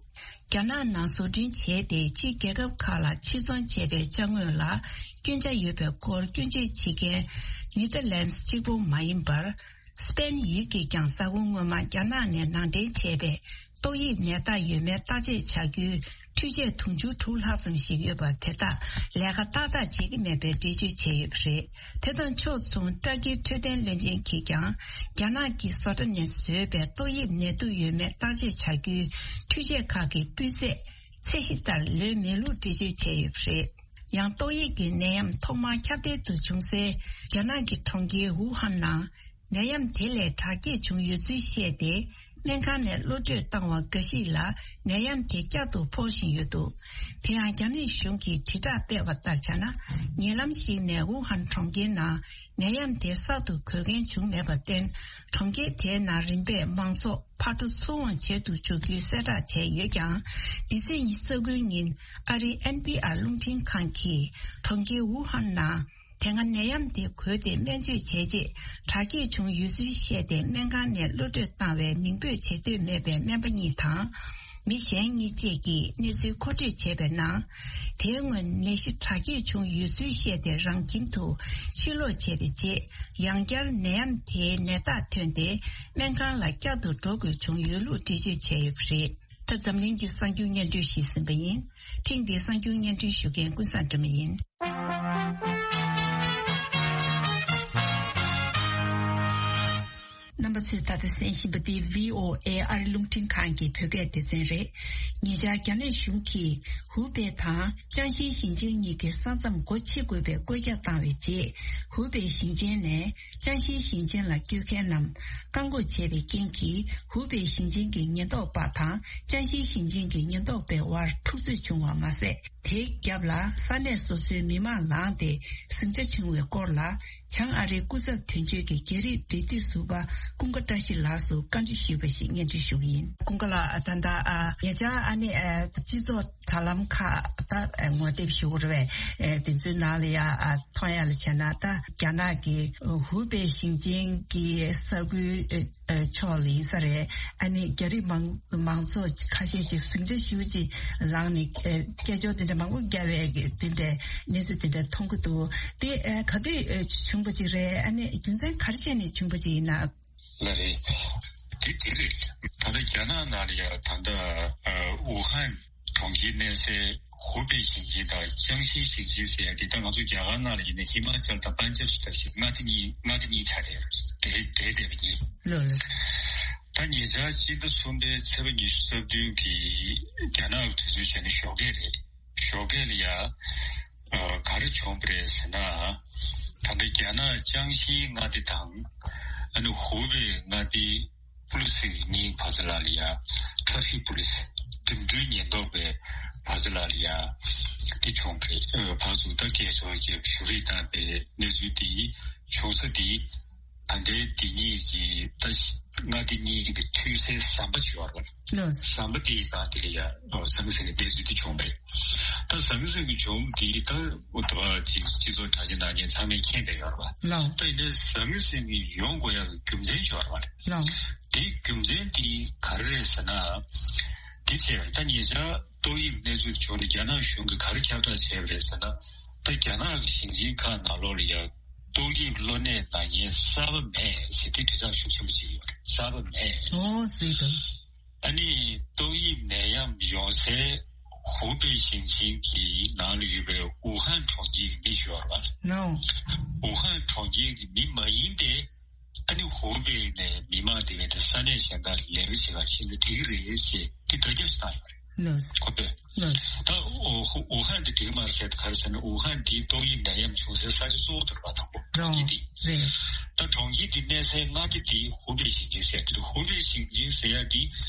རྒྱ་ནག་ནང་བཟོ་སྐྲུན་བྱས་ཏེ་ཕྱིའི་རྒྱལ་ཁབ་ཁག་ལ་ཕྱིར་ཚོང་བྱས་པའི་ཅ་དངོས་ལ་སྐྱོན་ཆ་ཡོད་པའི་སྐོར་སྐྱོན་བརྗོད་བྱེད་མཁན་ནེ་ཐར་ལན་སི་གཅིག་པུ་མ་ཡིན་པར། སི་པེན་ཡུལ་གྱིས་ཀྱང་གཟའ་འཁོར་སྔོན་མ་རྒྱ་ནག་ནས་ནང་འདྲེན་བྱས་པའི་ཏོག་དབྱིབས་ནད་རྟགས་ཡོད་མེད་བརྟག་དཔྱད་བྱ་རྒྱུའི་འཕྲུལ་ཆས་དུང་ཕྱུར་དྲུག་ལྷག་ཙམ་ཞིག་ཡོད་པ་དེ་དག་ལས་ཀ་ཏག་ཏག་བྱེད་ཀྱི་མེད་པའི་འགྲེལ་བརྗོད་བྱས་ཡོད་པ་རེད། དེ་དང་ཕྱོགས་མཚུངས། ཏར་ཀིའི་འཕྲོད་བསྟེན་བློན་ཆེན་གྱིས་ཀྱང་རྒྱ་ནག་གིས་བཟོ་གྲྭ་ནས་བཟོས་པའི་ཏོག་དབྱིབས་ནད་དུག་ཡོད་མེད་བརྟག་དཔྱད་བྱ་རྒྱུའི་འཕྲུལ་ཆས་ཁག་གི་སྤུས་ཚད་ཚད་གཞི་ལྟར་ལོན་མེད་ལུགས་འགྲེལ་བརྗོད་བྱས་ཡོད་པ་རེད། ཡང་ཏོག་དབྱིབས་ཀྱི་ནད་ཡམས་ཐོག་མར་ཁྱབ་གདལ་དུ་བྱུང་སའི་རྒྱ་ནག་གི་གྲོང་ཁྱེར་ཝུ་ཧན་ནང་ནད་ཡམས་དེ་ལས་དྲག་སྐྱེད་བྱུང་ཡོད་ཚུལ་བཤད་དེ། སྨན་ཁང་ནས་གློད་བཀྲོལ་བཏང་བ་འགའ་ཞིག་ལ་ནད་ཡམས་དེ་བསྐྱར་དུ་ཕོག་བཞིན་ཡོད་འདུག་དེ་ཡང་རྒྱ་ནག་གཞུང་གིས་དྲིལ་བསྒྲགས་སྤེལ་བ་ལྟར་བྱས་ན། ཉེ་ལམ་ཞིག་ནས་ཝུ་ཧན་གྲོང་ཁྱེར་ནང་ནད་ཡམས་དེ་གསར་དུ་འགོས་མཁན་བྱུང་མེད་པར་བརྟེན། གྲོང་ཁྱེར་དེའི་ནང་རིམ་པས་མང་ཚོགས་ཕར་འགྲོ་ཚུར་འོང་བྱེད་དུ་འཇུག་རྒྱུའི་གསལ་བསྒྲགས་བྱས་ཡོད་ཀྱང་། འདི་ཚེས་ཉི་ཤུ་རྩ་དགུའི་ཉིན་ཨ་རིའི་ཨེན་པི་ཨར་རླུང་འཕྲིན་ཁང་གིས་གྲོང་ཁྱེར་ཝུ་ཧན་ནང་དེ་སྔ་ནད་ཡམས་དེ་འགོས་ཏེ་སྨན་བཅོས་བྱས་རྗེས་དྲག་སྐྱེད་བྱུང་ཡོད་ཚུལ་བཤད་དེ། སྨན་ཁང་ནས་གློད་བཀྲོལ་བཏང་བའི་མིང་འབོད་བྱེད་འདོད་མེད་པའི་སྨན་པ་གཉིས་དང་། མི་གཞན་གཉིས་བཅས་ཀྱིས་གནས་ཚུལ་མཁོ་སྤྲོད་བྱས་པའི་ནང་། དེའི་སྔོན་ནད་གཞི་དྲག་སྐྱེད་བྱུང་ཡོད་ཚུལ་བཤད་དེ། རང་ཁྱིམ་དུ་ཕྱིར་ལོག་བྱས་པའི་རྗེས། ཡང་བསྐྱར་ནད་ཡམས་དེའི་ནད་རྟགས་ཐོན་ཏེ། སྨན་ཁང་ལ་བསྐྱར་དུ་འགྲོ་དགོས་བྱུང་ཡོད་ལུགས་འགྲེལ་བརྗོད་བྱས་ཡོད་པ་རེད། ད་འཛམ་གླིང་གི་གསར་འགྱུར་སྙན་སྒྲོན་ཞིག་ཟིན་པ་ཡིན། ཐེངས་འདིའི་གསར་འགྱུར་སྙན་སྒྲོན་ཞུ་མཁན་ཀུན་བཟང་སྒྲོལ་མ་ཡིན། རྣམ་པ་ཚོས་ད་ལྟ་གསན་བཞིན་པ་འདི་བྷི་ཨོ་ཨེ་ཨ་རི་རླུང་འཕྲིན་ཁང་གི་བོད་སྐད་སྡེ་ཚན་རེད། ཉེ་ཆར་རྒྱ་ནག་གཞུང་གིས་ཧུའུ་པེ་དང་ཅང་ཞིའི་ཞིང་ཆེན་གཉིས་ཀྱི་ས་མཚམས་སྒོ་ཕྱེ་དགོས་པའི་བཀོད་ཁྱབ་བཏང་བའི་རྗེས། ཧུའུ་པེ་ཞིང་ཆེན་ནས་ཅང་ཞིའི་ཞིང་ཆེན་ལ་སྐྱོད་མཁན་རྣམས་བཀག་འགོག་བྱས་པའི་རྐྱེན་གྱིས། ཧུའུ་པེ་ཞིང་ཆེན་གྱི་ཉེན་རྟོག་པ་དང་ཅང་ཞིའི་ཞིང་ཆེན་གྱི་ཉེན་རྟོག་པའི་དབར་འཁྲུག་རྩོད་བྱུང་བ་མ་ཟད། དེའི་རྒྱབ་ལ་ས་གནས་སོ་སོའི་མི་མང་ལངས་ཏེ་ཟིང་ཆ་བྱུང་བའི་སྐོར་ལ། བྱང་ཨ་རིའི་སྐུ་ཚབ་དོན་གཅོད་ཀྱི་རྒྱ་རིགས་འབྲེལ་མཐུད་ཟུར་པ་ཀུན་དགའ་བཀྲ་ཤིས་ལགས་སུ་བཀའ་འདྲི་ཞུས་པ་ཞིག་སྙན་སྒྲོན་ཞུ་གི་ཡིན། ཀུན་དགའ་ལགས། ད་ལྟ་ཨ་ཉེ་ཆར་ཨ་ནི་ཨ་སྤྱི་ཚོགས་དྲ་ལམ་ཁག་ད་ངོ་དེབ་ཞུ་དགོས་རེད་པས། ཨ་དེ་ཚོའི་ནང་ལ་ཡ་ཨ་མཐོང་ཡ་ལ་བྱས་ན། ད་རྒྱ་ནག་གི་ཧུའུ་པེ་ཞིང་ཆེན་གྱི་ས་ཁུལ་ཨ་ཕྱོགས་ལ་ཡིན་ས་རེད། ཨ་ནི་རྒྱ་རིགས་མང་མང་ཚོགས་ཁ་ཤས་ཅིག་ཟིང་ཆ་ཞེ་པོ་ཅིག་ལངས་ནས་ཨ་སྐད་ཅོར་དེ་འདྲ་མང་པོ་བརྒྱབ་པའི་དེ་འདྲའི་གནས་ཚུལ་དེ་འདྲ་མཐོང་གི་འདུག་དེ་ཨ་ག་དུས་ཨ་བྱུང་བ་ཅིག་རེད། ཨ་ནི་རྒྱུ་མཚན་ག་རེ་བྱས་ནས་བྱུང་བ་ཅིག་ཡིན་ན། ལགས་རེད། དེ་དེ་རེད། ད་ལྟ་རྒྱ་ནག་ནང་ལ་ཡ་ད་ལྟ་ཨ་ཝུ་ཧན་གྲོང་ཁྱེར་གནས་སའི་ཧུའུ་པེ་ཞིང་ཆེན་དང་ཅང་ཞི་ཞིང་ཆེན་ཟེར་ཡ་དེ། ད་ང་ཚོ་རྒྱ་གར་ནང་ལ་ཡིན་ན་ཧི་མ་ཅལ་དང་པན་ཇབ་ཟེར་ཞིག་མངའ་སྡེ་གཉིས་མངའ་སྡེ་གཉིས་ཆགས་བསྡད་ཡོད་རེད། འབྲེལ་འབྲེལ་བསྡད་པ་གཉིས། ལགས་ལགས། ད་ཉེ་ཆར་སྤྱི་ཟླ་གསུམ་པའི་ཚེས་པ་ཉི་ཤུ་རྩ་བདུན་གྱི་རྒྱ་ནག་གི་དུས་ཚོད་བྱས་ན་ཞོགས་ཀས་རེད། ཞོགས་ཀས་ལ་ཡ་ཨ་ག་རེ་བྱུང་བ་རེད་ཟེར་ན། ད་ལྟ་རྒྱ་ནག་ཅང་ཞིའི་མངའ་སྡེ་དང་ཨ་ནི་ཧུའུ་པེ་མངའ་སྡེའི་པུ་ལི་སི་གཉིས་བར་མཚམས་ལ་ཡ་ཊ་ཧྥིག་པུ་ལི་སི་འགྲིམ་འགྲུལ་ཉེན་རྟོག་པའི་བར་མཚམས་ལ་ཡ་དེ་བྱུང་བ་རེད། ཨ་ཕར་ཚུར་ད་སྐད་ཅོར་བརྒྱབ་ཞུ་རིས་བཏང་བའི་གནས་ཚུལ་དེ་བྱུང་ས་དེ། ད་ལྟའི་འདི་གཉིས་ཀྱི་ད་མངའ་སྡེ་གཉིས་ཀྱི་མཐུད་སའི་ཟམ་པ་ཅིག་ཡོད་རེད་པ། ལགས། ཟམ་པ་དེའི་སྒང་དེ་ལ་ཡ་ཟང་ཟིང་གི་གནས་ཚུལ་དེ་བྱུང་བ་རེད། ད་ཟང་ཟིང་གི་བྱུང་དེ་ད་འོ་ད་ཅིག་སྤྱི་ཚོགས་དྲ་རྒྱ་ནང་ཉན་ཚང་མས་མཁྱེན་བསྡད་ཡོད་རེད་པ། ལགས། ད་ཡིན་ནའི་ཟང་ཟིང་གི་ཡོང་དགོས་ཡག་གི་རྒྱུ་མཚན་ཅིག་ཡོད་རེད་པ། ལགས། དེའི་རྒྱུ་མཚན་དེ་ག་རེ་རེད་ཟེར་ན། དེ་བྱས་ད་ཉེ་ཆར་ཏོག་དབྱིབས་གནས་ཚུལ་བྱུང་ནས་རྒྱ་ནག་གཞུང་གིས་ག་རེ་ཁྱབ་བསྒྲགས་བྱས་པ་རེད་ཟེར་ན། ད་རྒྱ་ནག་གི་ཞིང་ཆེན་ཁག་ནང་ལོགས་ལ་ཡ་ཏོག་དབྱིབས་གློ་ནད་ན་མཁན་གསར་པ་མེད་ཟེར་དེ་དྲིལ་བསྒྲགས་ཤུགས་ཆེན་པོ་བྱེད་ཀྱི་ཡོད་རེད། གསར་པ་མེད། ཨོ་ཟེར་དང་། ཨ་ནི་ཏོག་དབྱིབས་ནད་ཡམས་ཡོང་སའི་ཧུའུ་པེ་ཞིང་ཆེན་གྱི་ནང་ལ་ཡོད་པའི་ཝུ་ཧན་གྲོང་ཁྱེར་གྱི་མི་ཞིག་ཡོད་རེད་པ། ནོ། ཝུ་ཧན་གྲོང་ཁྱེར་གྱི་མི་མ་ཡིན་པའི་ཨ་ནི་ཧུའུ་པེ་ནས་མི་མང་དེ་གས་དེ་ས་གནས་གཞན་དག་ལ་ལས་ཀ་བྱེད་ག་ཕྱིན་ན་འགྲིག་གི་རེད་ཟེར་དེ་བརྡ་ཁྱབ་ཞིག་བཏང་ཡོད་རེད། ལགས། ཁོ་པས། ལགས། ད་ཨོ་ཧུ་ཝུ་ཧན་དེ་འགྲིག་མ་རེད་ཟེར་དེ་ག་རེ་ཟེར་ན། ཝུ་ཧན་དེ་ཏོག་དབྱིབས་ནད་ཡམས་བྱུང་སའི་ས་ཆ་གཙོ་བོ་དེ་རེད་པ། དང་པོ་རོ། གྲོང་ཁྱེར་དེ། རེད། ད་གྲོང་ཁྱེར་དེ་གནས་སའི་མངའ་སྡེ་དེ་ཧུའུ་པེ་ཞིང་ཆེན་ཟེར་གྱི་རེད། ཧུའུ་པེ་ཞིང་ཆེན་ཟེར་ཡ་དེ་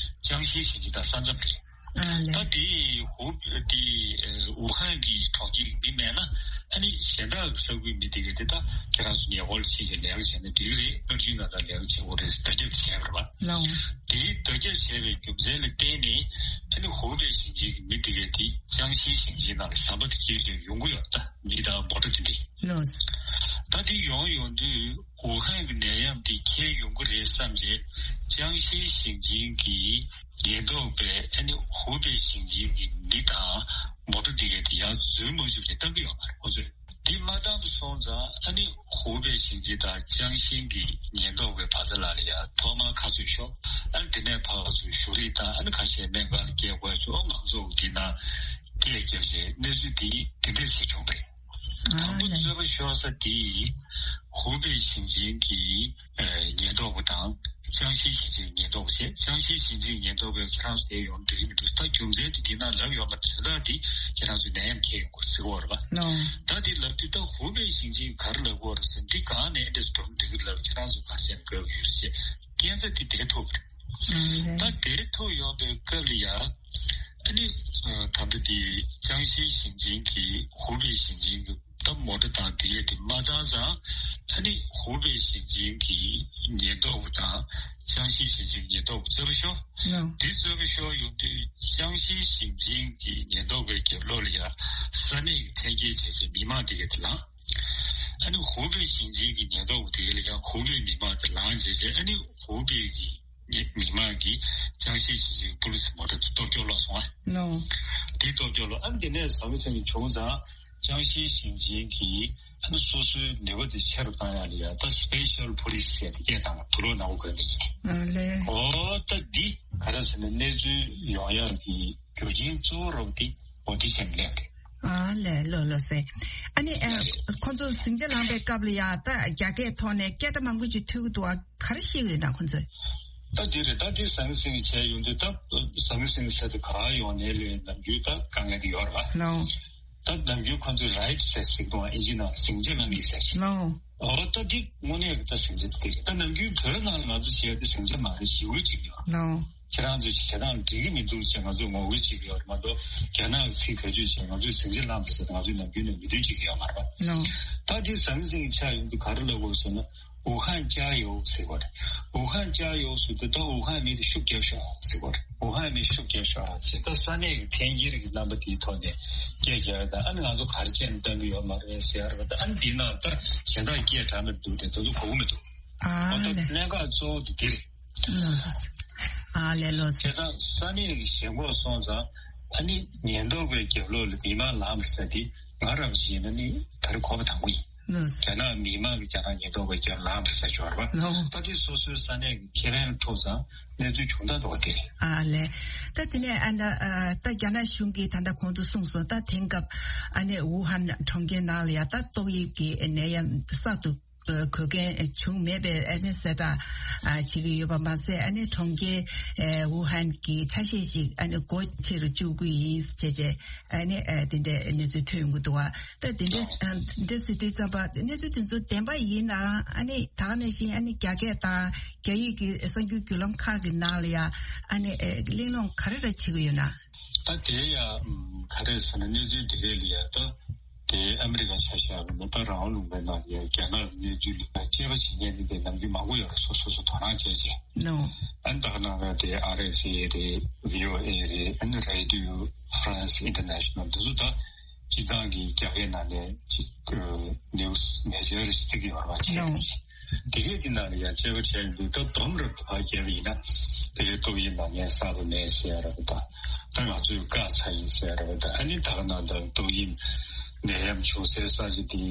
ཅང་ཤིའི་ཞིང་ཆེན་དང་ས་མཚམས་རེད། ཨ་ལས། ད་དེ་ཧུ་དེ་ཝུ་ཧན་གྱི་གྲོང་ཁྱེར་གྱི་མི་མེད་ན་ཨ་ནི་གཞན་དག་གི་ས་ཁུལ་མི་དེ་གས་དེ་ད་ཁྱེད་རང་ཚོ་ཉེ་འཁོར་ཕྱིན་གྱི་ལས་ཀ་བྱས་ན་འགྲིག་གི་རེད། སྔར་རྒྱུན་ནང་ལྟར་ལས་ཀ་བྱེད་དགོས་རེད་ཟེར་བརྡ་ཁྱབ་བྱས་པ་རེད་པ། ལའོ། དེའི་བརྡ་ཁྱབ་བྱས་པའི་རྒྱུ་མཚན་ལ་བརྟེན་ནས་ཨ་ནི་ཧུའུ་པེ་ཞིང་ཆེན་གྱི་མི་དེ་གས་དེ་ཅང་ཤིའི་ཞིང་ཆེན་ནང་ལ་ཟམ་པ་དེ་བརྒལ་བྱས་ཡོང་གི་ཡོད། ད་མི་དང་མོ་ཊ་དེ་འདྲས། ལོས། ད་དེ་ཡོང་ཡོང་དུས་ཝུ་ཧན་གྱི་ནད་ཡམས་དེ་ཁྱེར་ཡོང་གི་རེད་བསམ་བྱས་ཅང་ཤིའི་ཞིང་ཆེན་གྱི་ཉེན་རྟོག་པས་ཨ་ནི་ཧུའུ་པེ་ཞིང་ཆེན་གྱི་མི་དང་མོ་ཊ་དེ་གས་དེ་ཡར་འཛུལ་མ་བཅུག་ཅེས་བཏང་གི་ཡོད་པ་རེད་ཁོ་ཚོས། དེ་མ་བཏང་དུ་སོང་ཙང་ཨ་ནི་ཧུའུ་པེ་ཞིང་ཆེན་དང་ཅང་ཤིང་གི་ཉེན་རྟོག་པའི་བར་མཚམས་ལ་ཡ་ཐོག་མར་ཁ་ཚུད་ཤོག་ཨ་ནི་དེ་ནས་ཕར་ཚུར་བཞུགས་རིགས་དང་ཨ་ནི་ཁ་ཤས་སྨན་ཁང་ལ་སྐྱེལ་དགོས་ཆོག་ང་ཚོ་དེ་ན་སྐད་བརྒྱབ་རྗེས་གནས་ཚུལ་དེ་དེ་འདྲས་ཟེར་བྱུང་བས། དང་པོ་རྩོད་པ་ཤོར་ས་དེ་ཧུའུ་པེ་ཞིང་ཆེན་གྱི་ཉེན་རྟོག་པ་དང་ཅང་ཤིང་ཞིང་ཆེན་ཉེན་རྟོག་པ་བྱས། ཅང་ཤིང་ཞིང་ཆེན་ཉེན་རྟོག་པས་ཁྱེད་རང་ཚོ་དེ་ཡོང་འགྲིག་མི་འདུག་ད་རྒྱུ་མཚན་དེ་དེ་ན་ལབ་ཡོད་མ་རེད། དོན་དག་དེ་ཁྱེད་རང་ཚོ་ནད་ཡམས་ཁྱེར་ཡོང་དགོས་ཟེར་གོ་རེད་པ། ལོ། ད་དེ་ལབ་དུས་ད་ཧུའུ་པེ་ཞིང་ཆེན་ག་རེ་ལབ་དགོས་རེད་ཟེར། འདི་གང་ནས་འདྲས་སུ་འགྲོ་འགྲིག་གི་ལབ་ཁྱེད་རང་ཚོ་ག་རེ་བྱས་ན་དགོས་ཀྱི་ཡོད་ཅེས་སྐད་ཆ་དེ་དེ་ཐུག་པ་རེད། ད་དེ་ཐུག་ཡོང་པའི་སྐབས་ལ་ཡ་ཨ་ནི་ད་ལྟ་དེ་ཅང་ཤིང་ཞིང་ཆེན་གྱི་ཧུའུ་པེ་ཞིང་ཆེན་གྱི་ད་མོ་ཊ་དང་དེ་ཡས་དེ་མ་བཏང་ཙང་ཨ་ནི་ཧུའུ་པེ་ཞིང་ཆེན་གྱི་ཉེན་རྟོག་པ་དང་ཅང་ཤིང་ཞིང་ཆེན་ཉེན་རྟོག་པ་རྩོད་པ་ཤོར། ལོ། དེ་རྩོད་པ་ཤོར་ཡོང་དུས་ཅང་ཤིང་ཞིང་ཆེན་གྱི་ཉེན་རྟོག་པའི་རྒྱབ་ལོགས་ལ་ཡ་ས་གནས་ཀྱི་འཐེན་འཁྱེར་བྱས་བྱས་མི་མང་དེ་གས་དེ་ལངས། ཨ་ནི་ཧུའུ་པེ་ཞིང་ཆེན་གྱི་ཉེན་རྟོག་པ་དེ་གས་ལ་ཡ་ཧུའུ་པེ་མི་མང་དེ་ལངས་བྱས་བྱས་ཨ་ནི་ཧུའུ་པེ་གི་མི་མང་གིས་ཅང་ཤིང་ཞིང་ཆེན་པུ་ལི་སི་མོ་ཊ་དེ་གཏོར་སྐྱོན་སློག་སོང་ཨ། ལོ། དེ་གཏོར་སྐྱོན་སློག་ཨ་ནི་དེ་ནས་ཟང་ཟིང་བྱུང་ཙང་། ཅང་ཤིང་ཞིང་ཆེན་གྱིས་ཨ་ནི་སོ་སོའི་ནུས་པ་དེ་ཆེ་རུ་བཏང་ཡག་ལ་ཡ་ད་སི་པེ་ཤལ་པོ་ལི་སི་ཟེར་ཏེ་སྐད་བཏང་བ་དུག་ལོག་ནག་པོ་གོན་ནས་ཡིན། ཨ་ལས། ཨོ་ད་འདི་ག་རེ་ཟེར་ན་གནས་ཚུལ་ཡོང་ཡག་གི་རྒྱུ་རྐྱེན་གཙོ་བོ་རོབ་དེ་ཨོ་དེ་ཟེར་ནས་སླེབས་རེད། ཨ་ལས་ལོ་ལོ་ཟེར། ཨ་ནི་ཨ་ཁོང་ཚོ་ཟིང་ཆ་ལངས་པའི་སྐབས་ལ་ཡ་ད་རྒྱ་སྐད་ཐོག་ནས་སྐད་བརྡ་མང་པོ་ཅིག་ཐོས་ཀྱི་འདུག་ཨ་ག་རེ་བཤད་ཀྱི་ཡོད་ན་ཁོང་ཚོས། ད་འདི་རེད། ད་འདི་ཟང་ཟིང་བྱས་ཡོང་དུས་ད་ཟང་ཟིང་ཟེར་དུས་ག་ཡོང་ནས་ལས་ནམ་རྒྱུན་ད་དཀའ་ངལ་དེ་ཡོད་རེད་པ། ལོ། ད་ནམ་རྒྱུན་ཁོང་ཚོས་རའིཊ་ཟེར་ཟེར་གི་འདུག་ཨ་ཨིན་ཇི་ནང་ཟིང་ཆ་གནང་གི་ཟེར་ཞིག་ལོ། ཨོ་ད་འདི་དངོས་གནས་ཀྱི་ད་ཟིང་ཆ་དེ་རེད། ད་ནམ་རྒྱུན་བོད་ནང་ལ་ང་ཚོ་བྱས་ཏེ་ཟིང་ཆ་མ་རེད་ཞེ་པོ་ཅིག་ཡོད། ལོ། ཁྱེད་རང་ཚོས་བྱེད་སྟངས་འགྲིག་གི་མི་འདུག་ཅེས་ང་ཚོས་ངོ་རྒོལ་བྱེད་ཀྱི་ཡོད་རེད་མ་གཏོགས་རྒྱ་ནག་གི་ཚིག་བེད་སྤྱོད་བྱས་ང་ཚོས་ཟིང་ཆ་བསླངས་པ་ཟེར་ཏེ་ང་ཚོས་ནམ་རྒྱུན་ནས་མི་འདོན་བྱེད་ཀྱི་ཡོད་མ་རེད་པ། ལོ། ད་འདི་ཟང་ཟིང་ཆགས་ཡོང་དུས་ག་རེ་ལབ་དགོས་ཟེར་ན། 武汉加油 ཟེར་བ་རེད། 武汉加油 ཟེར་དུས་ད་ཝུ་ཧན་མི་དེ་ཤུགས་རྒྱབ་ཤོག་ཟེར་བ་རེད། 武汉མི་ཤུགས་རྒྱབ་ཤོག་ཟེར་ད་ས་གནས་ཀྱི་འཐེན་འཁྱེར་གྱི་རྣམ་པ་དེའི་ཐོག་ནས་སྐད་རྒྱག་ཡ་དང་ཨ་ནི་ང་ཚོ་ག་རེ་བྱས་ནས་བཏང་གི་ཡོད་མ་རེད་ཟེར་ཡ་རེད་པ། ད་ཨ་ནི་དེའི་ནང་ད་གཞན་དག་སྐད་གྲགས་མི་འདུག་དེ་ད་ཚོ་གོ་གི་མི་འདུག་ཨ་ཨོ་ད་ལས། གནད་འགག་གཙོ་བོ་དེ་དེ་རེད། ལོ་ལོ། ཨ་ལས་ལོ། བྱས་ཙང་ས་གནས་ཀྱི་ཞེན་ཁོག་སོང་ཙང་ཨ་ནི་ཉེན་རྟོག་པའི་རྒྱབ་ལོགས་ལ་མི་མང་ལངས་པ་ཟེར་དེ་ང་རང་བཞིན་ན་ནི་ད་རེས་གོ་བ་དང་པོ་ཡིན། ལོ། རྒྱ་ནག་མི་མང་གིས་རྒྱ་ནག་ཉེན་རྟོག་པའི་རྒྱབ་ལངས་པ་ཟེར་ཆོག་རེད་པ། ལོ། ད་དེ་སོ་སོའི་ས་གནས་ཀྱི་ཁེ་ཕན་ལ་ཐུག་ཙང་གནས་ཚུལ་བྱུང་སྟངས་འདྲ་བ་དེ་རེད། ཨ་ལས། ད་དེ་ནས་ཨ་ན་ཨ་ད་རྒྱ་ནག་གཞུང་གིས་ད་ལྟ་གོང་དུ་གསུངས་སོང་། ད་དེང་སྐབས་ཨ་ནི་ཝུ་ཧན་གྲོང་ཁྱེར་ནང་ལ་ཡ་ད་ཏོག་དབྱིབས་ཀྱི་ནད་ཡམས་གསར་དུ་ཨ་འགོས་མཁན་བྱུང་མེད་པའི་ཨ་ནི་གསལ་བསྒྲགས་ཨ་བྱེད་ཀྱི་ཡོད་པ་མ་ཟད། ཨ་ནི་གྲོང་ཁྱེར་ཨ་ཝུ་ཧན་གྱི་ཆ་ཤས་ཤིག་ཨ་ནི་སྒོ་ཕྱེ་རུ་བཅུག་གི་ཡིན་ཟེར་བྱས་ཨ་ནི་ཨ་དེ་འདྲའི་གནས་ཚུལ་ཐོན་ཡོང་གི་འདུག་བ། ད་དེ་འདྲའི་ཨ་དེ་འདྲ་ཟེར་དུས་ཙམ་པ་གནས་ཚུལ་དེ་ཚོ་བདེན་པ་ཡིན་ན་ཨ་ནི་ད་ག་ནང་བཞིན་ཨ་ནི་རྒྱ་སྐད་དང་རྒྱ་ཡིག་གི་གསར་འགྱུར་བརྒྱུད་ལམ་ཁག་གི་ནང་ལ་ཡ་ཨ་ནི་ཨ་གླེང་སློང་ག་རེ་རེ་བྱེད་ཀྱི་ཡོད་ན། ད་དེ་ཡ་ག་རེ་ཟེར་ན་གནས་ཚུལ་དེ་གས་ལ་ཡ་ད། དེ་ཨ་མི་རི་ཀ་ཆ་བཞག་པ་ན་ད་རང་དབང་ལུང་པའི་ནང་ཡ་རྒྱ་ནག་གི་གནས་ཚུལ་ལ་དཔྱད་པ་བྱེད་མཁན་དེ་འདྲ་ནམ་རྒྱུན་མང་པོ་ཡོད་རེད། སོ་སོ་སོ་དོ་སྣང་བྱས་བྱས། ནོ། ཨ་ནི་ད་ག་ནང་ལ་དེ་ཨར་ཨེས་ཨེ་རེད། བྷི་ཨོ་ཨེ་རེད། ཨ་ནི་Radio France International འདི་ཚོ་ད་སྤྱི་བཏང་གི་རྒྱ་སྐད་ནང་ནས་ཅིག་ནིའུ་སི་མེ་ཇར་རེ་ཞིག་བརྩི་གི་ཡོད་རེད་པ། བྱས་ནོ། ནས་དེ་གས་ཀྱི་ནང་ལ་ཡ་དཔྱད་པ་བྱས་ཡོང་དུས་ད་སྡོམ་རབ་ཏུ་ཕར་བརྒྱབ་པ་ཡིན་ན་དེ་གས་ཏོག་དབྱིབས་ནད་ངན་གསར་པ་མེད་ཟེར་ཡ་རེད་པ། ད་ད་ང་ཚོས་བཀག་ཚར་ཡིན་ཟེར་ཡ་རེད་པ། ད་ཨ་ནི་ད་ག་ནང་ད་ཏོག་དབྱིབས་ནད་ཡམས་བྱུང་སའི་ས་ཆ་དེ་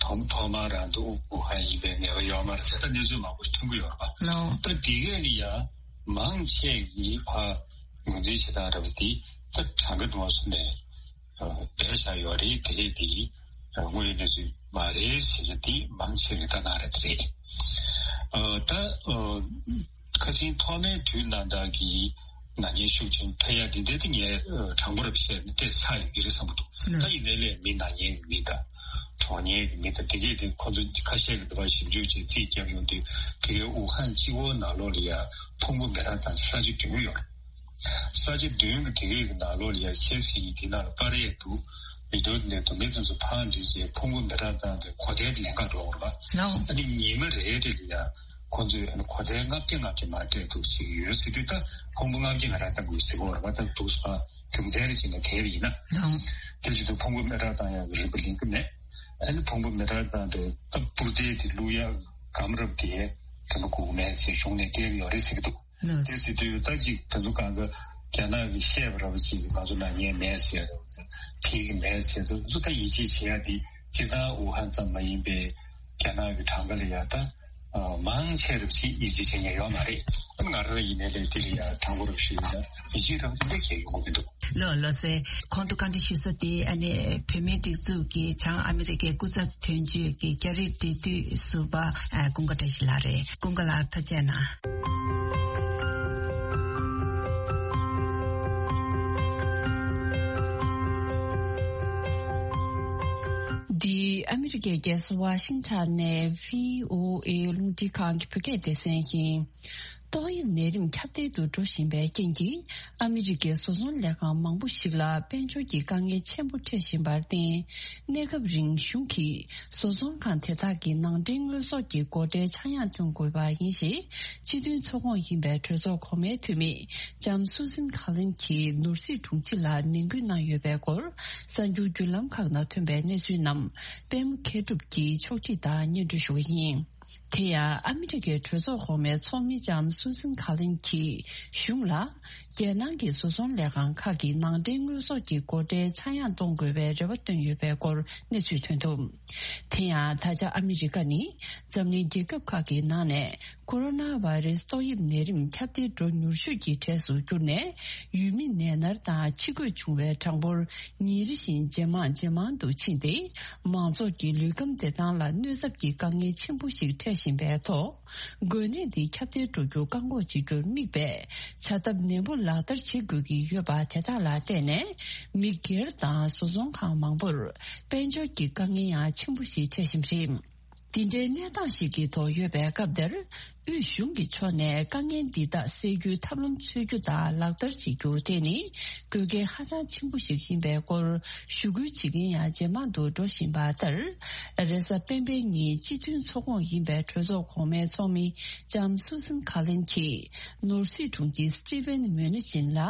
ཐོག་ཐོག་མར་རང་དུ་ཝུ་ཧན་ཡིན་པའི་ངེས་པ་ཡོད་མ་རེད་ཟེར་ད་གནས་ཚུལ་མང་པོ་ཐོན་གྱི་ཡོད་རེད་པ། ལའོ། ད་དེ་གས་ལ་ཡ་མང་ཆེ་གིས་ཕར་ངོས་འཛིན་བྱེད་སྟངས་རེད་པ། དེ་ད་གྲངས་ཀ་དུ་མ་སོང་ནས། སྦས་བཞག་ཡོད་རེད། དེ་རེད། དེ་དངོས་ཡོད་གནས་ཚུལ་མ་རེད་ཟེར་གྱི་དེ་མང་ཆེ་གི་ལྟ་སྟངས་རེད། དེ་རེད། ད་ཁ་སང་ཐོག་མའི་དུས་ནང་ལྟར་གྱི་ན་མཁན་ཤུགས་ཆེན་འཕེལ་ཡ་དེ་འདྲ་དེ་ངས་དྲང་པོ་རེད་བཤད་ན་ཏོག་ཙམ་ཆག་ཡོད་ཀྱི་རེད་བསམ་གྱི་འདུག་ད་ཡིན་ནའི་ལས་མི་ན་མཁན་གྱི་མི་དང་གྲོངས་མཁན་གྱི་མི་དང་དེ་གས་དེ་ཁོ་ཚོ་ཁ་ཤས་ཀྱི་འདུག་པ་ཞིབ་འཇུག་བྱས་རྩིས་བརྒྱབ་ཡོང་དུས་དེ་གའི་ཝུ་ཧན་གཅིག་པོ་ནང་ལོགས་ལ་ཡ་ཕུང་པོ་མི་རག་དང་ས་ཆ་གྱོང་ཡོད་རེད། ས་ཆ་བདུན་གྱི་སྡེ་བའི་ནང་ལོགས་ལ་ཡ་ཁྱེད་ཀྱིས་དེ་ནང་ལ་པར་ཡས་འདུག་མི་འདུག་ནས་དོན་མེད་དོན་ཚོ་ཕངས་འདྲི་བྱས་ཕུང་པོ་མེ་སྲེག་བཏང་སྟེ་གོ་ཐལ་གྱི་ལན་ཁག་འགྲོ་བར་བ། ཨ་ནི་ཉི་མ་རེ་རེ་ལ་ཡ་ཁོ་ཚོས་ཨ་ནི་གོ་ཐལ་ལྔ་བརྒྱ་ལྔ་བརྒྱ་མ་སྤྲད་འདུག་ཅིག་ཡོད་ཟེར་དུས། ད་ཕུང་པོ་ལྔ་བརྒྱ་མེ་སྲེག་བཏང་དགོས་ཟེར་གོ་བར་བ། ད་འདུག་ས་རྒྱུ་མཚན་རེ་བྱས་ནས་དེ་བས་ཡིན་ན། དེ་བྱེད་དུས་ཕུང་པོ་མེ་སྲེག་བཏང་ཡག་གི་རིན་པ་ལེན་གི་མེད། ཨ་ནི་ཕུང་པོ་མེ་སྲེག་བཏང་སྟེ་ད་སྤུར་རྡེལ་དེ་བླུག་ཡག་སྒམ་རབ་དེ་དེ་མ་དགོས་མེད་ཅེས་གཞུང་ནས་སྤྲད་ཀྱི་ཡོད་རེད་ཟེར་གྱི་འདུག་དེ་ཟེར་དུས་ད་ཅིག་དེ་ཚོ་གང་ག་རྒྱ་ནག་གིས་བཤད་པ་ར་བ་ཅིག་ང་ཚོ་ནང་ཉན་མེད་ཟེར། ཕེབས་ཀྱི་མེད་ཟེར་དུས། ང་ཚོ་ད་ཡིད་ཆེས་བྱེད་ཡ་དེ་སྤྱིར་བཏང་ཝུ་ཧན་ཙམ་མ་ཡིན་པའི་རྒྱ་ནག་གི་གྲངས་ཀ་ལ་ཡ་ད་མང་ཆེ་རབ་ཅིག་ཡིད་ཆེས་བྱེད་མཁན་ཡོད་མ་རེད། ང་རང་ཡིན་ནའི་ལས་དེ་ལ་ཡ་དྲང་པོ་རབ་ཞུས་ན་ཡིད་ཆེས་རབ་ཅིག་འདྲ་བྱེད་ཡོང་གི་མི་འདུག་ལགས་ལགས་སེ། གོང་དུ་བཀའ་འདྲི་ཞུས་ས་དེ་ཨ་ནི་བོད་མིའི་སྒྲིག་འཛུགས་ཀྱི་བྱང་ཨ་མི་རི་ཀའི་སྐུ་ཚབ་དོན་གཅོད་ཀྱི་རྒྱ་རིགས་འབྲེལ་མཐུད་ཟུར་པ་ཨ་ཀུན་དགའ་བཀྲ་ཤིས་ལགས་རེད། ཀུན་དགའ་ལགས་ཐུགས་རྗེ་གནང་། འདི་ཨ་མི་རི་ཀའི་རྒྱལ་ས་ཝ་ཤིང་ཊོན་ནས་བྷི་ཨོ་ཨེ་རླུང་འཕྲིན་ཁང་གི་བོད་སྐད་སྡེ་ཚན་ཡིན། ཏོག་དབྱིབས་ནད་རིམས་ཁྱབ་གདལ་དུ་འགྲོ་བཞིན་པའི་རྐྱེན་གྱིས། ཨ་མི་རི་ཀའི་བཟོ་ཚོང་ལས་ཁང་མང་པོ་ཞིག་ལ་དཔལ་འབྱོར་གྱི་དཀའ་ངལ་ཆེན་པོ་འཕྲད་བཞིན་པར་བརྟེན། གནས་སྐབས་རིང་གཞུང་གིས་བཟོ་ཚོང་ཁང་དེ་དག་གི་ནང་འདྲེན་དངོས་ཟོག་གི་སྒོ་ཁྲལ་ཆག་ཡང་གཏོང་དགོས་པ་ཡིན་ཞེས། སྤྱི་མཐུན་ཚོགས་ཁོངས་ཡིན་པའི་གྲོས་ཚོགས་གོང་མའི་འཐུས་མི་ལྕམ་སུ་སན་ཁ་ལིན་གྱིས་ནོར་སྲིད་དྲུང་ཆེ་ལ་ནན་སྐུལ་གནང་ཡོད་པའི་སྐོར། གསར་འགྱུར་བརྒྱུད་ལམ་ཁག་ནང་ཐོན་པའི་གནས་ཚུལ་རྣམས་པད་མ་མཁས་གྲུབ་ཀྱིས་ཕྱོགས་སྒྲིག་དང་སྙན་སྒྲོན་ཞུ་གི་ཡིན། དེ་ཡང་ཨ་མི་རི་ཀའི་གྲོས་ཚོགས་གོང་མའི་ཚོགས་མི་ལྕམ་སུ་སན་ཁ་ལིན་གྱིས་གཞུང་ལ། རྒྱལ་ནང་གི་བཟོ་ཚོང་ལས་ཁང་ཁག་གི་ནང་འདྲེན་དངོས་ཟོག་གི་སྒོ་ཁྲལ་ཆག་ཡང་གཏོང་དགོས་པའི་རེ་བ་བཏོན་ཡོད་པའི་སྐོར་གནས་ཚུལ་ཐོན་འདུག་དེ་ཡང་ད་ཆ་ཨ་མི་རི་ཀ་ནི་འཛམ་གླིང་རྒྱལ་ཁབ་ཁག་གི་ནང་ནས་ཀོ་རོ་ན་བྷ་རེ་སི་ཏོག་དབྱིབས་ནད་རིམས་ཁྱབ་གདལ་འགྲོ་མྱུར་ཤོས་ཀྱི་གྲས་སུ་གྱུར་ནས། ཡུལ་མི་ནད་མནར་དང་འཆི་འགོས་བྱུང་བའི་གྲངས་འབོར་ཉིན་རེ་བཞིན་ཇེ་མང་ཇེ་མང་དུ་ཕྱིན་ཏེ། མང་ཚོགས་ཀྱི་ལུས་ཁམས་བདེ་ཐང་ལ་གནོད་ཚབས་ཀྱི་དཀའ་ངལ་ཆེན་པོ་ཞིག་འཕྲད་བཞིན་པའི་ཐོག་འགོས་ནད་འདི་ཁྱབ་གདལ་འགྲོ་རྒྱུ་བཀག་འགོག་བྱེད་རྒྱུར་དམིགས་པའི་བྱ་ཐབས་ནན་པོ་ལག་བསྟར་བྱེད་དགོས་ཀྱི་ཡོད་པ་དེ་དག་ལ་བརྟེན་ནས། མི་སྒེར་དང་བཟོ་ཚོང་ཁང་མང་པོར་དཔལ་འབྱོར་གྱི་དཀའ་ངལ་ཡང་ཆེན་པོ་ཞིག་འཕྲད་བཞིན་པ་རེད། འདི་འདྲའི་གནས་སྟངས་ཤིག་གི་ཐོག་ཡོད་པའི་སྐབས་འདིར། དབུས་གཞུང་གི་ཕྱོགས་ནས་དཀའ་ངལ་འདི་དག་སེལ་རྒྱུའི་ཐབས་ལམ་འཚོལ་རྒྱུ་དང་ལག་བསྟར་བྱེད་རྒྱུ་དེ་ནི་དགོས་གལ་ཧ་ཅང་ཆེན་པོ་ཞིག་ཡིན་པའི་སྐོར་ཞུ་སྐུལ་བྱེད་མཁན་ཡང་ཇེ་མང་དུ་འགྲོ་བཞིན་པ་ལྟར། རེས་གཟའ་སྤེན་པའི་ཉིན་སྤྱི་མཐུན་ཚོགས་ཁོངས་ཡིན་པའི་གྲོས་ཚོགས་གོང་མའི་ཚོགས་མི་ལྕམ་སུ་སན་ཁ་ལིན་གྱིས་ནོར་སྲིད་དྲུང་ཆེ་སི་ཏི་ཝན་མུ་ནི་ཅིན་ལ།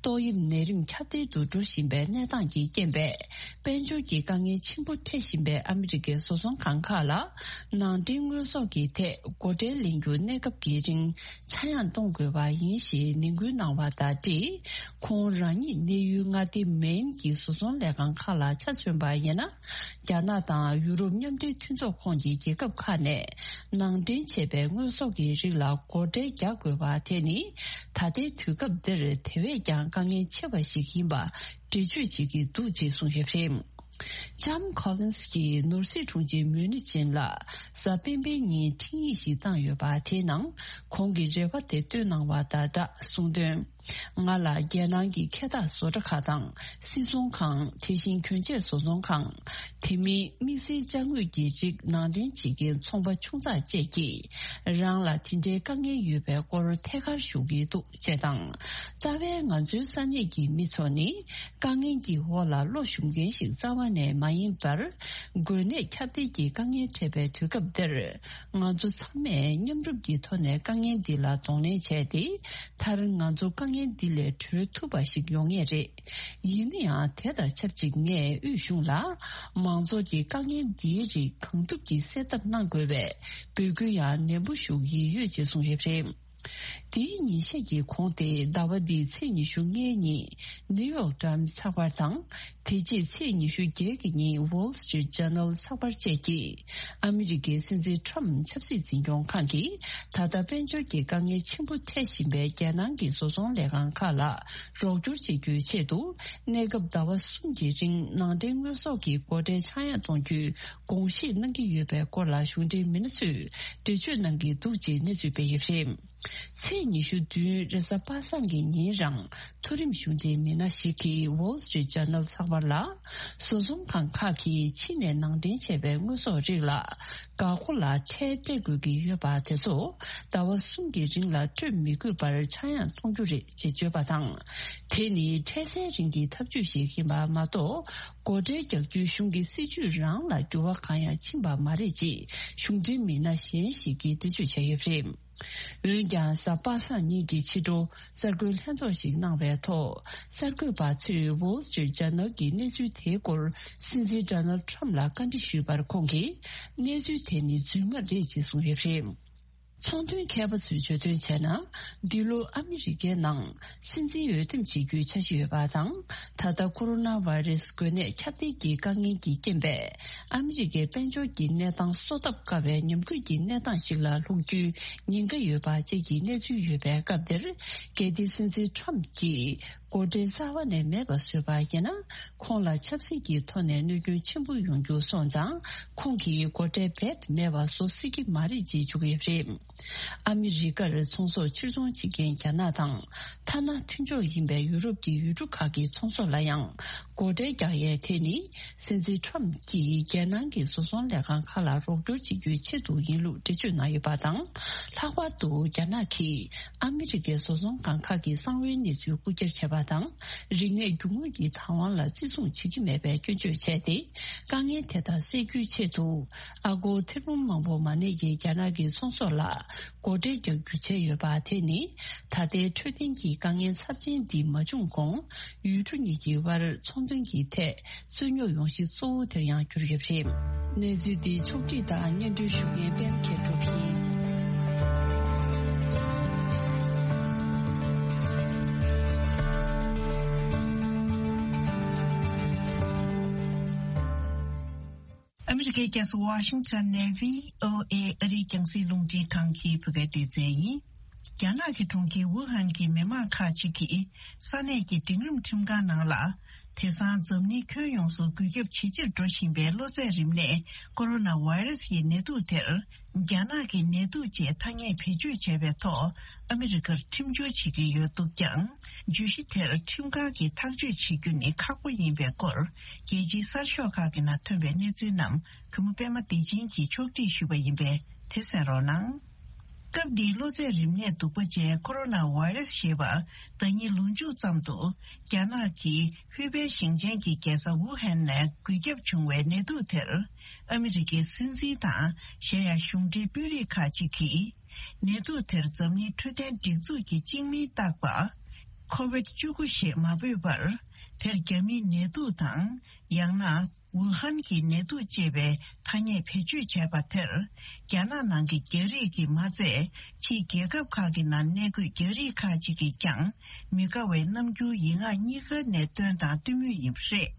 ཏོག་དབྱིབས་ནད་རིམས་ཁྱབ་གདལ་དུ་འགྲོ་བཞིན་པའི་གནས་སྟངས་ཀྱི་རྐྱེན་པས། དཔལ་འབྱོར་གྱི་དཀའ་ངལ་ཆེན་པོ་འཕྲད་བཞིན་པའི་ཨ་མི་རི་ཀའི་བཟོ་ཚོང་ཁང་ཁག་ལ། ནང་འདྲེན་དངོས་ཟོག་གི་ཐད་སྒོ་ཁྲལ་ལེན་རྒྱུ་གནས་སྐབས་ཀྱི་རིང་ཆག་ཡང་གཏོང་དགོས་པ་ཡིན་ཞེས་ནན་སྐུལ་གནང་བ་དང་འབྲེལ། ཁོང་རང་ཉིད་གནས་ཡུལ་མངའ་སྡེ་མེན་གྱི་བཟོ་ཚོང་ལས་ཁང་ཁག་ལ་ཆ་མཚོན་པ་ཡིན་ན། རྒྱ་ནག་དང་ཡུ་རོབ་མཉམ་འབྲེལ་མཐུན་ཚོགས་ཁོངས་ཀྱི་རྒྱལ་ཁབ་ཁག་ནས་ནང་འདྲེན་བྱས་པའི་དངོས་ཟོག་གི་རིགས་ལ་སྒོ་ཁྲལ་རྒྱག་དགོས་པ་དེ་ནི། ད་ལྟའི་དུས་སྐབས་འདིར་དེ་བས་ཀྱང་དཀའ་ངལ་ཆེ་བ་ཞིག་ཡིན་པ་འགྲེལ་བརྗོད་བྱེད་ཀྱི་འདུག་ཅེས་གསུངས་ཡོད་པ་རེད། ལྕམ་ཁོ་ལིན་སི་གྱིས་ནོར་སྲིད་དྲུང་ཆེ་མུ་ནི་ཅིན་ལ་གཟའ་སྤེན་པའི་ཉིན་འཕྲིན་ཡིག་ཞིག་བཏང་ཡོད་པ་དེའི་ནང་ཁོང་གི་རེ་བ་དེ་བཏོན་གནང་བ་དང་སྦྲགས་གསུངས་དོན། ང་ལ་རྒྱལ་ནང་གི་འཁལ་འཐག་བཟོ་གྲྭ་ཁག་དང་སིལ་ཚོང་ཁང་། དེ་བཞིན་གྱོན་ཆས་བཟོ་ཚོང་ཁང་། དེ་མིན་དམིགས་བསལ་ཅ་དངོས་ཀྱི་རིགས་ནང་འདྲེན་བྱེད་མཁན་ཚོང་པ་ཆུང་ཙག་བཅས་ཀྱིས་རང་ལ་དེ་འདྲའི་དཀའ་ངལ་ཡོད་པའི་སྐོར་ཐད་ཀར་ཞུ་གི་འདུག་ཅེས་དང་། རྩ་བའི་ང་ཚོའི་ས་གནས་ཀྱི་མི་ཚོ་ནི་དཀའ་ངལ་གྱི་འོག་ལ་བློ་ཞུམ་མཁན་ཞིག་རྩ་བ་ནས་མ་ཡིན་པར། འགོས་ནད་ཁྱབ་གདལ་གྱི་དཀའ་ངལ་འཕྲད་པའི་དུས་སྐབས་འདིར། ང་ཚོ་ཚང་མས་མཉམ་རུབ་ཀྱི་ཐོག་ནས་དཀའ་ངལ་འདི་ལ་གདོང་ལེན་བྱས་ཏེ། མཐར་ང་ཚོ་དཀའ་ངལ་འདི་ལས་གྲོལ་ཐུབ་པ་ཞིག་ཡོང་ངེས་རེད། ཡིན་ན་ཡང་དེ་དང་ཆབས་ཅིག་ངས་དབུས་གཞུང་ལ་མང་ཚོགས་ཀྱི་དཀའ་ངལ་འདིའི་རིགས་གང་ཐུབ་ཀྱིས་སེལ་ཐབས་གནང་དགོས་པའི་འབོད་སྐུལ་ཡང་ནན་པོ་ཞུ་གི་ཡོད་ཅེས་གསུངས་ཡོད་པ་རེད། དེའི་ཉིན་ཤས་ཀྱི་གོང་སྟེ་ཟླ་བ་འདིའི་ཚེས་ཉི་ཤུ་ལྔའི་ཉིན་ནིའུ་ཡོག་ཊའིམ་ཚགས་པར་དང་། དེ་རྗེས་ཚེས་ཉི་ཤུ་བརྒྱད་ཀྱི་ཉིན་Wall Street Journal་ཚགས་པར་བཅས་ཀྱིས་ཨ་མི་རི་ཀའི་སྲིད་འཛིན་ཁྲོམ་ཆབ་སྲིད་འཛིན་སྐྱོང་ཁང་གིས་ད་ལྟ་དཔལ་འབྱོར་གྱི་དཀའ་ངལ་ཆེན་པོ་འཕྲད་བཞིན་པའི་རྒྱལ་ནང་གི་བཟོ་ཚོང་ལས་ཁང་ཁག་ལ་རོགས་སྐྱོར་བྱེད་རྒྱུའི་ཆེད་དུ། གནས་སྐབས་ཟླ་བ་གསུམ་གྱི་རིང་ནང་འདྲེན་དངོས་ཟོག་གི་སྒོ་ཁྲལ་ཆག་ཡང་གཏོང་རྒྱུའི་དགོངས་བཞེས་གནང་གི་ཡོད་པའི་སྐོར་ལ་གཞུང་འབྲེལ་མི་སྣ་ཚོས་འགྲེལ་བརྗོད་གནང་གི་འདུག་ཅེས་གནས་ཚུལ་སྤེལ་ཡོད་པ་རེད། ཚེས་ཉི་ཤུ་བདུན་རེས་གཟའ་པ་སངས་ཀྱི་ཉིན་རང་མཐོ་རིམ་གཞུང་འབྲེལ་མི་སྣ་ཞིག་གིས་Wall Street Journal་ཚགས་པར་ལ། བཟོ་ཚོང་ཁང་ཁག་གིས་ཕྱི་ནས་ནང་འདྲེན་བྱས་པའི་དངོས་ཟོག་རིགས་ལ། འགག་སྒོ་ལ་ཁྲལ་སྤྲད་དགོས་ཀྱི་ཡོད་པ་དེ་ཚོ་ཟླ་བ་གསུམ་གྱི་རིང་ལ་སྤྲོད་མི་དགོས་པར་ཆག་ཡང་གཏོང་རྒྱུ་རེད་ཅེས་བརྗོད་པ་དང་། དེ་ནི་ཁྲལ་སེལ་རིང་གི་ཐབས་ཇུས་ཤིག་ཡིན་པ་མ་གཏོགས། སྒོ་ཁྲལ་རྒྱག་རྒྱུའི་གཞུང་གི་སྲིད་ཇུས་རང་ལ་འགྱུར་བ་གང་ཡང་ཕྱིན་པ་མ་རེད་ཅེས་གཞུང་འབྲེལ་མི་སྣ་གཞན་ཞིག་གིས་འགྲེལ་བརྗོད་བྱས་ཡོད་པ་རེད། འོན་ཀྱང་གཟའ་པ་སངས་ཉིན་གྱི་ཕྱི་དྲོ་གསར་འགོད་ལྷན་ཚོགས་ཤིག་གནང་བའི་ཐོག་གསར་འགོད་པ་ཚོས་Wall Street Journal་གྱི་གནས་ཚུལ་དེའི་སྐོར་སྲིད་འཛིན་Donald Trump་ལ་བཀའ་འདྲི་ཞུས་པར་ཁོང་གིས་གནས་ཚུལ་དེ་ནི་རྫུན་མ་རེད་ཅེས་གསུངས་ཡོད་པ་རེད། ཚོང་དོན་མཁས་པ་ཚོས་བརྗོད་དོན་བྱས་ན། འདི་ལོ་ཨ་མི་རི་ཀའི་ནང་སྲིད་འཛིན་འོས་འདེམས་བྱེད་རྒྱུའི་འཆར་གཞི་ཡོད་པ་དང་། ད་ལྟ་ཀོ་རོ་ན་བྷ་ཡི་རེ་སི་འགོས་ནད་ཁྱབ་གདལ་གྱི་དཀའ་ངལ་གྱི་རྐྱེན་པས། ཨ་མི་རི་ཀའི་དཔལ་འབྱོར་གྱི་གནས་སྟངས་གསོ་ཐབས་དཀའ་བའི་ཉམས་རྒུད་ཀྱི་གནས་སྟངས་ཤིག་ལ་ལྷུང་རྒྱུའི་ཉེན་ཁ་ཡོད་པ་བཅས་ཀྱི་གནས་ཚུལ་ཡོད་པའི་སྐབས་འདིར། གལ་ཏེ་སྲིད་འཛིན་ཁྲོམ་གྱིས་སྒོ་ཁྲལ་རྩ་བ་ནས་མེད་པ་བཟོས་པ་ཡིན་ན། ཁོང་ལ་ཆབ་སྲིད་ཀྱི་ཐོག་ནས་གནོད་སྐྱོན་ཆེན་པོ་ཡོང་རྒྱུ་སོང་ཙང་། ཁོང་གིས་སྒོ་ཁྲལ་རྦད་དེ་མེད་པ་བཟོ་སྲིད་ཀྱི་མ་རེད་ཅེས་བརྗོད་ཀྱི་ཡོད་པ་རེད། ཨ་མི་རི་ཀར་ཚོང་ཟོག་ཕྱིར་ཚོང་བྱེད་མཁན་རྒྱ་ནག་དང་། ཐ་ན་མཐུན་ཕྱོགས་ཡིན་པའི་ཡུ་རོབ་ཀྱི་ཡུལ་གྲུ་ཁག་གི་ཚོང་ཟོག་ལ་ཡང་སྒོ་ཁྲལ་རྒྱག་ཡས་དེ་ནི། སྲིད་འཛིན་ཁྲོམ་གྱིས་རྒྱལ་ནང་གི་བཟོ་ཚོང་ལས་ཁང་ཁག་ལ་རོགས་སྐྱོར་བྱེད་རྒྱུའི་ཆེད་དུ་ཡིན་ལུགས་འགྲེལ་བརྗོད་གནང་ཡོད་པ་དང་། ལྷག་པར་དུ་རྒྱ་ནག་གིས་ཨ་མི་རི་ཀའི་བཟོ་ཚོང་ཁང་ཁག་གི་གསང་བའི་གནས་ཚུལ་རྐུ་འཁྱེར་བྱས་པ་དང་། རིག་གནས་རྒྱུ་དངོས་ཀྱི་བདག་དབང་ལ་བརྩི་སྲུང་བྱེད་ཀྱི་མེད་པའི་སྐྱོན་བརྗོད་བྱས་ཏེ། དཀའ་ངལ་དེ་དག་སེལ་རྒྱུའི་ཆེད་དུ། ཨ་སྒོར་ཐེར་འབུམ་མང་པོ་མ་གནས་ཀྱི་རྒྱ་ནག་གི་ཚོང་ཟོག་ལ་སྒོ་ཁྲལ་རྒྱག་རྒྱུ་བྱས་ཡོད་པ་དེ་ནི། ད་ལྟའི་འཕྲོད་བསྟེན་གྱི་དཀའ་ངལ་ཚབས་ཆེན་འདི་མ་བྱུང་གོང་། ཡུལ་གྲུ་གཉིས་ཀྱི་དབར་ཚོང་དོན་གྱི་ཐད་རྩོད་རྙོག་ཡོང་གཞི་གཙོ་བོ་དེར་ཡང་གྱུར་ཡོད་པ་རེད། གནས་ཚུལ་འདི་ཕྱོགས་བསྒྲིགས་དང་སྙན་སྒྲོན་ཞུ་མཁན་པད་མ་མཁས་གྲུབ་ཡིན། ཨ་མི་རི་ཀའི་རྒྱལ་ས་ཝ་ཤིང་ཊོན་ནས་བྷི་ཨོ་ཨེ་ཨ་རིའི་རྒྱང་སྲིང་རླུང་འཕྲིན་ཁང་གི་བོད་སྐད་སྡེ་ཚན་ཡིན། རྒྱ་ནག་གི་གྲོང་ཁྱེར་ཝུ་ཧན་གྱི་མི་མང་ཁག་ཅིག་གིས་ས་གནས་ཀྱི་འབྲིང་རིམ་ཁྲིམས་ཁང་ནང་ལ། དེང་སང་འཛམ་གླིང་ཁྱོན་ཡོངས་སུ་འགོས་ཁྱབ་ཇེ་ཆེར་འགྲོ་བཞིན་པའི་གློ་ཚད་རིམས་ནད་ཀོ་རོ་ན་བྷ་ཡི་རེ་སི་ཡི་ནད་དུག་དེར། རྒྱ་ནག་གི་ནད་དུག་ཅེས་ཐ་སྙད་བེད་སྤྱོད་བྱས་པའི་ཐོག་ཨ་མི་རི་ཀར་ཁྲིམས་བསྒྱུར་བྱེད་ཀྱི་ཡོད་འདུག་ཀྱང་། བརྗོད་གཞི་དེར་ཁྲིམས་ཁང་གིས་ཐག་གཅོད་བྱེད་རྒྱུ་ནི་ཁག་པོ་ཡིན་པའི་སྐོར། རྒྱལ་སྤྱིའི་གསར་ཤོག་ཁག་གི་ནང་ཐོན་པའི་གནས་ཚུལ་རྣམས་གུས་མོ་པད་མ་བདེ་ཆེན་གྱིས་ཕྱོགས་སྒྲིག་ཞུས་པ་ཡིན་པས་དེ་གསན་རོགས་གནང་། སྐབས་འདིའི་གློ་ཚད་རིམས་ནད་གདུག་པ་ཅན་ཀོ་རོ་ན་བྷ་ཡི་རེ་སི་ཞེས་པ་ཟླ་ཉིན་ལོ་མཇུག་ཙམ་དུ་རྒྱ་ནག་གི་ཧུའེ་པེ་ཞིང་ཆེན་གྱི་རྒྱལ་ས་ཝུ་ཧན་ནས་འགོས་ཁྱབ་བྱུང་བའི་ནད་དུག་དེར། ཨ་མི་རི་ཀའི་སྲིད་འཛིན་དང་གཞན་ཡང་གཞུང་འབྲེལ་དཔོན་རིགས་ཁག་ཅིག་གིས། ནད་དུག་དེར་འཛམ་གླིང་འཕྲོད་བསྟེན་སྒྲིག་འཛུགས་ཀྱིས་གཅིག་མིང་བཏགས་པ། ཁོ་ཝིད་བཅུ་དགུ་ཞེས་མ་འབོད་པར། དེར་རྒྱ་མིའི་ནད་དུག་དང་། ཡང་ན། ཝུ་ཧན་གྱི་ནད་དུག་ཅེས་པའི་ཐ་སྙད་བེད་སྤྱོད་བྱས་པ་དེར། རྒྱ་ནག་ནང་གི་རྒྱ་རིགས་ཀྱིས་མ་ཚད། ཕྱིའི་རྒྱལ་ཁབ་ཁག་གི་ནང་གནས་འཁོད་རྒྱ་རིགས་ཁག་ཅིག་གིས་ཀྱང་། མི་དགའ་བའི་རྣམ་འགྱུར་ཡིག་ངག་གཉིས་ཀ་ནས་སྟོན་དང་སྟོན་མུས་ཡིན་པ་རེད།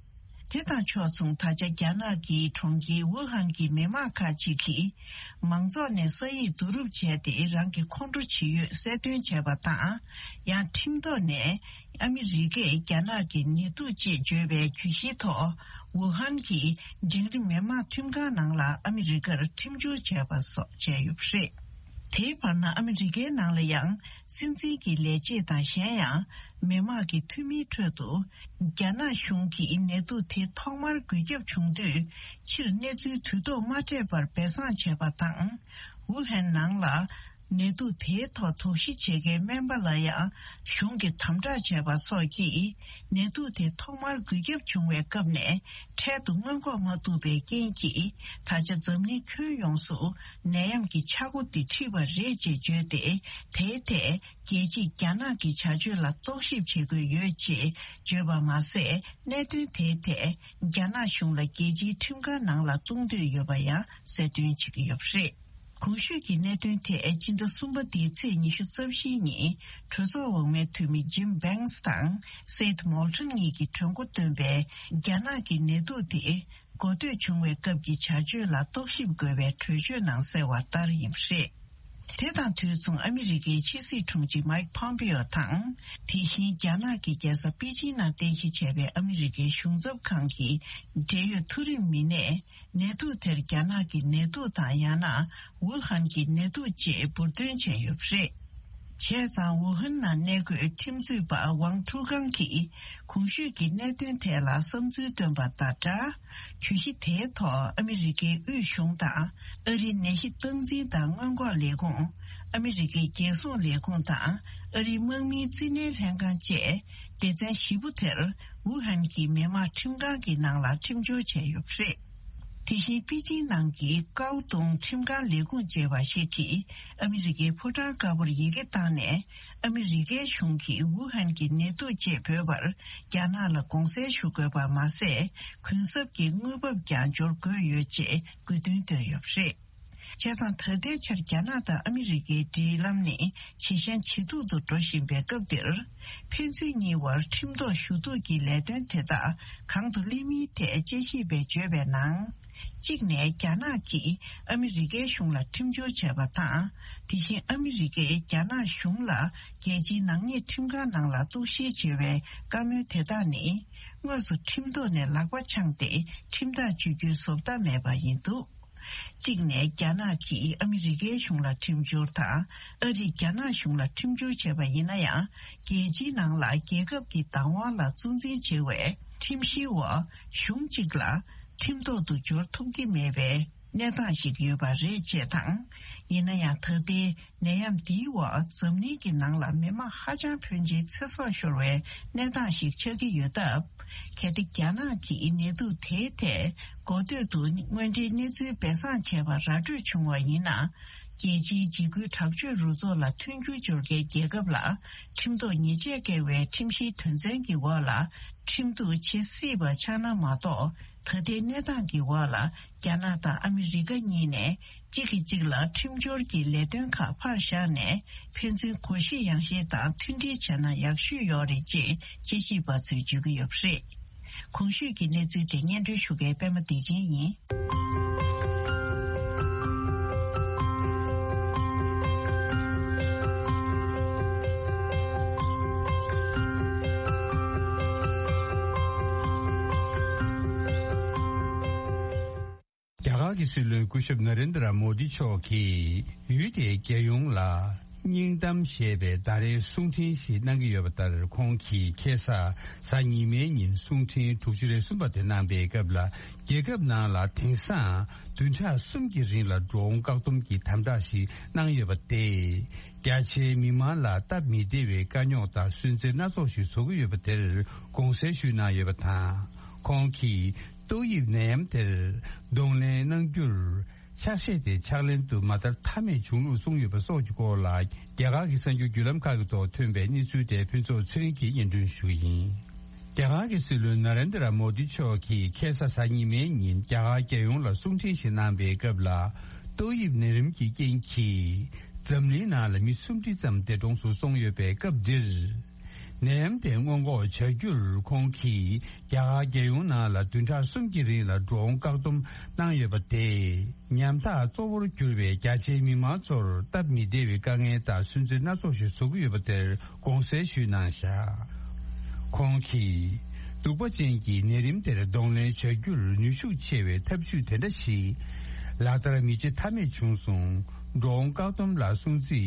དེ་དང་ཕྱོགས་མཚུངས་ད་ཆ་རྒྱ་ནག་གི་གྲོང་ཁྱེར་ཝུ་ཧན་གྱི་མི་མང་ཁག་ཅིག་གིས། མང་ཚོགས་ནས་ས་ཡིག་བསྡུ་རུབ་བྱས་ཏེ་རང་གི་ཁོང་ཁྲོ་ཇི་ཡོད་གསལ་སྟོན་བྱས་པ་དང་། ཡང་ཁྲིམས་ཐོག་ནས་ཨ་མི་རི་ཀས་རྒྱ་ནག་གི་ནད་དུག་ཅེས་བརྗོད་པའི་གྱོད་གཞིའི་ཐོག་ཝུ་ཧན་གྱི་འབྲིང་རིམ་མི་དམངས་ཁྲིམས་ཁང་ནང་ལ་ཨ་མི་རི་ཀར་ཁྲིམས་བསྒྱུར་བྱས་པ་སོགས་བྱས་ཡོད་པ་རེད། དེའི་བར་ན་ཨ་མི་རི་ཀའི་ནང་ལ་ཡང་སྲིད་འཛིན་གྱི་ལས་བྱེད་དང་གཞན་ཡང་མི་དམངས་ཀྱི་འཐུས་མིའི་ཁྲོད་དུ་རྒྱ་ནག་གཞུང་གིས་ནད་དུག་དེ་ཐོག་མར་འགོས་ཁྱབ་བྱུང་དུས་ཕྱིར་གནས་ཚུལ་དུས་ཐོག་མ་སྤྲད་པར་སྦས་གསང་བྱས་པ་དང་། ཝུ་ཧན་ནང་ལ་ནད་དུག་དེའི་ཐོག་དོགས་གཞི་བྱེད་མཁན་སྨན་པ་ལ་ཡང་གཞུང་གིས་དམ་དྲག་བྱས་པ་སོགས་ཀྱིས་ནད་དུག་དེ་ཐོག་མར་འགོས་ཁྱབ་བྱུང་བའི་སྐབས་ནས་འཕྲལ་དུ་སྔོན་འགོག་མ་ཐུབ་པའི་རྐྱེན་གྱིས་ད་ཆ་འཛམ་གླིང་ཁྱོན་ཡོངས་སུ་ནད་ཡམས་ཀྱི་ཆག་སྒོ་འདི་འཁྲིས་པ་རེད་ཅེས་བརྗོད་དེ། དེའི་ཐད་རྒྱལ་སྤྱིས་རྒྱ་ནག་གི་བྱ་སྤྱོད་ལ་རྟོག་ཞིབ་བྱེད་དགོས་ཡོད་ཅེས་བརྗོད་པ་མ་ཟད། གནད་དོན་དེའི་ཐད་རྒྱ་ནག་གཞུང་ལ་རྒྱལ་སྤྱིའི་ཁྲིམས་ཁང་ནང་ལ་གཏོང་འདོད་ཡོད་པ་ཡང་གསལ་སྟོན་བྱེད་ཀྱི་ཡོད་པ་རེད། གོང་ཞུས་ཀྱི་གནད་དོན་དེ་སྤྱི་ཟླ་གསུམ་པ་འདིའི་ཚེས་ཉི་ཤུ་རྩ་བཞིའི་ཉིན་གྲོས་ཚོགས་འོག་མའི་འཐུས་མི་ཇིམ་བྷེངས་དང་སེད་མོལ་ཊོན་གཉིས་ཀྱིས་གྲོས་འགོ་བཏོན་པའི་རྒྱ་ནག་གི་ནད་དུག་དེ་འགོ་སྟོད་བྱུང་བའི་སྐབས་ཀྱི་བྱ་སྤྱོད་ལ་རྟོག་ཞིབ་དགོས་པའི་གྲོས་ཆོད་ནང་གསལ་བ་ལྟར་ཡིན་པ་རེད། དེ་དང་དུས་མཚུངས་ཨ་མི་རི་ཀའི་ཕྱི་སྲིད་དྲུང་ཆེ་མཱིག་ཕོམ་པེའོ་དང་། དེ་བཞིན་རྒྱ་ནག་གི་རྒྱལ་ས་པེ་ཅིན་ནང་རྟེན་གཞི་བྱས་པའི་ཨ་མི་རི་ཀའི་གཞུང་ཚབ་ཁང་གི་འབྲེལ་ཡོད་མཐོ་རིམ་མི་སྣས། ནད་དུག་དེར་རྒྱ་ནག་གི་ནད་དུག་དང་ཡང་ན་ཝུ་ཧན་གྱི་ནད་དུག་ཅེས་འབུར་འདོན་བྱས་ཡོད་པ་རེད། བྱས་ཙང་ཝུ་ཧན་ནང་གནས་འཁོད་ཁྲིམས་རྩོད་པ་ཝང་ཁྲུའུ་ཀང་གིས་གོང་ཞུས་ཀྱི་གནད་དོན་ཐད་ལ་བསམ་ཚུལ་བཏོན་པ་དང་སྦྲགས། གྱོད་གཞི་དེའི་ཐོག་ཨ་མི་རི་ཀའི་དབུས་གཞུང་དང་། ཨ་རིའི་ནད་གཞི་སྟངས་འཛིན་དང་སྔོན་འགོག་ལས་ཁུངས། ཨ་མི་རི་ཀའི་རྒྱལ་སྲུང་ལས་ཁུངས་དང་། ཨ་རིའི་དམག་མིའི་རྩིས་ལེན་ལྷན་ཁང་བཅས་སྡེ་ཚན་བཞི་པོ་དེར་ཝུ་ཧན་གྱི་མི་དམངས་ཁྲིམས་ཁང་གི་ནང་ལ་ཁྲིམས་སྦྱོར་བྱས་ཡོད་པ་རེད། དེ་བཞིན་པེ་ཅིང་ནང་གི་ཀའོ་ཏུང་ཁྲིམས་ཁང་ལས་ཁུངས་ཅེས་པ་ཞིག་གིས་ཨ་མི་རི་ཀའི་ཕོ་བྲང་དཀར་པོར་ཡི་གེ་བཏང་ནས། ཨ་མི་རི་ཀའི་གཞུང་གིས་ཝུ་ཧན་གྱི་ནད་དུག་ཅེས་འབོད་པར་རྒྱ་ནག་ལ་དགོངས་སེལ་ཞུ་དགོས་པ་མ་ཟད། གུན་གསབ་ཀྱི་དངུལ་འབབ་ཀྱང་འབྱོར་དགོས་ཡོད་ཅེས་དགོས་འདུན་བཏོན་ཡོད་པ་རེད། བྱས་ཙང་ད་ལྟའི་ཆར་རྒྱ་ནག་དང་ཨ་མི་རི་ཀའི་འབྲེལ་ལམ་ནི་ཇེ་ཞན་ཇེ་སྡུག་ཏུ་འགྲོ་བཞིན་པའི་སྐབས་འདིར། ཕན་ཚུན་གཉིས་བར་ཁྲིམས་ཐོག་ཞུ་གཏུག་གི་ལས་དོན་དེ་དག་གང་དུ་སླེབས་མིན་ཐད་དཔྱད་ཞིབ་པས་བརྗོད་པའི་ནང་། གཅིག་ནས་རྒྱ་ནག་གིས་ཨ་མི་རི་ཀའི་གཞུང་ལ་ཁྲིམས་སྦྱོར་བྱས་པ་དང་། དེ་བཞིན་ཨ་མི་རི་ཀས་རྒྱ་ནག་གཞུང་ལ་རྒྱལ་སྤྱིའི་ནག་ཉེས་ཁྲིམས་ཁང་ནང་ལ་གཏུག་བཤེར་བྱེད་པའི་བཀའ་མོལ་དེ་དག་ནི། དངོས་སུ་ཁྲིམས་ཐོག་ནས་ལག་པ་འཆང་སྟེ་ཁྲིམས་ཐག་གཅོད་རྒྱུའི་བཟོ་ལྟ་མེད་པ་ཡིན་འདུག་གཅིག་ནས་རྒྱ་ནག་གིས་ཨ་མི་རི་ཀའི་གཞུང་ལ་ཁྲིམས་སྦྱོར་དང་། ཨ་རིས་རྒྱ་ནག་གཞུང་ལ་ཁྲིམས་སྦྱོར་བྱས་པ་ཡིན་ན་ཡང་། རྒྱལ་སྤྱིའི་ནང་ལ་རྒྱལ་ཁབ་ཀྱི་བདག་དབང་ལ་གཙོ་འཛིན་བྱེད་པའི་ཁྲིམས་གཞིའི་འོག་གཞུང་གཅིག་ལ་ཁྲིམས་ཐོག་ཏུ་འབྱོར་ཐུབ་ཀྱི་མེད་པའི་གནས་སྟངས་ཤིག་ཡོད་པ་རེད་ཅེས་དང་། ཡིན་ན་ཡང་ད་ལྟའི་ནད་ཡམས་འདིའི་འོག་འཛམ་གླིང་གི་ནང་ལ་མི་མང་ཧ་ཅང་ཕོན་ཆེའི་ཚེ་སྲོག་ཤོར་བའི་གནས་སྟངས་ཤིག་ཆགས་ཀྱི་ཡོད་སྟབས། གལ་ཏེ་རྒྱ་ནག་གིས་ནད་དུག་དེའི་ཐད་འགོ་སྟོད་དུ་དངོས་འབྲེལ་གནས་ཚུལ་སྦས་གསང་བྱས་པ་ར་སྤྲོད་བྱུང་བ་ཡིན་ན། རྒྱལ་སྤྱིའི་འཇིགས་སྐུལ་དྲག་སྤྱོད་རུ་ཚོགས་ལ་མཐུན་འགྱུར་སྦྱོར་མཁན་རྒྱལ་ཁབ་ལ་ཁྲིམས་ཐོག་ཉེས་ཆད་བཀལ་བའི་ཁྲིམས་གཞིའི་དོན་ཚན་གྱི་འོག་ལ་ཁྲིམས་གཏུག་བྱེད་སྲིད་པ་ཆགས་ན་མ་གཏོགས། ད་ལྟའི་གནས་སྟངས་ཀྱི་འོག་ལ་རྒྱ་ནག་དང་ཨ་མི་རི་ཀ་གཉིས་ནས་གཅིག་གིས་གཅིག་ལ་ཁྲིམས་སྦྱོར་གྱི་ལས་དོན་ཁག་ཕར་བཞག་ནས། ཕན་ཚུན་གོ་ཤེས་ཡང་ཤེས་དང་མཐུན་སྒྲིལ་བྱས་ན་ཡག་ཤོས་ཡོད་རེད་ཅེས་དཔྱད་ཞིབ་པ་ཚོས་བརྗོད་ཀྱི་ཡོད་པ་རེད། གོང་ཞུས་ཀྱི་གནས་ཚུལ་དེ་སྙན་སྒྲོན་ཞུ་མཁན་པད་མ་བདེ་ཆེན་ཡིན། རྒྱ་གར་གྱི་སྲིད་བློན་སྐུ་ཞབས་ན་རེན་དྲ་མོ་དི་མཆོག་གིས་ཡུལ་དེའི་རྒྱལ་ཡོངས་ལ་སྙིང་གཏམ་ཞེས་པའི་ཟླ་རེའི་གསུང་འཕྲིན་ཞིག་གནང་གི་ཡོད་པ་ལྟར། ཁོང་གིས་ཁ་སང་གཟའ་ཉི་མའི་ཉིན་གསུང་འཕྲིན་དྲུག་ཅུ་རེ་གསུམ་པ་དེ་གནང་པའི་སྐབས་ལ། རྒྱལ་ཁབ་ནང་ལ་དེང་སང་བདུན་ཕྲག་གསུམ་གྱི་རིང་ལ་འགྲོ་འོང་བཀག་སྡོམ་གྱི་དམ་དྲག་ཞིག་གནང་ཡོད་པ་དེས། རྒྱ་ཆེའི་མི་མང་ལ་སྟབས་མི་བདེ་བའི་དཀའ་རྙོག་དང་སུན་གཙེར་སྣ་ཚོགས་ཤིག་བཟོ་གི་ཡོད་པ་དེར་དགོངས་སེལ་ཞུས་གནང་ཡོད་པ་དང་། ཁོང་གིས་ཏོག་དབྱིབས་ནད་ཡམས་དེར་གདོང་ལེན་གནང་རྒྱུར། ཕྱག་བཞེས་དེ་ཕྱག་ལེན་དུ་མ་བསྟར་ཐབས་མེད་བྱུང་ལུགས་གསུངས་ཡོད་པ་སོགས་ཀྱི་སྐོར་ལ། རྒྱ་གར་གྱི་གསར་འགྱུར་བརྒྱུད་ལམ་ཁག་གི་ཐོག་ཐོན་པའི་གནས་ཚུལ་དེ་ཕུན་ཚོགས་ཚེ་རིང་གིས་སྙན་སྒྲོན་ཞུ་གི་ཡིན། རྒྱ་གར་གྱི་སྲིད་བློན་ན་རེན་དྲ་མོ་དི་མཆོག་གིས་ཁ་སང་གཟའ་ཉི་མའི་ཉིན་རྒྱ་གར་རྒྱལ་ཡོངས་ལ་གསུང་འཕྲིན་ཞིག་གནང་པའི་སྐབས་ལ། ཏོག་དབྱིབས་ནད་རིམས་ཀྱི་རྐྱེན་གྱིས་འཛམ་གླིང་ནང་ལ་མི་སུམ་ཁྲི་ཙམ་འདས་གྲོངས་སུ་སོང་ཡོད་པའི་སྐབས་འདིར། ནད་ཡམས་དེ་སྔོན་འགོག་བྱ་རྒྱུར་ཁོང་གིས་རྒྱ་གར་རྒྱལ་ཡོངས་ནང་ལ་བདུན་ཕྲག་གསུམ་གྱི་རིང་ལ་འགྲོ་འོང་བཀག་སྡོམ་གནང་ཡོད་པ་དེས། ཉམ་ཐག་གཙོ་བོར་གྱུར་པའི་རྒྱ་ཆེའི་མི་མང་ཚོར་སྟབས་མི་བདེ་བའི་དཀའ་ངལ་དང་སུན་གཙེར་སྣ་ཚོགས་ཤིག་བཟོ་གི་ཡོད་པ་དེར་དགོངས་སེལ་ཞུས་གནང་བཞག་ཁོང་གིས། གདུག་པ་ཅན་གྱི་ནད་རིམས་དེར་གདོང་ལེན་བྱ་རྒྱུར་ནུས་ཤུགས་ཆེ་བའི་ཐབས་ཇུས་དེ་འདྲ་ཞིག་ལག་བསྟར་མི་བྱེད་ཐབས་མེད་བྱུང་སོང་། འགྲོ་འོང་བཀག་སྡོམ་ལ་སྲུང་བརྩི་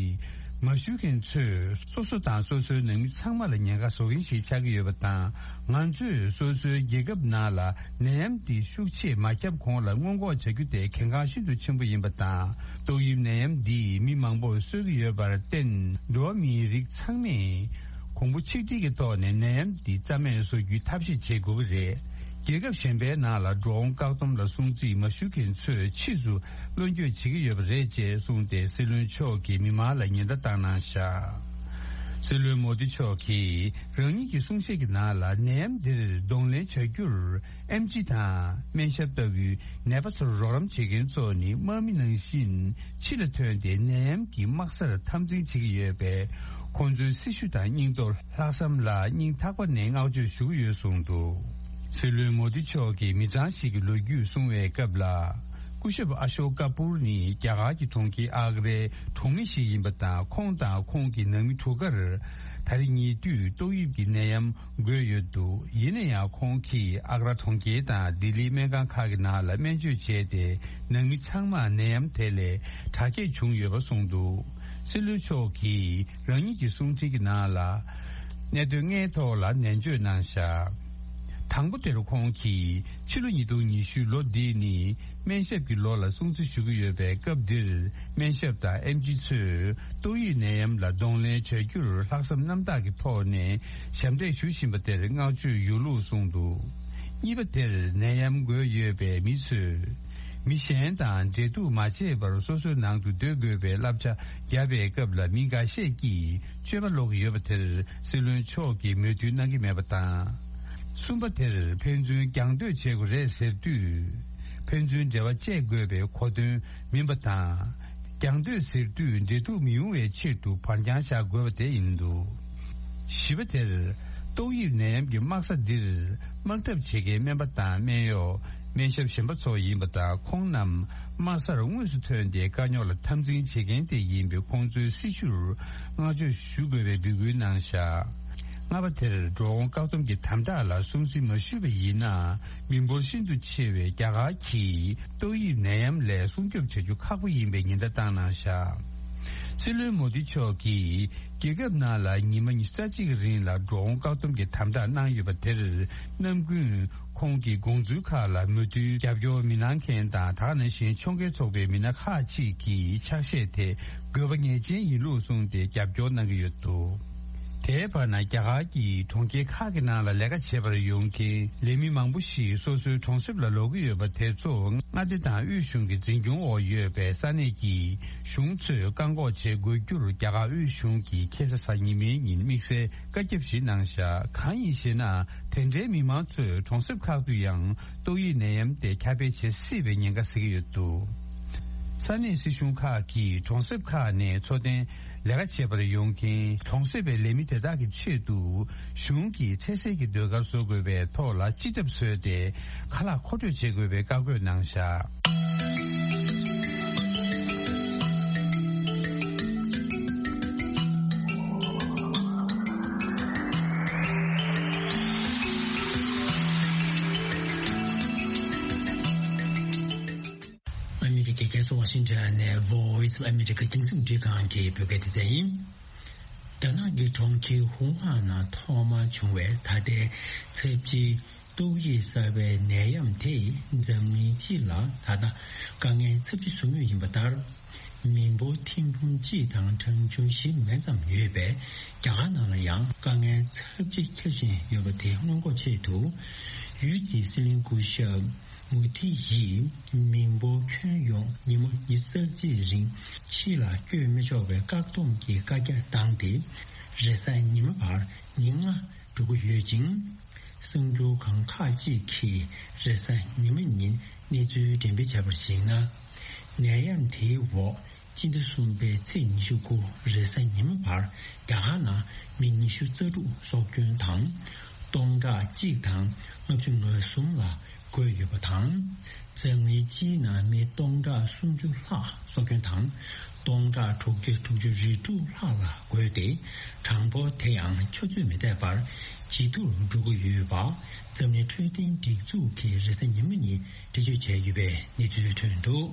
མ་ཞུ་མཁན་ཚོས་སོ་སོ་དང་སོ་སོའི་ནང་མི་ཚང་མ་ལ་ཉེན་ཁ་བཟོ་མཁན་ཞིག་ཆགས་ཀྱི་ཡོད་པ་དང་། ང་ཚོས་སོ་སོའི་རྒྱལ་ཁབ་ནང་ལ་ནད་ཡམས་འདི་ཤུགས་ཆེ་མ་ཁྱབ་གོང་ལ་སྔོན་འགོག་བྱ་རྒྱུ་དེ་གལ་འགངས་ཤིན་ཏུ་ཆེན་པོ་ཡིན་པ་དང་། ཏོག་དབྱིབས་ནད་ཡམས་འདིས་མི་མང་པོར་གསོད་ཀྱི་ཡོད་པར་བརྟེན། འགྲོ་བ་མིའི་རིགས་ཚང་མས་གོང་བུ་ཆིག་སྒྲིལ་གྱི་ཐོག་ནས་ནད་ཡམས་འདི་རྩ་མེད་བཟོ་རྒྱུའི་ཐབས་ཤེས་བྱེད་དགོས་ཀྱི་རེད། རྒྱལ་ཁབ་གཞན་པའི་ནང་ལ་འགྲོ་འོང་བཀག་སྡོམ་ལ་སྲུང་བརྩི་མ་ཞུ་མཁན་ཚོས་ཕྱིས་སུ་བློ་འགྱོད་བྱེད་ཀྱི་ཡོད་པ་རེད་ཅེས་གསུངས་ཏེ། སྲིད་བློན་མཆོག་གིས་མི་མང་ལ་ཉེན་བརྡ་བཏང་གནང་བཞག་སྲིད་བློན་མོ་དི་མཆོག་གིས་རང་ཉིད་ཀྱི་གསུང་བཤད་ཀྱི་ནང་ལ། ནད་ཡམས་འདིར་གདོང་ལེན་བྱ་རྒྱུར་ཨེམ་ཆི་དང་སྨན་ཞབས་ལྟ་བུའི་ནད་པ་ཚོར་རོགས་རམ་བྱེད་མཁན་ཚོ་ནི་དམག་མི་ནང་བཞིན་ཕྱི་ལ་ཐོན་ཏེ་ནད་ཡམས་ཀྱི་དམག་སར་འཐབ་འཛིང་བྱེད་ཀྱི་ཡོད་པས། ཁོང་ཚོའི་སྲི་ཞུ་དང་སྙིང་སྟོབས། ལྷག་བསམ་ལ་སྙིང་ཐག་པ་ནས་བསྔགས་བརྗོད་ཞུ་གི་ཡོད་གསུངས་འདུག་སྲིད་བློན་མོ་དི་མཆོག་གིས་མི་ཚང་ཞིག་གི་ལོ་རྒྱུས་གསུང་བའི་སྐབས་ལ། སྐུ་ཞབས་ཨ་ཤོ་ཀ་པུར་ནི་རྒྱ་གར་གྱི་གྲོང་ཁྱེར་ཨག་རའི་གྲོང་མི་ཞིག་ཡིན་པ་དང་། ཁོང་དང་ཁོང་གི་ནང་མི་དྲུག་ཀར་ད་རེས་ཉེ་དུས་ཏོག་དབྱིབས་ཀྱི་ནད་ཡམས་འགོས་ཡོད་འདུག་ཡིན་ན་ཡང་ཁོང་གིས་ཨག་ར་གྲོང་ཁྱེར་དང་ལྡི་ལིའི་སྨན་ཁང་ཁག་གི་ནང་ལ་སྨན་བཅོས་བྱས་ཏེ། ནང་མི་ཚང་མར་ནད་ཡམས་དེ་ལས་དྲག་སྐྱེད་བྱུང་ཡོད་པ་གསུངས་འདུག་སྲིད་བློན་མཆོག་གིས་རང་ཉིད་ཀྱི་གསུང་འཕྲིན་གྱི་ནང་ལ། གནད་དོན་ལྔའི་ཐོག་ལ་ནན་བརྗོད་གནང་བཞག་དང་པོ་དེར་ཁོང་གིས་ཕྱི་ལོ་ཉིས་སྟོང་ཉི་ཤུ་ལོ་འདི་ནི་སྨན་ཞབས་ཀྱི་ལོ་ལ་སྲུང་བརྩི་ཞུ་གི་ཡོད་པའི་སྐབས་འདིར། སྨན་ཞབས་དང་ཨེམ་ཆི་ཚོས་ཏོག་དབྱིབས་ནད་ཡམས་ལ་གདོང་ལེན་བྱ་རྒྱུར་ལྷག་བསམ་རྣམ་དག་གི་ཐོག་ནས་ཞབས་འདེགས་ཞུ་བཞིན་པ་དེར་བསྔགས་བརྗོད་ཡོད་ལུགས་གསུངས་འདུག་གཉིས་པ་དེར་ནད་ཡམས་འགོས་ཡོད་པའི་མི་ཚོས། མི་གཞན་དང་འབྲེལ་གཏུག་མ་བྱས་པར་སོ་སོའི་ནང་དུ་སྡོད་དགོས་པའི་བསླབ་བྱ་བརྒྱབ་པའི་སྐབས་ལ་མི་འགའ་ཤས་ཀྱིས་སྤྱོད་པ་ལོག་གི་ཡོད་པ་དེར་སྲིད་བློན་མཆོག་གིས་མོས་མཐུན་གནང་གི་མེད་པ་དང་། གསུམ་པ་དེར་ཕན་ཚུན་རྒྱང་སྡོད་བྱེད་དགོས་རེད་ཟེར་དུས། ཕན་ཚུན་འབྲེལ་བ་བཅད་དགོས་པའི་གོ་དོན་མིན་པ་དང་། རྒྱང་སྡོད་ཟེར་དུས་འབྲེལ་གཏུག་མི་ཡོང་བའི་ཆེད་དུ་བར་འགྱངས་བཞག་དགོས་པ་དེ་ཡིན་འདུག་བཞི་པ་དེར། ཏོག་དབྱིབས་ནད་ཡམས་ཀྱི་དམག་ས་འདིར་དམག་འཐབ་བྱེད་མཁན་སྨན་པ་དང་སྨན་གཡོག་སྨན་ཞབས་གཞན་པ་ཚོ་ཡིན་པ་དང་། ཁོང་རྣམས་དམག་སར་དངོས་སུ་ཐོན་ཏེ་དཀའ་རྙོག་ལ་འཐབ་འཛིང་བྱེད་མཁན་དེ་ཡིན་པས། ཁོང་ཚོའི་སྲི་ཞུར་བསྔགས་བརྗོད་ཞུ་དགོས་པའི་འབོད་སྐུལ་གནང་བཞག་ལྔ་པ་དེར་འགྲོ་འོང་བཀག་སྡོམ་གྱི་དམ་དྲག་ལ་སྲུང་བརྩི་མ་ཞུས་པ་ཡིན་ན། མི་འབོར་ཤིན་ཏུ་ཆེ་བའི་རྒྱ་གར་གྱིས་ཏོག་དབྱིབས་ནད་ཡམས་ལས་སྲུང་སྐྱོབ་བྱ་རྒྱུ་ཁག་པོ་ཡིན་པའི་ཉེན་བརྡ་བཏང་གནང་བཞག་སྲིད་བློན་མོ་དི་མཆོག་གིས་རྒྱལ་ཁབ་ནང་ལ་ཉི་མ་ཉི་ཤུ་རྩ་གཅིག་གི་རིང་ལ་འགྲོ་འོང་བཀག་སྡོམ་གྱི་དམ་དྲག་གནང་ཡོད་པ་དེར་ནམ་རྒྱུན་ཁོང་གི་དགོངས་ཚུལ་ཁག་ལ་མོས་མཐུན་རྒྱབ་སྐྱོར་མི་གནང་མཁན་དང་། ད་ག་ནང་བཞིན་ཕྱོགས་འགལ་ཚོགས་པའི་མི་སྣ་ཁག་ཅིག་གིས་ཕྱག་བཞེས་དེ་དགོས་པ་ངེས་ཅན་ཡིན་ལུགས་གསུངས་ཏེ་རྒྱབ་སྐྱོར་གནང་གི་ཡོད་འདུག་དེའི་བར་ན། རྒྱ་གར་གྱི་གྲོང་ཁྱེར་ཁག་གི་ནང་ལ་ལས་ཀ་བྱེད་པར་ཡོང་མཁན་ལས་མི་མང་པོ་ཞིག་སོ་སོའི་གྲོང་གསེབ་ལ་ལོག་གི་ཡོད་པ་དེ་ཚོ་མངའ་སྡེ་དང་དབུས་གཞུང་གི་འཛིན་སྐྱོང་འོག་ཡོད་པའི་ས་གནས་ཀྱི་གཞུང་ཚོས་བཀག་འགོག་བྱེད་དགོས་རྒྱུར་རྒྱ་གར་དབུས་གཞུང་གིས་ཁ་སང་གཟའ་ཉི་མའི་ཉིན་དམིགས་བསལ་བཀའ་ཁྱབ་ཞིག་གནང་བཞག་གང་ཡིན་ཞེ་ན། དེ་འདྲའི་མི་མང་ཚོས་གྲོང་གསེབ་ཁག་ཏུ་ཡང་ཏོག་དབྱིབས་ནད་ཡམས་དེ་ཁྱབ་སྤེལ་བྱེད་སྲིད་པའི་ཉེན་ཁ་གཟིགས་ཀྱི་ཡོད་འདུག་ས་གནས་སྲིད་གཞུང་ཁག་གིས་གྲོང་གསེབ་ཁག་ནས་འཚོ་རྟེན་ལས་ཀ་བྱེད་པར་ཡོང་མཁན་གྲོང་གསེབ་པའི་ལས་མི་དེ་དག་གི་ཆེད་དུ་གཞུང་གིས་འཕྲལ་སེལ་གྱི་ཟློས་གར་བཟོ་དགོས་པའི་ཐོག་ལ་སྤྱི་ཐབ་བཟོས་ཏེ་ཁ་ལག་མཁོ་སྤྲོད་བྱེད་དགོས་པའི་བཀའ་བཀོད་གནང་བཞག་ཨ་མི་རི་ཀའི་རྒྱལ་ས་ཝ་ཤིང་ཊོན་ནས་Voice of America རྒྱང་སྲིང་རླུང་འཕྲིན་ཁང་གི་བོད་སྐད་སྡེ་ཚན་ཡིན། རྒྱ་ནག་གི་གྲོང་ཁྱེར་ཧུའུ་ཧན་ནང་ཐོག་མར་བྱུང་བའི་ད་ལྟའི་ཚབས་ཆེའི་ཏོག་དབྱིབས་གསར་པའི་ནད་ཡམས་དེས་འཛམ་གླིང་སྤྱི་ལ་ད་ལྟ་དཀའ་ངལ་ཚབས་ཆེ་བཟོ་མུས་ཡིན་པ་ལྟར། མི་འབོར་ཐེར་འབུམ་གཅིག་དང་གྲངས་ཆུང་བཞི་མན་ཙམ་ཡོད་པའི་རྒྱ་གར་ནང་ལ་ཡང་དཀའ་ངལ་ཚབས་ཆེ་འཁྱེར་བཞིན་ཡོད་པ་དེ་སྔོན་འགོག་ཆེད་དུ། ཡུལ་དེའི་སྲིད་བློན་སྐུ་ཞབས་མུ་དྷི་ཡིས་མི་འབོར་ཁྱོན་ཡོངས་ཉིན་མོ་ཉི་ཤུ་རྩ་གཅིག་རིང་ཕྱི་ལ་བསྐྱོད་མི་ཆོག་པའི་བཀག་སྡོམ་གྱི་བཀའ་རྒྱ་བཏང་སྟེ། རེས་གཟའ་ཉི་མ་བར་ཉིན་ལྔ་འགྲོ་གི་ཡོད་ཅིང་། གསར་འགྱུར་ཁང་ཁག་ཅིག་གིས་རེས་གཟའ་ཉི་མ་ཉིན་གནས་ཚུལ་འགྲེམས་སྤེལ་བྱས་པར་གཞིགས་ན། ནད་ཡམས་དེའི་འོག་སྤྱི་ཟླ་གསུམ་པའི་ཚེས་ཉི་ཤུ་དགུ་རེས་གཟའ་ཉི་མ་བར་རྒྱ་གར་ནང་མི་ཉི་ཤུ་རྩ་དྲུག་སྲོག་སྐྱོན་དང་། སྟོང་ཕྲག་གཅིག་དང་ལྔ་བཅུ་ང་གསུམ་ལ་འགོས་ཡོད་པ་དང་། འཛམ་གླིང་སྤྱིའི་ནང་མི་སྟོང་ཕྲག་སུམ་ཅུ་ལྷག་སྲོག་སྐྱོན་དང་། སྟོང་ཕྲག་དྲུག་བརྒྱ་དྲུག་ཅུ་རེ་དྲུག་ལྷག་ལ་འགོས་ཏེ། གྲངས་འབོར་དེ་ཡང་ཆུ་ཚོད་མི་འདས་པར་ཇེ་མཐོར་འགྲོ་གི་ཡོད་པ། འཛམ་གླིང་འཕྲོད་བསྟེན་སྒྲིག་འཛུགས་ཀྱིས་རེས་གཟའ་ཉི་མ་ཉིན་འགྲེལ་བརྗོད་བྱས་ཡོད་པའི་གནས་ཚུལ་ཐོན་འདུག་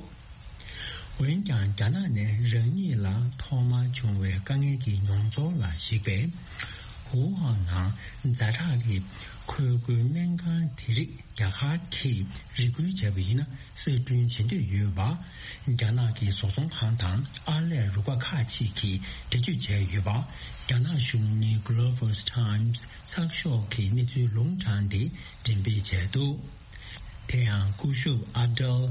འོན་ཀྱང་། རྒྱ་ནག་ནས་རང་ཉིད་ལ་ཐོག་མར་བྱུང་བའི་དཀའ་ངལ་གྱི་མྱོང་ཚོར་ལ་གཞིགས་པས། ཧུའུ་ཧན་ནང་ཛ་དྲག་གི་ཁོལ་རྒོལ་སྨན་ཁང་དེ་རིགས་རྒྱ་གར་གྱིས་རེ་སྐུལ་བྱས་པ་ཡིན་ན་གསར་སྐྲུན་བྱེད་འདོད་ཡོད་པ། རྒྱ་ནག་གི་བཟོ་ཚོང་ཁང་དང་ཨར་ལས་རུ་ཁག་ཁག་ཅིག་གིས་འགྲེལ་བརྗོད་བྱས་ཡོད་པ། རྒྱ་ནག་གཞུང་གཉེར་Global Times་ཚགས་ཤོག་གིས་གནས་ཚུལ་ལུང་དྲངས་ཏེ་འགྲེམས་སྤེལ་བྱས་འདུག་དེ་ཡང་སྐུ་ཞབས་ཨ་ཏལ་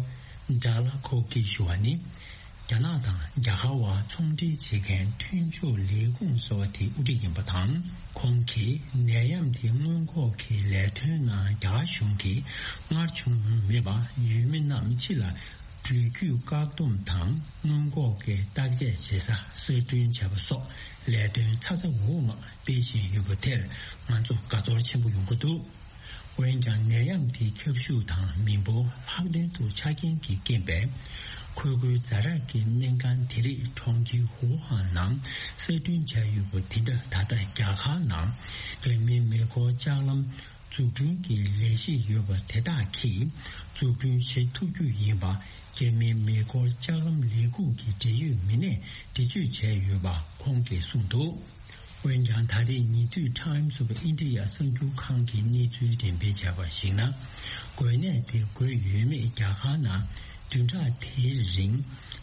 ཌ་ལ་ཁོ་གིས་ཞུ་བ་ནི། རྒྱ་ནག་དང་རྒྱ་གར་བར་ཚོང་འབྲེལ་བྱེད་མཁན་མཐུན་ཕྱོགས་ལས་ཁུངས་ཟེར་བ་དེའི་དབུ་ཁྲིད་ཡིན་པ་དང་། ཁོང་གིས་ནད་ཡམས་དེ་སྔོན་འགོག་གི་ལས་དོན་ནང་རྒྱ་གར་གཞུང་གིས་སྔར་བྱུང་མྱོང་མེད་པ། ཡུལ་མི་རྣམས་ཕྱི་ལ་འགྲུལ་སྐྱོད་བཀག་སྡོམ་དང་སྔོན་འགོག་གི་བརྟག་དཔྱད་བྱེད་ས་གསར་སྐྲུན་བྱས་པ་སོགས་ལས་དོན་ཚ་ཚ་འུར་འུར་ངང་སྤེལ་བཞིན་ཡོད་པ་དེར་ང་ཚོ་དགའ་ཚོར་ཆེན་པོ་ཡོང་གི་འདུག་འོན་ཀྱང་། ནད་ཡམས་དེའི་ཁྱབ་ཤུགས་དང་མི་འབོར་ལྷག་དོན་དུ་ཆ་རྐྱེན་གྱི་རྐྱེན་པས། ཁོལ་རྒོལ་ཛ་དྲག་གི་སྨན་ཁང་དེ་རིགས་གྲོང་ཁྱེར་ཧུའུ་ཧན་ནང་གསར་སྐྲུན་བྱས་ཡོད་པ་དེ་འདྲ་ད་ལྟ་རྒྱ་གར་ནང་འབད་མེད་མེ་འཁོར་ལྕགས་ལམ་འཛུགས་སྐྲུན་གྱི་ལས་གཞི་ཡོད་པ་དེ་དག་གིས་འཛུགས་སྐྲུན་བྱེད་ཐུབ་རྒྱུ་ཡིན་པ། རྒྱ་མིའི་མེ་འཁོར་ལྕགས་ལམ་ལས་ཁུངས་ཀྱི་འབྲེལ་ཡོད་མི་སྣས་འགྲེལ་བརྗོད་བྱས་ཡོད་པ་ཁོང་གིས་གསུངས་འདུག། འོན་ཀྱང་ད་རེས་ཉེ་དུས་Times of India གསར་འགྱུར་ཁང་གིས་གནས་ཚུལ་འགྲེམས་སྤེལ་བྱས་པར་གཞིགས་ན། འགོས་ནད་དེ་འགོས་ཡོད་མེད་རྒྱ་གར་ནང་བདུན་ཕྲག་དེའི་རིང་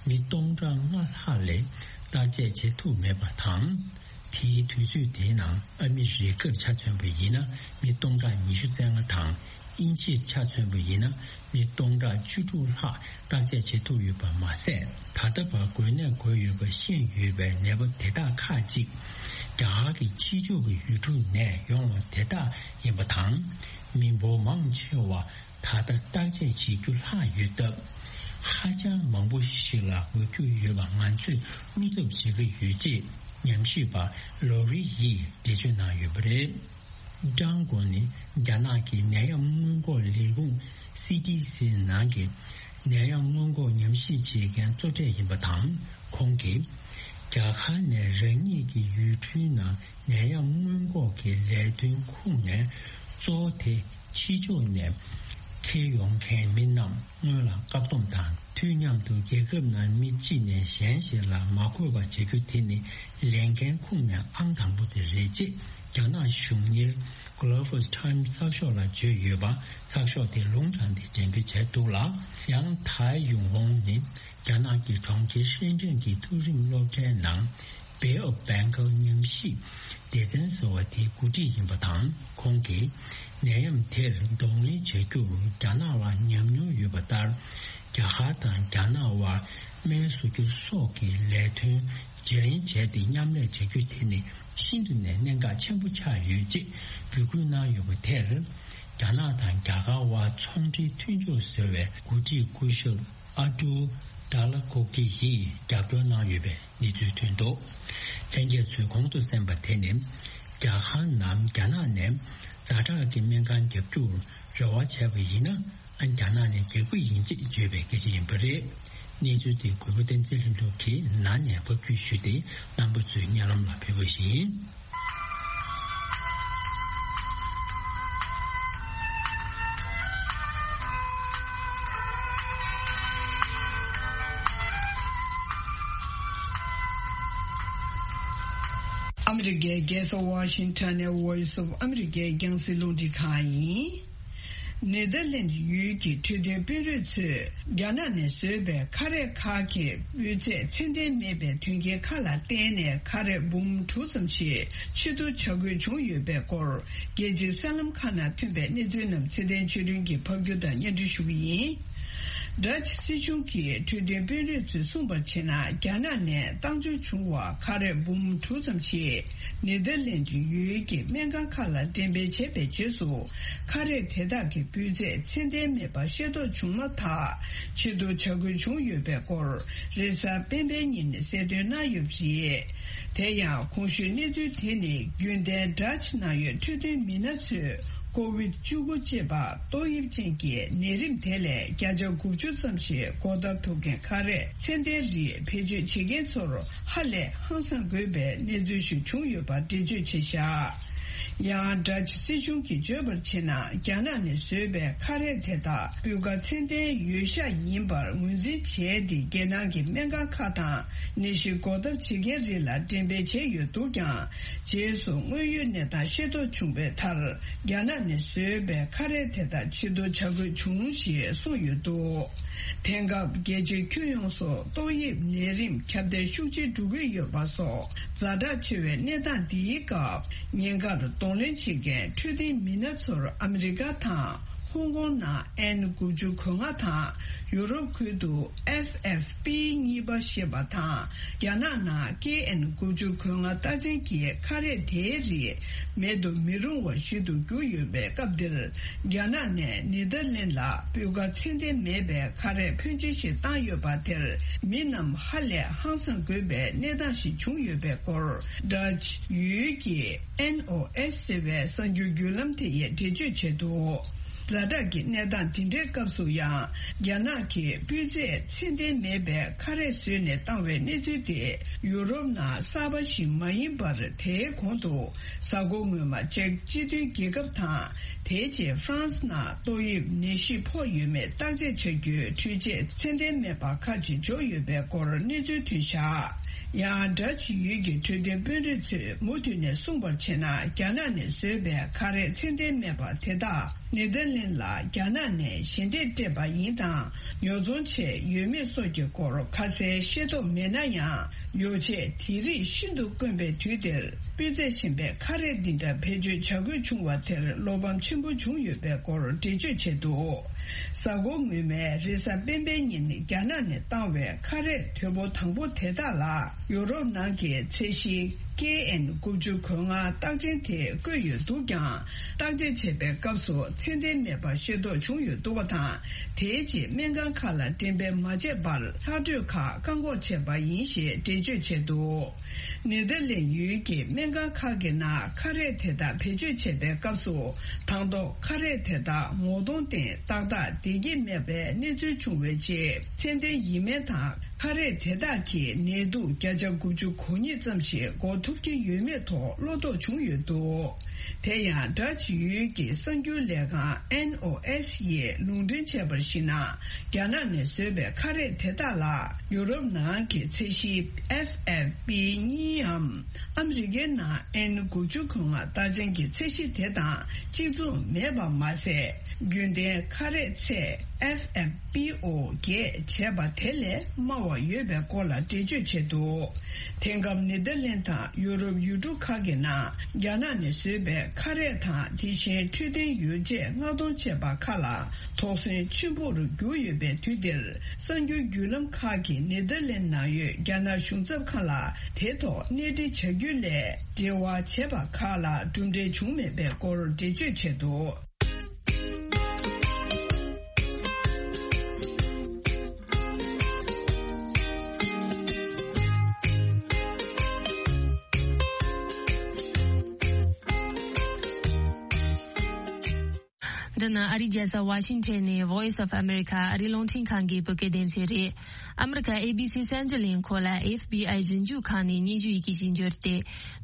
མི་སྟོང་ཕྲག་ལྔ་ལྷག་ལས་བརྟག་དཔྱད་བྱེད་ཐུབ་མེད་པ་དང་། དེའི་དུས་ཚོད་དེའི་ནང་ཨ་མི་རི་ཀར་ཆ་མཚོན་པ་ཡིན་ན་མི་སྟོང་ཕྲག་ཉི་ཤུ་རྩ་ལྔ་དང་། དབྱིན་ཇིར་ཆ་མཚོན་པ་ཡིན་ན་མི་སྟོང་ཕྲག་བཅུ་དྲུག་ལྷག་བརྟག་དཔྱད་བྱེད་ཐུབ་ཡོད་པ་མ་ཟད། ད་ལྟ་བར་འགོས་ནད་འགོས་ཡོད་པ་ཤེས་ཡོད་པའི་ནད་པ་དེ་དག་ཁག་ཅིག་རྒྱ་གར་གྱི་ཕྱི་ཕྱོགས་ཀྱི་ཡུལ་གྲུ་ནས་ཡོང་བ་དེ་དག་ཡིན་པ་དང་། མི་འབོར་མང་ཆེ་བ་ད་ལྟ་བརྟག་དཔྱད་བྱེད་རྒྱུ་ལྷག་ཡོད་སྟབས། ཧ་ཅང་མང་པོ་ཞིག་ལ་འགོས་རྒྱུ་ཡོད་པ་ང་ཚོས་བློ་འཚབ་བྱེད་ཀྱི་ཡོད་ཅེས་ཉམས་ཞིབ་པ་ལོ་རི་ཡིས་འགྲེལ་བརྗོད་གནང་ཡོད་པ་རེད། ཀྲང་གོ་ནི་རྒྱ་ནག་གི་ནད་ཡམས་སྔོན་འགོག་ལས་ཁུངས་སི་ཏི་སི་ནང་གི་ནད་ཡམས་སྔོན་འགོག་ཉམས་ཞིབ་བྱེད་མཁན་གཙོ་གྲས་ཡིན་པ་དང་། ཁོང་གིས་རྒྱ་གར་ནས་རང་ཉིད་ཀྱི་ཡུལ་གྲུའི་ནང་ནད་ཡམས་སྔོན་འགོག་གི་ལས་དོན་ཁུངས་ནས་གཙོ་བོ་དེ་ཕྱི་ཕྱོགས་ནས་འཁྱེར་ཡོང་མཁན་མི་རྣམས་སྔོན་ལ་བཀག་སྡོམ་དང་། དུས་མཉམ་དུ་རྒྱལ་ཁབ་ནང་མི་གཅིག་ནས་གཞན་ཞིག་ལ་མ་འགོས་པ་བྱ་རྒྱུ་དེ་ནི་ལས་འགན་ཁུངས་ནས་ཨང་དང་པོ་དེ་རེད་ཅེས་རྒྱ་ནག་གཞུང་གཉེར་Global Times ཚགས་ཤོག་ལ་བརྗོད་ཡོད་པ་ཚགས་ཤོག་དེ་ལུང་དྲངས་ཏེ་འགྲེམས་སྤེལ་བྱས་འདུག་ལ། ཡང་ཐའེ་ཡུང་ཧོང་ནི་རྒྱ་ནག་གི་གྲོང་ཁྱེར་ཧྲེན་ཀྲེན་གྱི་མཐོ་རིམ་སློབ་གྲྭའི་ནང་Bay of Bengal ཉམས་ཞིབ་སྡེ་ཚན་ཟེར་བ་དེའི་འགོ་ཁྲིད་ཡིན་པ་དང་། ཁོང་གིས་ནད་ཡམས་དེར་གདོང་ལེན་བྱ་རྒྱུར་རྒྱ་ནག་ལ་ཉམས་མྱོང་ཡོད་པ་ལྟར། རྒྱ་གར་དང་རྒྱ་ནག་དབར་སྨན་བཟོ་རྒྱུ་སོགས་ཀྱི་ལས་དོན་བརྗེ་ལེན་བྱས་ཏེ་མཉམ་ལས་བྱ་རྒྱུ་དེ་ནི་ཤིན་ཏུ་ནས་གནད་འགག་ཆེན་པོ་ཆགས་ཡོད་ཅེས་འབོད་སྐུལ་གནང་ཡོད་པ་དེར། རྒྱ་ནག་དང་རྒྱ་གར་དབར་ཚོང་འབྲེལ་མཐུན་ཕྱོགས་ཟེར་བའི་འགོ་ཁྲིད་སྐུ་ཞབས་ཨ་ཏུ་ཌ་ལ་གོ་ཀི་ཡིས་རྒྱབ་སྐྱོར་གནང་ཡོད་པའི་གནས་ཚུལ་ཐོན་འདུག། ལྷན་རྒྱས་ཚོས་གོང་དུ་གསན་པ་དེ་ནི་རྒྱ་གར་ནམ་རྒྱ་ནག་ནས་ཛ་དྲག་གི་སྨན་ཁང་བརྒྱབ་རྒྱུར་རེ་བ་བྱས་པ་ཡིན་ན། ཨ་རྒྱ་ནག་ནས་རྒྱག་གི་ཡིན་ཅེས་བརྗོད་པའི་སྐད་ཆ་ཡིན་པ་རེད། གནས་ཚུལ་དེ་གུས་པ་བསྟན་འཛིན་ལྷུན་གྲུབ་ཀྱིས་ནང་ནས་ཕབ་སྒྱུར་ཞུས་ཏེ་རྣམ་པ་ཚོའི་སྙན་ལམ་ལ་ཕུལ་བ་ཞིག་ཡིན། ཨ་མི་རི་ཀའི་རྒྱལ་ས་ཝ་ཤིང་ཊོན་ནས་Voice of America རྒྱང་སྲིང་རླུང་འཕྲིན་ཁང་ཡིན། ནེ་དར་ལེན་ཌི་ཡུལ་གྱི་འཕྲོད་བསྟེན་དཔོན་རིགས་ཚོས་རྒྱ་ནག་ནས་བཟོས་པའི་ཁ་རས་ཁག་གི་སྤུས་ཚད་ཚད་ལྡན་མེད་པའི་དོན་རྐྱེན་ཁག་ལ་བརྟེན་ནས་ཁ་རས་འབུམ་དྲུག་ཙམ་ཞིག་ཕྱིར་བསྡུ་བྱ་དགོས་བྱུང་ཡོད་པའི་སྐོར། རྒྱལ་སྤྱིའི་གསར་ལམ་ཁག་ནང་ཐོན་པའི་གནས་ཚུལ་རྣམས་ཚེ་བརྟན་ཆོས་སྒྲོན་གྱིས་ཕབ་སྒྱུར་དང་སྙན་སྒྲོན་ཞུ་གི་ཡིན། ཌ་ཅི་སྲིད་གཞུང་གི་འཕྲོད་བསྟེན་དཔོན་རིགས་ཚོས་གསུངས་པར་བྱས་ན། རྒྱ་ནག་ནས་བཏང་འབྱོར་བྱུང་བ་ཁ་རས་འབུམ་དྲུག་ཙམ་ཞིག་ནེ་དར་ལེན་ཌི་ཡུལ་གྱི་སྨན་ཁང་ཁག་ལ་འགྲེམས་སྤེལ་བྱས་པའི་རྗེས་སུ། ཁ་རས་དེ་དག་གི་སྤུས་ཚད་ཚད་ལྡན་མེད་པ་ཤེས་རྟོགས་བྱུང་མ་ཐག་ཕྱིར་བསྡུ་བྱ་དགོས་བྱུང་ཡོད་པའི་སྐོར། རེས་གཟའ་སྤེན་པའི་ཉིན་གསལ་སྟོན་གནང་ཡོད་པ་རེད། དེ་ཡང་གོང་ཞུས་གནས་ཚུལ་དེ་ནི་རྒྱུན་ལྡན་ཌ་ཅི་ནང་ཡོད་འཕྲོད་བསྟེན་མི་སྣ་ཚོས་ཀོ་ཝིད་བཅུ་དགུ་ཅེས་པ་ཏོག་དབྱིབས་ཅན་གྱི་ནད་རིམས་དེ་ལས་བརྒྱ་ཆ་དགུ་བཅུ་ཙམ་ཞིག་འགོག་ཐབས་ཐུབ་མཁན་ཁ་རས་ཚད་ལྡན་རིགས་བེད་སྤྱོད་བྱེད་མཁན་ཚོར་ཧ་ལས་ཧང་སང་དགོས་པའི་གནས་ཚུལ་ཞིག་བྱུང་ཡོད་པ་འགྲེལ་བརྗོད་བྱས་བཞག། ཡང་ཌ་ཅི་སྲིད་གཞུང་གིས་བརྗོད་པར་བྱས་ན། རྒྱ་ནག་ནས་བཟོས་པའི་ཁ་རས་དེ་དག་སྤུས་ཀ་ཚད་ལྡན་ཡོད་ཤག་ཡིན་པར་ངོས་འཛིན་བྱས་ཏེ། རྒྱལ་ནང་གི་སྨན་ཁང་ཁག་དང་ནད་གཞི་འགོག་ཐབས་བྱེད་མཁན་རིགས་ལ་འགྲེམས་སྤེལ་བྱས་ཡོད་འདུག་ཀྱང་། རྗེས་སུ་དངོས་ཡོད་གནས་སྟངས་ཤེས་རྟོགས་བྱུང་བའི་མཐར། རྒྱ་ནག་ནས་བཟོས་པའི་ཁ་རས་དེ་དག་ཕྱིར་བསྡུ་བྱ་དགོས་བྱུང་ཞེས་གསུངས་ཡོད་འདུག། དེང་སྐབས་རྒྱལ་སྤྱིའི་ཁྱོན་ཡོངས་སུ་ཏོག་དབྱིབས་ནད་རིམས་ཁྱབ་གདལ་ཤུགས་ཆེ་འགྲོ་གི་ཡོད་པ་སོགས་ཛ་དྲག་ཆེ་བའི་གནས་སྟངས་འདིའི་སྐབས། ཉེན་ཁར་གདོང་ལེན་བྱེད་མཁན་འཕྲོད་བསྟེན་མི་སྣ་ཚོར་ཨ་མི་རི་ཀ་དང་ཧོང་ཀོང་ནང་ཨེན་དགུ་བཅུ་གོ་ལྔ་དང་ཡུ་རོབ་ཁུལ་དུ་ཨེཕ་ཨེཕ་པི་གཉིས་པ་ཞེས་པ་དང་། རྒྱ་ནག་ནང་ཀེ་ཨེན་དགུ་བཅུ་གོ་ལྔ་རྟགས་ཅན་གྱི་ཁ་རས་དེའི་རིགས་མེད་དུ་མི་རུང་བ་ཞིག་ཏུ་གྱུར་ཡོད་པའི་སྐབས་འདིར། རྒྱ་ནག་ནས་ནེ་དར་ལེན་ལ་སྤུས་ཀ་ཚད་ལྡན་མེད་པའི་ཁ་རས་ཕོན་ཆེ་ཞིག་བཏང་ཡོད་པ་དེར། མི་རྣམས་ཧ་ལས་ཧང་སང་དགོས་པའི་གནས་སྟངས་ཤིག་བྱུང་ཡོད་པའི་སྐོར། ཌ་ཅི་ཡུལ་གྱི་ཨེན་ཨོ་ཨེས་ཟེར་བའི་གསར་འགྱུར་བརྒྱུད་ལམ་དེ་ཡིས་འགྲེལ་བརྗོད་བྱས་འདུག། ཛ་དྲག་གི་གནས་སྟངས་དེ་འདྲའི་སྐབས་སུ་ཡང་། རྒྱ་ནག་གིས་སྤུས་ཚད་ཚད་ལྡན་མེད་པའི་ཁ་རས་བཟོས་ནས་བཏང་བའི་གནས་ཚུལ་དེ། ཡུ་རོབ་ནང་གསར་པ་ཞིག་མ་ཡིན་པར། དེའི་གོང་དུ། གཟའ་འཁོར་སྔོན་མ་ཅེཀ་སྤྱི་མཐུན་རྒྱལ་ཁབ་དང་། དེའི་རྗེས་ཧྥ་རན་སི་ནང་ཏོག་དབྱིབས་ནད་གཞི་ཕོག་ཡོད་མེད་བརྟག་དཔྱད་བྱ་རྒྱུའི་འཕྲུལ་ཆས་ཚད་ལྡན་མེད་པ་ཁག་ཅིག་འབྱོར་ཡོད་པའི་སྐོར་གནས་ཚུལ་ཐོན་བཞག་ཡང་། འདྲ་བྱེད་ཡུལ་གྱི་འཕྲོད་བསྟེན་དཔོན་རིགས་ཚོས་མུ་མཐུད་ནས་གསུངས་པར་བྱས་ན། རྒྱ་ནག་ནས་བཟོས་པའི་ཁ་རས་ཚད་ལྡན་མེད་པ་དེ་དག་ནེ་དར་ལེན་ལ་རྒྱ་ནག་ནས་ཞལ་འདེབས་སྤྲད་པ་ཡིན་དང་། ཉོ་ཚོང་བྱས་ཡོད་མེད་སོགས་ཀྱི་སྐོར་ཁ་གསལ་ཤེས་རྟོགས་མེད་ན་ཡང་། ཡོ་ཆས་དེ་རིགས་ཤིན་ཏུ་དཀོན་པའི་དུས་འདིར། སྤུས་ཚད་ཞན་པའི་ཁ་རས་འདི་འདྲ་བེད་སྤྱོད་བྱ་དགོས་བྱུང་བ་དེར་བློ་ཕམ་ཆེན་པོ་བྱུང་ཡོད་པའི་སྐོར་འགྲེལ་བརྗོད་བྱས་འདུག་གཟའ་འཁོར་སྔོན་མའི་རེས་གཟའ་སྤེན་པའི་ཉིན། རྒྱ་ནག་ནས་བཏང་བའི་ཁ་རས་དོད་པོ་དང་པོ་དེ་དག་ལ། ཡོ་རོབ་ནང་གི་ཚད་གཞི་ཀེ་ཨེན་དགུ་བཅུ་གོ་ལྔ་རྟགས་ཅན་དེ་བཀོད་ཡོད་འདུག་ཀྱང་། བརྟག་དཔྱད་བྱས་པའི་སྐབས་སུ་ཚད་ལྡན་མེད་པ་ཤེས་རྟོགས་བྱུང་ཡོད་འདུག་པ་དང་། དེའི་རྗེས་སྨན་ཁང་ཁག་ལ་འགྲེམས་སྤེལ་མ་བྱས་པར། ལྷག་འཕྲོས་ཁག་བཀག་འགོག་བྱས་པ་ཡིན་ཞེས་འགྲེལ་བརྗོད་བྱས་འདུག་ནེ་དར་ལེན་ཡུལ་གྱི་སྨན་ཁང་ཁག་གི་ནང་ཁ་རས་དེ་དག་བེད་སྤྱོད་བྱས་པའི་སྐབས་སུ། དང་ཐོག་ཁ་རས་དེ་དག་ངོ་གདོང་སྟེང་ཏག་ཏག་བསྡད་ཀྱི་མེད་པའི་གནས་ཚུལ་བྱུང་བའི་རྗེས། ཚད་ལྡན་ཡིན་མིན་དང་། ཁ་རས་དེ་དག་གིས་ནད་དུག་བརྒྱ་ཆ་དགུ་བཅུ་གོ་གཉིས་ཙམ་ཞིག་འགོག་ཐུབ་ཀྱི་ཡོད་མེད་ཐོག་བློ་དོགས་བྱུང་ཡོད་འདུག་དེ་ཡང་། འདྲ་བྱེད་ཡུལ་གྱི་གསར་འགྱུར་ལས་ཁང་ཨེན་ཨོ་ཨེས་ཡིས་ལུང་འདྲེན་བྱས་པར་གཞིགས་ན། རྒྱ་ནག་ནས་བཟོས་པའི་ཁ་རས་དེ་དག་ལ་ཡུ་རོབ་ནང་གི་ཚད་གཞི་ཨེཕ་ཨེཕ་པི་གཉིས་འམ། ཨ་མི་རི་ཀའི་ནང་ཨེན་དགུ་བཅུ་གོ་ལྔ་རྟགས་ཅན་གྱི་ཚད་གཞི་དེ་དང་གཅིག་མཚུངས་མེད་པ་མ་ཟད། རྒྱུན་ལྡན་ཁ་རས་ཚད་ཨེཕ་ཨེཕ་པི་ཨོ་བརྒྱད་བྱས་པ་དེ་ལས་དམའ་བ་ཡོད་པའི་སྐོར་ལ་འགྲེལ་བརྗོད་བྱས་འདུག་དེང་སྐབས་ནེ་དར་ལེན་དང་ཡུ་རོབ་ཡུལ་གྲུ་ཁག་གི་ནང་རྒྱ་ནག་ནས་བཟོས་པའི་ཁ་རས་དང་། དེ་བཞིན་འཕྲོད་བསྟེན་ཡོ་བྱད་མངགས་གཏོང་བྱས་པ་ཁག་ལ་དོགས་ཟོན་ཆེན་པོར་གྱུར་ཡོད་པའི་དུས་འདིར། གསར་འགྱུར་བརྒྱུད་ལམ་ཁག་གིས་ནེ་དར་ལེན་ནང་ཡོད་རྒྱ་ནག་གཞུང་ཚབ་ཁང་ལ་དེ་ཐོག་གནས་འདྲི་བྱ་རྒྱུ་ལས་འབྲེལ་བ་བྱས་པ་ཁག་ལ་གྲུབ་འབྲས་བྱུང་མེད་པའི་སྐོར་འགྲེལ་བརྗོད་བྱས་འདུག་འདི་ནི་ཨ་རིའི་རྒྱལ་ས་ཝ་ཤིང་ཊོན་ནས་Voice of America ཨ་རིའི་རླུང་འཕྲིན་ཁང་གི་བོད་སྐད་སྡེ་ཚན་རེད། ཨ་མི་རི་ཀ་ཨེ་བི་སི་གསར་འགྱུར་ལས་ཁུངས་ལ་ཨེཕ་བི་ཨའི་ཞིབ་འཇུག་ཁང་ནས་སྙན་ཞུ་ཡི་གེ་ཞིག་འབྱོར་ཏེ།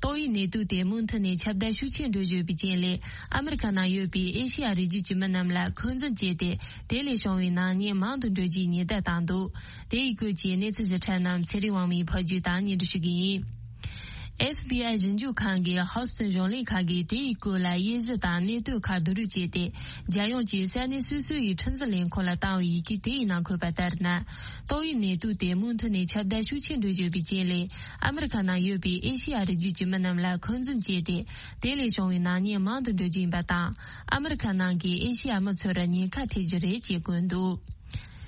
ཏོག་དབྱིབས་ནད་དུག་དེ་མུ་མཐུད་ནས་ཁྱབ་གདལ་ཤུགས་ཆེན་འགྲོ་བཞིན་ཡོད་པའི་རྐྱེན་ལས། ཨ་མི་རི་ཀ་ནང་ཡོད་པའི་ཨེ་ཤེ་ཡ་རི་རྒྱུད་ཀྱི་མི་རྣམས་ལ་འཁོན་འཛིན་བྱས་ཏེ། དེ་ལས་བྱུང་བའི་ནག་ཉེས་མང་དུ་འགྲོ་རྒྱུའི་ཉེན་བརྡ་བཏང་འདུག་དེ་ཡི་སྐོར་གྱི་གནས་ཚུལ་ཞིབ་ཕྲ་རྣམས་ཚེ་རིང་དབང་མོས་ཕབ་སྒྱུར་དང་སྙན་སྒྲོན་ཞུ་གི་ཡིན། ཨེཕ་བི་ཨའི་ཞིབ་འཇུག་ཁང་གིས་ཧོ་སི་ཊོན་གཞུང་ལས་ཁང་གིས་དེ་ཡི་སྐོར་ལ་དབྱེ་གཞི་དང་གནད་དོན་ཁག་བསྡུ་རུབ་བྱས་ཏེ། རྒྱལ་ཡོངས་ཀྱི་ས་གནས་སོ་སོ་ཡི་ཁྲིམས་འཛིན་ལས་ཁུངས་ལ་བཏང་བའི་ཡི་གེ་དེ་ཡི་ནང་འཁོད་པ་ལྟར་ན། ཏོག་དབྱིབས་ནད་དུག་དེ་མུ་མཐུད་ནས་ཁྱབ་གདལ་ཤུགས་ཆེན་འགྲོ་བཞིན་ཡོད་པའི་རྐྱེན་ལས། ཨ་མི་རི་ཀ་ནང་ཡོད་པའི་ཨེ་ཤེ་ཡ་རི་རྒྱུད་ཀྱི་མི་རྣམས་ལ་འཁོན་འཛིན་བྱས་ཏེ། དེ་ལས་བྱུང་བའི་ནག་ཉེས་མང་དུ་འགྲོ་རྒྱུ་ཡིན་པ་དང་། ཨ་མི་རི་ཀ་ནང་གི་ཨེ་ཤེ་ཡ་མི་ཚོར་ཉེན་ཁ་ཐེབས་རྒྱུ་རེད་ཅེས་བཀོད་འདུག་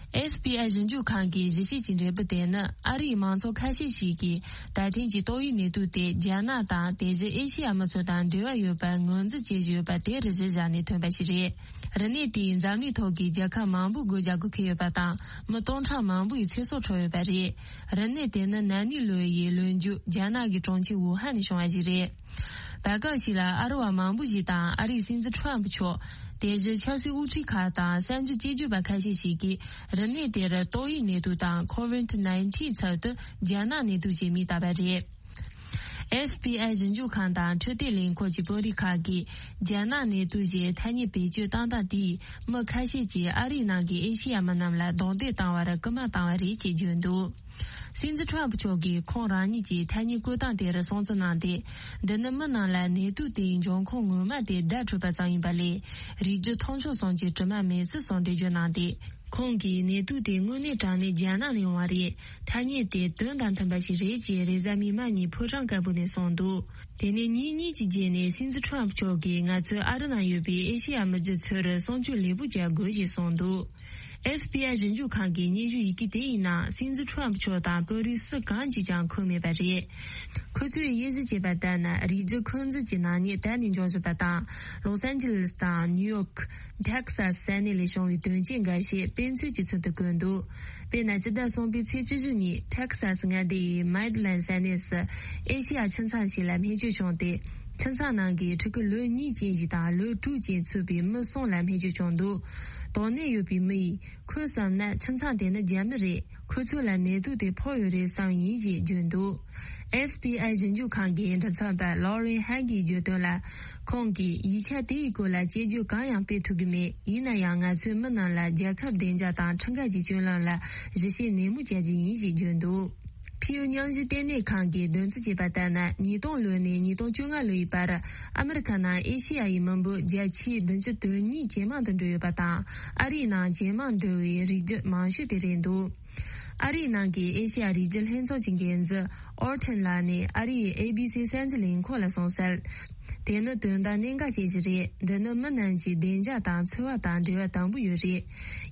ཨེཕ་བི་ཨའི་ཞིབ་འཇུག་ཁང་གི་ཞིབ་བཤེར་གྱི་འབྲས་བུ་དེ་ནི། ཨ་རིའི་མང་ཚོགས་ཁ་ཤས་ཤིག་གིས་ད་ཐེངས་ཀྱི་ཏོག་དབྱིབས་ནད་དུག་དེ་རྒྱ་ནག་དང་དེ་བཞིན་ཨེ་ཤེ་ཡ་མི་ཚོ་དང་འབྲེལ་བ་ཡོད་པར་ངོས་འཛིན་བྱེད་བཞིན་ཡོད་པ་དེར་གཞི་བཞག་ནས་ཐོན་པ་ཞིག་རེད། རིམས་ནད་དེས་འཛམ་གླིང་ཐོག་གི་རྒྱལ་ཁབ་མང་པོའི་སྒོ་རྒྱག་དགོས་ཀྱི་ཡོད་པ་དང་། མི་སྟོང་ཕྲག་མང་པོའི་ཚེ་སྲོག་འཕྲོག་ཡོད་པ་རེད། རིམས་ནད་དེ་ནི་ན་ནིང་ལོ་ཡི་ལོ་མཇུག་རྒྱ་ནག་གི་གྲོང་ཁྱེར་ཝུ་ཧན་ནས་བྱུང་བ་ཞིག་རེད། བར་སྐབས་ཤིག་ལ་ཨ་རི་བ་མང་པོ་ཞིག་དང་ཨ་རིའི་སྲིད་འཛིན་ཁྲོམ་ཕུ་མཆོག་དེ་བཞིན་ཆབ་སྲིད་དབུ་ཁྲིད་ཁག་དང་གསར་འགྱུར་དཔྱད་བརྗོད་པ་ཁ་ཤས་ཤིག་གིས་རིམས་ནད་དེར་ཏོག་དབྱིབས་ནད་དུག་དང་ཁོ་ཝིད་ནའིན་ཊིན་ཚབ་ཏུ་རྒྱ་ནག་ནད་དུག་ཅེས་མིང་བཏགས་པ་རེད། ཨེཕ་བི་ཨའི་ཞིབ་འཇུག་ཁང་དང་འཕྲོད་བསྟེན་ལས་ཁུངས་ཀྱི་དཔོན་རིགས་ཁག་གིས་རྒྱ་ནག་ནད་དུག་ཅེས་ཐ་སྙད་བེད་སྤྱོད་བཏང་སྟངས་དེས་མི་ཁ་ཤས་ཀྱིས་ཨ་རིའི་ནང་གི་ཨེ་ཤེ་ཡ་མི་རྣམས་ལ་རྡུང་རྡེག་བཏང་བར་སྐུལ་མ་བཏང་བ་རེད་ཅེས་བརྗོད་འདུག་སྲིད་འཛིན་ཁྲོམ་ཕུ་མཆོག་གིས་ཁོང་རང་ཉིད་ཀྱི་ཐ་སྙད་བཀོད་སྟངས་དེར་སྲུང་བརྩི་གནང་སྟེ། འདི་ནི་མི་རྣམས་ལ་ནད་དུག་དེའི་འབྱུང་ཁུངས་ངོ་མ་དེ་བརྡ་འཕྲོད་པ་ཙམ་ཡིན་པ་ལས། རིགས་རྒྱུད་མཐོང་ཆུང་གསུམ་གྱི་དྲི་མ་མེད་ཚུལ་སོགས་འགྲེལ་བརྗོད་གནང་སྟེ། ཁོང་གིས་ནད་དུག་དེ་དངོས་གནས་དྲང་གནས་རྒྱ་ནག་ནས་ཡོང་བ་རེད། ཐ་སྙད་དེ་དོན་དང་མཐུན་པ་ཞིག་རེད་ཅེས་རེས་གཟའ་མིག་དམར་ཉིན་ཕོ་བྲང་དཀར་པོ་ནས་གསུངས་འདུག་དེ་ནས་ཉིན་གཉིས་ཀྱི་རྗེས་ནས་སྲིད་འཛིན་ཁྲོམ་ཕུ་མཆོག་གིས་ང་ཚོས་ཨ་རི་ནང་ཡོད་པའི་ཨེ་ཤེ་ཡ་མི་རྒྱུད་ཚོར་སྲུང་སྐྱོབ་ལེགས་པོ་བྱ་དགོས་ཞེས་གསུངས་འདུག་ཨེཕ་བི་ཨའི་ཞིབ་འཇུག་ཁང་གི་སྙན་ཞུ་ཡི་གེ་དེ་ཡི་ནང་སྲིད་འཛིན་ཁྲོམ་ཕུ་མཆོག་དང་དཔོན་རིགས་སུ་གང་གིས་ཀྱང་འཁོད་མེད་པ་རེད། ཁོ་ཚོས་དབྱེ་ཞིབ་བྱས་པ་ལྟར་ན་རིགས་རྒྱུད་འཁོན་འཛིན་གྱི་ནག་ཉེས་ད་ནས་འབྱུང་བཞིན་པ་དང་། ལོས་ཨན་ཇི་ལེས་དང་ནིའུ་ཡོག་ཊེག་སཱ་ས་གནས་ལས་བྱུང་བའི་དོན་རྐྱེན་འགའ་ཤས་དཔེ་མཚོན་གྱི་ཚུལ་དུ་བཀོད་འདུག་དཔེར་ན་སྤྱི་ཟླ་གསུམ་པའི་ཚེས་བཅུ་བཞི་ཉིན་ཊེག་སཱ་སི་མངའ་སྡེ་ཡི་མེ་ཌི་ལན་ས་གནས་སུ་ཨེ་ཤེ་ཡ་ཁྱིམ་ཚང་ཞིག་ལ་རྨས་སྐྱོན་བྱུང་སྟེ། ཁྱིམ་ཚང་ནང་གི་ཕྲུ་གུ་ལོ་གཉིས་ཅན་ཞིག་དང་ལོ་དྲུག་ཅན་ཚུད་པའི་མི་གསུམ་ལ་རྨས་སྐྱོན་བྱུང་འདུག། དོགས་གནད་ཡོད་པའི་མི་ཡིས་ཁོས་བསམ་ན་ཁྱིམ་ཚང་དེ་ནི་རྒྱ་མི་རེད། ཁོ་ཚོ་ལ་ནད་དུག་དེ་ཕོག་ཡོད་རེད་བསམ་ཡིན་ཞེས་བརྗོད་འདུག། ཨེཕ་པི་ཨའི་ཞིབ་འཇུག་ཁང་གི་མགྲིན་ཚབ་པ་ལོ་རེན་ཧན་གྱིས་བརྗོད་དོན་ལ། ཁོང་གིས་ཡིག་ཆ་དེའི་སྐོར་ལ་དཔྱད་བརྗོད་གང་ཡང་སྤེལ་ཐུབ་ཀྱི་མེད། ཡིན་ན་ཡང་ང་ཚོས་མི་རྣམས་ལ་རྒྱལ་ཁབ་བདེ་འཇགས་དང་ཁྲིམས་འགལ་གྱི་སྤྱོད་ལམ་ལ་ཞིབ་བཤེར་ནན་མོ་བྱ་རྒྱུ་ཡིན་ཞེས་བརྗོད་འདུག། ཕིའུ་མཉམ་ཞུགས་ལྟེ་གནས་ཁང་གིས་འདོན་རྩིས་བྱས་པ་ལྟར་ན། ཉིས་སྟོང་ལོ་ནས་ཉིས་སྟོང་བཅོ་ལྔ་ལོའི་བར་ཨ་མི་རི་ཁ་ནང་ཨེ་ཤེ་ཡ་ཡི་མི་འབོར་བརྒྱ་ཆའི་བདུན་ཅུ་དོན་གཉིས་ཇེ་མང་དུ་འགྲོ་ཡོད་པ་དང་། ཨ་རིའི་ནང་ཇེ་མང་འགྲོ་བའི་རིགས་རྒྱུད་མང་ཤོས་དེ་རེད་འདུག། ཨ་རིའི་ནང་གི་ཨེ་ཤེ་ཡ་རིགས་རྒྱུད་ལྷན་ཚོགས་ཀྱི་འགན་འཛིན་ཨོར་ཐན་ལགས་ནས་ཨ་རིའི་ཨེ་བི་སི་གསར་འགྱུར་ལས་ཁུངས་ལ་གསུངས་གསལ། དེ་ནི་དོན་དག་གནད་འགག་ཅན་ཞིག་རེད། འདི་ནི་མི་རྣམས་ཀྱི་བདེ་འཇགས་དང་འཚོ་བ་དང་འབྲེལ་བ་དམ་པོ་ཡོད་རེད།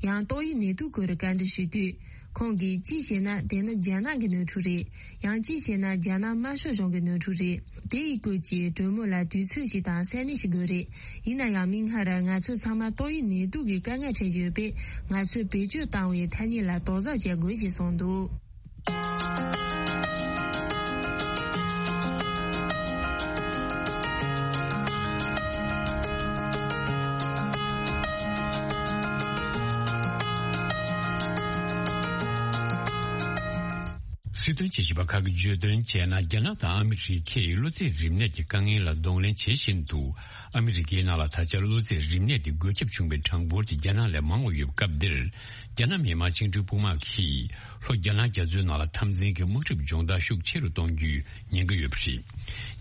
ཡང་ཏོག་དབྱིབས་ནད་དུག་སྐོར་བཀའ་འདྲི་ཞུས་དུས། ཁོང་གིས་གཅིག་བྱས་ན་དེ་ནི་རྒྱ་ནག་གི་ནོར་འཁྲུལ་རེད། ཡང་གཅིག་བྱས་ན་རྒྱ་ནག་དམར་ཤོག་གཞུང་གི་ནོར་འཁྲུལ་རེད། དེ་ཡི་སྐོར་གྱི་གྲོས་མོལ་ལ་དུས་ཚོད་ཞིག་དང་ས་གནས་ཤིག་དགོས་རེད། ཡིན་ན་ཡང་མིག་སྔར་ང་ཚོ་ཚང་མ་ཏོག་དབྱིབས་ནད་དུག་གི་དཀའ་ངལ་འཕྲད་ཀྱི་ཡོད་པས། ང་ཚོས་བེད་སྤྱོད་བཏང་བའི་ཐ་སྙད་ལ་དོགས་ཟོན་བྱེད་དགོས་ཞེས་གསུངས་འདུག། སྲིད་དོན་དཔྱད་ཞིབ་པ་ཁག་གིས་བརྗོད་དོན་བྱས་ན། རྒྱ་ནག་དང་ཨ་མི་རི་ཁས་གློ་ཚད་རིམས་ནད་ཀྱི་དཀའ་ངལ་ལ་གདོང་ལེན་བྱེད་བཞིན་དུ། ཨ་མི་རི་ཀའི་ནང་ལ་ད་ཆ་གློ་ཚད་རིམས་ནད་དེ་འགོས་ཁྱབ་བྱུང་བའི་གྲངས་འབོར་གྱི་རྒྱ་ནག་ལས་མང་བ་ཡོད་སྐབས་འདིར། རྒྱ་ནག་མི་དམངས་བཅིངས་འགྲོལ་དཔུང་དམག་གིས་ལྷོ་རྒྱ་ནག་རྒྱ་མཚོའི་ནང་ལ་འཐབ་འཛིང་གི་དམག་འཁྲུག་སྦྱོང་བརྡར་ཤུགས་ཆེ་རུ་གཏོང་རྒྱུའི་ཉེན་ཁ་ཡོད་པ་རེད།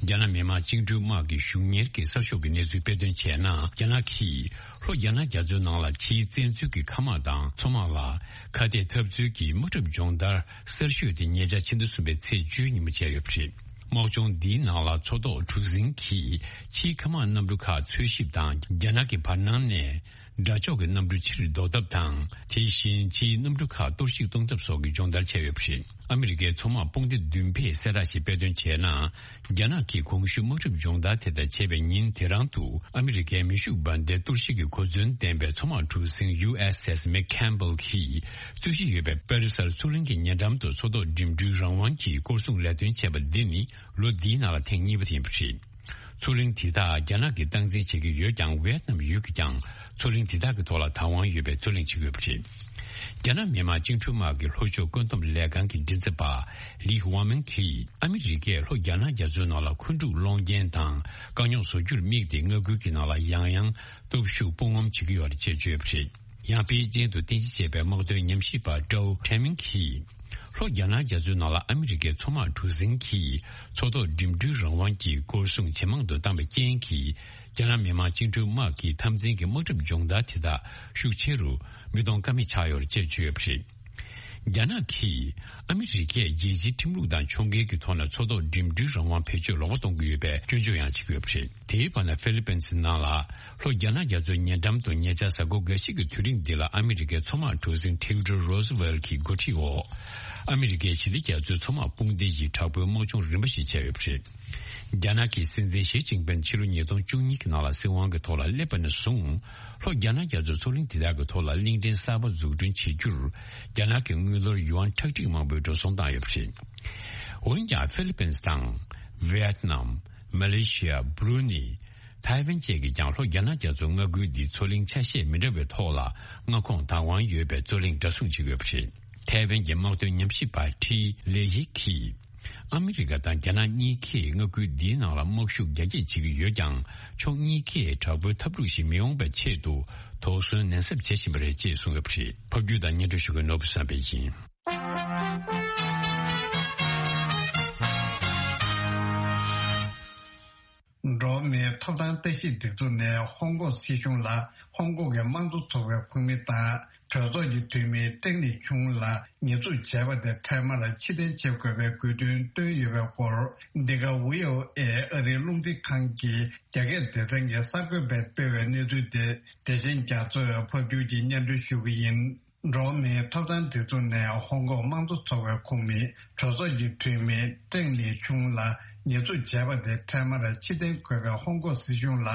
རྒྱ་ནག་མི་དམངས་བཅིངས་འགྲོལ་དམག་གི་གཞུང་གཉེར་གྱི་གསར་ཤོག་གི་གནས་ཚུལ་དཔེ་སྟོན་བྱས་ན། རྒྱ་ནག་གིས་ལྷོ་རྒྱ་ནག་རྒྱ་མཚོའི་ནང་ལ་ཕྱིའི་བཙན་འཛུལ་གྱི་མཁའ་དམག་དང་མཚོ་དམག་ལ་ཁ་གཏད་འཐབ་རྩོད་ཀྱི་དམག་འཁྲུག་སྦྱོང་བརྡར་གསར་ཤོས་དེ་ཉེ་ཆར་ཕྱི་ཟླ་གསུམ་པའི་ཚེས་བཅུའི་ཉིན་མོ་བྱས་ཡོད་པ་རེད། དམག་སྦྱོང་འདིའི་ནང་ལ་མཚོ་ཐོག་གྲུ་གཟིངས་ཀྱིས་ཕྱིའི་མཁའ་དམག་གནམ་གྲུ་ཁག་འཚོལ་ཞིབ་དང་། རྒྱ་ནག་གི་བར་སྣང་ནས་དགྲ་ཕྱོགས་ཀྱི་གནམ་གྲུ་ཕྱིར་ལྡོག་ཐབས་དང་། དེ་བཞིན་ཕྱིའི་གནམ་གྲུ་ཁག་གཏོར་བཤིག་གཏོང་ཐབས་སོགས་ཀྱི་སྦྱོང་བརྡར་བྱས་ཡོད་པ་རེད། ཨ་མི་རི་ཀའི་མཚོ་དམག་དཔུང་སྡེ་བདུན་པས་གསལ་བསྒྲགས་ཤིག་དཔེ་སྟོན་བྱས་ན། རྒྱ་ནག་གིས་གོང་ཞུས་དམག་འཁྲུག་སྦྱོང་བརྡར་དེ་དག་བྱས་པའི་ཉིན་དེ་རང་དུ། ཨ་མི་རི་ཀའི་མེ་ཤུགས་འབར་མདེལ་གཏོར་བཤིག་གི་གོ་མཚོན་ལྡན་པའི་མཚོ་དམག་གྲུ་གཟིངས་ཡུ་ཨེས་ཨེས་མེག་ཁེམ་བྷལ་གྱིས་རྩོད་གཞི་ཡོད་པའི་པེ་རི་སར་མཚོ་གླིང་གི་ཉེ་འགྲམ་དུ་མཚོ་ཐོག་འགྲིམ་འགྲུལ་རང་དབང་གི་སྐོར་སྲུང་ལས་དོན་བྱས་པ་འདི་ནི་ལོ་འདིའི་ནང་ལ་ཐེངས་གཉིས་པ་དེ་ཡིན་པ་རེད། མཚོ་གླིང་དེ་དག་རྒྱ་ནག་གིས་སྟངས་འཛིན་བྱེད་ཀྱི་ཡོད་ཀྱང་། ཝེ་ཏི་ནམ་ཡུལ་གྱིས་ཀྱང་མཚོ་གླིང་དེ་དག་གི་ཐོག་ལ་བདག་དབང་ཡོད་པའི་རྩོད་གླེང་བྱེད་ཀྱི་ཡོད་པ་རེད། རྒྱ་ནག་མི་དམངས་བཅིངས་འགྲོལ་དམག་གི་ལྷོ་ཕྱོགས་བཀོད་འདོམས་ལས་ཁང་གི་མགྲིན་ཚབ་པ་ལི་ཝང་མིང་གིས། ཨ་མི་རི་ཀས་ལྷོ་རྒྱ་ནག་རྒྱ་མཚོའི་ནང་ལ་འཁོན་འཁྲུག་སློང་རྐྱེན་དང་དཀའ་རྙོག་བཟོ་རྒྱུར་དམིགས་ཏེ། མངའ་ཁུལ་གྱི་ནང་ལ་ཡང་ཡང་སྟོབས་ཤུགས་སྤོ་ངོམ་བྱེད་ཀྱི་ཡོད་རེད་ཅེས་བརྗོད་པ་རེད། ཡང་པེ་ཅིང་དུ་རྟེན་གཞི་བྱས་པའི་དམག་དོན་ཉམས་ཞིབ་པ་ཀྲའོ་ཁྲེན་མིང་གིས། ལྷོ་རྒྱ་ནག་རྒྱ་མཚོའི་ནང་ལ་ཨ་མི་རི་ཀའི་མཚོ་དམག་གྲུ་གཟིངས་ཀྱིས་མཚོ་ཐོག་འགྲིམ་འགྲུལ་རང་དབང་གི་སྐོར་སྲུང་ཇེ་མང་དུ་བཏང་བའི་རྐྱེན་གྱིས། རྒྱ་ནག་མི་དམངས་བཅིངས་འགྲོལ་དམག་གི་འཐབ་འཛིང་གི་དམག་འཁྲུག་སྦྱོང་བརྡར་དེ་དག་ཤུགས་ཆེ་རུ་མི་གཏོང་ཀ་མེད་ཆགས་ཡོད་རེད་ཅེས་བརྗོད་ཡོད་པ་རེད། རྒྱ་ནག་གིས་ཨ་མི་རི་ཀས་རྒྱལ་སྤྱིའི་ཁྲིམས་ལུགས་དང་ཕྱོགས་འགལ་གྱི་ཐོག་ནས་མཚོ་ཐོག་འགྲིམ་འགྲུལ་རང་དབང་བེད་སྤྱོད་ལོག་པ་གཏོང་གི་ཡོད་པའི་སྐྱོན་བརྗོད་ཡང་བྱེད་ཀྱི་ཡོད་པ་རེད། དེའི་བར་ན་ཧྥི་ལི་པིན་སི་ནང་ལ་ལྷོ་རྒྱ་ནག་རྒྱ་མཚོའི་ཉེ་འགྲམ་དུ་ཉེ་ཆར་གཟའ་འཁོར་འགའ་ཤས་ཀྱི་དུས་རིང་འདི་ལ་ཨ་མི་རི་ཀའི་མཚོ་དམག་གྲུ་གཟིངས་ཐིའུ་ཌོར་རོ་སི་ཝེལ་གྱི་འགོ་ཁྲིད་འོག་ཨ་མི་རི་ཀའི་ཞི་བདེ་རྒྱ་མཚོའི་མཚོ་དམག་དཔུང་སྡེ་ཡིས་དྲག་པོའི་དམག་སྦྱོང་རིམ་པ་ཞིག་བྱས་ཡོད་པ་རེད། རྒྱ་ནག་གི་སྲིད་འཛིན་ཞི་ཅིན་ཕིན་ཕྱི་ལོ་ཉིས་སྟོང་བཅུ་གཉིས་ཀྱི་ནང་ལ་སྲིད་དབང་གི་ཐོག་ལ་སླེབས་པ་ནས་བཟུང་། ལྷོ་རྒྱ་ནག་རྒྱ་མཚོའི་མཚོ་གླིང་དེ་དག་གི་ཐོག་ལ་གླིང་ཕྲན་གསར་པ་འཛུགས་སྐྲུན་བྱེད་རྒྱུར། རྒྱ་ནག་གི་དངུལ་ལོར་ཡུ་ཨན་ཁྲག་ཁྲིག་མང་པོའི་འགྲོ་སོང་བཏང་ཡོད་པ་རེད། འོན་ཀྱང་ཧྥི་ལི་པིན་སི་དང་། ཝེ་ཏི་ནམ། མ་ལེ་ཤི་ཡ། བྷུ་རུ་ནི། ཐའེ་ཝན་བཅས་ཀྱིས་ཀྱང་ལྷོ་རྒྱ་ནག་རྒྱ་མཚོའི་མངའ་ཁུལ་འདིའི་མཚོ་གླིང་ཆ་ཤས་མི་འདྲ་བའི་ཐོག་ལ་མངའ་ཁོངས་བདག་དབང་ཡོད་པའི་རྩོད་གླེང་འདྲ་མཚུངས་བྱེད་ཀྱི་ཡོད་པ་རེད། ཐའེ་ཝན་གྱི་དམག་དོན་ཉམས་ཞིབ་པ་ཁྲི་ལེ་ཡི་གིས། ཨ་མི་རི་ཀ་དང་རྒྱ་ནག་གཉིས་ཀས་མངའ་ཁུལ་འདིའི་ནང་ལ་དམག་ཤུགས་རྒྱ་སྐྱེད་བྱེད་ཀྱི་ཡོད་ཀྱང་། ཕྱོགས་གཉིས་ཀས་དྲག་པོའི་འཐབ་འཁྲུག་ཞིག་མི་འོང་བའི་ཆེད་དུ་དོགས་ཟོན་ནན་གསབ་བྱེད་བཞིན་པ་རེད་ཅེས་གསུངས་ཡོད་པ་རེད། ཕབ་སྒྱུར་དང་སྙན་སྒྲོན་ཞུ་མཁན་ནོར་བུ་བསམ་འཕེལ་ཡིན། འགྲོ་བ་མིའི་ཐོབ་ཐང་ལྟ་ཞིབ་སྒྲིག་འཛུགས་ནས་ཧོང་ཀོང་སྲིད་གཞུང་ལ་ཧོང་ཀོང་གི་དམངས་གཙོ་ཚོགས་པའི་ཁོངས་མི་དང་གྲོས་ཚོགས་ཀྱི་འཐུས་མི་ཀྲེང་ལི་ཆུང་ལ་ཉེས་འཛུགས་བྱས་པ་དེ་འཕྲལ་མར་ཕྱིར་འཐེན་བྱེད་དགོས་པའི་དགོས་འདུན་བཏོན་ཡོད་པའི་སྐོར། འདི་ག་ཝི་ཨོ་ཨེ་ཨ་རིའི་རླུང་འཕྲིན་ཁང་གི་རྒྱ་སྐད་སྡེ་ཚན་གྱི་གསར་འགོད་པས་སྤེལ་བའི་གནས་ཚུལ་དེ། བདེ་ཆེན་རྒྱ་མཚོས་ཕབ་སྒྱུར་གྱིས་སྙན་སྒྲོན་ཞུ་གི་ཡིན། འགྲོ་བ་མིའི་ཐོབ་ཐང་སྒྲིག་འཛུགས་ནས་ཧོང་ཀོང་དམངས་གཙོ་ཚོགས་པའི་ཁོངས་མི་གྲོས་ཚོགས་ཀྱི་འཐུས་མི་ཀྲེང་ལི་ཆུང་ལ་ཉེས་འཛུགས་བྱས་པ་དེ་འཕྲལ་མར་ཕྱིར་འཐེན་དགོས་པའི་ཧོང་ཀོང་སྲིད་གཞུང་ལ་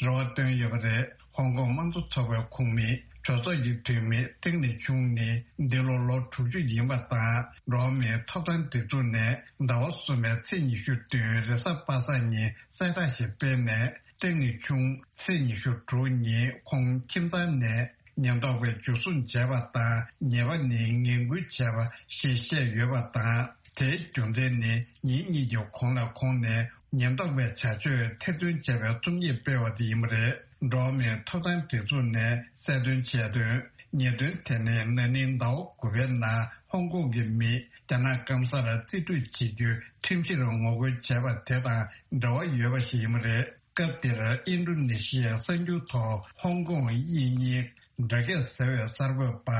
རེ་བ་བཏོན་ཡོད་པ་རེད། ཧོང་ཀོང་དམངས་གཙོ་ཚོགས་པའི་ཁོངས་མི་ གྲོས་ཚོགས་ཀྱི་འཐུས་མི་ཏེང་ལི་ཆུང་ནི་འདི་ལོ་ལོ་དྲུག་ཅུ་ཡིན་པ་དང་། འགྲོ་བ་མིའི་ཐོབ་ཐང་སྒྲིག་འཛུགས་ནས་ཟླ་བ་གསུམ་པའི་ཚེས་ཉི་ཤུ་བདུན་རེས་གཟའ་པ་སངས་ཉིན་གསལ་བསྒྲགས་ཤིག་སྤེལ་ནས། ཏེང་ལི་ཆུང་ཚེས་ཉི་ཤུ་དྲུག་ཉིན་ཁོང་ཁྱིམ་ཚང་ནས་ཉེན་རྟོག་པས་འཇུ་བཟུང་བྱས་པ་དང་། ཉེས་པ་ནི་ངན་སྐུལ་བྱས་པ་ཞེས་བཤད་ཡོད་པ་དང་། དེའི་རྒྱུ་མཚན་ནི་ཉིན་གཉིས་ཀྱི་གོང་ལ་ཁོང་ནས་ཉེན་རྟོག་པའི་བྱ་སྤྱོད་ཐེར་འདོན་བྱས་པའི་རྩོམ་ཡིག་སྤེལ་བ་དེ་ཡིན་པ་རེད། འགྲོ་བ་མིའི་ཐོབ་ཐང་སྒྲིག་འཛུགས་ནས་གསལ་སྟོན་བྱས་དོན། ཉེས་དོན་དེ་ནི་ན་ནིང་ཟླ་བ་དགུ་པའི་ནང་ཧོང་ཀོང་གི་མི་རྒྱ་ནག་སྐམ་སར་རྩིས་སྤྲོད་བྱེད་རྒྱུའི་ཁྲིམས་གཞིར་ངོ་རྒོལ་བྱས་པ་དེ་དང་འབྲེལ་བ་ཡོད་པ་ཞིག་ཡིན་པ་རེད། སྐབས་དེར་ཨིན་ཌོ་ནེ་ཤི་ཡའི་གསར་འགྱུར་ཐོག་ཧོང་ཀོང་དབྱིན་གཉིས་སྦྲགས་སྐད་ཟེར་བའི་གསར་འགོད་པ་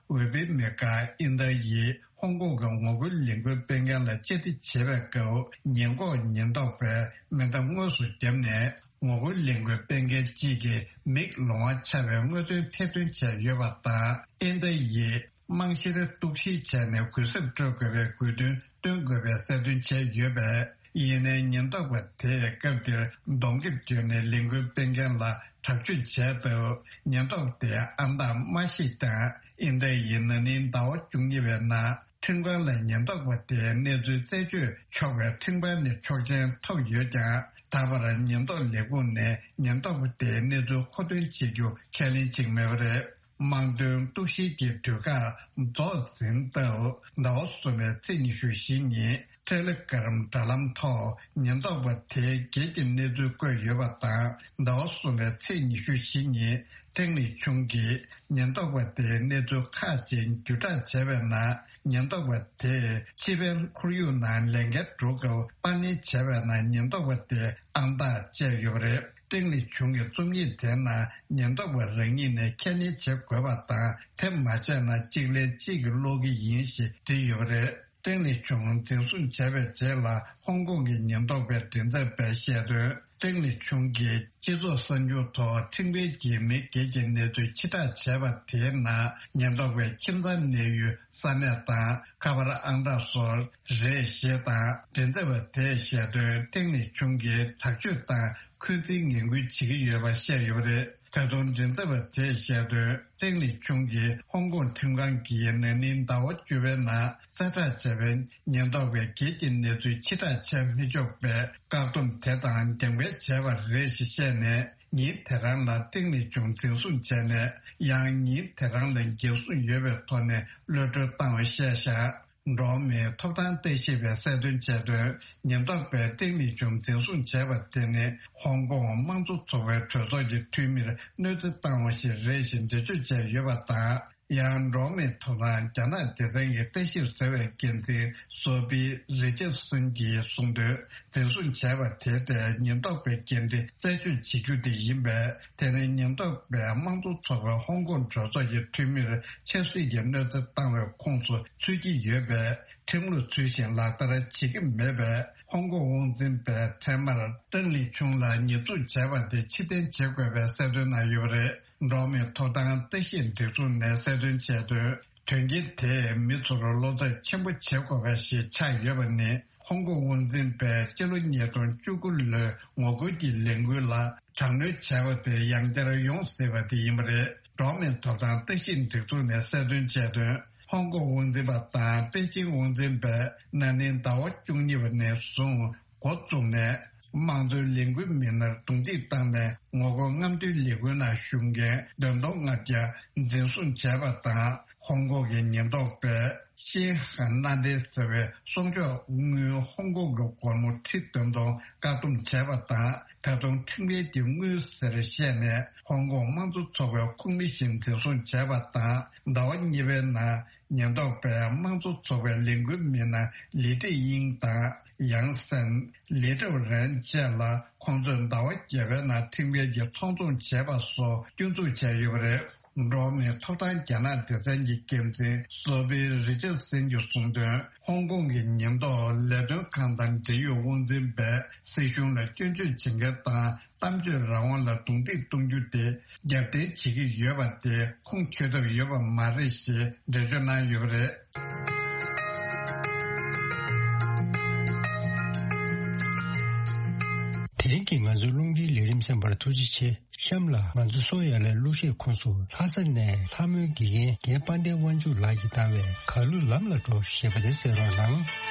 འོས་པའི་མི་ཀ་ཨིན་ཏཱ་ཡིས་ཧོང་ཀོང་གི་ངོ་རྒོལ་ལས་འགུལ་སྤེལ་མཁན་ལ་བཅར་འདྲི་བྱེད་པའི་སྐབས། ཉེན་འགོག་ཉེན་རྟོག་པས་མེ་མདའ་དངོས་སུ་བརྒྱབ་ནས། ངོ་རྒོལ་ལས་འགུལ་སྤེལ་མཁན་གཅིག་གི་མིག་ལོང་བ་ཆགས་པའི་དངོས་དོན་ཐེར་འདོན་བྱས་ཡོད་པ་དང་། ཨིན་ཏཱ་ཡིས་རྨང་གཞིར་གཏུག་བཤེར་བྱས་ནས་གུས་ཞབས་སྤྲོད་དགོས་པའི་དགོས་འདུན་བཏོན་དགོས་པའི་གསལ་སྟོན་བྱས་ཡོད་པས། ཡིན་ནའི་ཉེན་རྟོག་པ་དེས་སྐབས་དེར་གདོང་ཁེབས་གྱོན་ནས་ལས་འགུལ་སྤེལ་མཁན་ལ་དྲག་སྤྱོད་བྱས་སྟབས། ཉེན་རྟོག་པ་དེའི་ཨང་རྟགས་མ་ཤེས་ཀྱང་། ཨིན་ཏཱ་ཡིས་ན་ནིང་ཟླ་བ་བཅུ་གཉིས་པའི་ནང་ཁྲིམས་ཁང་ལ་ཉེན་རྟོག་པ་དེའི་གནས་ཚུལ་རྩད་གཅོད་ཆོག་པའི་ཁྲིམས་ཁང་ནས་ཆོག་མཆན་ཐོབ་ཡོད་ཀྱང་། ད་བར་ཉེན་རྟོག་ལས་ཁུངས་ནས་ཉེན་རྟོག་པ་དེའི་གནས་ཚུལ་མཁོ་འདོན་བྱེད་རྒྱུ་ཁས་ལེན་བྱེད་ཀྱི་མེད་པ་རེད། དམངས་དོན་གཏུག་བཤེར་གྱི་དུས་བཀག་རྫོགས་ཟིན་སྟབས། ཟླ་བ་གསུམ་པའི་ཚེས་ཉི་ཤུ་བཞི་ཉིན་ཊེ་ལེ་གྷ་རམ་དྲ་ལམ་ཐོག་ཉེན་རྟོག་པ་དེའི་སྒེར་གྱི་གནས་ཚུལ་བཀོད་ཡོད་པ་དང་། ཟླ་བ་གསུམ་པའི་ཚེས་ཉི་ཤུ་བཞི་ཉིན་ཏེང་ལི་ཆུང་གིས་ཉེན་རྟོག་པ་དེའི་གནས་ཚུལ་ཁག་ཅིག་བརྒྱུད་བསྒྲགས་བྱས་པའི་ནང་། ཉེན་རྟོག་པ་དེས་ཕྱི་པའི་ཁོར་ཡུག་ནང་ལས་འགན་སྒྲུབ་སྐབས་པར་ལེན་བྱས་པའི་ནང་ཉེན་རྟོག་པ་དེའི་ཨང་རྟགས་བཅས་ཡོད་པ་རེད། ཏེང་ལི་ཆུང་གི་རྩོམ་ཡིག་དེའི་ནང་ཉེན་རྟོག་པ་རང་ཉིད་ནས་ཁས་ལེན་བྱེད་དགོས་པ་དང་། དེ་མ་བྱས་ན་གཅིག་ལན་གཅིག་གིས་སློག་གི་ཡིན་ཞེས་བྲིས་ཡོད་པ་རེད། ཏེང་ལི་ཆུང་འཛིན་བཟུང་བྱས་པའི་རྗེས་ལ། ཧོང་ཀོང་གི་ཉེན་རྟོག་པའི་མགྲིན་ཚབ་པས་བཤད་དོན། ཏེང་ལི་ཆུང་གིས་སྤྱི་ཚོགས་གསར་འགྱུར་ཐོག་ཁྲིམས་འགལ་གྱིས་མི་སྒེར་གྱི་གནས་ཚུལ་ཕྱིར་བསྒྲགས་བྱས་པ་དེའི་ནང་ཉེན་རྟོག་པའི་ཁྱིམ་ཚང་གནས་ཡུལ་ས་གནས་དང་། ཁ་པར་ཨང་གྲངས་སོགས་རེད་ཞེས་དང་། མགྲིན་ཚབ་པ་དེས་བཤད་དོན། ཏེང་ལི་ཆུང་གིས་དྲག་སྤྱོད་དང་འཁོན་འཛིན་ངན་སྐུལ་བྱེད་ཀྱི་ཡོད་པ་བཤད་ཡོད་པ་རེད། ད་དུང་མགྲིན་ཚབ་པ་དེས་བཤད་དོན། ཏེང་ལི་ཆུང་གིས་ཧོང་ཀོང་ཁྲིམས་ཁང་གིས་ན་ནིང་ཟླ་བ་བཅུ་པའི་ནང་གསལ་བསྒྲགས་བྱས་པའི་ཉེན་རྟོག་པའི་སྒེར་གྱི་གནས་ཚུལ་ཕྱིར་བསྒྲགས་བྱས་མི་ཆོག་པའི་བཀག་སྡོམ་དེ་དང་འགལ་འཁུར་བྱས་པ་རེད་ཞེས་བཤད་ནས། ཉིན་དེ་རང་ལ་ཏེང་ལི་ཆུང་འཛིན་བཟུང་བྱས་ནས། ཡང་ཉིན་དེ་རང་ལ་འགེབས་སྲུང་ཡོད་པའི་ཐོག་ནས་གློད་གྲོལ་བཏང་བ་བཤད་བཞག་འགྲོ་བ་མིའི་ཐོབ་ཐང་ལྟ་ཞིབ་པས་གསལ་སྟོན་བྱས་དོན། ཉེན་རྟོག་པས་ཏེང་ལི་ཆུང་འཛིན་བཟུང་བྱས་པ་དེ་ནི་ཧོང་ཀོང་དམངས་གཙོ་ཚོགས་པའི་གྲོས་ཚོགས་ཀྱི་འཐུས་མིར་གནོད་འཚེ་བཏང་བ་ཞིག་རེད་ཞེས་འགྲེལ་བརྗོད་བྱས་ཡོད་པ་དང་། ཡང་འགྲོ་བ་མིའི་ཐོབ་ཐང་རྒྱ་ནག་སྡེ་ཚན་གྱི་ལྟ་ཞིབ་ཟེར་བའི་འགན་འཛིན་སོ་ཕི་རི་ཅར་སོན་གྱིས་གསུངས་དོན། འཛིན་བཟུང་བྱས་པ་དེ་དེ་ཉེན་རྟོག་པའི་འགན་འཁྲི་རྩད་གཅོད་བྱེད་རྒྱུ་དེ་ཡིན་པས། དེ་ནི་ཉེན་རྟོག་པས་དམངས་གཙོ་ཚོགས་པའི་ཧོང་ཀོང་གྲོས་ཚོགས་ཀྱི་འཐུས་མིར་ཆབ་སྲིད་ཀྱི་གནོད་འཚེ་བཏང་བའི་ཁོངས་སུ་ཚུད་ཀྱི་ཡོད་པས། ཁྲིམས་ལུགས་ཚུལ་བཞིན་ལག་བསྟར་བྱེད་ཀྱི་མེད་པས། ཧོང་ཀོང་དབང་འཛིན་པས་འཕྲལ་མར་ཏེང་ལི་ཆུང་ལ་ཉེས་འཛུགས་བྱས་པ་དེ་ཕྱིར་འཐེན་བྱེད་དགོས་པའི་གསལ་སྟོན་གནང་ཡོད་པ་རེད། འགྲོ་བ་མིའི་ཐོབ་ཐང་ལྟ་ཞིབ་སྒྲིག་འཛུགས་ནས་གསལ་སྟོན་བྱས་དོན། དོན་རྐྱེན་དེས་མི་ཚོར་བློ་འཚབ་ཆེན་པོ་བྱེད་དགོས་པ་ཞིག་ཆགས་ཡོད་པ་ནི། ཧོང་ཀོང་དབང་འཛིན་པས་སྤྱི་ལོ་ཉིས་སྟོང་བཅུ་དགུ་ལོའི་ངོ་རྒོལ་གྱི་ལས་འགུལ་ལ་དྲག་གནོན་བྱས་པ་དེ་ཡང་བསྐྱར་ཡོང་སྲིད་པ་དེ་ཡིན་པ་རེད། འགྲོ་བ་མིའི་ཐོབ་ཐང་ལྟ་ཞིབ་སྒྲིག་འཛུགས་ནས་གསལ་སྟོན་བྱས་དོན། ཧོང་ཀོང་དབང་འཛིན་པ་དང་པེ་ཅིང་དབང་འཛིན་པས་ན་ནིང་ཟླ་བ་བཅུ་གཉིས་པ་ནས་བཟུང་འགོ་བཙུགས་ནས། དམངས་གཙོའི་ལས་འགུལ་མི་སྣར་རྡུང་རྡེག་བཏང་ནས། ངོ་རྒོལ་རྔམ་སྟོན་ལས་འགུལ་ནང་ཞུགས་མཁན་བདུན་སྟོང་ལྔ་བརྒྱ་འཛིན་བཟུང་བྱས་པ་དང་། ཧོང་ཀོང་གི་ཉེན་རྟོག་པས་ཤིན་ཧན་མནའ་འབྲེལ་ཟེར་བའི་གསོག་འཇོག་དངུལ་ཧོང་ཀོང་གི་སྒོར་མོ་ཁྲི་བདུན་སྟོང་བཀག་སྡོམ་བྱས་པ་དང་། ད་དུང་ཁྲིམས་འགལ་གྱི་དངུལ་ཟེར་བཤད་ནས་ཧོང་ཀོང་དམངས་གཙོ་ཚོགས་པའི་ཁོངས་མི་ཞིག་འཛིན་བཟུང་བྱས་པ་དང་། ཟླ་བ་གཉིས་པའི་ནང་། ཉེན་རྟོག་པས་དམངས་གཙོ་ཚོགས་པའི་ལས་འགུལ་མི་སྣ་ལི་ཏི་དབྱིང་དང་ཡང་སན། ལི་ཏུའུ་རན་བཅས་ལ་ཁོང་ཚོས་ཟླ་བ་བརྒྱད་པའི་ནང་ཁྲིམས་འགལ་གྱི་ཚོང་བཙོང་བྱས་པ་སོགས་སྐྱོན་འཛུགས་བྱས་ཡོད་པ་རེད། འགྲོ་བ་མིའི་ཐོབ་ཐང་རྒྱ་ནག་སྡེ་ཚན་གྱི་འགན་འཛིན་སོ་ཕི་རི་ཅར་སན་གྱིས་གསུངས་དོན། ཧོང་ཀོང་གི་ཉེན་རྟོག་ལས་དོན་ཁང་དང་འབྲེལ་ཡོད་དབང་འཛིན་པས་སྲིད་གཞུང་ལ་སྐྱོན་བརྗོད་བྱེད་མཁན་དང་། གཏམ་བརྗོད་རང་དབང་ལ་རྡུང་རྡེག་གཏོང་རྒྱུ་དེ་རྒྱབ་རྟེན་བྱེད་ཀྱི་ཡོད་པ་དེ་ཁུངས་འཁྱོལ་ཐབས་ཡོད་པ་མ་རེད་ཞེས་འགྲེལ་བརྗོད་གནང་ཡོད་པ་རེད། དེ་རིང་གི་ང་ཚོའི་རླུང་འཕྲིན་ལས་རིམ་གསན་པར་ཐུགས་རྗེ་ཆེ། གཤམ་ལ་ང་ཚོ་སོ་ཡ་ལའི་གླུ་གཞས་ཁོངས་སུ་ལྷ་ས་ནས་ལྷ་མོའི་དགེ་རྒན་རྒན་དཔལ་ལྡན་དབང་ཕྱུག་ལགས་ཀྱིས་བཏང་བའི་གར་གླུ་ལམ་ལ་འགྲོ་ཞེས་པ་དེ་གསན་རོགས་གནང་།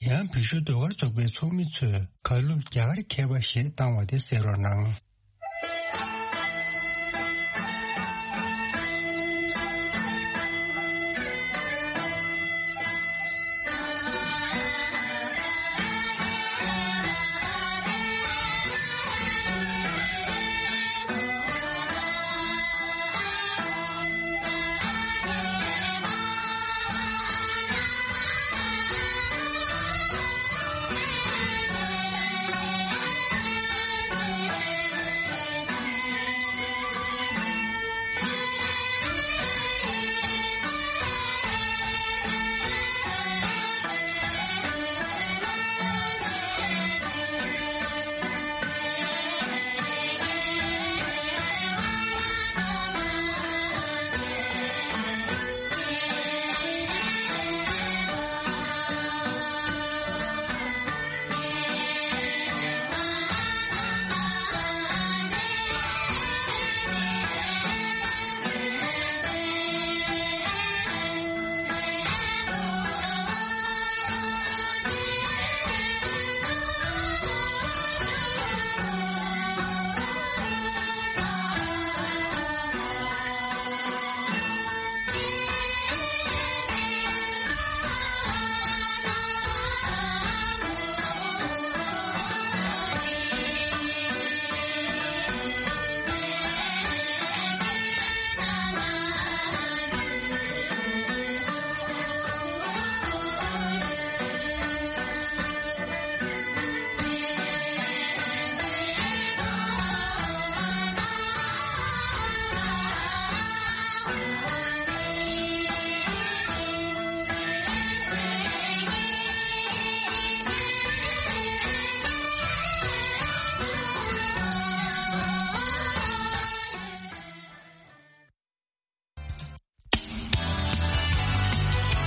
ཡང་བོད་གཞུང་ཟློས་གར་ཚོགས་པའི་ཚོགས་མི་ཚོས་གར་གླུ་རྒྱ་གར་མཁས་པ་ཞེས་བཏང་བ་དེ་གསན་རོགས་གནང་།